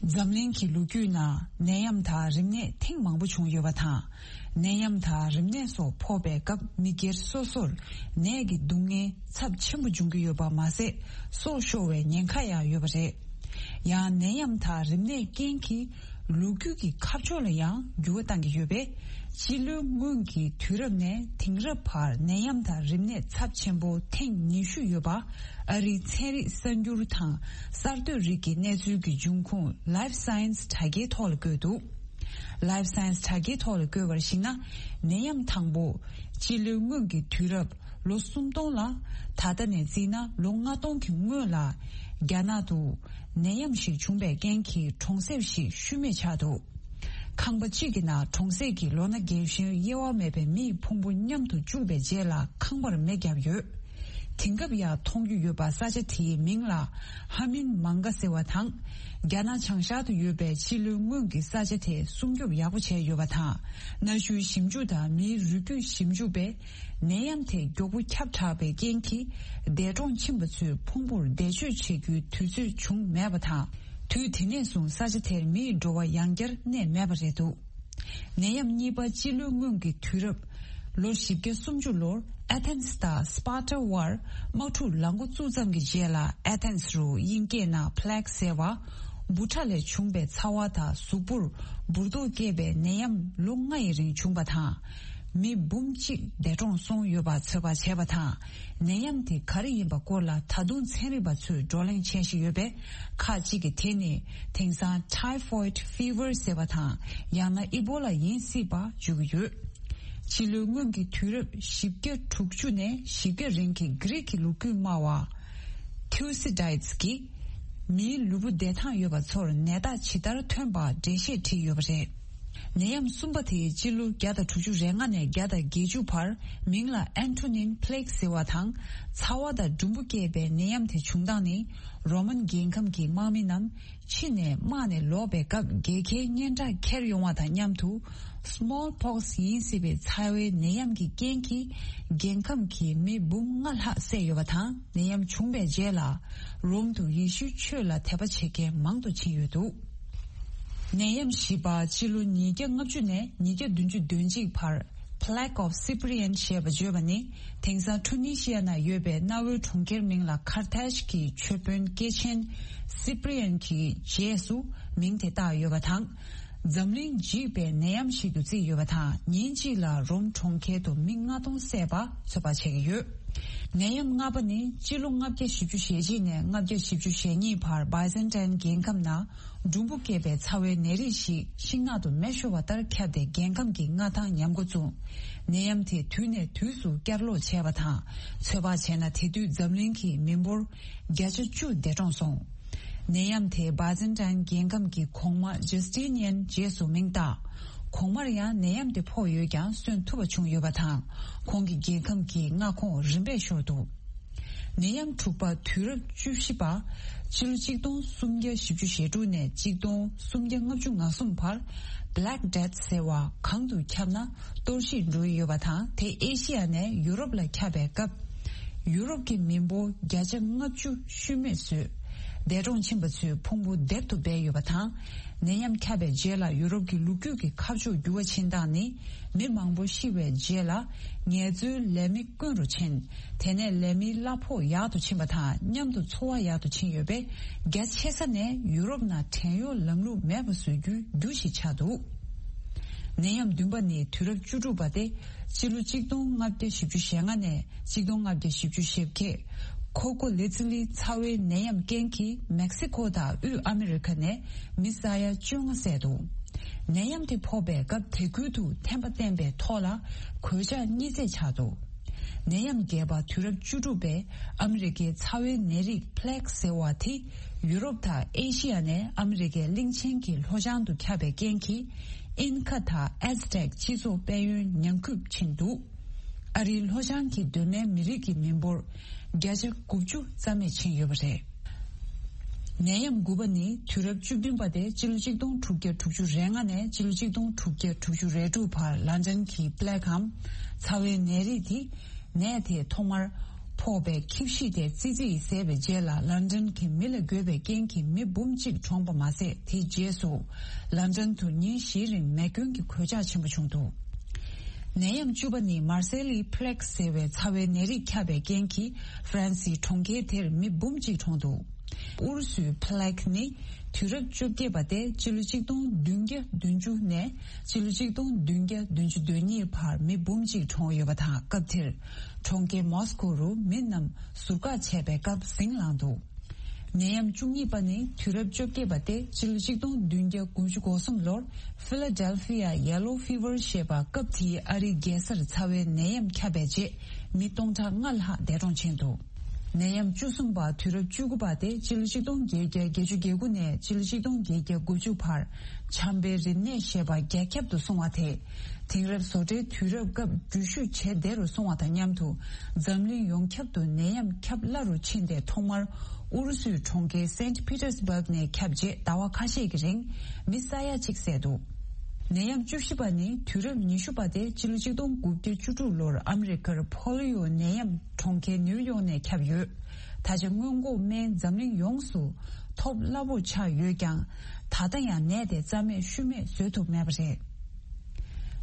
འཛམ་གླིང་གི་ལོ་རྒྱུས་ནང་ནད་ཡམས་དང་རིམས་ནད་ཐེངས་མང་པོ་བྱུང་ཡོད་པ་དང་། ནད་ཡམས་དང་རིམས་ནད་སོགས་ཕོག་པའི་སྐབས་མི་སྒེར་སོ་སོར་ནད་ཀྱི་སྡུག་བསྔལ་ཚབས་ཆེན་པོ་འབྱུང་གི་ཡོད་པ་མ་ཟད། སྲོག་ཤོར་བའི་ཉེན་ཁ་ཡང་ཡོད་པ་རེད། ཡང་ནད་ཡམས་དང་རིམས་ནད་རྐྱེན་གྱིས་ལོ་རྒྱུས་ཀྱི་ཁ་ཕྱོགས་ལ་ཡང་འགྱུར་བ་བཏང་གི་ཡོད་པས། སྤྱི་ལོའི་སྔོན་གྱི་དུས་རབས་ནས་དེང་རབས་བར་ནད་ཡམས་དང་རིམས་ནད་ཚབས་ཆེན་པོ་ཐེངས་ཉི་ཤུ་ཡོད་པ། ཨ་རིའི་ཚན་རིག་གསར་འགྱུར་དང་གསར་གཏོད་རིགས་ཀྱི་གནས་ཚུལ་གྱི་འབྱུང་ཁུངས་Life Science དྲ་རྒྱའི་ཐོག་ལ་བཀོད་འདུག Life Science དྲ་རྒྱའི་ཐོག་ལ་བཀོད་པར་གཞིགས་ན། ནད་ཡམས་དང་པོ་སྤྱི་ལོའི་སྔོན་གྱི་དུས་རབས་ལོ་སུམ་སྟོང་ལ། ད་ལྟ་ནས་བརྩིས་ན་ལོ་ལྔ་སྟོང་གི་སྔོན་ལ། རྒྱ་ནག་ཏུ་ནད་ཡམས་ཤིག་བྱུང་པའི་རྐྱེན་གྱིས་གྲོང་གསེབ་ཞིག་ཤུལ་མེད་ཆགས་འདུག་ཁང་པ་གཅིག་གི་ནང་གྲོང་གསེབ་ཀྱི་ལོ་ན་རྒས་གཞོན་དབྱེ་བ་མེད་པའི་མིའི་ཕུང་པོ་མཉམ་དུ་བཅུག་པའི་རྗེས་ལ་ཁང་པར་མེ་བརྒྱབ་ཡོད། དེང་སྐབས་ཡང་མཐོང་རྒྱུ་ཡོད་པ། ས་ཆ་དེའི་མིང་ལ་ཧ་མིན་མང་ག་ཟེར་བ་དང་། རྒྱ་ནག་བྱང་ཤར་དུ་ཡོད་པའི་སྤྱི་ལོའི་སྔོན་གྱི་ས་ཆ་དེ་སྲུང་སྐྱོབ་ཡག་པོ་བྱས་ཡོད་པ་དང་། གནའ་ཤུལ་ཞིབ་འཇུག་དང་མིའི་རུས་རྒྱུད་ཞིབ་འཇུག་པས། ནད་ཡམས་དེ་མགྱོགས་པོ་ཁྱབ་དྲགས་པའི་རྐྱེན་གྱིས། འདས་གྲོངས་ཕྱིན་པ་ཚོའི་ཕུང་པོར་འདས་མཆོད་བྱེད་རྒྱུའི་དུས་ཚོད་བྱུང་མེད་པ་དང་། དུས་དེ་ནས་བཟུང་ས་ཆ་དེར་མིའི་འགྲོ་བ་ཡང་བསྐྱར་གནས་མེད་པ་རེད་འདུག་ནད་ཡམས་གཉིས་པ་སྤྱི་ལོའི་སྔོན་གྱི་དུས་རབས་ལོ་བཞི་བརྒྱ་སུམ་ཅུ་ལོར་ཨེ་ཐེན་སི་དང་སི་པཱར་ཊ་དབར་དམག་འཁྲུག་ལངས་འགོ་བཙུགས་ཙམ་གྱི་རྗེས་ལ། ཨེ་ཐེན་སི་རུ་དབྱིན་སྐད་ནང་Plague ཟེར་བ། འབུ་ཕྲ་ལས་བྱུང་པའི་ཚ་བ་དང་གཟུགས་པོར་འབུར་ཏོག་སྐྱེས་པའི་ནད་ཡམས་ལོ་ལྔ་ཡི་རིང་བྱུང་པ་དང་། མི་འབུམ་གཅིག་འདས་གྲོངས་སོང་ཡོད་པ་ཚོད་དཔག་བྱས་པ་དང་། ནད་ཡམས་དེ་ག་རེ་ཡིན་པ་སྐོར་ལ་ད་དུང་ཚན་རིག་པ་ཚོས་བགྲོ་གླེང་བྱེད་བཞིན་ཡོད་པས། ཁག་ཅིག་གིས་དེ་ནི་དེང་སང་Typhoid Fever ཟེར་བ་དང་། ཡང་ན་ཨི་བོ་ལ་ཡིན་སྲིད་པ་བརྗོད་ཀྱི་ཡོད། སྤྱི་ལོའི་སྔོན་གྱི་དུས་རབས་བཞི་བརྒྱ་དྲུག་ཅུ་ནས་བཞི་བརྒྱ་རིང་གི་གྷི་རིག་གི་ལོ་རྒྱུས་སྨྲ་བ་ཐིའུ་སི་ཌའིཊས་ཀྱིས། མིའི་ལུས་པོ་བདེ་ཐང་ཡོད་པ་ཚོར་ནད་རྟགས་ཇི་ལྟར་ཐོན་པ་འགྲེལ་བཤད་བྲིས་ཡོད་པ་རེད། ནད་ཡམས་གསུམ་པ་དེ་སྤྱི་ལོ་བརྒྱ་དང་དྲུག་ཅུ་རེ་ལྔ་ནས་བརྒྱ་དང་བརྒྱད་ཅུ་བར། མིང་ལ་Antonine Plague ཟེར་བ་དང་། ཚ་བ་དང་འབྲུམ་བུ་སྐྱེས་པའི་ནད་ཡམས་དེ་བྱུང་སྟངས་ནི། རོ་མན་རྒྱལ་ཁམས་ཀྱི་དམག་མི་རྣམས། ཕྱི་ནས་དམག་ནས་ལོག་པའི་སྐབས་རྒྱལ་ཁའི་སྙན་གྲགས་ཁྱེར་ཡོང་བ་དང་མཉམ་དུ། Smallpox ཡིན་སྲིད་པའི་ཚ་བའི་ནད་ཡམས་ཀྱི་རྐྱེན་གྱིས། རྒྱལ་ཁམས་ཀྱི་མི་འབུམ་ལྔ་ལྷག་བསད་ཡོད་པ་དང་། ནད་ཡམས་བྱུང་བའི་རྗེས་ལ། རོམ་དུ་ཡེ་ཤུའི་ཆོས་ལ་དད་པ་བྱེད་མཁན་མང་དུ་ཕྱིན་ཡོད་འདུག་ནད་ཡམས་བཞི་པ་སྤྱི་ལོ་ཉིས་བརྒྱ་ལྔ་བཅུ་ནས་ཉིས་བརྒྱ་བདུན་ཅུ་དོན་གཅིག་བར། Plague of Cyprian ཞེས་པ་བརྗོད་པ་ནི། དེང་སང་ཁྲུ་ནི་ཤི་ཡ་ན་ཡོད་པའི་གནའ་བོའི་གྲོང་ཁྱེར་མིང་ལ་ཁར་ཐེཇ་གྱི་ཆོས་དཔོན་སྐྱེས་ཆེན་སི་པི་རི་ཡན་གྱི་རྗེས་སུ་མིང་དེ་བཏགས་ཡོད་པ་དང་། འཛམ་གླིང་འཇིག་པའི་ནད་ཡམས་ཤིག་ཏུ་བརྩིས་ཡོད་པ་དང་། ཉིན་གཅིག་ལ་རོམ་གྲོང་ཁྱེར་དུ་མི་ལྔ་སྟོང་བསད་པ་ཚོད་དཔག་བྱེད་ཀྱི་ཡོད། ནད་ཡམས་ལྔ་པ་ནི་སྤྱི་ལོ་ལྔ་བརྒྱ་བཞི་བཅུ་ཞེ་གཅིག་ནས་ལྔ་བརྒྱ་བཞི་བཅུ་ཞེ་གཉིས་བར་Byzantine རྒྱལ་ཁམས་ནང་འབྲུམ་བུ་སྐྱེས་པའི་ཚ་བའི་ནད་རིགས་ཤིག་ཤིང་ནགས་དུ་མེ་ཤོར་བ་ལྟར་ཁྱབ་སྟེ་རྒྱལ་ཁམས་ཀྱི་མངའ་ཐང་ཉམས་འགོ་བཙུགས། ནད་ཡམས་དེ་དུས་ནས་དུས་སུ་བསྐྱར་ལོག་བྱས་པ་དང་། ཚོད་དཔག་བྱས་ན་དེ་དུས་འཛམ་གླིང་གི་མི་འབོར་བརྒྱ་ཆ་བཅུ་འདས་གྲོངས་སོང་། ནད་ཡམས་དེ་Byzantine རྒྱལ་ཁམས་ཀྱི་གོང་མ་Justinian རྗེས་སུ་མིང་བཏགས། གོང་མར་ཡང་ནད་ཡམས་དེ་ཕོག་ཡོད་ཀྱང་གསོན་ཐུབ་པ་བྱུང་ཡོད་པ་དང་། ཁོང་གི་རྒྱལ་ཁམས་ཀྱི་མངའ་ཁོངས་རིམ་པས་ཤོར་འདུག་ནད་ཡམས་དྲུག་པ་དུས་རབས་བཅུ་བཞི་པ། ཕྱི་ལོ་གཅིག་སྟོང་སུམ་བརྒྱ་བཞི་བཅུ་ཞེ་དྲུག་ནས་གཅིག་སྟོང་སུམ་བརྒྱ་ལྔ་བཅུ་ང་གསུམ་བར། Black Death ཟེར་བ་གང་དུ་ཁྱབ་ན་གཏོར་བཤིག་འགྲོ་ཡི་ཡོད་པ་དང་། དེ་ཨེ་ཤི་ཡ་ནས་ཡུ་རོབ་ལ་ཁྱབ་པའི་སྐབས། ཡུ་རོབ་ཀྱི་མི་འབོར་བརྒྱ་ཆ་ལྔ་བཅུ་ཤུལ་མེད་བཟོས། འདས་གྲོངས་ཕྱིན་པ་ཚོའི་ཕུང་པོ་སྡེབ་ཏུ་སྦས་ཡོད་པ་དང་། ནད་ཡམས་ཁྱབ་པའི་རྗེས་ལ་ཡུ་རོབ་ཀྱི་ལོ་རྒྱུས་ཀྱི་ཁ་ཕྱོགས་འགྱུར་བ་ཕྱིན་སྟངས་ནི། མི་མང་པོ་ཤི་བའི་རྗེས་ལ་ངལ་རྩོལ་ལས་མི་དཀོན་རུ་ཕྱིན། དེ་ནས་ལས་མིའི་གླ་ཕོགས་ཡག་ཏུ་ཕྱིན་པ་དང་མཉམ་དུ་འཚོ་བ་ཡག་ཏུ་ཕྱིན་ཡོད་པས། རྒྱ་ཆེ་ས་ནས་ཡུ་རོབ་ནང་བྲན་གཡོག་ལམ་ལུགས་མེད་པ་བཟོ་རྒྱུའི་རྒྱུ་ཞིག་ཆགས་འདུག་ནད་ཡམས་བདུན་པ་ནི་དུས་རབས་བཅུ་དྲུག་པ་སྟེ། སྤྱི་ལོ་གཅིག་སྟོང་ལྔ་བརྒྱ་བཞི་བཅུ་ཞེ་ལྔ་ནས་གཅིག་སྟོང་ལྔ་བརྒྱ་བཞི་བཅུ་ཞེ་བརྒྱད། ཁོ་ཀོ་ལི་ཙི་ལི་ཚ་བའི་ནད་ཡམས་རྐྱེན་གྱིས་མེག་སི་ཁོ་དང་དབུས་ཨ་མི་རི་ཁ་ནས་མི་ས་ཡ་བཅོ་ལྔ་བསད་འདུག་ནད་ཡམས་དེ་ཕོག་པའི་སྐབས་དེ་ཁུལ་དུ་ཐན་པ་བསྟེན་པའི་ཐོག་ལ་གོད་ཆག་གཉིས་བརྩེགས་ཆགས་འདུག་ནད་ཡམས་བརྒྱད་པ་དུས་རབས་བཅུ་དྲུག་པའི་ཨ་མི་རི་ཀའི་ཚ་བའི་ནད་རིགས་Plague ཟེར་བ་དེ་ཡུ་རོབ་དང་ཨེ་ཤི་ཡ་ནས་ཨ་མི་རི་ཀའི་གླིང་ཆེན་གྱི་ལྷོ་བྱང་དུ་ཁྱབ་པའི་རྐྱེན་གྱིས། ཨིན་ཁ་དང་ཨེ་ཛི་ཊེག་སྤྱི་ཚོགས་དཔལ་ཡོན་ཉམས་རྒུད་ཕྱིན་འདུག་ཨ་རིའི་ལྷོ་བྱང་གི་གདོད་མའི་མི་རིགས་ཀྱི་མི་འབོར་ བརྒྱ་ཆ་དགུ་བཅུ་རྩ་མེད་ཕྱིན་ཡོད་པ་རེད། ནད་ཡམས་དགུ་པ་ནི་དུས་རབས་བཅུ་བདུན་པ་སྟེ་སྤྱི་ལོ་གཅིག་སྟོང་དྲུག་བརྒྱ་དྲུག་ཅུ་རེ་ལྔ་ནས་སྤྱི་ལོ་གཅིག་སྟོང་དྲུག་བརྒྱ་དྲུག་ཅུ་རེ་དྲུག་བར་ལན་ཀྲན་གྱི་པི་ལེག་གམ་ཚ་བའི་ནད་རིགས་དེ། ནད་དེ་ཐོག་མར་ཕོག་པའི་ཁྱི་ཤི་དེ་ཙི་ཙི་ཡིས་བཟས་པའི་རྗེས་ལ་ལན་ཀྲན་གྱི་མི་ལ་འགོས་པའི་རྐྱེན་གྱིས་མི་འབུམ་གཅིག་གྲོངས་པ་མ་ཟད། དེའི་རྗེས་སུ་ལན་ཀྲན་དུ་ཉིན་བཞིའི་རིང་མེ་སྐྱོན་གྱི་གོད་ཆག་ཆེན་པོ་བྱུང་འདུག་ནད་ཡམས་བཅུ་པ་ནི་མར་སེ་ལི་པི་ལེག་ཟེར་བའི་ཚ་བའི་ནད་རིགས་ཁྱབ་པའི་རྐྱེན་གྱིས་ཧྥ་རན་སིའི་གྲོང་ཁྱེར་དེར་མི་འབུམ་གཅིག་གྲོངས་འདུག་ཨུ་རུ་སུའི་པི་ལེག་ནི་དུས་རབས་བཅོ་བརྒྱད་པ་སྟེ་སྤྱི་ལོ་གཅིག་སྟོང་བདུན་བརྒྱ་བདུན་ཅུ་ནས་སྤྱི་ལོ་གཅིག་སྟོང་བདུན་བརྒྱ་བདུན་ཅུ་དོན་གཉིས་བར་མི་འབུམ་གཅིག་གྲོངས་ཡོད་པ་དང་། སྐབས་དེར་གྲོང་ཁྱེར་མོ་སི་ཀོ་རུ་མི་རྣམས་ཟུར་བཀག་བྱས་པའི་སྐབས་ཟིང་ལངས་འདུག་ནད་ཡམས་བཅུ་གཉིས་པ་ནི་དུས་རབས་བཅོ་བརྒྱད་པ་སྟེ་སྤྱི་ལོ་གཅིག་སྟོང་བདུན་བརྒྱ་དགུ་བཅུ་གོ་གསུམ་ལོར་ཕི་ལ་ཌེལ་ཕི་ཡ་ཡེ་ལོ་ཕི་ཝར་ཞེས་པ། སྐབས་དེའི་ཨ་རིའི་རྒྱལ་སར་ཚ་བའི་ནད་ཡམས་ཁྱབ་པའི་རྗེས་མི་སྟོང་ཕྲག་ལྔ་ལྷག་འདས་གྲོངས་ཕྱིན་འདུག་ནད་ཡམས་བཅུ་གསུམ་པ་དུས་རབས་བཅུ་དགུ་པ་སྟེ་སྤྱི་ལོ་གཅིག་སྟོང་བརྒྱད་བརྒྱ་བརྒྱད་ཅུ་གྱ་དགུ་ནས་སྤྱི་ལོ་གཅིག་སྟོང་བརྒྱད་བརྒྱ་དགུ་བཅུ་བར་ཆམ་པའི་རིམས་ནད་ཞེས་པ་རྒྱ་ཁྱབ་ཏུ་སོང་བ་དེས། དེང་རབས་བཟོ་གྲྭའི་དུས་རབས་སྐབས་འགྲུལ་བཞུད་བྱེད་བདེ་རུ་སོང་བ་དང་མཉམ་དུ། འཛམ་གླིང་ཡོངས་ཁྱབ་ཏུ་ནད་ཡམས་ཁྱབ་སླ་རུ་ཕྱིན་ཏེ། ཐོག་མར་ཨུ་རུ་སུའི་གྲོང་ཁྱེར་སེན་ཊི་པི་ཏར་སི་བྷག་ནས་ཁྱབ་རྗེས་ཟླ་བ་ཁ་ཤས་ཀྱི་རིང་མི་ས་ཡ་གཅིག་བསད་འདུག་ནད་ཡམས་བཅུ་བཞི་པ་ནི་དུས་རབས་ཉི་ཤུ་པ་སྟེ་སྤྱི་ལོ་གཅིག་སྟོང་དགུ་བརྒྱ་བཅུ་དྲུག་ལོར་ཨ་མི་རི་ཀར་ཕོ་ལི་ཡོ་ནད་ཡམས་གྲོང་ཁྱེར་ནིའུ་ཡོག་ནས་ཁྱབ་ཡོད། ད་ཆ་སྔོན་འགོག་སྨན་འཛམ་གླིང་ཡོངས་སུ་ཐོབ་སླ་པོ་ཆགས་ཡོད་ཀྱང་། ད་ལྟ་ཡང་ནད་དེ་རྩ་མེད་ཤུལ་མེད་བཟོད་ཐུབ་མེད་པ་རེད།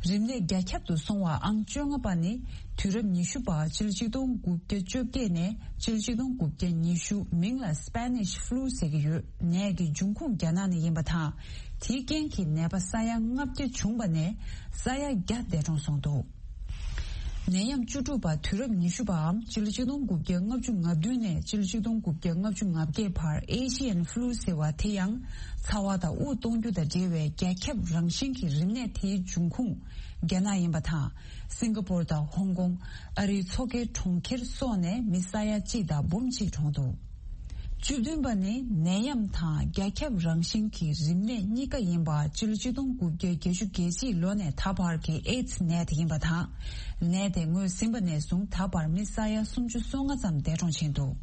རིམས་ནད་རྒྱ་ཁྱབ་ཏུ་སོང་བ་ཨང་བཅོ་ལྔ་པ་ནི་དུས་རབས་ཉི་ཤུ་པ་སྤྱི་ལོ་གཅིག་སྟོང་དགུ་བརྒྱ་བཅོ་བརྒྱད་ནས་སྤྱི་ལོ་གཅིག་སྟོང་དགུ་བརྒྱ་ཉི་ཤུ། མིང་ལ་སྤེ་ནིཤ་ཕུ་ལུ་ཟེར་གྱི་ཡོད། ནད་ཀྱི་འབྱུང་ཁུངས་རྒྱ་ནག་ནས་ཡིན་པ་དང་། དེའི་རྐྱེན་གྱིས་ནད་པ་ས་ཡ་ལྔ་བརྒྱ་བྱུང་བ་ནས་ས་ཡ་བརྒྱ་འདས་གྲོངས་སོང་འདུག་ནད་ཡམས་བཅུ་དྲུག་པ་དུས་རབས་ཉི་ཤུ་པའམ་སྤྱི་ལོ་གཅིག་སྟོང་དགུ་བརྒྱ་ལྔ་བཅུ་ང་བདུན་ནས་སྤྱི་ལོ་གཅིག་སྟོང་དགུ་བརྒྱ་ལྔ་བཅུ་ང་བརྒྱད་བར་ཨེ་ཤི་ཡན་ཕུ་ལུ་ཟེར་བ་དེ་ཡང་ཚ་བ་དང་དབུགས་གཏོང་རྒྱུ་དང་འབྲེལ་བའི་རྒྱ་ཁྱབ་རང་བཞིན་གྱི་རིམས་ནད་དེའི་འབྱུང་ཁུངས་རྒྱ་ནག་ཡིན་པ་དང་། སིང་ག་པོར་དང་ཧོང་ཀོང་། ཨ་རིའི་མཚོ་ཁའི་གྲོང་ཁྱེར་སོགས་ནས་མི་ས་ཡ་གཅིག་དང་འབུམ་གཅིག་གྲོངས་འདུག་བཅུ་བདུན་པ་ནི་ནད་ཡམས་དང་རྒྱ་ཁྱབ་རང་བཞིན་གྱི་རིམས་ནད་གཉིས་ཀ་ཡིན་པ་སྤྱི་ལོ་གཅིག་སྟོང་དགུ་བརྒྱ་བརྒྱད་ཅུ་གྱ་གཅིག་ལོ་ནས་ད་བར་གྱི་ཨེ་ཙི་ནད་དེ་ཡིན་པ་དང་། ནད་དེ་ངོས་ཟིན་པ་ནས་བཟུང་ད་བར་མི་ས་ཡ་སུམ་ཅུ་སོ་ལྔ་ཙམ་འདས་གྲོངས་ཕྱིན་འདུག་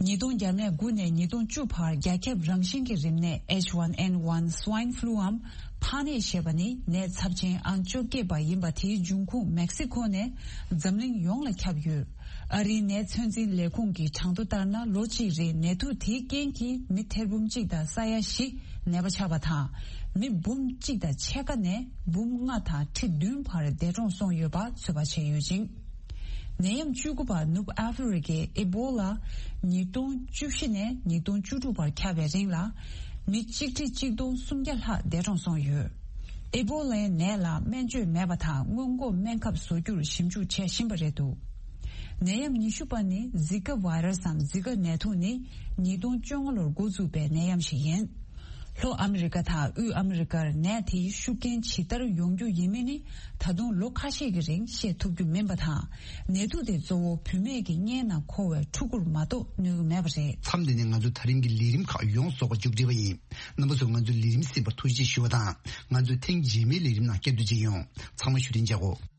ཉིས་སྟོང་བརྒྱ་མེད་དགུ་ནས་ཉིས་སྟོང་བཅུ་བར་རྒྱ་ཁྱབ་རང་བཞིན་གྱི་རིམས་ནད་ཨེཆ་ཝན་ཨེན་ཝན་སུའིན་ཕུ་ལུའམ་ཕག་ནད་ཞེས་པ་ནི་ནད་ཚབས་ཆེན་ཨང་བཅོ་བརྒྱད་པ་ཡིན་པ་དེའི་འབྱུང་ཁུངས་མེག་སི་ཁོ་ནས་འཛམ་གླིང་ཡོངས་ལ་ཁྱབ་ཡོད། ཨ་རིའི་ནད་ཚོད་འཛིན་ལས་ཁུངས་ཀྱི་གྲངས་ཐོ་ལྟར་ན། ལོ་གཅིག་རིང་ནད་དུག་དེའི་རྐྱེན་གྱིས་མི་ཐེར་འབུམ་གཅིག་དང་ས་ཡ་བཞི་ནད་པ་ཆགས་པ་དང་། མི་འབུམ་གཅིག་དང་ཕྱེད་ཀ་ནས་འབུམ་ལྔ་དང་ཁྲི་བདུན་བར་འདས་གྲོངས་སོང་ཡོད་པ་ཚོད་དཔག་བྱས་ཡོད་ཅིང་། ནད་ཡམས་བཅུ་དགུ་པ་ནུབ་ཨ་ཧྥེ་རི་ཀའི་ཨེ་བོ་ལ་ཉིས་སྟོང་བཅུ་བཞི་ནས་ཉིས་སྟོང་བཅུ་དྲུག་བར་ཁྱབ་པའི་རིང་ལ་མི་གཅིག་ཁྲི་གཅིག་སྟོང་སུམ་བརྒྱ་ལྷག་འདས་གྲོངས་སོང་ཡོད། ཨེ་བོ་ལའི་ནད་ལ་སྨན་བཅོས་མེད་པ་དང་སྔོན་འགོག་སྨན་ཁབ་བཟོ་རྒྱུར་ཞིབ་འཇུག་བྱེད་བཞིན་པ་རེད་འདུག་ནད་ཡམས་ཉི་ཤུ་པ་ནི་ཟི་ཀ་བྷའི་ར་སི་འམ་ཟི་ཀ་ནད་དུག་ནི་ཉིས་སྟོང་བཅོ་ལྔ་ལོར་འགོ་འཛུགས་པའི་ནད་ཡམས་ཤིག་ཡིན། ལྷོ་ཨ་མི་རི་ཀ་དང་དབུས་ཨ་མི་རི་ཀར་ནད་དེའི་ཤུགས་རྐྱེན་ཇི་ལྟར་ཡོང་རྒྱུ་ཡིན་མིན་ནི་ད་དུང་ལོ་ཁ་ཤས་ཀྱི་རིང་ཤེས་ཐུབ་རྒྱུ་མིན་པ་དང་། ནད་དུག་དེ་གཙོ་བོ་བུད་མེད་ཀྱི་མངལ་ནང་འཁོར་བའི་ཕྲུ་གུར་མ་གཏོགས་གནོད་ཀྱི་མེད་པ་རེད། མཚམས་འདི་ནས་ང་ཚོ་ད་རིང་གི་ལས་རིམ་ཁག་ཡོངས་རྫོགས་པ་མཇུག་སྒྲིལ་བ་ཡིན། རྣམ་པ་ཚོས་ང་ཚོའི་ལས་རིམ་གསན་པར་ཐུགས་རྗེ་ཆེ་ཞུ་བ་དང་། ང་ཚོའི་ཐེངས་རྗེས་མའི་ལས་རིམ་ནང་བསྐྱར་དུ་མཇལ་ཡོང་། ཚང་མ་བཞུགས་རིན་ཆགས་འོ།